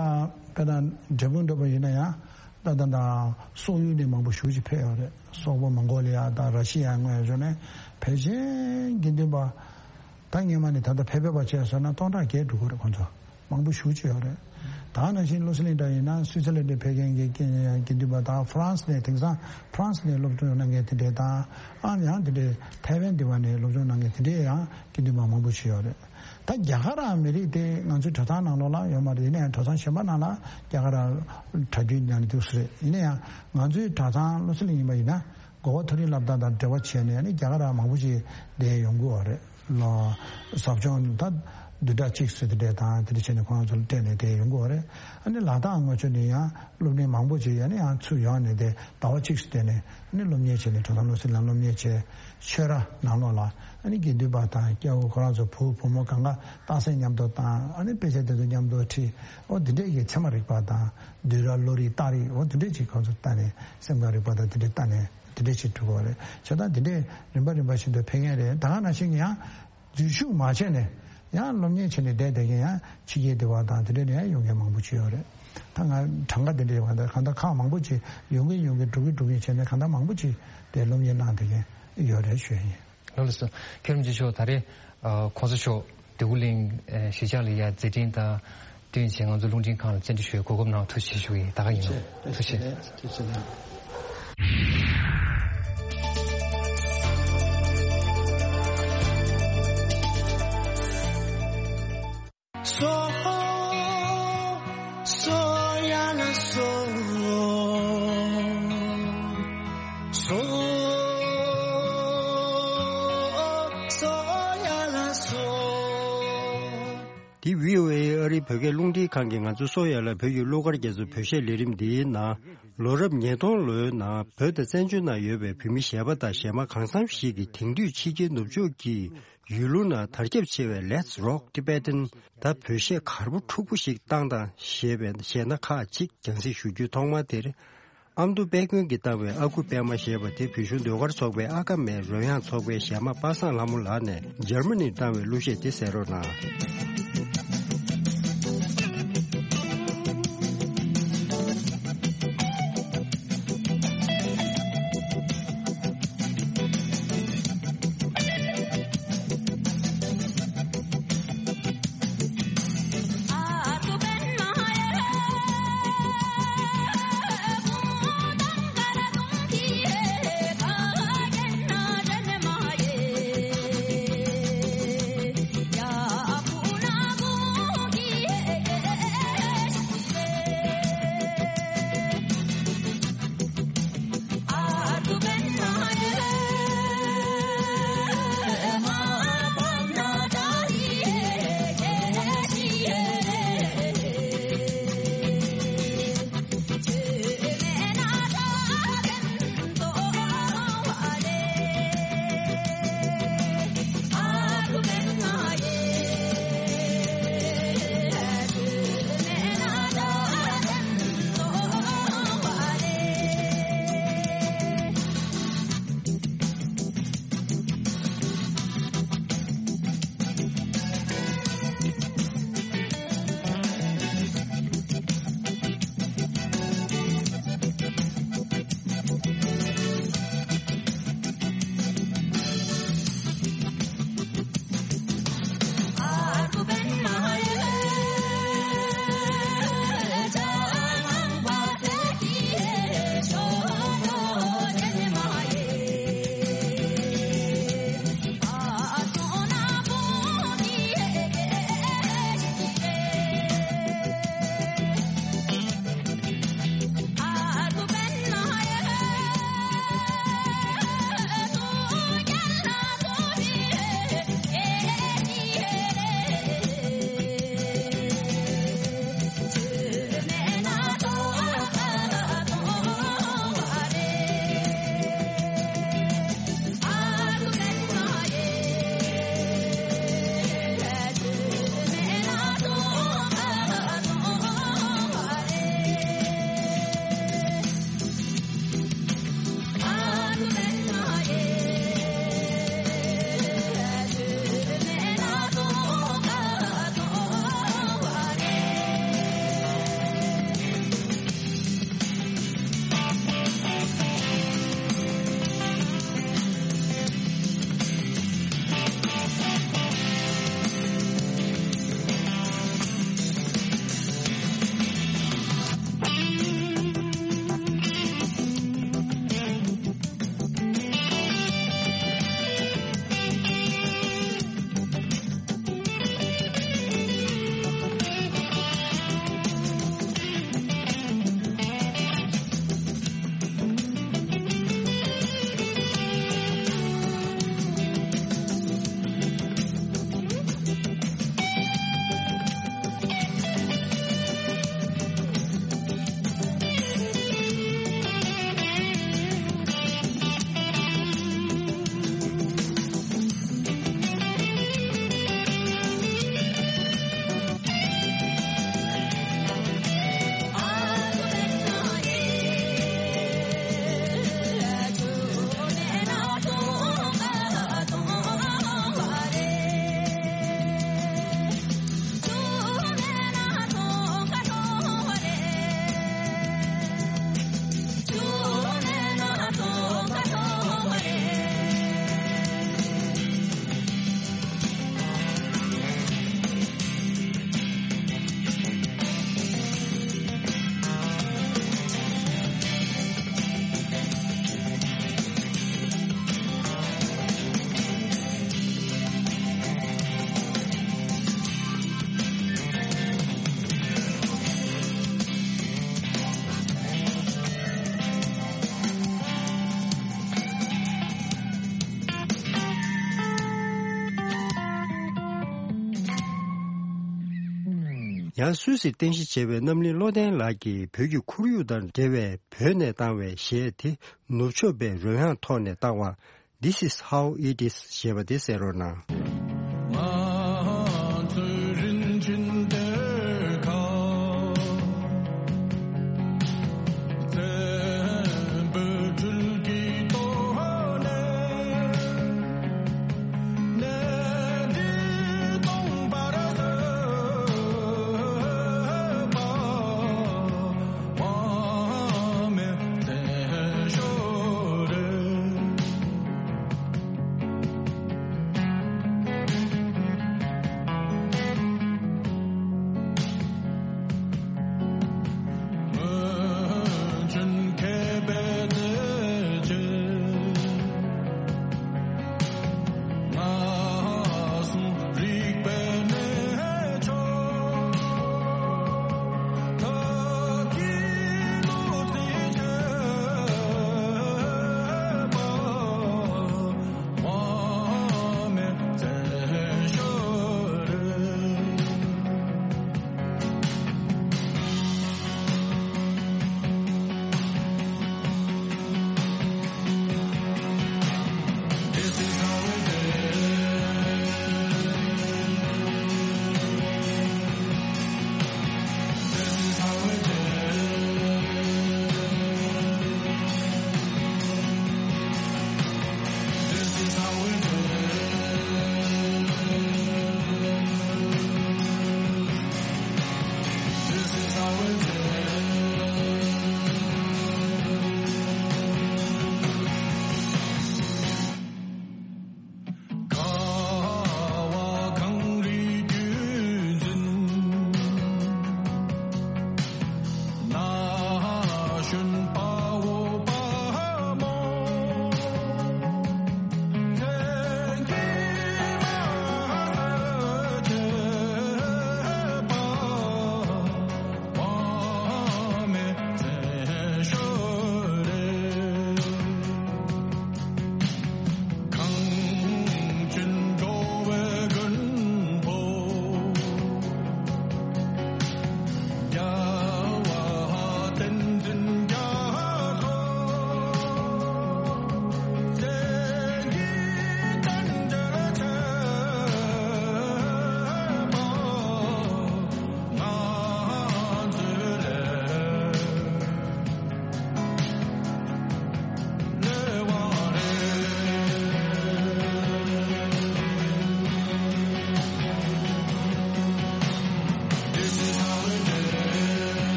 དཔེ་དང་འབྲས་སྤུངས་འདྲ་པོ་ཡིན་ན་ཡང་ད་ད་ད་སོག་ཡུལ་ནས་མང་པོ་ཞེ་ཅིག་ཕེབས་ཡོད་རེད། སོག་པོ་མོང་གོ་ལི་ཡ་དང་ར་ཤི་ཡ་སྔོན་ཡོད་ནས་ཕལ་ཆེར་དགེ་འདུན་པ་ད་སྔོན་མ་ནས་ད་ལྟ་ཕེབས་ཕེབས་པ་བྱས་སོང་ན་སྟོང་ཕྲག་བརྒལ་འགྲོ་གི་རེད་ཁོང་ཚོ། མང་པོ་ཞེ་ཅིག་ཡོད་རེད། ད་ནང་བཞིན་ལོ་སི་ལིང་འདྲ་ཡིན་ན་སུའི་ཙར་ལན་ཌི་ཕེབས་མཁན་གྱི་དགེ་འདུན་པ་དང་ཧྥ་རན་སི་ནས་དེང་སང་ཧྥ་རན་སི་ནས་སློབ་སྦྱོང་གནང་མཁན་དེ་འདྲས་དང་ཨ་ནི་ཡང་དེ་འདྲས་ཐའེ་ཝན་འདི་བ་ནས་སློབ་སྦྱོང་གནང་མཁན་དེ་འདྲས་ཡང་དགེ་འདུན་པ་མང་པོ་ཞིག་ཡོད་རེད། ད་རྒྱ་གར་ར་མི་རིགས་དེ་ང་ཚོའི་གྲྭ་ཚང་ནང་ལོགས་ལ་ཡོད་མ་རེད། ཡིན་ན་ཡང་གྲྭ་ཚང་གཞན་པ་ནང་ལ་རྒྱ་གར་ར་གྲྭ་རྒྱུན་ཉར་ནས་འདུག་སེ་རེད། ཡིན་ན་ཡང་ང་ཚོའི་གྲྭ་ཚང་ལོ་སི་ལིང་ཡིན་པ་ཡིན་ན། གོ་བ་མཐོ་རིམ་སློབ་གྲྭ་དང་འབྲེལ་བ་བྱས་ནས་ནི་རྒྱ་གར་ར་མང་པོ་ཞིག་བསྡད་ཡོང་གི་ཡོད་རེད། ལོ་ཟབ་སྦྱོང་ད་བདུན་ཕྲག་གཅིག་ཙམ་དེ་འདྲས་དང་དེ་འདྲ་བྱས་ནས་ཁོང་ཚོ་ལ་སྤྲད་ནས་བསྡད་ཡོང་གི་ཡོད་རེད། ཨ་ནི་ལ་དྭགས་ངོས་ཕྱོགས་ནས་ཡང་སློབ་གྲྭ་མང་པོ་ཞིག་ཡང་ནི་ཡང་ཚུར་ཡོང་ནས་དེ་ཟླ་བ་གཅིག་ཙམ་བསྡད་ནས་ནི་སློབ་གཉེར་བྱས་ནས་གྲྭ་ཚང་ལོ་སི་ལིང་སློབ་གཉེར་བྱས། ཆོས་ར་ནང་ལོགས་ལ་ཨ་ནི་དགེ་འདུན་པ་དང་སྐྱ་བོ་ཁོ་རང་ཚོ་བུ་བུ་མོ་གང་ག་རྟགས་གསལ་མཉམ་དུ་བཏང་། ཨ་ནི་དཔེ་ཆ་དེ་ཚོ་མཉམ་དུ་ཁྲིད། འོ་དེ་འདྲས་ཀྱི་ཚད་མ་རིག་པ་དང་བསྡུས་གྲྭ་བློ་རིག་རྟགས་རིགས་འོ་དེ་འདྲས་ཀྱི་ཁོང་ཚོ་ལྟ་ནས་སེམས་ཁམས་རིག་པ་དང་དེ་འདྲས་ལྟ་ནས། དེ་འདྲས་ཞིག་འགྲོ་གི་རེད། བྱས་ཙང་དེ་འདྲས་རིམ་པ་རིམ་པ་བཞིན་དུ་ཕེབས་མཁན་རེད། ད་ག་ནང་བཞིན་ཡང་འཛུལ་ཞུགས་མ་བྱས་ནས་ཡང་སློབ་གཉེར་བྱས་ནས་བསྡད་བསྡད་མཁན་ཡང་ཕྱི་རྒྱལ་སྡེ་བ་དང་དེ་འདྲས་ནས་ཡང་ཡོང་མཁན་མང་པོ་ཅིག་ཡོད་རེད། ད་ང་གྲངས་ཀ་དེ་འདྲས་ཡོང་ད་གང་ལྟར་ཁག་མང་པོ་ཅིག་ཡོང་གིན་ཡོང་གིན་འགྲོ་གིན་འགྲོ་གིན་བྱས་ནས་གང་ལྟར་མང་པོ་ཅིག་དེ་སློབ་གཉེར་གནང་བསྡད་མཁན་ཡོད་རེད་ཞུ་ཡ་ཡིན། ལགས་སོ། ཁྱེད་རང་ཚོ་ད་རེས་༸གོང་ས་མཆོག་འདོད་རྒུ་གླིང་གཞིས་ཆགས་ལ་ཡ་མཛད་འཕྲིན་དང་བསྟུན་བྱས་ང་ཚོ་རླུང་འཕྲིན་ཁང་ལ་བཅར་འདྲི་ཞུ་བའི་གོ་སྐབས་གནང་བ་ཐུགས་རྗེ་ཆེ་ཞུ་གི་ཡིན། ད་ག་ཡིན་ནོ། ཐུགས་རྗེ་ཆེ། ཐུགས་རྗེ་ཆེ། སོ། སོ་ཡ་ལ་སོ། སོ། སོ་ཡ་ལ་སོ། འདི་བྷི་ཨོ་ཨེ་ཨ་རིའི་བོད་སྐད་རླུང་འཕྲིན་ཁང་གིས་ང་ཚོ་སོ་ཡ་ལ་བོད་ཀྱི་གླུ་གར་རྒྱ་མཚོའི་བོད་གཞས་ལས་རིམ་འདིའི་ནང་ལོ་རབས་ཉིས་སྟོང་ལོའི་ནང་བོད་དང་བཙན་བྱོལ་ནང་ཡོད་པའི་བོད་མི་གཞས་པ་དང་གཞས་མ་གང་འཚམ་ཞིག་གིས་དེང་དུས་ཕྱི་རྒྱལ་ནུབ་ཕྱོགས་ཀྱི་ཡུལ་ལུང་ནང་དར་ཁྱབ་ཆེ་བའི་Let's Rock Tibetan ད་བོད་གཞས་གར་པོ་འཁྲུག་པོ་ཞིག་བཏང་དང་ཞེས་པའི་གཞས་སྣ་ཁག་ཅིག་རྒྱང་སྲིང་ཞུ་རྒྱུའི་ཐོག་མ་དེར། ཨ་མདོ་དཔལ་མགོན་གྱིས་བཏང་བའི་ཨ་ཁུ་པད་མ་ཞེས་པ་དེ་བོད་གཞུང་ཟློས་གར་ཚོགས་པའི་ཨ་ཀ་མའི་རོལ་དབྱངས་ཚོགས་པའི་གཞས་མ་པ་སངས་ལྷ་མོ་ལགས་ནས་འཇར་མ་ནིར་བཏང་བའི་གླུ་གཞས་དེ་གསན་རོགས་གནང་། ཡང་སུད་སིར་རྟེན་གཞི་བྱས་པའི་རྣམ་གླིང་བློ་ལྡན་ལགས་ཀྱིས་བོད་ཀྱི་ཁོར་ཡུག་དང་འབྲེལ་བའི་བོད་ནས་བཏང་བའི་གཞས་དེ་ནུབ་ཕྱོགས་པའི་རོལ་དབྱངས་ཐོག་ནས་བཏང་བ། This is how it is ཞེས་པ་དེ་གསན་རོགས་གནང་།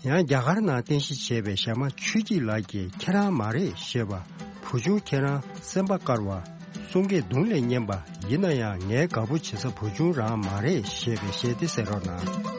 ཡང་རྒྱ་གར་ནང་རྟེན་གཞི་བྱས་པའི་ཞྭ་དམར་ཆོས་སྐྱིད་ལགས་ཀྱིས་ཁྱེད་རང་མ་རེད་ཞེས་པ། བུ་ཆུང་ཁྱེད་རང་སེམས་པ་དཀར་བ། གསུང་སྐད་གདུང་ལས་སྙན་པ། ཡིན་ན་ཡང་ངའི་དགའ་པོ་བྱེད་ས་བུ་ཆུང་རང་མ་རེད་ཞེས་པའི་གཞས་དེ་གསན་རོགས་གནང་།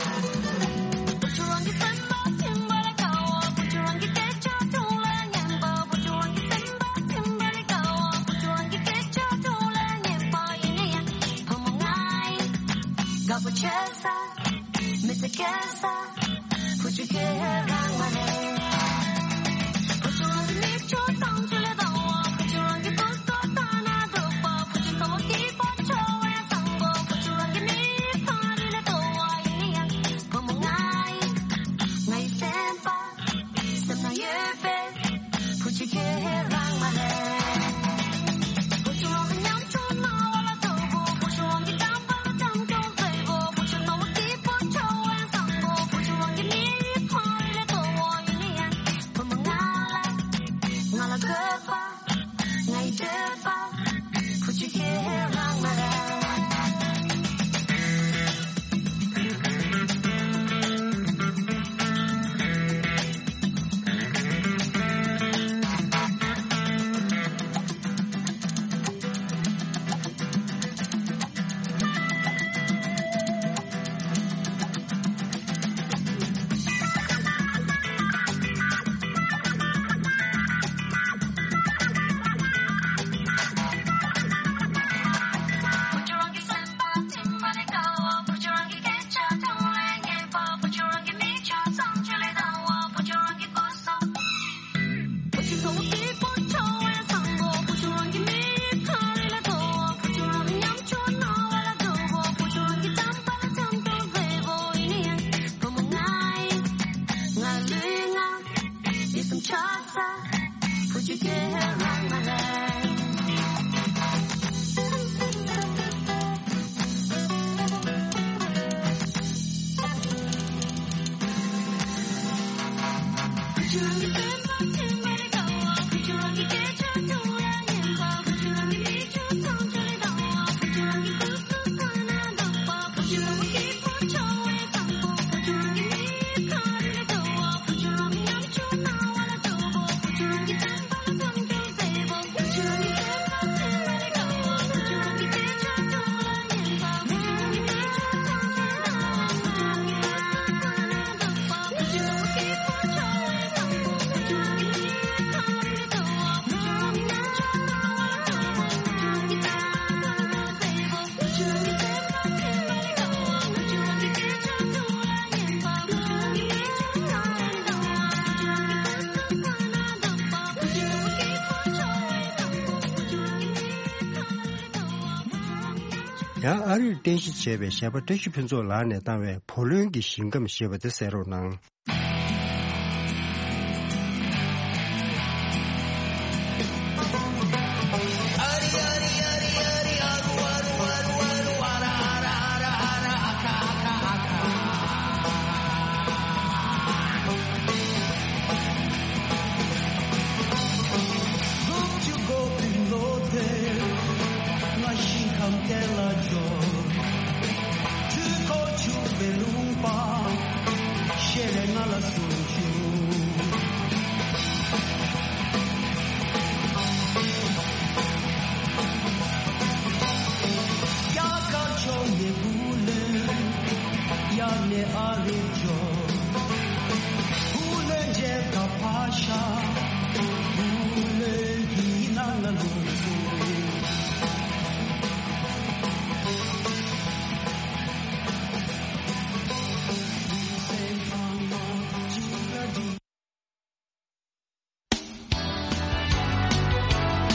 ཡང་ཨ་རིར་རྟེན་གཞི་བྱས་པའི་གཞས་པ་བཀྲ་ཤིས་ཕུན་ཚོགས་ལགས་ནས་བཏང་བའི་བུ་ལོན་གྱི་ཞིང་ཁམས་ཞེས་པ་དེ་གསན་རོགས་གནང་།